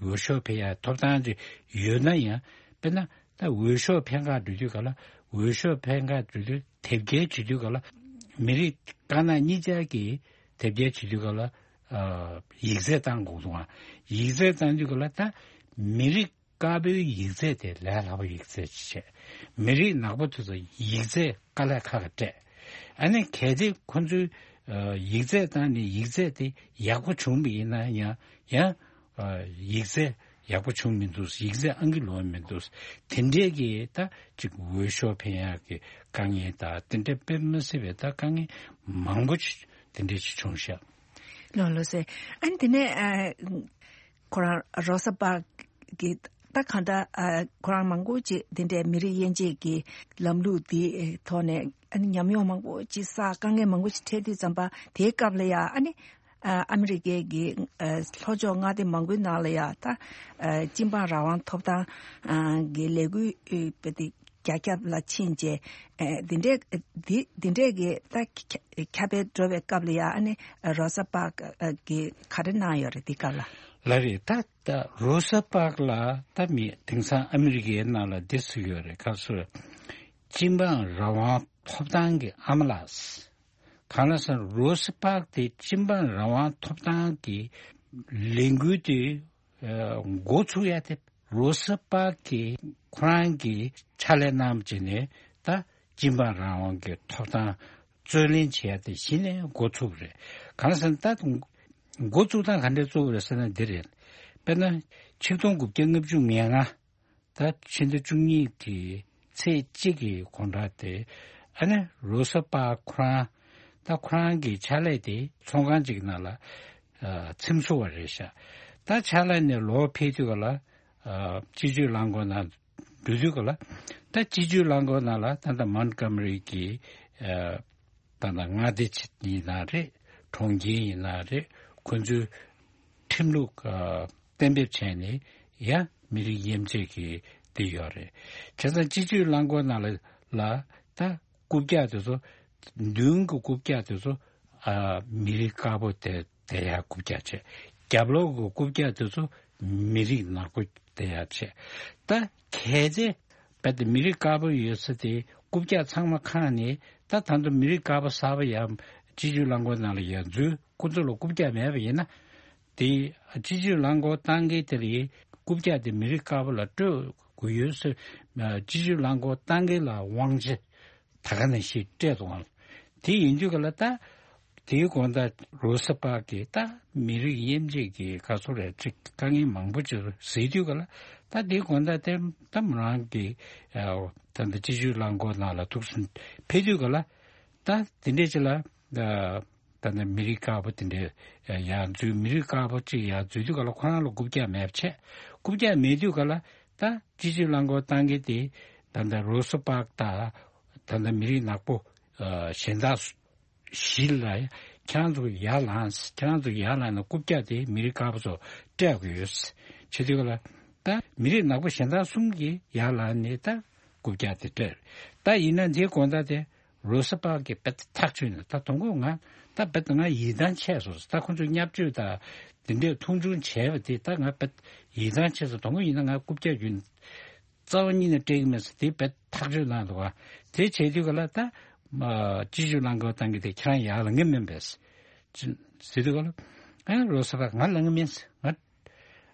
འོས་ཤོག་འཕེན་ཡ་ཐོབ་ཐང་ཅིག་ཡོད་ན་ཡང་དཔེར་ན་ད་འོས་ཤོག་འཕེན་ག་འགྲོ་དུས་ག་ལ་འོས་ཤོག་འཕེན་ག་འགྲོ་དུས་དེབ་སྐྱེལ་བྱེད་དུས་ག་ལ་མི་རིགས་དཀར་ནག་གཉིས་ཆར་གྱི་དེབ་སྐྱེལ་བྱེད་དུས་ག་ལ་ཨ་ཡིག་ཚད་བཏང་དགོས་འདུག་ཡིག་ཚད་བཏང་དུས་ག་ལ་ད་མི་རིགས་དཀར་པོའི་ཡིག་ཚད་དེ་ལས་སླ་པོ་ཡིག་ཚད་ཅིག་བྱས། མི་རིགས་ནག་པོ་དེ་ཚོ་ཡིག་ཚད་དཀའ་ལས་ཁག་ག་སྤྲད། ཨ་ནི་གལ་ཏེ་ཁོ་ཚོའི་ཨ་ཡིག་ཚད་བཏང་ནས་ཡིག་ཚད་དེ་ཡག་པོ་བྱུང་བ་ཡིན་ན་ཡང་ཡང་ཨ་ཡིག་ཚད་ཡག་པོ་བྱུང་མི་འདུག་ཡིག་ཚད་ཨང་ཀི་ལོག་མི་འདུག་དེ་འདྲས་ཀྱི་ད་ཅིག་འོས་ཤོག་འཕེན་ཡག་གི་དཀའ་ངལ་དང་དེ་འདྲས་དཔེ་མི་སྲིད་པའི་ད་དཀའ་ངལ་མང་པོ་ཅིག་དེ་འདྲས་ཅིག་བྱུང་ཤག་ལགས་ལགས་སེ། ཨ་ནི་དེ་ནས་ཨ་ཁོ་རང་རོ་ས་པར་གི་ད་གང་ལྟར་ཨ་ཁོ་རང་མང་པོ་ཅིག་དེ་འདྲའི་མི་རིགས་དབྱེ་འབྱེད་ཀྱི་ལམ་ལུགས་དེའི་ཐོག་ནས་ཨ་ནི་ཉམས་མྱོང་མང་པོ་ཅིག་བསགས། དཀའ་ངལ་མང་པོ་ཅིག་འཕྲད་དུས་ཙམ་པ་དེའི་སྐབས་ལ་ཡ་ཨ་ནི་ཨ་ཨ་མི་རི་ཀའི་གི་ཨ་ལྷོ་ཕྱོགས་མངའ་སྡེ་མང་པོའི་ནང་ལ་ཡ་ད་ཨ་སྤྱི་འབངས་རང་དབང་ཐོབ་ཐང་ཨ་གི་ལས་འགུལ་ཨ་དཔེ་དེ་རྒྱ་ཁྱབ་ལ་ཕྱིན་རྗེས་ཨ་འདི་འདྲས་འདི་འདི་འདྲས་ཀྱི་ད་ཁྱ་ཁྱབ་སྤེལ་འགྲོ་བའི་སྐབས་ལ་ཡ་ཨ་ནི་རོ་ས་པར་ཀ་གི་ག་རེ་གནང་ཡོད་རེད་འདི་སྐབས་ལ། ལགས་རེད། ད་ད་རོ་ས་པར་ཀ་ལ་ད་མི་དེང་སང་ཨ་མི་རི་ཀའི་ནང་ལ་འདི་ཟེར་ཡོད་རེད། ག་ཚོད་སྤྱི་འབངས་རང་དབང་ཐོབ་ཐང་གི་ཨ་མ་ལགས། གང་ལ་ཟེར་ན་རོ་ས་པར་ཀ་དེ་སྤྱི་འབངས་རང་དབང་ཐོབ་ཐང་གི་ལས་འགུལ་དེ་ཨ་འགོ་ཚུགས་ཡ་དེ་རོ་ས་པར་ཀ་གིས་ཁོ་རང་གི་ཕྱག་ལས་གནང་བྱས་ནས་ད་སྤྱི་འབངས་རང་དབང་གི་ཐོབ་ཐང་རྩོད་ལེན་བྱེད་ཡ་དེ་གཞི་ནས་འགོ་ཚུགས་པ་རེད། གང་ལ་ཟེར་ན་ད་འགོ་བཙུགས་སྟངས་ག་འདྲས་བཙུགས་པ་རེད་ཟེར་ན་འདི་རེད། དཔེར་ན་ཆིག་སྟོང་དགུ་བརྒྱ་ལྔ་བཅུ་ང་ལྔ་ད་ཕྱི་ཟླ་བཅུ་གཉིས་ཀྱི་ཚེས་གཅིག་གི་དགོང་དག་དེ་ཨ་ནི་རོ་ས་པར་ཀ་ཁོ་རང་ད་ཁོ་རང་གི་ཕྱག་ལས་དེ་ཚོང་ཁང་ཅིག་ནང་ལ་ཨ་ཚེམ་བཟོ་བ་རེད་ཤག་ད་ཕྱག་ལས་ནས་ལོག་ཕེབས་དུས་ག་ལ་ཨ་སྤྱི་སྤྱོད་རླངས་འཁོར་ནང་འགྲོ་དུས་ག་ལ་ད་སྤྱི་སྤྱོད་རླངས་འཁོར་ནང་ལ་ད་ལྟ་མོན་གྷོ་མ་རི་གི་ཨ་ད་ལྟ་མངའ་སྡེ་ཡིན་ན་རེད། གྲོང་ཁྱེར་ཡིན་ན་རེད། ཁོ་ཚོའི་ཁྲིམས་ལུགས་ཨ་གཏན་འབེབས་བྱས་ནས་ཡང་མི་རིགས་དབྱེ་འབྱེད་ཀྱི་དེ་ཡོད་རེད། བྱས་ཙང་སྤྱི་སྤྱོད་རླངས་འཁོར་ནང་ལ་ལ་ད་རྐུབ་བཀྱག་དེ་ཚོ་མདུན་གྱི་རྐུབ་བཀྱག་དེ་ཚོ་ཨ་མི་རིགས་དཀར་པོ་དེ་བསྡད་ཡ་རྐུབ་བཀྱག་བྱས། རྒྱབ་ལོགས་ཀྱི་རྐུབ་བཀྱག་དེ་ཚོ་མི་རིགས་ནག་པོ་བསྡད་ཡ་བྱས། ད་གལ་ཏེ་རྦད་དེ་མི་རིགས་དཀར་པོ་ཡོད་ས་དེ་རྐུབ་བཀྱག་ཚང་མ་ཁེངས་ནས་ད་ད་དུང་མི་རིགས་དཀར་པོ་གསར་པ་ཡང་སྤྱི་སྤྱོད་རླངས་འཁོར་ནང་ལ་ཡར་འཛུལ། ཁོ་ཚོ་ལ་རྐུབ་བཀྱག་མེད་པ་ཡིན་ན། དེ་སྤྱི་སྤྱོད་རླངས་འཁོར་བཏང་མཁན་དེ་ལ་རྐུབ་བཀྱག་དེ་མི་རིགས་དཀར་པོ་ལ་སྤྲོད་དགོས་ཡོད་ཟེར། སྤྱི་སྤྱོད་རླངས་འཁོར་བཏང་མཁན་ལ་དབང་ཆ་ད་ག་ནང་བཞིན་སྤྲད་འདུག་ཨང་། དེ་ཡིན་དུས་ག་ལ་ད་ དེའི་དགོང་དག་རོ་ས་པག་གིས་ད་མི་རིགས་དབྱེ་འབྱེད་ཀྱི་ག་ཚོད་རེད་ཅིག་དཀའ་ངལ་མང་པོ་ཅིག་གཟིགས་དུས་ག་ལ། ད་དེའི་དགོང་དག་དེ་ད་མོ་རང་གི་ད་ལྟ་སྤྱི་སྤྱོད་རླངས་འཁོར་ནང་ལ་ཐུག་སོང་ཕེབས་དུས་ག་ལ། ད་དེ་འདྲས་ཅིག་ལ་ད་ལྟ་མི་རིགས་དཀར་པོ་དེ་འདྲས་ཡར་འཛུལ། མི་རིགས་དཀར་པོ་ཅིག་ཡར་འཛུལ་དུས་ག་ལ་ཁོ་རང་ལ་རྐུབ་བཀྱག་མེད་པ་བྱས། རྐུབ་བཀྱག་མེད་དུས་ག་ལ་ད་སྤྱི་སྤྱོད་རླངས་འཁོར་བཏང་མཁན་དེ་ད་ལྟ་རོ་ས་པག་དང་ད་ལྟ་མི་རིགས་ནག་པོ་གཞན་དག་བཞི་ལ་ཡ། ཁྱེད་རང་ཚོ་ཡར་ལངས། ཁྱེད་རང་ཚོ་ཡར་ལངས་ནས་རྐུབ་བཀྱག་དེ་མི་རིགས་དཀར་པོ་ཚོ་སྤྲད་དགོས་ཡོད། བྱེད་དུས་ལ་ད་མི་རིགས་ནག་པོ་གཞན་དག་གསུམ་གྱིས་ཡར་ལངས་ནས་ད་རྐུབ་བཀྱག་དེ་སྤྲད། ད་ཡིན་ན་དེའི་དགོང་དག་དེ་རོ་ས་པག་གིས་རྦད་ཐག་ཆོད་ནས། ད་དང་པོ་ང་ད་རྦད་ང་ཡིད་ཐང་ཆད་སོང་། ད་ཁོ་ཚོས་བརྙས་བཅོས་དང་དེ་འདྲས་མཐོང་ཆུང་བྱས་པ་དེ་ད་ང་རྦད་ཡིད་ཐང་ཆད་སོང་། དང་པོ་ཡིན་ན་ང་རྐུབ་བཀྱག་རྒྱུན་རྩ་བ་ཉིད་ནས་སྤྲད་ཀྱི་མེད་ཟེར་དེ་རྦད་ཐག་ཆོད་གནང་འདུག་ག། དེ་བྱས་དུས་ག་ལ་ད་སྤྱི་སྤྱོད་རླངས་འཁོར་བཏང་གི་དེ་ཁྱེད་རང་ཡར་ལངས་ཀྱི་མིན་པས་ཟེར་དུས་ག་ལ། ཨ་རོ་ས་པག་ང་ལངས་ཀྱི་མིན། ང་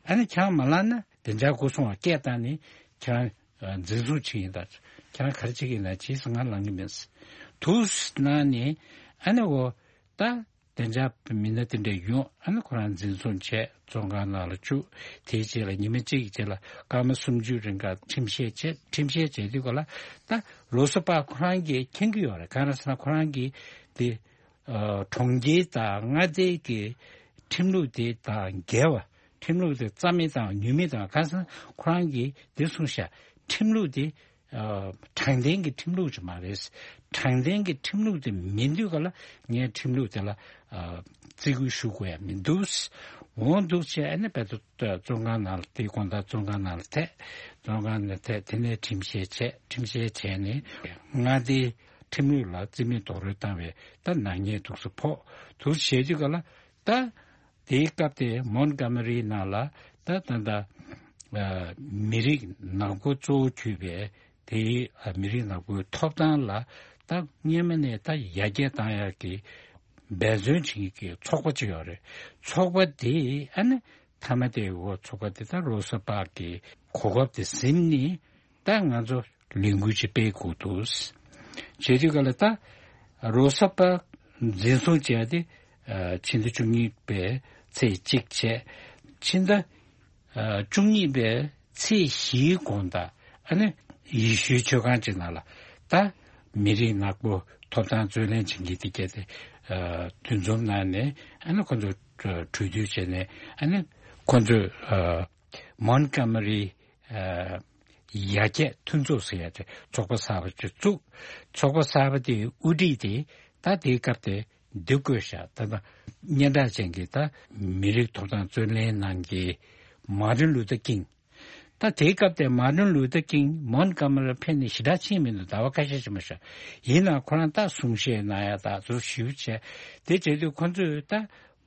ཨ་ནི་ཁྱེད་རང་མ་ལངས་ན་བདེ་འཇགས་སྒོ་སྲུང་བ་སྐད་བཏང་ནས་ཁྱེད་རང་འཛིན་བཟུང་བྱེད་ཀྱི་ཡིན། ད་ཁྱེད་རང་ག་རེ་བྱེད་ཀྱི་ཡིན་ན་བྱེད་ཟེར། ང་ལངས་ཀྱི་མིན་ཟེར། དུས་ནང་ནས་ཨ་ནི་འོ་ད་བདེ་འཇགས་མི་སྣ་དེ་འདྲས་ཡོང་། ཨ་ནི་ཁོ་རང་འཛིན་བཟུང་བྱས་བཙོན་ཁང་ནང་ལ་བཅུག། དེའི་རྗེས་ལ་ཉི་མ་གཅིག་གི་རྗེས་ལ་སྐར་མ་སུམ་ཅུ་རིང་ག་ཁྲིམས་བཤེར་བྱས། ཁྲིམས་བཤེར་བྱས་དུས་ག་ལ་ད་རོ་ས་པག་ཁོ་རང་གིས་མཁྱེན་གྱི་ཡོད་རེད། གང་རེད་ཟེར་ན་ཁོ་རང་གིས་དེ་ཨ་གྲོང་ཁྱེར་དང་མངའ་སྡེ་གི་ཁྲིམས་ལུགས་དེ་དང་འགལ་བ། ཁྲིམས་ལུགས་དེ་རྩ་མེད་དང་ནུས་མེད་དང་། གང་ཟེར་ན་ཁོ་རང་གིས་དེ་གསུངས་ཤག། ཁྲིམས་ལུགས་དེ་ཨ་དྲང་བདེན་གྱི་ཁྲིམས་ལུགས་ཅིག་མ་རེད། དྲང་བདེན་གྱི་ཁྲིམས་ལུགས་དེ་མིན་དུས་ག་ལ་ངས་ཁྲིམས་ལུགས་དེ་ལ་ཨ་བརྩི་བཀུར་ཞུ་དགོས་ཡ་མི་འདུག། འོ་འདུག་བྱས། ཨ་ནི་རྦད་དེ་བཙོན་ཁང་ནང་ལ། དེའི་དགོང་དག་བཙོན་ཁང་ནང་ལ་ཐད། བཙོན་ཁང་ནང་ཐད། དེ་ནས་ཁྲིམས་བཤེར་བྱས། ཁྲིམས་བཤེར་བྱས་ནས་མངའ་སྡེའི་ཁྲིམས་ལུགས་ལ་རྩིས་མེད་རྡོག་རོལ་བཏང་བའི་ད་ནག་ཉེས་འདུག་སེ་ཕོག། འདུག་བྱས་དུས་ག་ལ་ད། དེའི་སྐབས་དེ་མོན་གྷོ་མ་རིའི་ནང་ལ་ད་ད་ད་ཨ་མི་རིགས་ནག་པོ་གཙོ་བོ་གྱུར་པའི་དེའི་ཨ་མི་རིགས་ནག་པོའི་ཐོབ་ཐང་ལ་ད་སྔོན་མ་ནས་ད་ཡར་རྒྱས་བཏང་ཡག་གི་འབད་བརྩོན་བྱེད་མཁན་གྱི་ཚོགས་པ་ཅིག་ཡོད་རེད། ཚོགས་པ་དེ་ཨ་ནི་མཐའ་མ་དེ་འོ་ཚོགས་པ་དེ་ད་རོ་ས་པག་གི་གོ་སྐབས་དེ་ཟིན་ནས། ད་ང་ཚོ་ལས་འགུལ་ཅིག་སྤེལ་དགོས་འདུག། བྱེད་དུས་ག་ལ་ད་རོ་ས་པག་འཛིན་བཟུང་བྱས་ཏེ་ཨ་ཕྱི་ཟླ་བཅུ་གཉིས་པའི་ཚེས་གཅིག་བྱས། ཕྱི་ཟླ་ཨ་བཅུ་གཉིས་པའི་ཚེས་བཞིའི་དགོང་དག་ཨ་ནི་ཡེ་ཤུའི་མཆོད་ཁང་ཅིག་ནང་ལ་ད་མི་རིགས་ནག་པོ་ཐོབ་ཐང་རྩོད་ལེན་བྱེད་མཁན་དེ་གྱད་དེ་ཨ་འདུ་འཛོམས་གནང་ནས། ཨ་ནི་ཁོ་ཚོ་གྲོས་བསྡུར་བྱས་ནས། ཨ་ནི་ཁོ་ཚོས་ཨ་མོན་གྷོ་མ་རི་ཨ་ཡར་རྒྱས་མཐུན་ཚོགས་ཟེར་ཡ་དེ་ཚོགས་པ་གསར་པ་ཅིག་བཙུགས། ཚོགས་པ་གསར་པ་དེའི་དབུ་ཁྲིད་དེ་ད་དེའི་སྐབས་དེ་འདི་བསྐོས་ཤག། ད་ལྟ་སྙན་གྲགས་ཅན་གྱི་ད་མི་རིགས་ཐོབ་ཐང་རྩོད་ལེན་གནང་མཁན་མར་ཏིན་ལུ་ཐར་ཀིང་། ད་དེའི་སྐབས་དེ་མར་ཏིན་ལུ་ཐར་ཀིང་མོན་གྷོ་མ་རི་ལ་ཕེབས་ནས་ཞེ་དྲག་ཕྱིན་མི་འདུག། ཟླ་བ་ཁ་ཤས་ཅིག་མ་ཤོག། ཡིན་ནའང་ཁོ་རང་ད་གསུང་བཤད་གནང་ཡ་ད་ཚུར་ཞུ་བྱས། དེ་བྱེད་དུས་ཁོ་ཚོས་ད་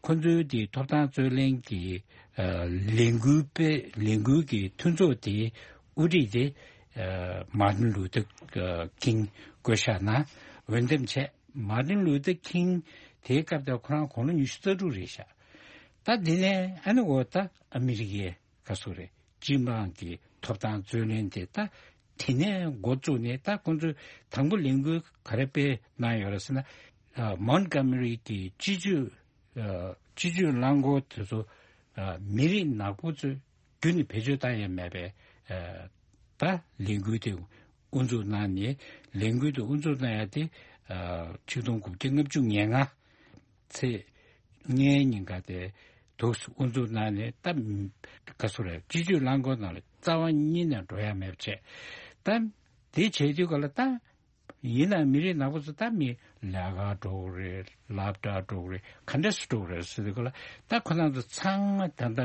ཁོ་ཚོའི་དེ་ཐོབ་ཐང་རྩོད་ལེན་གྱི་ཨ་ལས་འགུལ་སྤེལ། ལས་འགུལ་གྱི་མཐུན་ཚོགས་དེའི་དབུ་ཁྲིད་དེ་ཨ་མར་ཏིན་ལུ་ཐར་ཨ་ཀིང་བསྐོས་ཤག་ན། འོས་འདེམས་བྱས། མར་ཏིན་ལུ་ཐར་ཀིང་དེའི་སྐབས་དེ་ཁོ་རང་དགུང་ལོ་ཉི་ཤུ་རྩ་དྲུག་རེད་ཤག། ད་དེ་ནས་ཨ་ནི་འོ་ད་ཨ་མི་རི་ཀའི་ག་ཚོད་རེད། སྤྱི་དམངས་ཀྱི་ཐོབ་ཐང་རྩོད་ལེན་དེ་ད་དེ་ནས་འགོ་བཙུགས་ནས། ད་ཁོང་ཚོས་དང་པོ་ལས་འགུལ་ག་རེ་སྤེལ་གནང་ཡོད་རེད་ཟེར་ན། ཨ་མོན་གྷོ་མ་རི་གི་སྤྱི་སྤྱོད་ཨ་སྤྱི་སྤྱོད་རླངས་འཁོར་དེ་ཚོ་ཨ་མི་རིགས་ནག་པོ་ཚོས་རྒྱུན་ནས་བེད་སྤྱོད་བཏང་ཡ་མེད་པའི་ཨ་ད་ལས་འགུལ་དེ་དབུ་འཛུགས་གནང་ནས། ལས་འགུལ་དེ་དབུ་འཛུགས་གནང་ཡ་དེ་ཨ་ཆིག་སྟོང་དགུ་བརྒྱ་ལྔ་བཅུ་ང་ལྔ་ཚེས་ལྔའི་ཉིན་ཀ་དེ་འདུག་སེ་དབུ་འཛུགས་གནང་ནས། ད་ག་ཚོད་རེད། སྤྱི་སྤྱོད་རླངས་འཁོར་ནང་ལ་རྩ་བ་ཉིད་ནས་འགྲོ་ཡ་མེད་པ་བྱས། ད་དེ་བྱས་དུས་ག་ལ་ད་ཡིན་ན་མི་རིགས་ནག་པོ་ཚོ་ད་མི་ལས་ཀ་འགྲོ་གི་རེད། སློབ་གྲྭ་འགྲོ་གི་རེད། ག་འདྲ་སེ་འགྲོ་གི་རེད་ཟེར་དུས་ག་ལ། ད་ཁོ་རང་ཚོ་ཚང་མ་ད་ལྟ་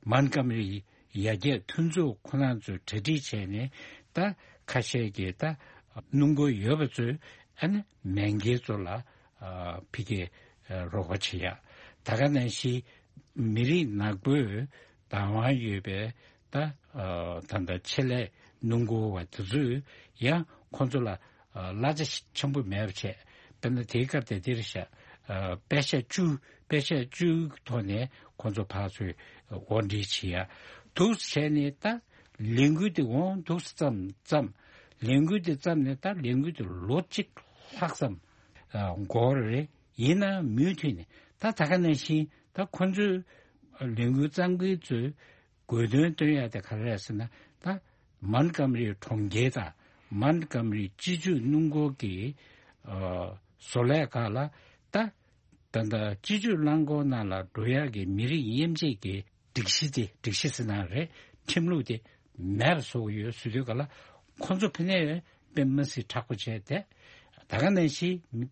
མོན་གྷོ་མ་རི་ཡར་རྒྱས་མཐུན་ཚོགས་ཁོ་རང་ཚོས་གྲ་སྒྲིག་བྱས་ནས། ད་ཁ་ཤས་ཀྱིས་ད་སྣུམ་འཁོར་ཡོད་པ་ཚོས་ཨ་ནི་མེས་རྒྱལ་ཚོ་ལ་ཨ་ཕ་གིར་ཨ་རོགས་པ་བྱེད་ཡ། ད་ག་ནང་བཞིན་མི་རིགས་ནག་པོས་བདག་དབང་ཡོད་པའི་ད་ཨ་ད་ལྟ་ཆེད་ལས་སྣུམ་འཁོར་བ་དེ་ཚོས་ཡང་ཁོང་ཚོ་ལ་ཨ་གླ་ཆ་ཆེན་པོ་མེད་པ་བྱས། དཔེར་ན་དེའི་སྐབས་དེ་དེར་བཞག། ཨ་པེ་ཤ་བཅུ། པེ་ཤ་བཅུའི་ཐོག་ནས་ཁོང་ཚོ་ཕར་ཚུར་དབོར་འདྲེན་བྱེད་ཡ། འདུག་བྱས་ནས་ད་ལས་འགུལ་དེ་འོང་འདུག་བརྩམས་བརྩམས། ལས་འགུལ་དེ་བརྩམས་ནས་ད་ལས་འགུལ་དེ་ལོ་གཅིག་ལྷག་ཙམ་ཨ་འགོར་རེད། ཡིན་ན་མུ་མཐུད་ནས་ད་ད་ག་ནང་བཞིན་ད་ཁོ་ཚོའི་ལས་འགུལ་གཙང་ཁེལ་ཚོས་དགོས་འདུན་བཏོན་ཡ་དེ་ག་རེ་རེད་ཟེར་ན། ད་མོན་གྷོ་མ་རི་གྲོང་ཁྱེར་དང་མོན་གྷོ་མ་རི་སྤྱི་སྤྱོད་སྣུམ་འཁོར་གྱི་ཨ་བཟོ་ལས་ཁག་ལ་ད་ད་ལྟ་སྤྱི་སྤྱོད་རླངས་འཁོར་ནང་ལ་འགྲོ་ཡག་གི་མི་རིགས་དབྱེ་འབྱེད་ཀྱི་སྒྲིག་གཞི་དེ། སྒྲིག་གཞི་ཟེར་ན་རེད། ཁྲིམས་ལུགས་དེ་མེད་པ་བཟོ་གི་ཡོད་ཟེར་དུས་ག་ལ། ཁོ་ཚོ་ཕ་ནས་དཔེ་མི་སྲིད་དྲག་པོ་བྱས་ཏེ། ད་ག་ནང་བཞིན་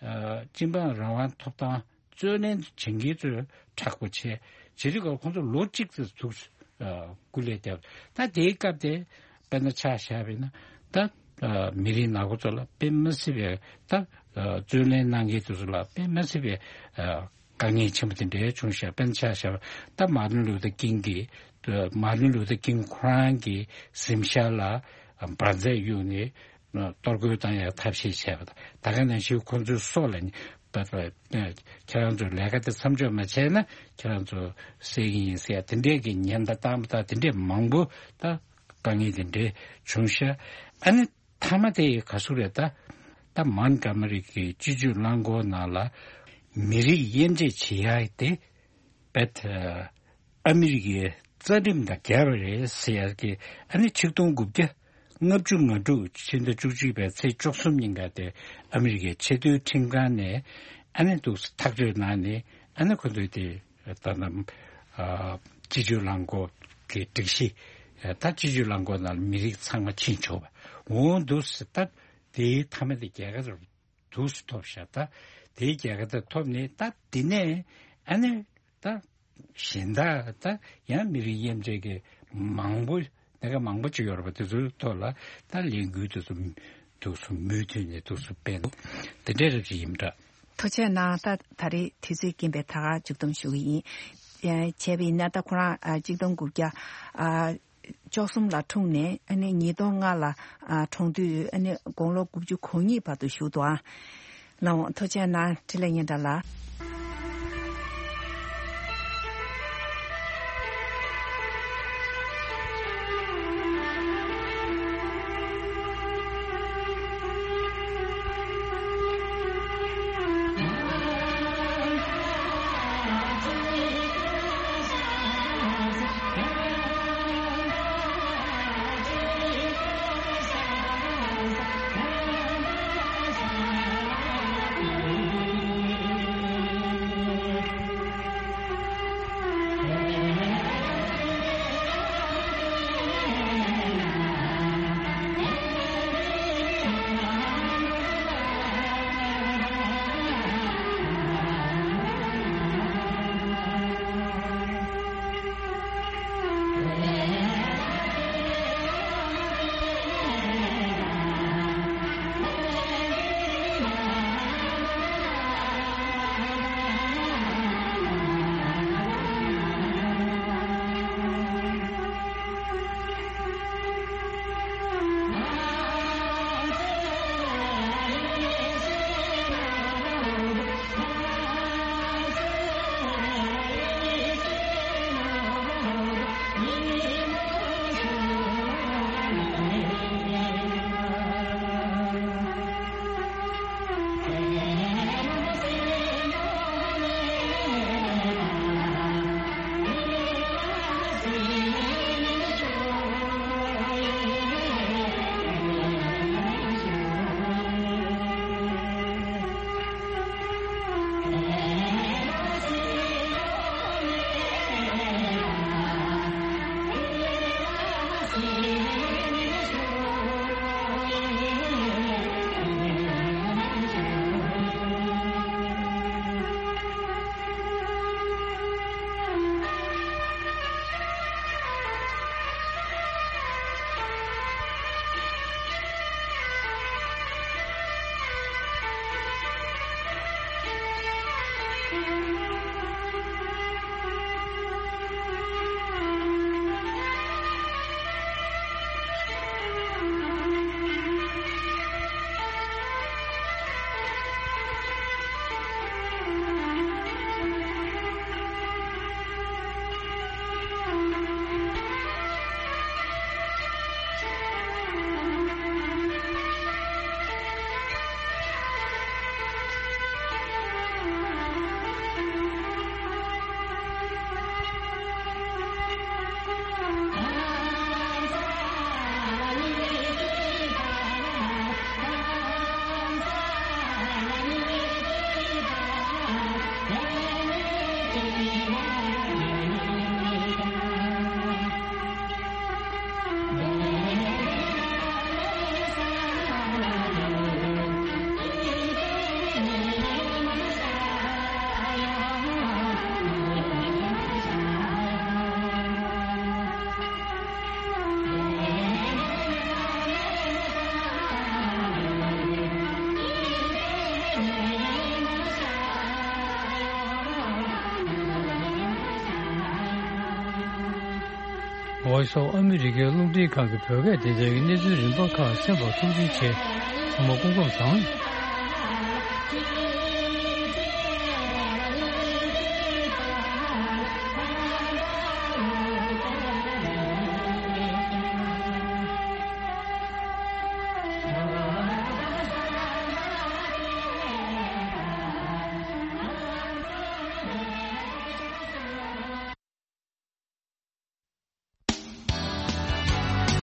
ཨ་སྤྱི་འབངས་རང་དབང་ཐོབ་ཐང་རྩོད་ལེན་བྱེད་མཁན་ཚོས་དྲག་པོ་བྱས། བྱེད་དུས་ག་ལ་ཁོ་ཚོ་ལོ་གཅིག་ཙམ་འདུག་སྐུ་ལས་བསྐྱབས། ད་དེའི་སྐབས་དེ་དཔེར་ན་ཆ་བཞག་པ་ཡིན་ན། ད་ཨ་མི་རིགས་ནག་པོ་ཚོ་ལ་དཔེ་མི་སྲིད་པའི་ད་ཨ་རྩོད་ལེན་གནང་མཁན་དེ་ཚོ་ལ་དཔེ་མི་སྲིད་པའི་ཨ་དཀའ་ངལ་ཆེན་པོ་དེ་འདྲའི་བྱུང་ཤག་དཔེར་ན་ཆ་བཞག་པ་ད་མར་ཏིན་ལུ་ཐར་ཀིང་གིས། མར་ཏིན་ལུ་ཐར་ཀིང་ཁོ་རང་གི་གཟིམ་ཤག་ལ་འབར་རྫས་གཡུགས་ནས་གཏོར་རྒོལ་བཏང་ཡག་ཐབས་ཤེས་བྱས་པ་དང་། ད་ག་ནང་བཞིན་ཁོ་ཚོའི་སྲོག་ལ་ནི་ད་ད་ཁྱེད་རང་ཚོས་ལས་ཀ་དེ་མཚམས་འཇོག་མ་བྱས་ན་ཁྱེད་རང་ཚོ་བསད་ཀྱི་ཡིན་ཟེར་ཡ་དེ་འདྲས་ཀྱི་ཉེན་བརྡ་བཏང་པ་དང་། དེ་འདྲས་མང་པོ་ད་དཀའ་ངལ་དེ་འདྲས་བྱུང་ཤག་ཨ་ནི་མཐའ་མ་དེ་ག་ཟུག་རེད། ད་ད་མོན་གྷོ་མ་རི་གི་སྤྱི་སྤྱོད་རླངས་འཁོར་ནང་ལ་མི་རིགས་དབྱེ་འབྱེད་བྱེད་ཡག་དེ་བེད་ཨ་མི་རི་ཀའི་རྩ་ཁྲིམས་དང་འགལ་བ་རེད་ཟེར་ཡག་གི། ཨ་ནི་ཆིག་སྟོང་དགུ་བརྒྱ་ལྔ་བཅུ་ང་དྲུག་ཕྱི་ཟླ་བཅུ་གཅིག་པའི་ཚེས་བཅུ་གསུམ་ཉིན་ཀ་དེ་ཨ་མི་རི་ཀའི་ཆེས་མཐོའི་ཁྲིམས་ཁང་ནས་ཨ་ནི་འདུག་ཐག་གཅོད་གནང་ནས། ཨ་ནི་ཁོ་ཚོས་དེ་ད་ལྟ་ཨ་སྤྱི་སྤྱོད་རླངས་འཁོར་གྱི་སྒྲིག་གཞི། ད་སྤྱི་སྤྱོད་རླངས་འཁོར་ནང་ལ་མི་རིགས་ཚང་མ་ཕྱིན་ཆོག་པ་འོང་འདུག་ཟེར། ད་དེའི་མཐའ་མ་དེ་རྒྱལ་ཁ་འདུག་སེ་ཐོབ་ཤག་ད་དེའི་རྒྱལ་ཁ་དེ་ཐོབ་ནས། ད་དེ་ནས་ཨ་ནི་ད་གཞན་དག་ད་ཡང་མི་རིགས་དབྱེ་འབྱེད་ཀྱི་མང་པོ། སྣ་ཁ་མང་པོ་ཅིག་ཡོད་རེད་པ། དེ་ཚོའི་ཐོག་ལ་ད་ལས་འགུལ་དེ་ཚོ་འདུག་སེ་མུ་མཐུད་ནས་འདུག་སེ་སྤེལ་འདུག་དེ་འདྲ་རབ་ཅིག་ཡིན་འདྲ། ཐུགས་རྗེ་གནང་། ད་ད་རེས་དུས་ཚོད་རྐྱེན་པས་ད་ག་མཇུག་བསྡོམས་ཞུ་གི་ཡིན། ཨ་བྱས་པ་ཡིན་ན་ད་ཁོ་རང་ཨ་གཅིག་སྟོང་དགུ་བརྒྱ་ཨ་བཅུ་གསུམ་ལ་འཁྲུངས་ནས། ཨ་ནི་ཉིས་སྟོང་ལྔ་ལ་ཨ་གྲོངས་དུས་ཨ་ནི་དགུང་ལོ་དགུ་བཅུ་གོ་གཉིས་བར་དུ་བཞུགས་འདུག་ཨ། ལགས་འོང་། ཐུགས་རྗེ་གནང་། འཕྲིན་ལས་སྙན་གྲགས་ལགས། Voice of America རླུང་འཕྲིན་ཁང་གི་བོད་སྐད་སྡེ་ཚན་གྱི་གནས་ཚུལ་རིམ་པ་ཁག་གསན་པར་ཐུགས་རྗེ་ཆེ། ཚང་མ་སྐུ་ཁམས་བཟང་།